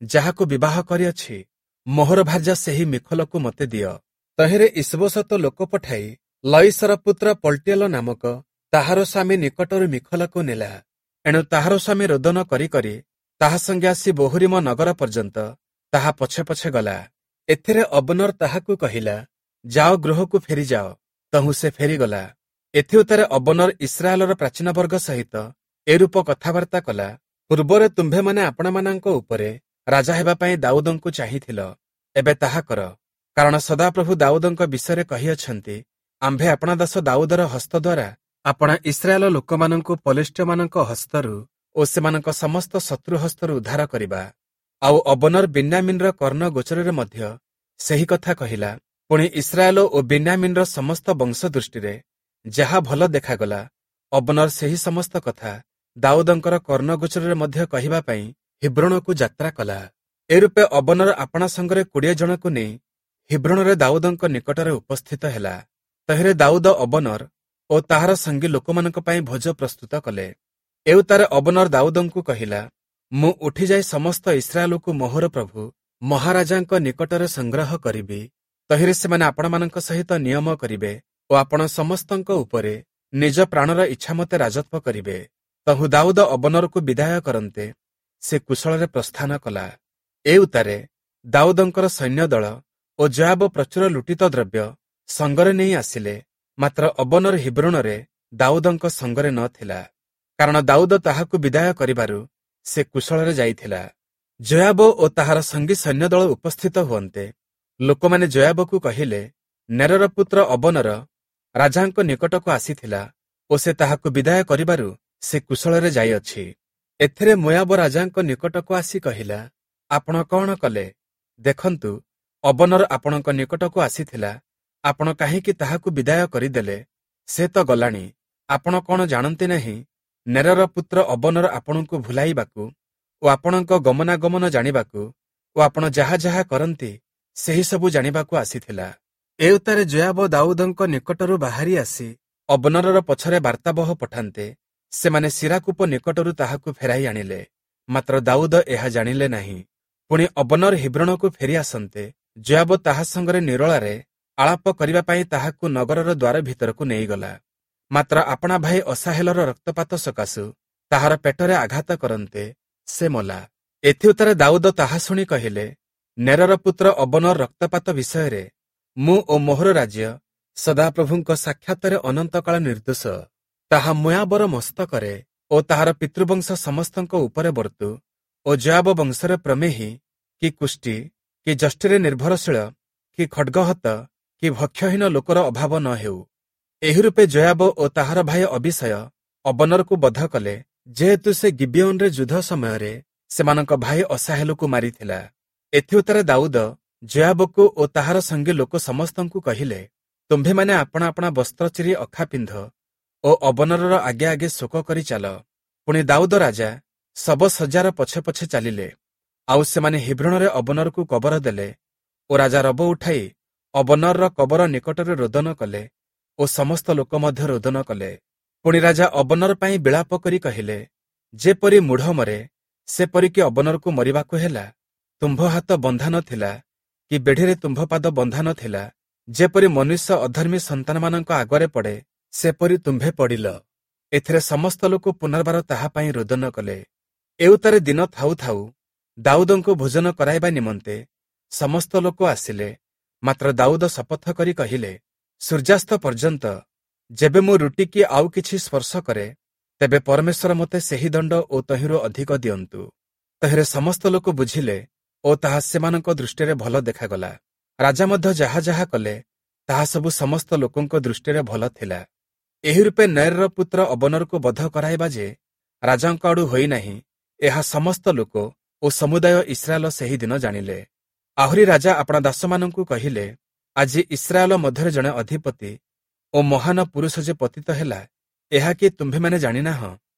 ଯାହାକୁ ବିବାହ କରିଅଛି, ମୋହର ଭାର୍ଯ୍ୟା ସେହି ମିଖଲକୁ ମୋତେ ଦିଅ। ତହିଁରେ ଇସବୋଶତ ଲୋକ ପଠାଇ ଲଇସର ପୁତ୍ର ପଲ୍ଟିଏଲ ନାମକ ତାହାର ସ୍ୱାମୀ ନିକଟରୁ ମିଖଲକୁ ନେଲା। ଏଣୁ ତାହାର ସ୍ୱାମୀ ରୋଦନ କରି କରି ତାହା ସଙ୍ଗେ ଆସି ବୋହୁରିମ ନଗର ପର୍ଯ୍ୟନ୍ତ ତାହା ପଛେ ପଛେ ଗଲା। ଏଥିରେ ଅବନର ତାହାକୁ କହିଲା, ଯାଅ, ଗୃହକୁ ଫେରିଯାଅ। ତହୁଁ ସେ ଫେରିଗଲା। ଏଥିଉତ୍ତାରେ ଅବନର ଇସ୍ରାଏଲର ପ୍ରାଚୀନ ବର୍ଗ ସହିତ ଏରୂପ କଥାବାର୍ତ୍ତା କଲା, ପୂର୍ବରେ ତୁମ୍ଭେମାନେ ଆପଣମାନଙ୍କ ଉପରେ ରାଜା ହେବା ପାଇଁ ଦାଉଦଙ୍କୁ ଚାହିଁଥିଲ, ଏବେ ତାହା କର। କାରଣ ସଦାପ୍ରଭୁ ଦାଉଦଙ୍କ ବିଷୟରେ କହିଅଛନ୍ତି, ଆମ୍ଭେ ଆପଣା ଦାସ ଦାଉଦର ହସ୍ତ ଦ୍ୱାରା ଆପଣା ଇସ୍ରାଏଲ ଲୋକମାନଙ୍କୁ ପଲିଷ୍ଠୀୟମାନଙ୍କ ହସ୍ତରୁ ଓ ସେମାନଙ୍କ ସମସ୍ତ ଶତ୍ରୁ ହସ୍ତରୁ ଉଦ୍ଧାର କରିବା। ଆଉ ଅବନର ବିନ୍ୟାମିନର କର୍ଣ୍ଣ ଗୋଚରରେ ମଧ୍ୟ ସେହି କଥା କହିଲା। ପୁଣି ଇସ୍ରାଏଲ ଓ ବିନ୍ୟାମିନର ସମସ୍ତ ବଂଶ ଦୃଷ୍ଟିରେ ଯାହା ଭଲ ଦେଖାଗଲା, ଅବନର ସେହି ସମସ୍ତ କଥା ଦାଉଦଙ୍କର କର୍ଣ୍ଣଗୋଚରରେ ମଧ୍ୟ କହିବା ପାଇଁ ହିବ୍ରୋଣକୁ ଯାତ୍ରା କଲା। ଏରୂପେ ଅବନର ଆପଣା ସଙ୍ଗରେ କୋଡ଼ିଏ ଜଣକୁ ନେଇ ହିବ୍ରୋଣରେ ଦାଉଦଙ୍କ ନିକଟରେ ଉପସ୍ଥିତ ହେଲା। ତହିଁରେ ଦାଉଦ ଅବନର ଓ ତାହାର ସଙ୍ଗୀ ଲୋକମାନଙ୍କ ପାଇଁ ଭୋଜ ପ୍ରସ୍ତୁତ କଲେ। ଏଉତ୍ତାରେ ଅବନର ଦାଉଦଙ୍କୁ କହିଲା, ମୁଁ ଉଠିଯାଇ ସମସ୍ତ ଇସ୍ରାଏଲକୁ ମୋହର ପ୍ରଭୁ ମହାରାଜାଙ୍କ ନିକଟରେ ସଂଗ୍ରହ କରିବି। ତହିଁରେ ସେମାନେ ଆପଣମାନଙ୍କ ସହିତ ନିୟମ କରିବେ ଓ ଆପଣ ସମସ୍ତଙ୍କ ଉପରେ ନିଜ ପ୍ରାଣର ଇଚ୍ଛାମତେ ରାଜତ୍ୱ କରିବେ। ତହୁଁ ଦାଉଦ ଅବନରକୁ ବିଦାୟ କରନ୍ତେ ସେ କୁଶଳରେ ପ୍ରସ୍ଥାନ କଲା। ଏ ଉତ୍ତାରେ ଦାଉଦଙ୍କର ସୈନ୍ୟଦଳ ଓ ଯୋୟାବ ପ୍ରଚୁର ଲୁଟିତ ଦ୍ରବ୍ୟ ସଙ୍ଗରେ ନେଇ ଆସିଲେ, ମାତ୍ର ଅବନର ହିବ୍ରୋଣରେ ଦାଉଦଙ୍କ ସଙ୍ଗରେ ନ ଥିଲା, କାରଣ ଦାଉଦ ତାହାକୁ ବିଦାୟ କରିବାରୁ ସେ କୁଶଳରେ ଯାଇଥିଲା। ଯୋୟାବ ଓ ତାହାର ସଙ୍ଗୀ ସୈନ୍ୟଦଳ ଉପସ୍ଥିତ ହୁଅନ୍ତେ ଲୋକମାନେ ଯୋୟାବକୁ କହିଲେ, ନେରର ପୁତ୍ର ଅବନର ରାଜାଙ୍କ ନିକଟକୁ ଆସିଥିଲା ଓ ସେ ତାହାକୁ ବିଦାୟ କରିବାରୁ ସେ କୁଶଳରେ ଯାଇଅଛି। ଏଥିରେ ମୋୟାବ ରାଜାଙ୍କ ନିକଟକୁ ଆସି କହିଲା, ଆପଣ କଣ କଲେ? ଦେଖନ୍ତୁ, ଅବନର ଆପଣଙ୍କ ନିକଟକୁ ଆସିଥିଲା, ଆପଣ କାହିଁକି ତାହାକୁ ବିଦାୟ କରିଦେଲେ? ସେ ତ ଗଲାଣି। ଆପଣ କଣ ଜାଣନ୍ତି ନାହିଁ, ନେରର ପୁତ୍ର ଅବନର ଆପଣଙ୍କୁ ଭୁଲାଇବାକୁ ଓ ଆପଣଙ୍କ ଗମନାଗମନ ଜାଣିବାକୁ ଓ ଆପଣ ଯାହା ଯାହା କରନ୍ତି ସେହି ସବୁ ଜାଣିବାକୁ ଆସିଥିଲା। ଏଉତ୍ତାରେ ଯୋୟାବ ଦାଉଦଙ୍କ ନିକଟରୁ ବାହାରି ଆସି ଅବନରର ପଛରେ ବାର୍ତ୍ତାବହ ପଠାନ୍ତେ ସେମାନେ ଶିରାକୂପ ନିକଟରୁ ତାହାକୁ ଫେରାଇ ଆଣିଲେ, ମାତ୍ର ଦାଉଦ ଏହା ଜାଣିଲେ ନାହିଁ। ପୁଣି ଅବନର ହିବ୍ରୋଣକୁ ଫେରି ଆସନ୍ତେ ଯୋୟାବ ତାହା ସଙ୍ଗରେ ନିରୋଳାରେ ଆଳାପ କରିବା ପାଇଁ ତାହାକୁ ନଗରର ଦ୍ୱାର ଭିତରକୁ ନେଇଗଲା। ମାତ୍ର ଆପଣା ଭାଇ ଅସାହେଲର ରକ୍ତପାତ ସକାଶୁ ତାହାର ପେଟରେ ଆଘାତ କରନ୍ତେ ସେ ମଲା। ଏଥିଉତ୍ତାରେ ଦାଉଦ ତାହା ଶୁଣି କହିଲେ, ନେରର ପୁତ୍ର ଅବନର ରକ୍ତପାତ ବିଷୟରେ ମୁଁ ଓ ମୋହର ରାଜ୍ୟ ସଦାପ୍ରଭୁଙ୍କ ସାକ୍ଷାତରେ ଅନନ୍ତକାଳ ନିର୍ଦ୍ଦୋଷ। ତାହା ମୋୟାବର ମସ୍ତକରେ ଓ ତାହାର ପିତୃବଂଶ ସମସ୍ତଙ୍କ ଉପରେ ବର୍ତ୍ତୁ ଓ ଯୋୟାବ ବଂଶରେ ପ୍ରମେହୀ କି କୁଷ୍ଠି କି ଯଷ୍ଟିରେ ନିର୍ଭରଶୀଳ କି ଖଡ୍ଗହତ କି ଭକ୍ଷହୀନ ଲୋକର ଅଭାବ ନ ହେଉ। ଏହି ରୂପେ ଯୋୟାବ ଓ ତାହାର ଭାଇ ଅବିଷୟ ଅବନରକୁ ବଧ କଲେ, ଯେହେତୁ ସେ ଗିବିୟୋନରେ ଯୁଦ୍ଧ ସମୟରେ ସେମାନଙ୍କ ଭାଇ ଅସାହେଲକୁ ମାରିଥିଲା। ଏଥିଉତ୍ତାରେ ଦାଉଦ ଯୋୟାବକୁ ଓ ତାହାର ସଙ୍ଗୀ ଲୋକ ସମସ୍ତଙ୍କୁ କହିଲେ, ତୁମ୍ଭେମାନେ ଆପଣା ଆପଣା ବସ୍ତ୍ର ଚିରି ଅଖା ପିନ୍ଧ ଓ ଅବନରର ଆଗେ ଆଗେ ଶୋକ କରି ଚାଲ। ପୁଣି ଦାଉଦ ରାଜା ଶବଶଯ୍ୟାର ପଛେ ପଛେ ଚାଲିଲେ। ଆଉ ସେମାନେ ହିବ୍ରୋଣରେ ଅବନରକୁ କବର ଦେଲେ ଓ ରାଜା ରବ ଉଠାଇ ଅବନରର କବର ନିକଟରେ ରୋଦନ କଲେ ଓ ସମସ୍ତ ଲୋକ ମଧ୍ୟ ରୋଦନ କଲେ। ପୁଣି ରାଜା ଅବନର ପାଇଁ ବିଳାପ କରି କହିଲେ, ଯେପରି ମୂଢ଼ ମରେ ସେପରିକି ଅବନରକୁ ମରିବାକୁ ହେଲା। ତୁମ୍ଭ ହାତ ବନ୍ଧା ନଥିଲା କି ବେଢ଼ିରେ ତୁମ୍ଭ ପାଦ ବନ୍ଧା ନଥିଲା। ଯେପରି ମନୁଷ୍ୟ ଅଧର୍ମୀ ସନ୍ତାନମାନଙ୍କ ଆଗରେ ପଡ଼େ ସେପରି ତୁମ୍ଭେ ପଡ଼ିଲ। ଏଥିରେ ସମସ୍ତ ଲୋକ ପୁନର୍ବାର ତାହା ପାଇଁ ରୋଦନ କଲେ। ଏଉତ୍ତାରେ ଦିନ ଥାଉ ଥାଉ ଦାଉଦଙ୍କୁ ଭୋଜନ କରାଇବା ନିମନ୍ତେ ସମସ୍ତ ଲୋକ ଆସିଲେ, ମାତ୍ର ଦାଉଦ ଶପଥ କରି କହିଲେ, ସୂର୍ଯ୍ୟାସ୍ତ ପର୍ଯ୍ୟନ୍ତ ଯେବେ ମୁଁ ରୁଟି କି ଆଉ କିଛି ସ୍ପର୍ଶ କରେ, ତେବେ ପରମେଶ୍ୱର ମୋତେ ସେହି ଦଣ୍ଡ ଓ ତହିଁରୁ ଅଧିକ ଦିଅନ୍ତୁ। ତହିଁରେ ସମସ୍ତ ଲୋକ ବୁଝିଲେ ଓ ତାହା ସେମାନଙ୍କ ଦୃଷ୍ଟିରେ ଭଲ ଦେଖାଗଲା। ରାଜା ମଧ୍ୟ ଯାହା ଯାହା କଲେ ତାହା ସବୁ ସମସ୍ତ ଲୋକଙ୍କ ଦୃଷ୍ଟିରେ ଭଲ ଥିଲା। ଏହି ରୂପେ ନେରର ପୁତ୍ର ଅବନରକୁ ବଧ କରାଇବା ଯେ ରାଜାଙ୍କ ଆଡ଼ୁ ହୋଇନାହିଁ, ଏହା ସମସ୍ତ ଲୋକ ଓ ସମୁଦାୟ ଇସ୍ରାଏଲ ସେହି ଦିନ ଜାଣିଲେ। ଆହୁରି ରାଜା ଆପଣା ଦାସମାନଙ୍କୁ କହିଲେ, ଆଜି ଇସ୍ରାଏଲ ମଧ୍ୟରେ ଜଣେ ଅଧିପତି ଓ ମହାନ ପୁରୁଷ ଯେ ପତିତ ହେଲା, ଏହା କି ତୁମ୍ଭେମାନେ ଜାଣିନାହଁ?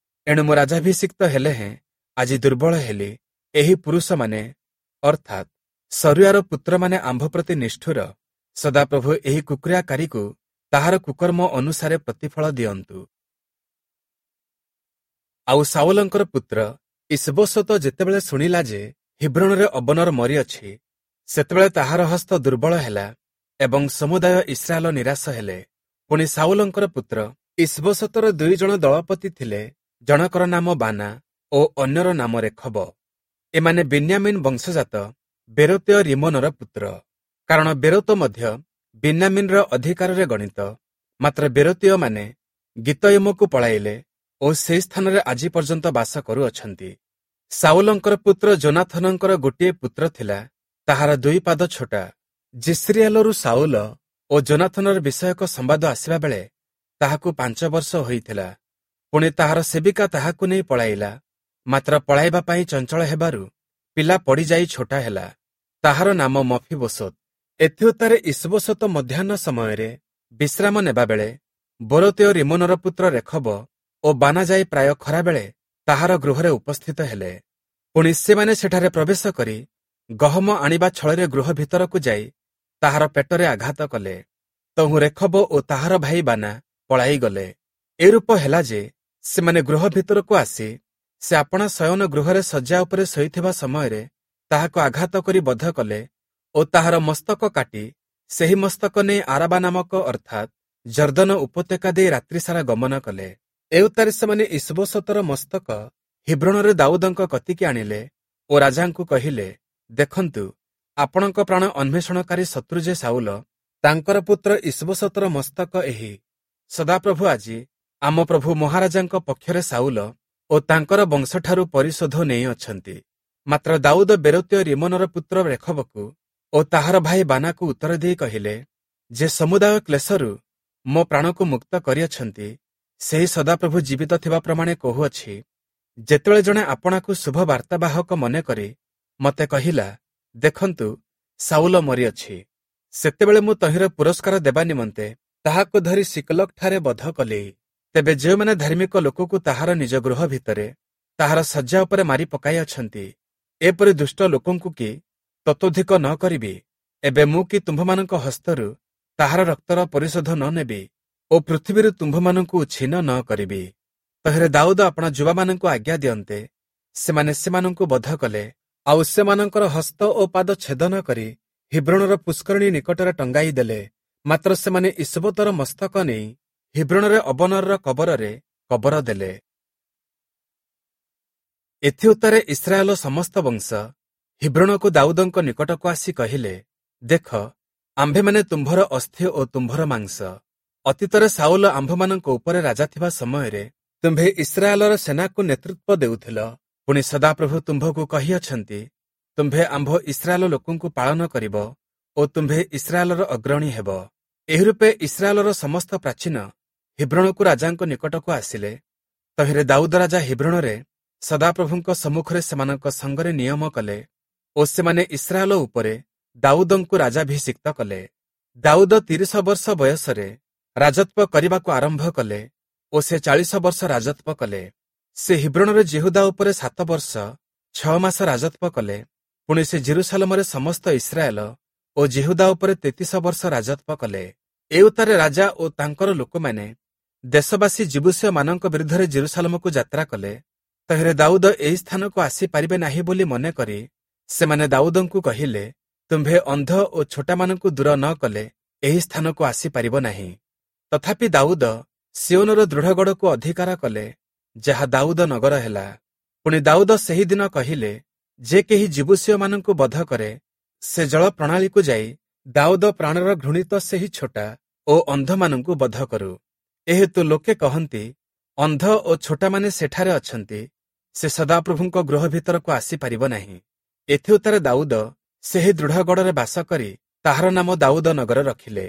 ଏଣୁ ମୁଁ ରାଜାଭିଷିକ୍ତ ହେଲେ ହେଁ ଆଜି ଦୁର୍ବଳ ହେଲି। ଏହି ପୁରୁଷମାନେ ଅର୍ଥାତ୍ ସରୁୟାର ପୁତ୍ରମାନେ ଆମ୍ଭ ପ୍ରତି ନିଷ୍ଠୁର। ସଦାପ୍ରଭୁ ଏହି କୁକ୍ରିୟାକାରୀକୁ ତାହାର କୁକର୍ମ ଅନୁସାରେ ପ୍ରତିଫଳ ଦିଅନ୍ତୁ। ଆଉ ସାଉଲଙ୍କର ପୁତ୍ର ଇଶବୋଶତ ଯେତେବେଳେ ଶୁଣିଲା ଯେ ହିବ୍ରୋଣରେ ଅବନର ମରିଅଛି, ସେତେବେଳେ ତାହାର ହସ୍ତ ଦୁର୍ବଳ ହେଲା ଏବଂ ସମୁଦାୟ ଇସ୍ରାଏଲ ନିରାଶ ହେଲେ। ପୁଣି ସାଉଲଙ୍କର ପୁତ୍ର ଇଶବୋଶତର ଦୁଇ ଜଣ ଦଳପତି ଥିଲେ, ଜଣକର ନାମ ବାନା ଓ ଅନ୍ୟର ନାମ ରେଖବ। ଏମାନେ ବିନ୍ୟାମିନ ବଂଶଜାତ ବେରୋତୀୟ ରିମୋନର ପୁତ୍ର, କାରଣ ବେରୋତ ମଧ୍ୟ ବିନ୍ୟାମିନର ଅଧିକାରରେ ଗଣିତ। ମାତ୍ର ବେରୋତୀୟମାନେ ଗୀତୟମକୁ ପଳାଇଲେ ଓ ସେହି ସ୍ଥାନରେ ଆଜି ପର୍ଯ୍ୟନ୍ତ ବାସ କରୁଅଛନ୍ତି। ସାଉଲଙ୍କର ପୁତ୍ର ଯୋନାଥନଙ୍କର ଗୋଟିଏ ପୁତ୍ର ଥିଲା, ତାହାର ଦୁଇ ପାଦ ଛୋଟା। ଯିଷ୍ରିଏଲରୁ ସାଉଲ ଓ ଯୋନାଥନର ବିଷୟକ ସମ୍ବାଦ ଆସିବା ବେଳେ ତାହାକୁ ପାଞ୍ଚ ବର୍ଷ ହୋଇଥିଲା। ପୁଣି ତାହାର ସେବିକା ତାହାକୁ ନେଇ ପଳାଇଲା, ମାତ୍ର ପଳାଇବା ପାଇଁ ଚଞ୍ଚଳ ହେବାରୁ ପିଲା ପଡ଼ିଯାଇ ଛୋଟା ହେଲା। ତାହାର ନାମ ମଫିବୋଶତ। ଏଥିଉତ୍ତାରେ ଇଶବୋଶତ ମଧ୍ୟାହ୍ନ ସମୟରେ ବିଶ୍ରାମ ନେବାବେଳେ ବୋରୋତୀୟ ରିମୋନର ପୁତ୍ର ରେଖବ ଓ ବାନା ଯାଇ ପ୍ରାୟ ଖରାବେଳେ ତାହାର ଗୃହରେ ଉପସ୍ଥିତ ହେଲେ। ପୁଣି ସେମାନେ ସେଠାରେ ପ୍ରବେଶ କରି ଗହମ ଆଣିବା ଛଳରେ ଗୃହ ଭିତରକୁ ଯାଇ ତାହାର ପେଟରେ ଆଘାତ କଲେ। ତହୁଁ ରେଖବ ଓ ତାହାର ଭାଇ ବାନା ପଳାଇଗଲେ। ଏରୂପ ହେଲା ଯେ ସେମାନେ ଗୃହ ଭିତରକୁ ଆସି ସେ ଆପଣା ଶୟନ ଗୃହରେ ଶଯ୍ୟା ଉପରେ ଶୋଇଥିବା ସମୟରେ ତାହାକୁ ଆଘାତ କରି ବଧ କଲେ ଓ ତାହାର ମସ୍ତକ କାଟି ସେହି ମସ୍ତକ ନେଇ ଆରାବା ନାମକ ଅର୍ଥାତ୍ ଜର୍ଦ୍ଦନ ଉପତ୍ୟକା ଦେଇ ରାତ୍ରିସାରା ଗମନ କଲେ। ଏଉତ୍ତାରେ ସେମାନେ ଇଶବୋଶତର ମସ୍ତକ ହିବ୍ରୋଣରେ ଦାଉଦଙ୍କ କତିକି ଆଣିଲେ ଓ ରାଜାଙ୍କୁ କହିଲେ, ଦେଖନ୍ତୁ, ଆପଣଙ୍କ ପ୍ରାଣ ଅନ୍ୱେଷଣକାରୀ ଶତ୍ରୁ ଯେ ଶାଉଲ, ତାଙ୍କର ପୁତ୍ର ଇଷ୍ବୋଶତର ମସ୍ତକ ଏହି। ସଦାପ୍ରଭୁ ଆଜି ଆମ ପ୍ରଭୁ ମହାରାଜାଙ୍କ ପକ୍ଷରେ ଶାଉଲ ଓ ତାଙ୍କର ବଂଶଠାରୁ ପରିଶୋଧ ନେଇଅଛନ୍ତି। ମାତ୍ର ଦାଉଦ ବେରୋତୀୟ ରିମ୍ମୋନର ପୁତ୍ର ରେଖବକୁ ଓ ତାହାର ଭାଇ ବାନାକୁ ଉତ୍ତର ଦେଇ କହିଲେ, ଯେ ସମୁଦାୟ କ୍ଲେଶରୁ ମୋ ପ୍ରାଣକୁ ମୁକ୍ତ କରିଅଛନ୍ତି, ସେହି ସଦାପ୍ରଭୁ ଜୀବିତ ଥିବା ପ୍ରମାଣେ କହୁଅଛି, ଯେତେବେଳେ ଜଣେ ଆପଣାକୁ ଶୁଭ ବାର୍ତ୍ତାବାହକ ମନେକରି ମୋତେ କହିଲା, ଦେଖନ୍ତୁ, ଶାଉଲ ମରିଅଛି, ସେତେବେଳେ ମୁଁ ତହିଁର ପୁରସ୍କାର ଦେବା ନିମନ୍ତେ ତାହାକୁ ଧରି ସିକଲଗଠାରେ ବଧ କଲି। ତେବେ ଯେଉଁମାନେ ଧାର୍ମିକ ଲୋକକୁ ତାହାର ନିଜ ଗୃହ ଭିତରେ ତାହାର ଶଯ୍ୟା ଉପରେ ମାରି ପକାଇଅଛନ୍ତି, ଏପରି ଦୁଷ୍ଟ ଲୋକଙ୍କୁ କି ତତୋଧିକ ନ କରିବି? ଏବେ ମୁଁ କି ତୁମ୍ଭମାନଙ୍କ ହସ୍ତରୁ ତାହାର ରକ୍ତର ପରିଶୋଧ ନ ନେବି ଓ ପୃଥିବୀରୁ ତୁମ୍ଭମାନଙ୍କୁ ଉଚ୍ଛିନ୍ନ ନ କରିବି? ତହିଁରେ ଦାଉଦ ଆପଣା ଯୁବାମାନଙ୍କୁ ଆଜ୍ଞା ଦିଅନ୍ତେ, ସେମାନେ ସେମାନଙ୍କୁ ବଧ କଲେ, ଆଉ ସେମାନଙ୍କର ହସ୍ତ ଓ ପାଦ ଛେଦନ କରି ହିବ୍ରୋଣର ପୁଷ୍କରିଣୀ ନିକଟରେ ଟଙ୍ଗାଇ ଦେଲେ। ମାତ୍ର ସେମାନେ ଇଷ୍ବୋତର ମସ୍ତକ ନେଇ ହିବ୍ରୋଣରେ ଅବନରର କବରରେ କବର ଦେଲେ। ଏଥିଉତ୍ତାରେ ଇସ୍ରାଏଲ ସମସ୍ତ ବଂଶ ହିବ୍ରୋଣକୁ ଦାଉଦଙ୍କ ନିକଟକୁ ଆସି କହିଲେ, ଦେଖ, ଆମ୍ଭେମାନେ ତୁମ୍ଭର ଅସ୍ଥି ଓ ତୁମ୍ଭର ମାଂସ। ଅତୀତରେ ଶାଉଲ ଆମ୍ଭମାନଙ୍କ ଉପରେ ରାଜା ଥିବା ସମୟରେ ତୁମ୍ଭେ ଇସ୍ରାଏଲର ସେନାକୁ ନେତୃତ୍ୱ ଦେଉଥିଲ। ପୁଣି ସଦାପ୍ରଭୁ ତୁମ୍ଭକୁ କହିଅଛନ୍ତି, ତୁମ୍ଭେ ଆମ୍ଭ ଇସ୍ରାଏଲ ଲୋକଙ୍କୁ ପାଳନ କରିବ ଓ ତୁମ୍ଭେ ଇସ୍ରାଏଲର ଅଗ୍ରଣୀ ହେବ। ଏହିରୂପେ ଇସ୍ରାଏଲର ସମସ୍ତ ପ୍ରାଚୀନ ହିବ୍ରୋଣକୁ ରାଜାଙ୍କ ନିକଟକୁ ଆସିଲେ। ତହିଁରେ ଦାଉଦ ରାଜା ହିବ୍ରୋଣରେ ସଦାପ୍ରଭୁଙ୍କ ସମ୍ମୁଖରେ ସେମାନଙ୍କ ସଙ୍ଗରେ ନିୟମ କଲେ ଓ ସେମାନେ ଇସ୍ରାଏଲ ଉପରେ ଦାଉଦଙ୍କୁ ରାଜାଭିଷିକ୍ତ କଲେ। ଦାଉଦ ତିରିଶ ବର୍ଷ ବୟସରେ ରାଜତ୍ୱ କରିବାକୁ ଆରମ୍ଭ କଲେ ଓ ସେ ଚାଳିଶ ବର୍ଷ ରାଜତ୍ୱ କଲେ। ସେ ହିବ୍ରୋଣରେ ଯିହୁଦା ଉପରେ ସାତ ବର୍ଷ ଛଅ ମାସ ରାଜତ୍ୱ କଲେ। ପୁଣି ସେ ଜେରୁସାଲମରେ ସମସ୍ତ ଇସ୍ରାଏଲ ଓ ଯିହୁଦା ଉପରେ ତେତିଶ ବର୍ଷ ରାଜତ୍ୱ କଲେ। ଏ ଉତ୍ତାରେ ରାଜା ଓ ତାଙ୍କର ଲୋକମାନେ ଦେଶବାସୀ ଯିବୂଷୀୟମାନଙ୍କ ବିରୁଦ୍ଧରେ ଜେରୁସାଲମକୁ ଯାତ୍ରା କଲେ। ତହିଁରେ ଦାଉଦ ଏହି ସ୍ଥାନକୁ ଆସିପାରିବେ ନାହିଁ ବୋଲି ମନେକରି ସେମାନେ ଦାଉଦଙ୍କୁ କହିଲେ, ତୁମ୍ଭେ ଅନ୍ଧ ଓ ଛୋଟାମାନଙ୍କୁ ଦୂର ନ କଲେ ଏହି ସ୍ଥାନକୁ ଆସିପାରିବ ନାହିଁ। ତଥାପି ଦାଉଦ ସିଓନର ଦୃଢ଼ଗଡ଼କୁ ଅଧିକାର କଲେ, ଯାହା ଦାଉଦ ନଗର ହେଲା। ପୁଣି ଦାଉଦ ସେହି ଦିନ କହିଲେ, ଯେ କେହି ଯିବୂଷୀୟମାନଙ୍କୁ ବଧ କରେ, ସେ ଜଳ ପ୍ରଣାଳୀକୁ ଯାଇ ଦାଉଦ ପ୍ରାଣର ଘୃଣିତ ସେହି ଛୋଟା ଓ ଅନ୍ଧମାନଙ୍କୁ ବଧ କରୁ। ଏହେତୁ ଲୋକେ କହନ୍ତି, ଅନ୍ଧ ଓ ଛୋଟାମାନେ ସେଠାରେ ଅଛନ୍ତି, ସେ ସଦାପ୍ରଭୁଙ୍କ ଗୃହ ଭିତରକୁ ଆସିପାରିବ ନାହିଁ। ଏଥିଉତ୍ତାରେ ଦାଉଦ ସେହି ଦୃଢ଼ଗଡ଼ରେ ବାସ କରି ତାହାର ନାମ ଦାଉଦ ନଗର ରଖିଲେ।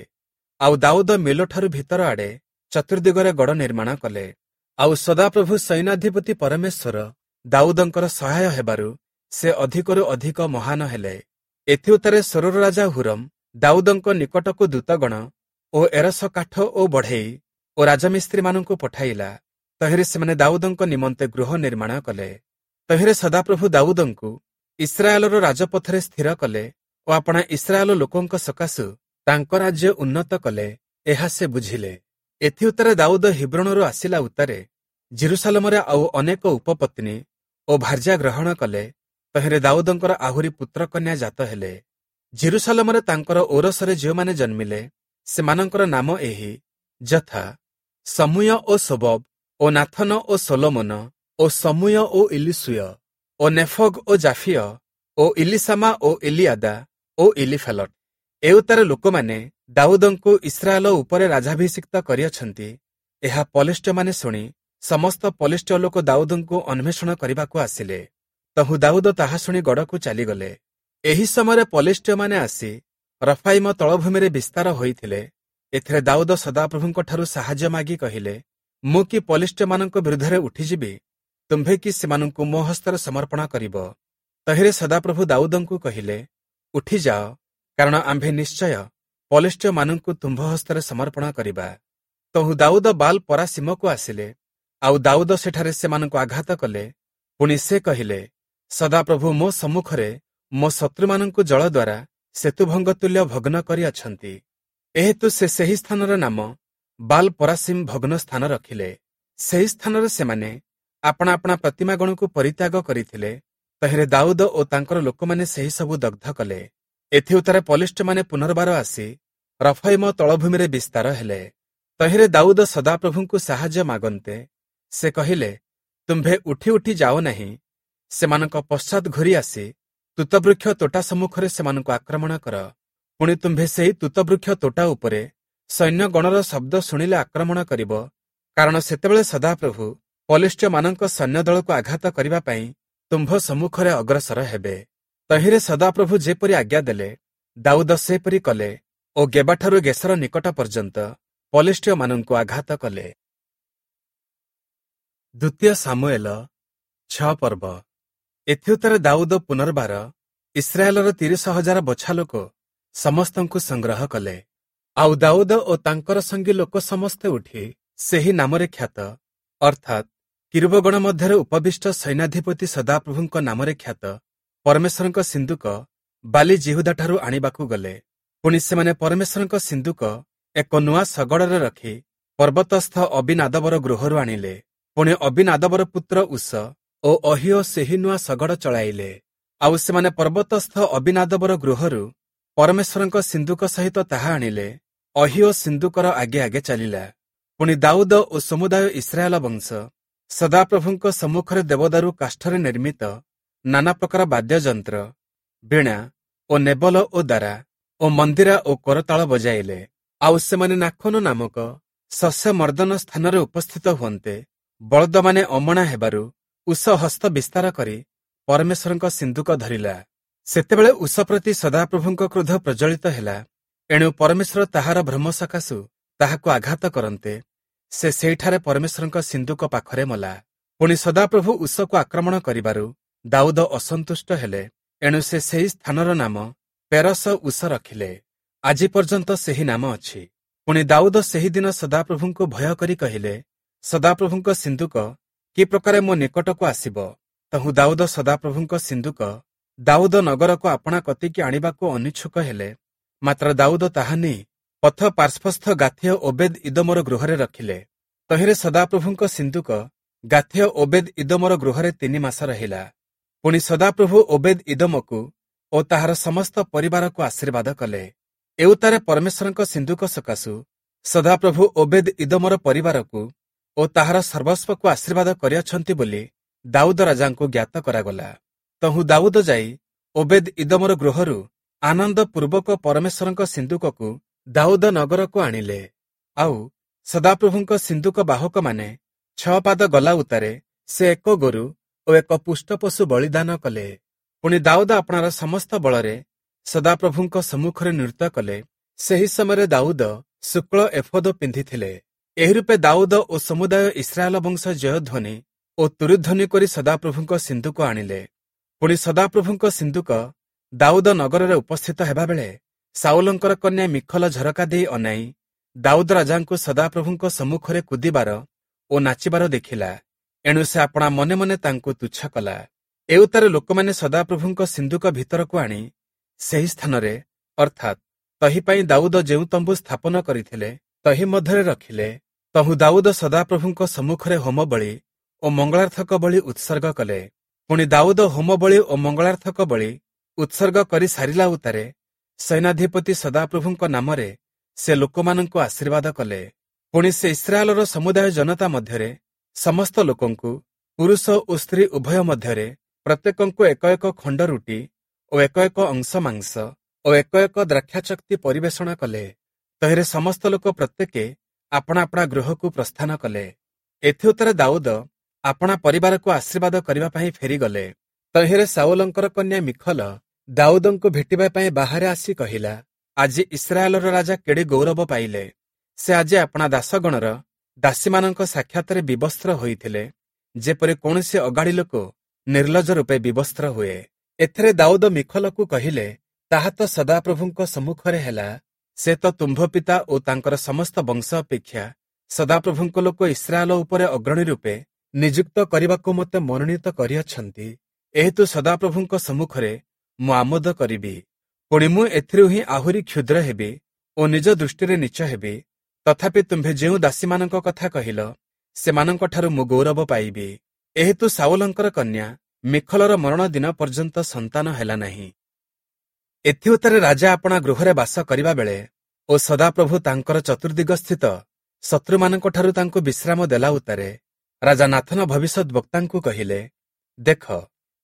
ଆଉ ଦାଉଦ ମିଲୋଠାରୁ ଭିତର ଆଡ଼େ ଚତୁର୍ଦିଗରେ ଗଡ଼ ନିର୍ମାଣ କଲେ। ଆଉ ସଦାପ୍ରଭୁ ସୈନ୍ୟାଧିପତି ପରମେଶ୍ୱର ଦାଉଦଙ୍କର ସହାୟ ହେବାରୁ ସେ ଅଧିକରୁ ଅଧିକ ମହାନ ହେଲେ। ଏଥିଉତ୍ତାରେ ସୋରର ରାଜା ହୁରମ ଦାଉଦଙ୍କ ନିକଟକୁ ଦୂତଗଣ ଓ ଏରସ କାଠ ଓ ବଢ଼େଇ ଓ ରାଜମିସ୍ତ୍ରୀମାନଙ୍କୁ ପଠାଇଲା। ତହିଁରେ ସେମାନେ ଦାଉଦଙ୍କ ନିମନ୍ତେ ଗୃହ ନିର୍ମାଣ କଲେ। ତହିଁରେ ସଦାପ୍ରଭୁ ଦାଉଦଙ୍କୁ ଇସ୍ରାଏଲର ରାଜପଥରେ ସ୍ଥିର କଲେ ଓ ଆପଣା ଇସ୍ରାଏଲ ଲୋକଙ୍କ ସକାଶୁ ତାଙ୍କ ରାଜ୍ୟ ଉନ୍ନତ କଲେ, ଏହା ସେ ବୁଝିଲେ। ଏଥିଉତ୍ତାରେ ଦାଉଦ ହିବ୍ରୋଣରୁ ଆସିଲା ଉତ୍ତାରେ ଜେରୁସାଲମରେ ଆଉ ଅନେକ ଉପପତ୍ନୀ ଓ ଭାର୍ଯ୍ୟା ଗ୍ରହଣ କଲେ। ତହିଁରେ ଦାଉଦଙ୍କର ଆହୁରି ପୁତ୍ରକନ୍ୟା ଜାତ ହେଲେ। ଜେରୁସାଲମରେ ତାଙ୍କର ଔରସରେ ଯେଉଁମାନେ ଜନ୍ମିଲେ, ସେମାନଙ୍କର ନାମ ଏହି, ଯଥା ସମୂୟ ଓ ଶୋବବ ଓ ନାଥନ ଓ ସଲୋମନ ଓ ସମୂୟ ଓ ଇଲିଶୂୟ ଓ ନେଫଗ ଓ ଜାଫିୟ ଓ ଇଲିଶାମା ଓ ଏଲିୟାଦା ଓ ଇଲିଫେଲଟ। ଏଉତ୍ତାରେ ଲୋକମାନେ ଦାଉଦଙ୍କୁ ଇସ୍ରାଏଲ ଉପରେ ରାଜାଭିଷିକ୍ତ କରିଅଛନ୍ତି, ଏହା ପଲେଷ୍ଟୀୟମାନେ ଶୁଣି ସମସ୍ତ ପଲେଷ୍ଟୀୟ ଲୋକ ଦାଉଦଙ୍କୁ ଅନ୍ୱେଷଣ କରିବାକୁ ଆସିଲେ। ତହୁଁ ଦାଉଦ ତାହା ଶୁଣି ଗଡ଼କୁ ଚାଲିଗଲେ। ଏହି ସମୟରେ ପଲେଷ୍ଟୀୟମାନେ ଆସି ରଫାଇମ ତଳଭୂମିରେ ବିସ୍ତାର ହୋଇଥିଲେ। ଏଥିରେ ଦାଉଦ ସଦାପ୍ରଭୁଙ୍କଠାରୁ ସାହାଯ୍ୟ ମାଗି କହିଲେ, ମୁଁ କି ପଲେଷ୍ଟୀୟମାନଙ୍କ ବିରୁଦ୍ଧରେ ଉଠିଯିବି? ତୁମ୍ଭେ କି ସେମାନଙ୍କୁ ମୋ ହସ୍ତରେ ସମର୍ପଣ କରିବ? ତହିଁରେ ସଦାପ୍ରଭୁ ଦାଉଦଙ୍କୁ କହିଲେ, ଉଠିଯାଅ, କାରଣ ଆମ୍ଭେ ନିଶ୍ଚୟ ପଲେଷ୍ଟୀୟମାନଙ୍କୁ ତୁମ୍ଭ ହସ୍ତରେ ସମର୍ପଣ କରିବା। ତହୁଁ ଦାଉଦ ବାଲ ପରାସୀମକୁ ଆସିଲେ, ଆଉ ଦାଉଦ ସେଠାରେ ସେମାନଙ୍କୁ ଆଘାତ କଲେ। ପୁଣି ସେ କହିଲେ, ସଦାପ୍ରଭୁ ମୋ ସମ୍ମୁଖରେ ମୋ ଶତ୍ରୁମାନଙ୍କୁ ଜଳ ଦ୍ୱାରା ସେତୁଭଙ୍ଗ ତୁଲ୍ୟ ଭଗ୍ନ କରିଅଛନ୍ତି। ଏହେତୁ ସେ ସେହି ସ୍ଥାନର ନାମ ବାଲ ପରାସୀମ ଭଗ୍ନ ସ୍ଥାନ ରଖିଲେ। ସେହି ସ୍ଥାନରେ ସେମାନେ ଆପଣା ଆପଣା ପ୍ରତିମାଗଣକୁ ପରିତ୍ୟାଗ କରିଥିଲେ। ତହିଁରେ ଦାଉଦ ଓ ତାଙ୍କର ଲୋକମାନେ ସେହି ସବୁ ଦଗ୍ଧ କଲେ। ଏଥିଉତ୍ତାରେ ପଲେଷ୍ଟୀୟମାନେ ପୁନର୍ବାର ଆସି ରଫାଇମ ତଳଭୂମିରେ ବିସ୍ତାର ହେଲେ। ତହିଁରେ ଦାଉଦ ସଦାପ୍ରଭୁଙ୍କୁ ସାହାଯ୍ୟ ମାଗନ୍ତେ ସେ କହିଲେ, ତୁମ୍ଭେ ଉଠି ଉଠି ଯାଅ ନାହିଁ, ସେମାନଙ୍କ ପଶ୍ଚାତ୍ ଘୂରି ଆସି ତୁତବୃକ୍ଷ ତୋଟା ସମ୍ମୁଖରେ ସେମାନଙ୍କୁ ଆକ୍ରମଣ କର। ପୁଣି ତୁମ୍ଭେ ସେହି ତୁତବୃକ୍ଷ ତୋଟା ଉପରେ ସୈନ୍ୟଗଣର ଶବ୍ଦ ଶୁଣିଲେ ଆକ୍ରମଣ କରିବ, କାରଣ ସେତେବେଳେ ସଦାପ୍ରଭୁ ପଲେଷ୍ଟୀୟମାନଙ୍କ ସୈନ୍ୟଦଳକୁ ଆଘାତ କରିବା ପାଇଁ ତୁମ୍ଭ ସମ୍ମୁଖରେ ଅଗ୍ରସର ହେବେ। ତହିଁରେ ସଦାପ୍ରଭୁ ଯେପରି ଆଜ୍ଞା ଦେଲେ, ଦାଉଦ ସେପରି କଲେ ଓ ଗେବାଠାରୁ ଗେସର ନିକଟ ପର୍ଯ୍ୟନ୍ତ ପଲେଷ୍ଟୀୟମାନଙ୍କୁ ଆଘାତ କଲେ। ଦ୍ୱିତୀୟ ସାମୁଏଲ ଛଅ ପର୍ବ। ଏଥିଉତ୍ତାରେ ଦାଉଦ ପୁନର୍ବାର ଇସ୍ରାଏଲର ତିରିଶ ହଜାର ବଛା ଲୋକ ସମସ୍ତଙ୍କୁ ସଂଗ୍ରହ କଲେ। ଆଉ ଦାଉଦ ଓ ତାଙ୍କର ସଙ୍ଗୀ ଲୋକ ସମସ୍ତେ ଉଠି ସେହି ନାମରେ ଖ୍ୟାତ, ଅର୍ଥାତ୍ କିରୂବଗଣ ମଧ୍ୟରେ ଉପବିଷ୍ଟ ସୈନ୍ୟାଧିପତି ସଦାପ୍ରଭୁଙ୍କ ନାମରେ ଖ୍ୟାତ ପରମେଶ୍ୱରଙ୍କ ସିନ୍ଦୁକ ବାଲି ଯିହୁଦାଠାରୁ ଆଣିବାକୁ ଗଲେ। ପୁଣି ସେମାନେ ପରମେଶ୍ୱରଙ୍କ ସିନ୍ଦୁକ ଏକ ନୂଆ ଶଗଡ଼ରେ ରଖି ପର୍ବତସ୍ଥ ଅବିନାଦବର ଗୃହରୁ ଆଣିଲେ। ପୁଣି ଅବିନାଦବର ପୁତ୍ର ଉଷ ଓ ଅହିଓ ସେହି ନୂଆ ଶଗଡ଼ ଚଳାଇଲେ। ଆଉ ସେମାନେ ପର୍ବତସ୍ଥ ଅବିନାଦବର ଗୃହରୁ ପରମେଶ୍ୱରଙ୍କ ସିନ୍ଦୁକ ସହିତ ତାହା ଆଣିଲେ। ଅହିଓ ସିନ୍ଦୁକର ଆଗେ ଆଗେ ଚାଲିଲା। ପୁଣି ଦାଉଦ ଓ ସମୁଦାୟ ଇସ୍ରାଏଲ ବଂଶ ସଦାପ୍ରଭୁଙ୍କ ସମ୍ମୁଖରେ ଦେବଦାରୁ କାଷ୍ଠରେ ନିର୍ମିତ ନାନା ପ୍ରକାର ବାଦ୍ୟଯନ୍ତ୍ର, ବୀଣା ଓ ନେବଲ ଓ ଦାରା ଓ ମନ୍ଦିରା ଓ କରତାଳ ବଜାଇଲେ। ଆଉ ସେମାନେ ନାଖୋନ ନାମକ ଶସ୍ୟ ମର୍ଦ୍ଦନ ସ୍ଥାନରେ ଉପସ୍ଥିତ ହୁଅନ୍ତେ ବଳଦମାନେ ଅମଣା ହେବାରୁ ଉଷ ହସ୍ତ ବିସ୍ତାର କରି ପରମେଶ୍ୱରଙ୍କ ସିନ୍ଦୁକ ଧରିଲା। ସେତେବେଳେ ଉଷ ପ୍ରତି ସଦାପ୍ରଭୁଙ୍କ କ୍ରୋଧ ପ୍ରଜ୍ୱଳିତ ହେଲା। ଏଣୁ ପରମେଶ୍ୱର ତାହାର ଭ୍ରମ ସକାଶୁ ତାହାକୁ ଆଘାତ କରନ୍ତେ ସେ ସେଇଠାରେ ପରମେଶ୍ୱରଙ୍କ ସିନ୍ଦୁକ ପାଖରେ ମଲା। ପୁଣି ସଦାପ୍ରଭୁ ଉଷକୁ ଆକ୍ରମଣ କରିବାରୁ ଦାଉଦ ଅସନ୍ତୁଷ୍ଟ ହେଲେ। ଏଣୁ ସେ ସେହି ସ୍ଥାନର ନାମ ପେରସ ଉଷ ରଖିଲେ। ଆଜି ପର୍ଯ୍ୟନ୍ତ ସେହି ନାମ ଅଛି। ପୁଣି ଦାଉଦ ସେହିଦିନ ସଦାପ୍ରଭୁଙ୍କୁ ଭୟ କରି କହିଲେ, ସଦାପ୍ରଭୁଙ୍କ ସିନ୍ଦୁକ କି ପ୍ରକାରେ ମୋ ନିକଟକୁ ଆସିବ? ତହୁଁ ଦାଉଦ ସଦାପ୍ରଭୁଙ୍କ ସିନ୍ଦୁକ ଦାଉଦ ନଗରକୁ ଆପଣା କତିକି ଆଣିବାକୁ ଅନିଚ୍ଛୁକ ହେଲେ। ମାତ୍ର ଦାଉଦ ତାହା ନେଇ ପଥ ପାର୍ଶ୍ୱସ୍ଥ ଗାଥୀୟ ଓବେଦ ଇଦୋମର ଗୃହରେ ରଖିଲେ। ତହିଁରେ ସଦାପ୍ରଭୁଙ୍କ ସିନ୍ଦୁକ ଗାଥୀୟ ଓବେଦ ଇଦୋମର ଗୃହରେ ତିନି ମାସ ରହିଲା। ପୁଣି ସଦାପ୍ରଭୁ ଓବେଦ ଇଦୋମକୁ ଓ ତାହାର ସମସ୍ତ ପରିବାରକୁ ଆଶୀର୍ବାଦ କଲେ। ଏଉତ୍ତାରେ ପରମେଶ୍ୱରଙ୍କ ସିନ୍ଦୁକ ସକାଶୁ ସଦାପ୍ରଭୁ ଓବେଦ ଇଦୋମର ପରିବାରକୁ ଓ ତାହାର ସର୍ବସ୍ୱକୁ ଆଶୀର୍ବାଦ କରିଅଛନ୍ତି ବୋଲି ଦାଉଦ ରାଜାଙ୍କୁ ଜ୍ଞାତ କରାଗଲା। ତହୁଁ ଦାଉଦ ଯାଇ ଓବେଦ ଇଦୋମର ଗୃହରୁ ଆନନ୍ଦ ପୂର୍ବକ ପରମେଶ୍ୱରଙ୍କ ସିନ୍ଦୁକକୁ ଦାଉଦ ନଗରକୁ ଆଣିଲେ। ଆଉ ସଦାପ୍ରଭୁଙ୍କ ସିନ୍ଦୁକ ବାହକମାନେ ଛଅ ପାଦ ଗଲା ଉତ୍ତାରେ ସେ ଏକ ଗୋରୁ ଓ ଏକ ପୁଷ୍ଟ ପଶୁ ବଳିଦାନ କଲେ। ପୁଣି ଦାଉଦ ଆପଣାର ସମସ୍ତ ବଳରେ ସଦାପ୍ରଭୁଙ୍କ ସମ୍ମୁଖରେ ନୃତ୍ୟ କଲେ। ସେହି ସମୟରେ ଦାଉଦ ଶୁକ୍ଳ ଏଫୋଦ ପିନ୍ଧିଥିଲେ। ଏହି ରୂପେ ଦାଉଦ ଓ ସମୁଦାୟ ଇସ୍ରାଏଲ ବଂଶ ଜୟଧ୍ୱନି ଓ ତୁରୀଧ୍ୱନି କରି ସଦାପ୍ରଭୁଙ୍କ ସିନ୍ଦୁକ ଆଣିଲେ। ପୁଣି ସଦାପ୍ରଭୁଙ୍କ ସିନ୍ଦୁକ ଦାଉଦ ନଗରରେ ଉପସ୍ଥିତ ହେବାବେଳେ ସାଉଲଙ୍କର କନ୍ୟା ମିଖଲ ଝରକା ଦେଇ ଅନାଇ ଦାଉଦ ରାଜାଙ୍କୁ ସଦାପ୍ରଭୁଙ୍କ ସମ୍ମୁଖରେ କୁଦିବାର ଓ ନାଚିବାର ଦେଖିଲା। ଏଣୁ ସେ ଆପଣା ମନେ ମନେ ତାଙ୍କୁ ତୁଚ୍ଛ କଲା। ଏଉତ୍ତାରେ ଲୋକମାନେ ସଦାପ୍ରଭୁଙ୍କ ସିନ୍ଦୁକ ଭିତରକୁ ଆଣି ସେହି ସ୍ଥାନରେ, ଅର୍ଥାତ୍ ତହି ପାଇଁ ଦାଉଦ ଯେଉଁ ତମ୍ବୁ ସ୍ଥାପନ କରିଥିଲେ ତହି ମଧ୍ୟରେ ରଖିଲେ। ତହୁଁ ଦାଉଦ ସଦାପ୍ରଭୁଙ୍କ ସମ୍ମୁଖରେ ହୋମବଳି ଓ ମଙ୍ଗଳାର୍ଥକ ବଳି ଉତ୍ସର୍ଗ କଲେ। ପୁଣି ଦାଉଦ ହୋମବଳି ଓ ମଙ୍ଗଳାର୍ଥକ ବଳି ଉତ୍ସର୍ଗ କରି ସାରିଲା ଉତ୍ତାରେ ସୈନ୍ୟାଧିପତି ସଦାପ୍ରଭୁଙ୍କ ନାମରେ ସେ ଲୋକମାନଙ୍କୁ ଆଶୀର୍ବାଦ କଲେ। ପୁଣି ସେ ଇସ୍ରାଏଲର ସମୁଦାୟ ଜନତା ମଧ୍ୟରେ ସମସ୍ତ ଲୋକଙ୍କୁ, ପୁରୁଷ ଓ ସ୍ତ୍ରୀ ଉଭୟ ମଧ୍ୟରେ ପ୍ରତ୍ୟେକଙ୍କୁ ଏକ ଏକ ଖଣ୍ଡ ରୁଟି ଓ ଏକ ଏକ ଅଂଶ ମାଂସ ଓ ଏକ ଏକ ଦ୍ରାକ୍ଷାଚକ୍ତି ପରିବେଷଣ କଲେ। ତହିଁରେ ସମସ୍ତ ଲୋକ ପ୍ରତ୍ୟେକେ ଆପଣା ଆପଣା ଗୃହକୁ ପ୍ରସ୍ଥାନ କଲେ। ଏଥିଉତ୍ତାରେ ଦାଉଦ ଆପଣା ପରିବାରକୁ ଆଶୀର୍ବାଦ କରିବା ପାଇଁ ଫେରିଗଲେ। ତହିଁରେ ସାଉଲଙ୍କର କନ୍ୟା ମିଖଲ ଦାଉଦଙ୍କୁ ଭେଟିବା ପାଇଁ ବାହାରେ ଆସି କହିଲା, ଆଜି ଇସ୍ରାଏଲର ରାଜା କେଡ଼େ ଗୌରବ ପାଇଲେ। ସେ ଆଜି ଆପଣା ଦାସଗଣର ଦାସୀମାନଙ୍କ ସାକ୍ଷାତରେ ବିବସ୍ତ୍ର ହୋଇଥିଲେ, ଯେପରି କୌଣସି ଅଗାଡ଼ି ଲୋକ ନିର୍ଲଜ ରୂପେ ବିବସ୍ତ୍ର ହୁଏ। ଏଥିରେ ଦାଉଦ ମିଖଲକୁ କହିଲେ, ତାହା ତ ସଦାପ୍ରଭୁଙ୍କ ସମ୍ମୁଖରେ ହେଲା। ସେ ତ ତୁମ୍ଭ ପିତା ଓ ତାଙ୍କର ସମସ୍ତ ବଂଶ ଅପେକ୍ଷା ସଦାପ୍ରଭୁଙ୍କ ଲୋକ ଇସ୍ରାଏଲ ଉପରେ ଅଗ୍ରଣୀ ରୂପେ ନିଯୁକ୍ତ କରିବାକୁ ମୋତେ ମନୋନୀତ କରିଅଛନ୍ତି। ଏହେତୁ ସଦାପ୍ରଭୁଙ୍କ ସମ୍ମୁଖରେ ମୁଁ ଆମୋଦ କରିବି। ପୁଣି ମୁଁ ଏଥିରୁ ହିଁ ଆହୁରି କ୍ଷୁଦ୍ର ହେବି ଓ ନିଜ ଦୃଷ୍ଟିରେ ନୀଚ ହେବି। ତଥାପି ତୁମ୍ଭେ ଯେଉଁ ଦାସୀମାନଙ୍କ କଥା କହିଲ, ସେମାନଙ୍କଠାରୁ ମୁଁ ଗୌରବ ପାଇବି। ଏହେତୁ ସାଉଲଙ୍କର କନ୍ୟା ମିଖଲର ମରଣ ଦିନ ପର୍ଯ୍ୟନ୍ତ ସନ୍ତାନ ହେଲା ନାହିଁ। ଏଥିଉତ୍ତାରେ ରାଜା ଆପଣା ଗୃହରେ ବାସ କରିବା ବେଳେ ଓ ସଦାପ୍ରଭୁ ତାଙ୍କର ଚତୁର୍ଦିଗସ୍ଥିତ ଶତ୍ରୁମାନଙ୍କଠାରୁ ତାଙ୍କୁ ବିଶ୍ରାମ ଦେଲା ଉତ୍ତାରେ ରାଜା ନାଥନ ଭବିଷ୍ୟଦ୍‌ବକ୍ତାଙ୍କୁ କହିଲେ, ଦେଖ,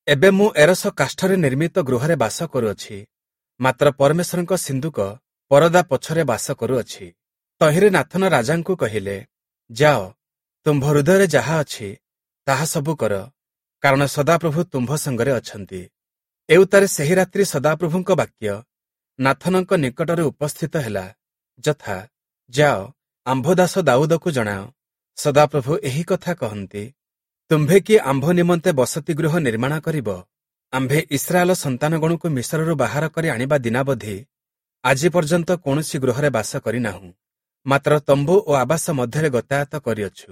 ଏବେ ମୁଁ ଏରସ କାଷ୍ଠରେ ନିର୍ମିତ ଗୃହରେ ବାସ କରୁଅଛି, ମାତ୍ର ପରମେଶ୍ୱରଙ୍କ ସିନ୍ଦୁକ ପରଦା ପଛରେ ବାସ କରୁଅଛି। ତହିଁରେ ନାଥନ ରାଜାଙ୍କୁ କହିଲେ, ଯାଅ, ତୁମ୍ଭ ହୃଦୟରେ ଯାହା ଅଛି ତାହା ସବୁ କର, କାରଣ ସଦାପ୍ରଭୁ ତୁମ୍ଭ ସଙ୍ଗରେ ଅଛନ୍ତି। ଏଉତ୍ତାରେ ସେହି ରାତ୍ରି ସଦାପ୍ରଭୁଙ୍କ ବାକ୍ୟ ନାଥନଙ୍କ ନିକଟରେ ଉପସ୍ଥିତ ହେଲା, ଯଥା, ଯାଅ, ଆମ୍ଭ ଦାସ ଦାଉଦକୁ ଜଣାଅ, ସଦାପ୍ରଭୁ ଏହି କଥା କହନ୍ତି, ତୁମ୍ଭେ କି ଆମ୍ଭ ନିମନ୍ତେ ବସତି ଗୃହ ନିର୍ମାଣ କରିବ? ଆମ୍ଭେ ଇସ୍ରାଏଲ ସନ୍ତାନଗଣକୁ ମିଶରରୁ ବାହାର କରି ଆଣିବା ଦିନାବଧି ଆଜି ପର୍ଯ୍ୟନ୍ତ କୌଣସି ଗୃହରେ ବାସ କରିନାହୁଁ, ମାତ୍ର ତମ୍ବୁ ଓ ଆବାସ ମଧ୍ୟରେ ଗତାୟତ କରିଅଛୁ।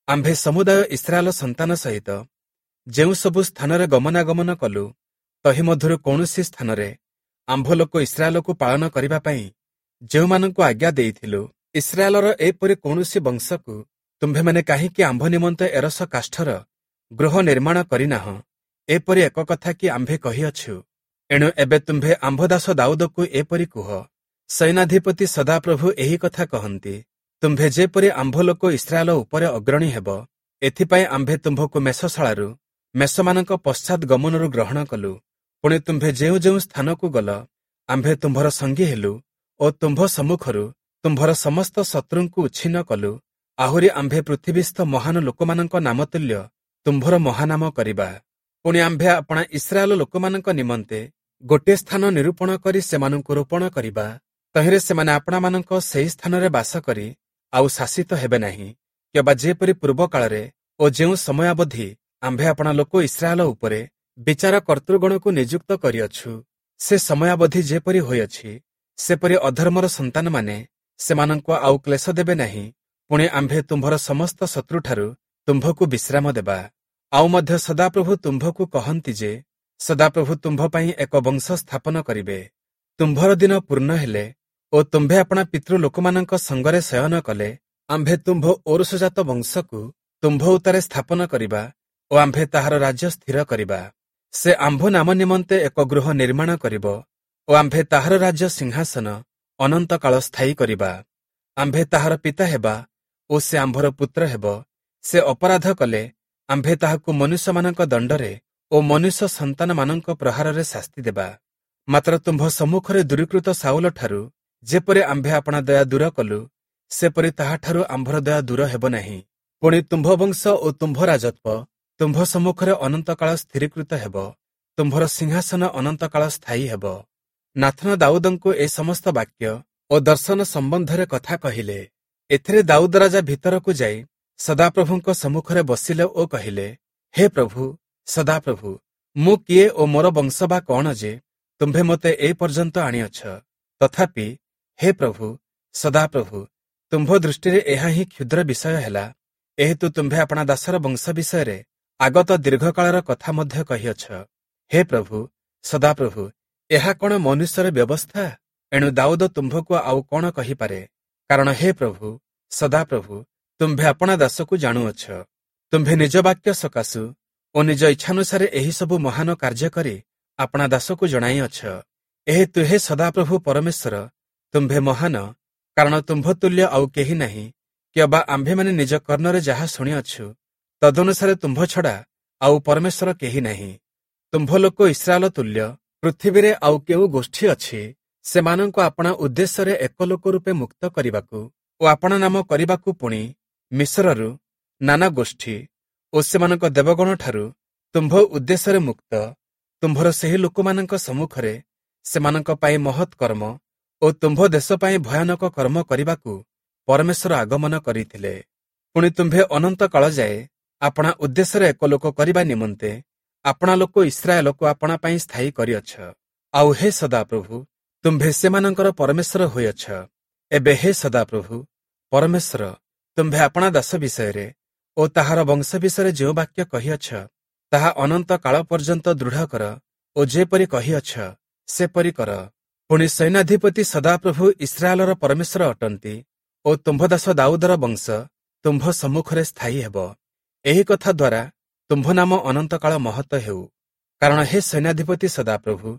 ଆମ୍ଭେ ସମୁଦାୟ ଇସ୍ରାଏଲ ସନ୍ତାନ ସହିତ ଯେଉଁ ସବୁ ସ୍ଥାନରେ ଗମନାଗମନ କଲୁ, ତହିଁ ମଧ୍ୟରୁ କୌଣସି ସ୍ଥାନରେ ଆମ୍ଭ ଲୋକ ଇସ୍ରାଏଲକୁ ପାଳନ କରିବା ପାଇଁ ଯେଉଁମାନଙ୍କୁ ଆଜ୍ଞା ଦେଇଥିଲୁ, ଇସ୍ରାଏଲର ଏପରି କୌଣସି ବଂଶକୁ ତୁମ୍ଭେମାନେ କାହିଁକି ଆମ୍ଭ ନିମନ୍ତେ ଏରସ କାଷ୍ଠର ଗୃହ ନିର୍ମାଣ କରିନାହଁ? ଏପରି ଏକ କଥା କି ଆମ୍ଭେ କହିଅଛୁ? ଏଣୁ ଏବେ ତୁମ୍ଭେ ଆମ୍ଭ ଦାସ ଦାଉଦକୁ ଏପରି କୁହ, ସୈନ୍ୟାଧିପତି ସଦାପ୍ରଭୁ ଏହି କଥା କହନ୍ତି, ତୁମ୍ଭେ ଯେପରି ଆମ୍ଭ ଲୋକ ଇସ୍ରାଏଲ ଉପରେ ଅଗ୍ରଣୀ ହେବ, ଏଥିପାଇଁ ଆମ୍ଭେ ତୁମ୍ଭକୁ ମେଷଶାଳାରୁ ମେଷମାନଙ୍କ ପଶ୍ଚାତ୍ ଗମନରୁ ଗ୍ରହଣ କଲୁ। ପୁଣି ତୁମ୍ଭେ ଯେଉଁ ଯେଉଁ ସ୍ଥାନକୁ ଗଲ, ଆମ୍ଭେ ତୁମ୍ଭର ସଙ୍ଗୀ ହେଲୁ ଓ ତୁମ୍ଭ ସମ୍ମୁଖରୁ ତୁମ୍ଭର ସମସ୍ତ ଶତ୍ରୁଙ୍କୁ ଉଚ୍ଛିନ୍ନ କଲୁ। ଆହୁରି ଆମ୍ଭେ ପୃଥିବୀସ୍ଥ ମହାନ ଲୋକମାନଙ୍କ ନାମ ତୁଲ୍ୟ ତୁମ୍ଭର ମହାନାମ କରିବା। ପୁଣି ଆମ୍ଭେ ଆପଣା ଇସ୍ରାଏଲ ଲୋକମାନଙ୍କ ନିମନ୍ତେ ଗୋଟିଏ ସ୍ଥାନ ନିରୂପଣ କରି ସେମାନଙ୍କୁ ରୋପଣ କରିବା। ତହିଁରେ ସେମାନେ ଆପଣାମାନଙ୍କ ସେହି ସ୍ଥାନରେ ବାସ କରି ଆଉ ଶାସିତ ହେବେ ନାହିଁ, କିମ୍ବା ଯେପରି ପୂର୍ବ କାଳରେ ଓ ଯେଉଁ ସମୟାବଧି ଆମ୍ଭେ ଆପଣା ଲୋକ ଇସ୍ରାଏଲ ଉପରେ ବିଚାର କର୍ତ୍ତୃଗଣକୁ ନିଯୁକ୍ତ କରିଅଛୁ, ସେ ସମୟାବଧି ଯେପରି ହୋଇଅଛି, ସେପରି ଅଧର୍ମର ସନ୍ତାନମାନେ ସେମାନଙ୍କୁ ଆଉ କ୍ଲେଶ ଦେବେ ନାହିଁ। ପୁଣି ଆମ୍ଭେ ତୁମ୍ଭର ସମସ୍ତ ଶତ୍ରୁଠାରୁ ତୁମ୍ଭକୁ ବିଶ୍ରାମ ଦେବା। ଆଉ ମଧ୍ୟ ସଦାପ୍ରଭୁ ତୁମ୍ଭକୁ କହନ୍ତି ଯେ, ସଦାପ୍ରଭୁ ତୁମ୍ଭ ପାଇଁ ଏକ ବଂଶ ସ୍ଥାପନ କରିବେ। ତୁମ୍ଭର ଦିନ ପୂର୍ଣ୍ଣ ହେଲେ ଓ ତୁମ୍ଭେ ଆପଣା ପିତୃ ଲୋକମାନଙ୍କ ସଙ୍ଗରେ ଶୟନ କଲେ, ଆମ୍ଭେ ତୁମ୍ଭ ଔରସଜାତ ବଂଶକୁ ତୁମ୍ଭ ଉତ୍ତାରେ ସ୍ଥାପନ କରିବା ଓ ଆମ୍ଭେ ତାହାର ରାଜ୍ୟ ସ୍ଥିର କରିବା। ସେ ଆମ୍ଭ ନାମ ନିମନ୍ତେ ଏକ ଗୃହ ନିର୍ମାଣ କରିବ ଓ ଆମ୍ଭେ ତାହାର ରାଜ୍ୟ ସିଂହାସନ ଅନନ୍ତକାଳ ସ୍ଥାୟୀ କରିବା। ଆମ୍ଭେ ତାହାର ପିତା ହେବା ଓ ସେ ଆମ୍ଭର ପୁତ୍ର ହେବ। ସେ ଅପରାଧ କଲେ ଆମ୍ଭେ ତାହାକୁ ମନୁଷ୍ୟମାନଙ୍କ ଦଣ୍ଡରେ ଓ ମନୁଷ୍ୟ ସନ୍ତାନମାନଙ୍କ ପ୍ରହାରରେ ଶାସ୍ତି ଦେବା। ମାତ୍ର ତୁମ୍ଭ ସମ୍ମୁଖରେ ଦୂରୀକୃତ ଶାଉଲଠାରୁ ଯେପରି ଆମ୍ଭେ ଆପଣା ଦୟା ଦୂର କଲୁ, ସେପରି ତାହାଠାରୁ ଆମ୍ଭର ଦୟା ଦୂର ହେବ ନାହିଁ। ପୁଣି ତୁମ୍ଭ ବଂଶ ଓ ତୁମ୍ଭ ରାଜତ୍ୱ ତୁମ୍ଭ ସମ୍ମୁଖରେ ଅନନ୍ତକାଳ ସ୍ଥିରୀକୃତ ହେବ, ତୁମ୍ଭର ସିଂହାସନ ଅନନ୍ତକାଳ ସ୍ଥାୟୀ ହେବ। ନାଥନ ଦାଉଦଙ୍କୁ ଏ ସମସ୍ତ ବାକ୍ୟ ଓ ଦର୍ଶନ ସମ୍ବନ୍ଧରେ କଥା କହିଲେ। ଏଥିରେ ଦାଉଦ ରାଜା ଭିତରକୁ ଯାଇ ସଦାପ୍ରଭୁଙ୍କ ସମ୍ମୁଖରେ ବସିଲେ ଓ କହିଲେ, ହେ ପ୍ରଭୁ ସଦାପ୍ରଭୁ, ମୁଁ କିଏ ଓ ମୋର ବଂଶ ବା କଣ ଯେ ତୁମ୍ଭେ ମୋତେ ଏ ପର୍ଯ୍ୟନ୍ତ ଆଣିଅଛ? ତଥାପି ହେ ପ୍ରଭୁ ସଦାପ୍ରଭୁ, ତୁମ୍ଭ ଦୃଷ୍ଟିରେ ଏହା ହିଁ କ୍ଷୁଦ୍ର ବିଷୟ ହେଲା, ଏହେତୁ ତୁମ୍ଭେ ଆପଣା ଦାସର ବଂଶ ବିଷୟରେ ଆଗତ ଦୀର୍ଘକାଳର କଥା ମଧ୍ୟ କହିଅଛ। ହେ ପ୍ରଭୁ ସଦାପ୍ରଭୁ, ଏହା କଣ ମନୁଷ୍ୟର ବ୍ୟବସ୍ଥା? ଏଣୁ ଦାଉଦ ତୁମ୍ଭକୁ ଆଉ କଣ କହିପାରେ? କାରଣ ହେ ପ୍ରଭୁ ସଦାପ୍ରଭୁ, ତୁମ୍ଭେ ଆପଣା ଦାସକୁ ଜାଣୁଅଛ। ତୁମ୍ଭେ ନିଜ ବାକ୍ୟ ସକାଶୁ ଓ ନିଜ ଇଚ୍ଛାନୁସାରେ ଏହିସବୁ ମହାନ କାର୍ଯ୍ୟ କରି ଆପଣା ଦାସକୁ ଜଣାଇଅଛ। ଏହେତୁ ହେ ସଦାପ୍ରଭୁ ପରମେଶ୍ୱର, ତୁମ୍ଭେ ମହାନ, କାରଣ ତୁମ୍ଭ ତୁଲ୍ୟ ଆଉ କେହି ନାହିଁ, କିମ୍ବା ଆମ୍ଭେମାନେ ନିଜ କର୍ଣ୍ଣରେ ଯାହା ଶୁଣିଅଛୁ ତଦନୁସାରେ ତୁମ୍ଭ ଛଡ଼ା ଆଉ ପରମେଶ୍ୱର କେହି ନାହିଁ। ତୁମ୍ଭ ଲୋକ ଇସ୍ରାଏଲ ତୁଲ୍ୟ ପୃଥିବୀରେ ଆଉ କେଉଁ ଗୋଷ୍ଠୀ ଅଛି ସେମାନଙ୍କୁ ଆପଣା ଉଦ୍ଦେଶ୍ୟରେ ଏକ ଲୋକ ରୂପେ ମୁକ୍ତ କରିବାକୁ ଓ ଆପଣା ନାମ କରିବାକୁ? ପୁଣି ମିଶରରୁ ନାନା ଗୋଷ୍ଠୀ ଓ ସେମାନଙ୍କ ଦେବଗଣଠାରୁ ତୁମ୍ଭ ଉଦ୍ଦେଶ୍ୟରେ ମୁକ୍ତ ତୁମ୍ଭର ସେହି ଲୋକମାନଙ୍କ ସମ୍ମୁଖରେ ସେମାନଙ୍କ ପାଇଁ ମହତ୍ କର୍ମ ଓ ତୁମ୍ଭ ଦେଶ ପାଇଁ ଭୟାନକ କର୍ମ କରିବାକୁ ପରମେଶ୍ୱର ଆଗମନ କରିଥିଲେ। ପୁଣି ତୁମ୍ଭେ ଅନନ୍ତ କାଳ ଯାଏ ଆପଣା ଉଦ୍ଦେଶ୍ୟରେ ଏକ ଲୋକ କରିବା ନିମନ୍ତେ ଆପଣା ଲୋକ ଇସ୍ରାଏଲକୁ ଆପଣା ପାଇଁ ସ୍ଥାୟୀ କରିଅଛ। ଆଉ ହେ ସଦାପ୍ରଭୁ, ତୁମ୍ଭେ ସେମାନଙ୍କର ପରମେଶ୍ୱର ହୋଇଅଛ। ଏବେ ହେ ସଦାପ୍ରଭୁ ପରମେଶ୍ୱର, ତୁମ୍ଭେ ଆପଣା ଦାସ ବିଷୟରେ ଓ ତାହାର ବଂଶ ବିଷୟରେ ଯେଉଁ ବାକ୍ୟ କହିଅଛ ତାହା ଅନନ୍ତ କାଳ ପର୍ଯ୍ୟନ୍ତ ଦୃଢ଼ କର ଓ ଯେପରି କହିଅଛ ସେପରି କର। ପୁଣି ସୈନ୍ୟାଧିପତି ସଦାପ୍ରଭୁ ଇସ୍ରାଏଲର ପରମେଶ୍ୱର ଅଟନ୍ତି ଓ ତୁମ୍ଭ ଦାସ ଦାଉଦର ବଂଶ ତୁମ୍ଭ ସମ୍ମୁଖରେ ସ୍ଥାୟୀ ହେବ। ଏହି କଥା ଦ୍ୱାରା ତୁମ୍ଭ ନାମ ଅନନ୍ତକାଳ ମହତ ହେଉ। କାରଣ ହେ ସୈନ୍ୟାଧିପତି ସଦାପ୍ରଭୁ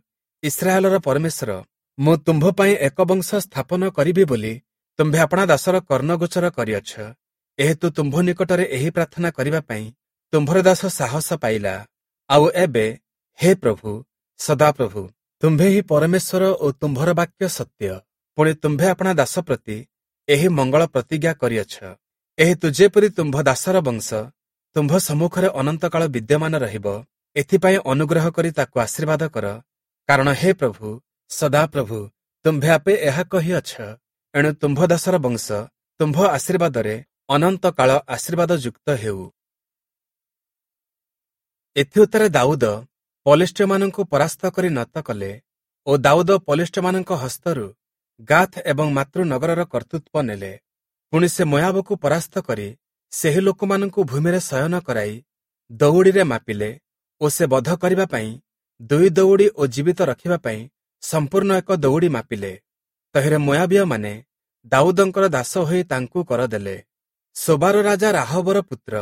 ଇସ୍ରାଏଲର ପରମେଶ୍ୱର, ମୁଁ ତୁମ୍ଭ ପାଇଁ ଏକ ବଂଶ ସ୍ଥାପନ କରିବି ବୋଲି ତୁମ୍ଭେ ଆପଣା ଦାସର କର୍ଣ୍ଣଗୋଚର କରିଅଛ। ଏହେତୁ ତୁମ୍ଭ ନିକଟରେ ଏହି ପ୍ରାର୍ଥନା କରିବା ପାଇଁ ତୁମ୍ଭର ଦାସ ସାହସ ପାଇଲା। ଆଉ ଏବେ ହେ ପ୍ରଭୁ, ସଦାପ୍ରଭୁ, ତୁମ୍ଭେ ହିଁ ପରମେଶ୍ୱର ଓ ତୁମ୍ଭର ବାକ୍ୟ ସତ୍ୟ। ପୁଣି ତୁମ୍ଭେ ଆପଣା ଦାସ ପ୍ରତି ଏହି ମଙ୍ଗଳ ପ୍ରତିଜ୍ଞା କରିଅଛ। ଏହେତୁ ଯେପରି ତୁମ୍ଭ ଦାସର ବଂଶ ତୁମ୍ଭ ସମ୍ମୁଖରେ ଅନନ୍ତକାଳ ବିଦ୍ୟମାନ ରହିବ, ଏଥିପାଇଁ ଅନୁଗ୍ରହ କରି ତାକୁ ଆଶୀର୍ବାଦ କର। କାରଣ ହେ ପ୍ରଭୁ, ସଦାପ୍ରଭୁ, ତୁମ୍ଭେ ଆପେ ଏହା କହିଅଛ। ଏଣୁ ତୁମ୍ଭ ଦାସର ବଂଶ ତୁମ୍ଭ ଆଶୀର୍ବାଦରେ ଅନନ୍ତ କାଳ ଆଶୀର୍ବାଦ ଯୁକ୍ତ ହେଉ। ଏଥିଉତ୍ତାରେ ଦାଉଦ ପଲେଷ୍ଟୀୟମାନଙ୍କୁ ପରାସ୍ତ କରି ନତ କଲେ ଓ ଦାଉଦ ପଲେଷ୍ଟୀୟମାନଙ୍କ ହସ୍ତରୁ ଗାଥ୍ ଏବଂ ମାତୃନଗରର କର୍ତ୍ତୃତ୍ୱ ନେଲେ। ପୁଣି ସେ ମୋୟାବକୁ ପରାସ୍ତ କରି ସେହି ଲୋକମାନଙ୍କୁ ଭୂମିରେ ଶୟନ କରାଇ ଦଉଡ଼ିରେ ମାପିଲେ ଓ ସେ ବଧ କରିବା ପାଇଁ ଦୁଇ ଦଉଡ଼ି ଓ ଜୀବିତ ରଖିବା ପାଇଁ ସମ୍ପୂର୍ଣ୍ଣ ଏକ ଦଉଡ଼ି ମାପିଲେ। ତହିଁରେ ମୋୟାବୀୟମାନେ ଦାଉଦଙ୍କର ଦାସ ହୋଇ ତାଙ୍କୁ କରଦେଲେ। ସୋବାର ରାଜା ରାହବର ପୁତ୍ର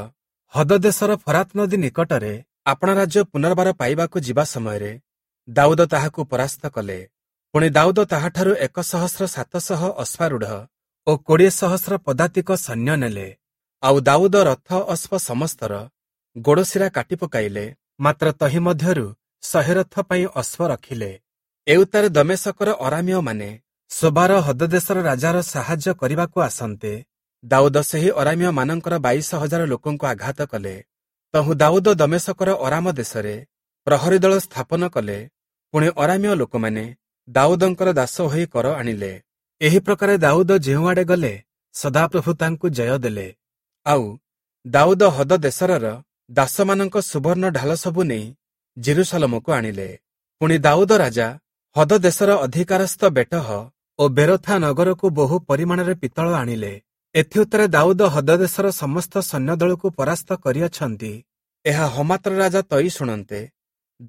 ହଦଦେଶର ଫରାତ ନଦୀ ନିକଟରେ ଆପଣା ରାଜ୍ୟ ପୁନର୍ବାର ପାଇବାକୁ ଯିବା ସମୟରେ ଦାଉଦ ତାହାକୁ ପରାସ୍ତ କଲେ। ପୁଣି ଦାଉଦ ତାହାଠାରୁ ଏକ ସହସ୍ର ସାତଶହ ଅଶ୍ୱାରୂଢ଼ ଓ କୋଡ଼ିଏ ସହସ୍ର ପଦାତିକ ସୈନ୍ୟ ନେଲେ। ଆଉ ଦାଉଦ ରଥ ଅଶ୍ଵ ସମସ୍ତର ଗୋଡ଼ଶିରା କାଟି ପକାଇଲେ, ମାତ୍ର ତହିଁ ମଧ୍ୟରୁ ଶହେ ରଥ ପାଇଁ ଅଶ୍ଵ ରଖିଲେ। ଏଉତ୍ତାରେ ଦମେଶକର ଅରାମୀୟମାନେ ସୋବାର ହଦଦେଶର ରାଜାର ସାହାଯ୍ୟ କରିବାକୁ ଆସନ୍ତେ, ଦାଉଦ ସେହି ଅରାମୀୟମାନଙ୍କର ବାଇଶ ହଜାର ଲୋକଙ୍କୁ ଆଘାତ କଲେ। ତହୁଁ ଦାଉଦ ଦମେଶକର ଅରାମ ଦେଶରେ ପ୍ରହରୀ ଦଳ ସ୍ଥାପନ କଲେ। ପୁଣି ଅରାମୀୟ ଲୋକମାନେ ଦାଉଦଙ୍କର ଦାସ ହୋଇ କର ଆଣିଲେ। ଏହି ପ୍ରକାରେ ଦାଉଦ ଯେଉଁଆଡ଼େ ଗଲେ, ସଦାପ୍ରଭୁ ତାଙ୍କୁ ଜୟ ଦେଲେ। ଆଉ ଦାଉଦ ହଦଦେଶରର ଦାସମାନଙ୍କ ସୁବର୍ଣ୍ଣ ଢାଲ ସବୁ ନେଇ ଜେରୁସାଲମକୁ ଆଣିଲେ। ପୁଣି ଦାଉଦ ରାଜା ହଦଦେଶର ଅଧିକାରସ୍ଥ ବେଟହ ଓ ବେରୋଥା ନଗରକୁ ବହୁ ପରିମାଣରେ ପିତ୍ତଳ ଆଣିଲେ। ଏଥିଉତ୍ତାରେ ଦାଉଦ ହଦଦେଶର ସମସ୍ତ ସୈନ୍ୟଦଳକୁ ପରାସ୍ତ କରିଅଛନ୍ତି। ଏହା ହମାତ୍ର ରାଜା ତଇ ଶୁଣନ୍ତେ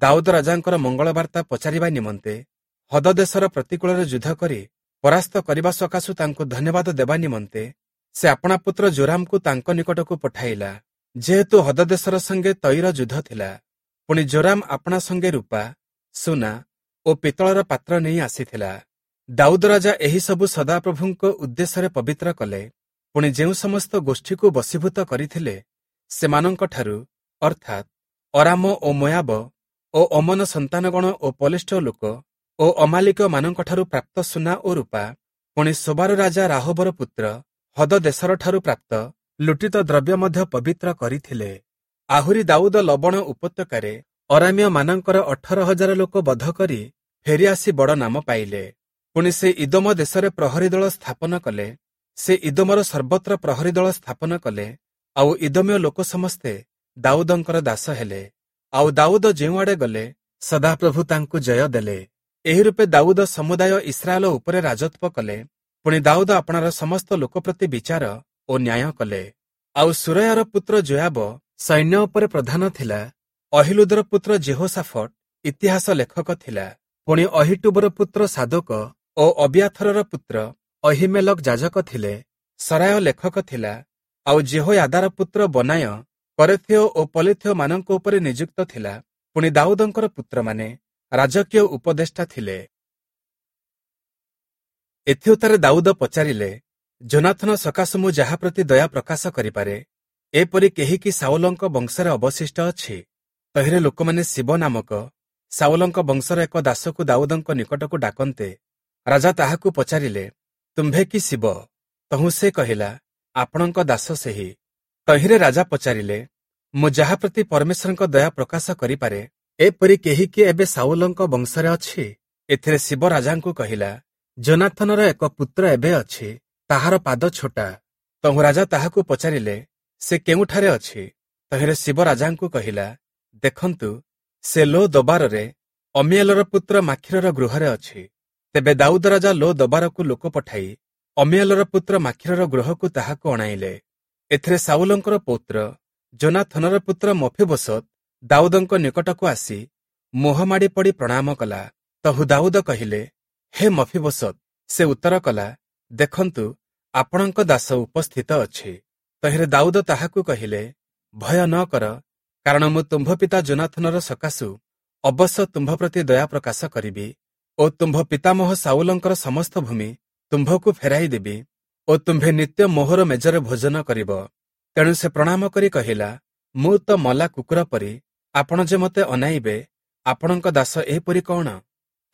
ଦାଉଦ ରାଜାଙ୍କର ମଙ୍ଗଳବାର୍ତ୍ତା ପଚାରିବା ନିମନ୍ତେ ହଦଦେଶର ପ୍ରତିକୂଳରେ ଯୁଦ୍ଧ କରି ପରାସ୍ତ କରିବା ସକାଶୁ ତାଙ୍କୁ ଧନ୍ୟବାଦ ଦେବା ନିମନ୍ତେ ସେ ଆପଣା ପୁତ୍ର ଜୋରାମକୁ ତାଙ୍କ ନିକଟକୁ ପଠାଇଲା। ଯେହେତୁ ହଦଦେଶର ସଙ୍ଗେ ତଇର ଯୁଦ୍ଧ ଥିଲା। ପୁଣି ଜୋରାମ ଆପଣା ସଙ୍ଗେ ରୂପା, ସୁନା ଓ ପିତ୍ତଳର ପାତ୍ର ନେଇ ଆସିଥିଲା। ଦାଉଦ ରାଜା ଏହିସବୁ ସଦାପ୍ରଭୁଙ୍କ ଉଦ୍ଦେଶ୍ୟରେ ପବିତ୍ର କଲେ। ପୁଣି ଯେଉଁ ସମସ୍ତ ଗୋଷ୍ଠୀକୁ ବଶୀଭୂତ କରିଥିଲେ, ସେମାନଙ୍କଠାରୁ ଅର୍ଥାତ୍ ଅରାମ ଓ ମୋୟାବ ଓ ଅମନ ସନ୍ତାନଗଣ ଓ ପଲେଷ୍ଟ ଲୋକ ଓ ଅମାଲିକମାନଙ୍କଠାରୁ ପ୍ରାପ୍ତ ସୁନା ଓ ରୂପା, ପୁଣି ସୋବାର ରାଜା ରାହବର ପୁତ୍ର ହଦଦେଶରଠାରୁ ପ୍ରାପ୍ତ ଲୁଟିତ ଦ୍ରବ୍ୟ ମଧ୍ୟ ପବିତ୍ର କରିଥିଲେ। ଆହୁରି ଦାଉଦ ଲବଣ ଉପତ୍ୟକାରେ ଅରାମୀୟମାନଙ୍କର ଅଠର ହଜାର ଲୋକ ବଧ କରି ଫେରିଆସି ବଡ଼ ନାମ ପାଇଲେ। ପୁଣି ସେ ଇଦୋମ ଦେଶରେ ପ୍ରହରୀ ଦଳ ସ୍ଥାପନ କଲେ। ସେ ଇଦୋମର ସର୍ବତ୍ର ପ୍ରହରୀ ଦଳ ସ୍ଥାପନ କଲେ। ଆଉ ଇଦୋମୀୟ ଲୋକ ସମସ୍ତେ ଦାଉଦଙ୍କର ଦାସ ହେଲେ। ଆଉ ଦାଉଦ ଯେଉଁଆଡ଼େ ଗଲେ, ସଦାପ୍ରଭୁ ତାଙ୍କୁ ଜୟ ଦେଲେ। ଏହି ରୂପେ ଦାଉଦ ସମୁଦାୟ ଇସ୍ରାଏଲ ଉପରେ ରାଜତ୍ୱ କଲେ। ପୁଣି ଦାଉଦ ଆପଣାର ସମସ୍ତ ଲୋକ ପ୍ରତି ବିଚାର ଓ ନ୍ୟାୟ କଲେ। ଆଉ ସୁରୟାର ପୁତ୍ର ଯୋୟାବ ସୈନ୍ୟ ଉପରେ ପ୍ରଧାନ ଥିଲା। ଅହିଲୁଦର ପୁତ୍ର ଜେହୋଶାଫଟ ଇତିହାସ ଲେଖକ ଥିଲା। ପୁଣି ଅହିଟୁବର ପୁତ୍ର ସାଦୋକ ଓ ଅବିୟାଥରର ପୁତ୍ର ଅହିମେଲକ ଯାଜକ ଥିଲେ। ସରାୟ ଲେଖକ ଥିଲା। ଆଉ ଜେହୋୟାଦାର ପୁତ୍ର ବନାୟ କରେଥୀୟ ଓ ପଲେଥୀୟମାନଙ୍କ ଉପରେ ନିଯୁକ୍ତ ଥିଲା। ପୁଣି ଦାଉଦଙ୍କର ପୁତ୍ରମାନେ ରାଜକୀୟ ଉପଦେଷ୍ଟା ଥିଲେ। ଏଥିଉତ୍ତାରେ ଦାଉଦ ପଚାରିଲେ, ଯୋନାଥନ ସକାଶୁ ମୁଁ ଯାହା ପ୍ରତି ଦୟା ପ୍ରକାଶ କରିପାରେ, ଏପରି କେହି କି ସାଉଲଙ୍କ ବଂଶରେ ଅବଶିଷ୍ଟ ଅଛି? ତହିଁରେ ଲୋକମାନେ ଶିବ ନାମକ ସାଉଲଙ୍କ ବଂଶର ଏକ ଦାସକୁ ଦାଉଦଙ୍କ ନିକଟକୁ ଡାକନ୍ତେ, ରାଜା ତାହାକୁ ପଚାରିଲେ, ତୁମ୍ଭେ କି ଶିବ? ତହୁଁ ସେ କହିଲା, ଆପଣଙ୍କ ଦାସ ସେହି। ତହିଁରେ ରାଜା ପଚାରିଲେ, ମୁଁ ଯାହା ପ୍ରତି ପରମେଶ୍ୱରଙ୍କ ଦୟା ପ୍ରକାଶ କରିପାରେ, ଏପରି କେହି କି ଏବେ ସାଉଲଙ୍କ ବଂଶରେ ଅଛି? ଏଥିରେ ଶିବ ରାଜାଙ୍କୁ କହିଲା, ଯୋନାଥନର ଏକ ପୁତ୍ର ଏବେ ଅଛି, ତାହାର ପାଦ ଛୋଟା। ତହୁଁ ରାଜା ତାହାକୁ ପଚାରିଲେ, ସେ କେଉଁଠାରେ ଅଛି? ତହିଁରେ ଶିବ ରାଜାଙ୍କୁ କହିଲା, ଦେଖନ୍ତୁ, ସେ ଲୋ ଦବାରରେ ଅମିଏଲର ପୁତ୍ର ମାଖିରର ଗୃହରେ ଅଛି। ତେବେ ଦାଉଦ ରାଜା ଲୋ ଦବାରକୁ ଲୋକ ପଠାଇ ଅମିଏଲର ପୁତ୍ର ମାଖିରର ଗୃହକୁ ତାହାକୁ ଅଣାଇଲେ। ଏଥିରେ ସାଉଲଙ୍କର ପୌତ୍ର ଯୋନାଥନର ପୁତ୍ର ମଫିବୋଶତ ଦାଉଦଙ୍କ ନିକଟକୁ ଆସି ମୁହଁ ମାଡ଼ି ପଡ଼ି ପ୍ରଣାମ କଲା। ତହୁ ଦାଉଦ କହିଲେ, ହେ ମଫିବୋଶତ। ସେ ଉତ୍ତର କଲା, ଦେଖନ୍ତୁ, ଆପଣଙ୍କ ଦାସ ଉପସ୍ଥିତ ଅଛି। ତହିଁରେ ଦାଉଦ ତାହାକୁ କହିଲେ, ଭୟ ନ କର, କାରଣ ମୁଁ ତୁମ୍ଭ ପିତା ଯୋନାଥନର ସକାଶୁ ଅବଶ୍ୟ ତୁମ୍ଭ ପ୍ରତି ଦୟା ପ୍ରକାଶ କରିବି ଓ ତୁମ୍ଭ ପିତାମହ ସାଉଲଙ୍କର ସମସ୍ତ ଭୂମି ତୁମ୍ଭକୁ ଫେରାଇ ଦେବି ଓ ତୁମ୍ଭେ ନିତ୍ୟ ମୋହର ମେଜରେ ଭୋଜନ କରିବ। ତେଣୁ ସେ ପ୍ରଣାମ କରି କହିଲା, ମୁଁ ତ ମଲା କୁକୁର ପରି, ଆପଣ ଯେ ମୋତେ ଅନାଇବେ, ଆପଣଙ୍କ ଦାସ ଏହିପରି କଣ?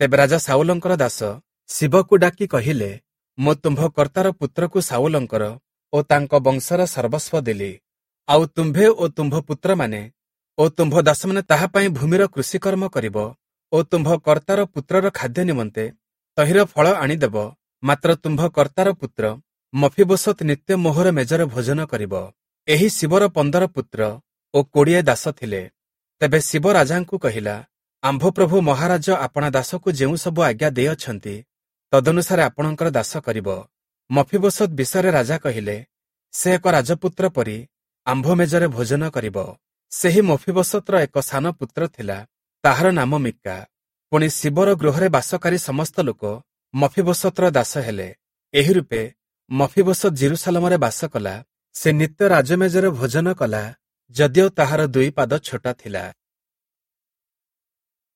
ତେବେ ରାଜା ସାଉଲଙ୍କର ଦାସ ଶିବକୁ ଡାକି କହିଲେ, ମୁଁ ତୁମ୍ଭ କର୍ତ୍ତାର ପୁତ୍ରକୁ ସାଉଲଙ୍କର ଓ ତାଙ୍କ ବଂଶର ସର୍ବସ୍ୱ ଦେଲି। ଆଉ ତୁମ୍ଭେ ଓ ତୁମ୍ଭ ପୁତ୍ରମାନେ ଓ ତୁମ୍ଭ ଦାସମାନେ ତାହା ପାଇଁ ଭୂମିର କୃଷିକର୍ମ କରିବ ଓ ତୁମ୍ଭ କର୍ତ୍ତାର ପୁତ୍ରର ଖାଦ୍ୟ ନିମନ୍ତେ ତହିଁର ଫଳ ଆଣିଦେବ, ମାତ୍ର ତୁମ୍ଭ କର୍ତ୍ତାର ପୁତ୍ର ମଫିବୋଶତ୍ ନିତ୍ୟ ମୋହର ମେଜରେ ଭୋଜନ କରିବ। ଏହି ଶିବର ପନ୍ଦର ପୁତ୍ର ଓ କୋଡ଼ିଏ ଦାସ ଥିଲେ। ତେବେ ଶିବ ରାଜାଙ୍କୁ କହିଲା, ଆମ୍ଭ ପ୍ରଭୁ ମହାରାଜ ଆପଣା ଦାସକୁ ଯେଉଁ ସବୁ ଆଜ୍ଞା ଦେଇଅଛନ୍ତି, ତଦନୁସାରେ ଆପଣଙ୍କର ଦାସ କରିବ। ମଫିବୋଶତ୍ ବିଷୟରେ ରାଜା କହିଲେ, ସେ ଏକ ରାଜପୁତ୍ର ପରି ଆମ୍ଭ ମେଜରେ ଭୋଜନ କରିବ। ସେହି ମଫିବୋଶତ୍ର ଏକ ସାନ ପୁତ୍ର ଥିଲା, ତାହାର ନାମ ମିକା। ପୁଣି ଶିବର ଗୃହରେ ବାସକାରୀ ସମସ୍ତ ଲୋକ ମଫିବୋଶତ୍ର ଦାସ ହେଲେ। ଏହି ରୂପେ ମଫିବୋଶତ୍ ଯିରୂଶାଲମରେ ବାସ କଲା। ସେ ନିତ୍ୟ ରାଜମେଜରେ ଭୋଜନ କଲା, ଯଦିଓ ତାହାର ଦୁଇ ପାଦ ଛୋଟା ଥିଲା।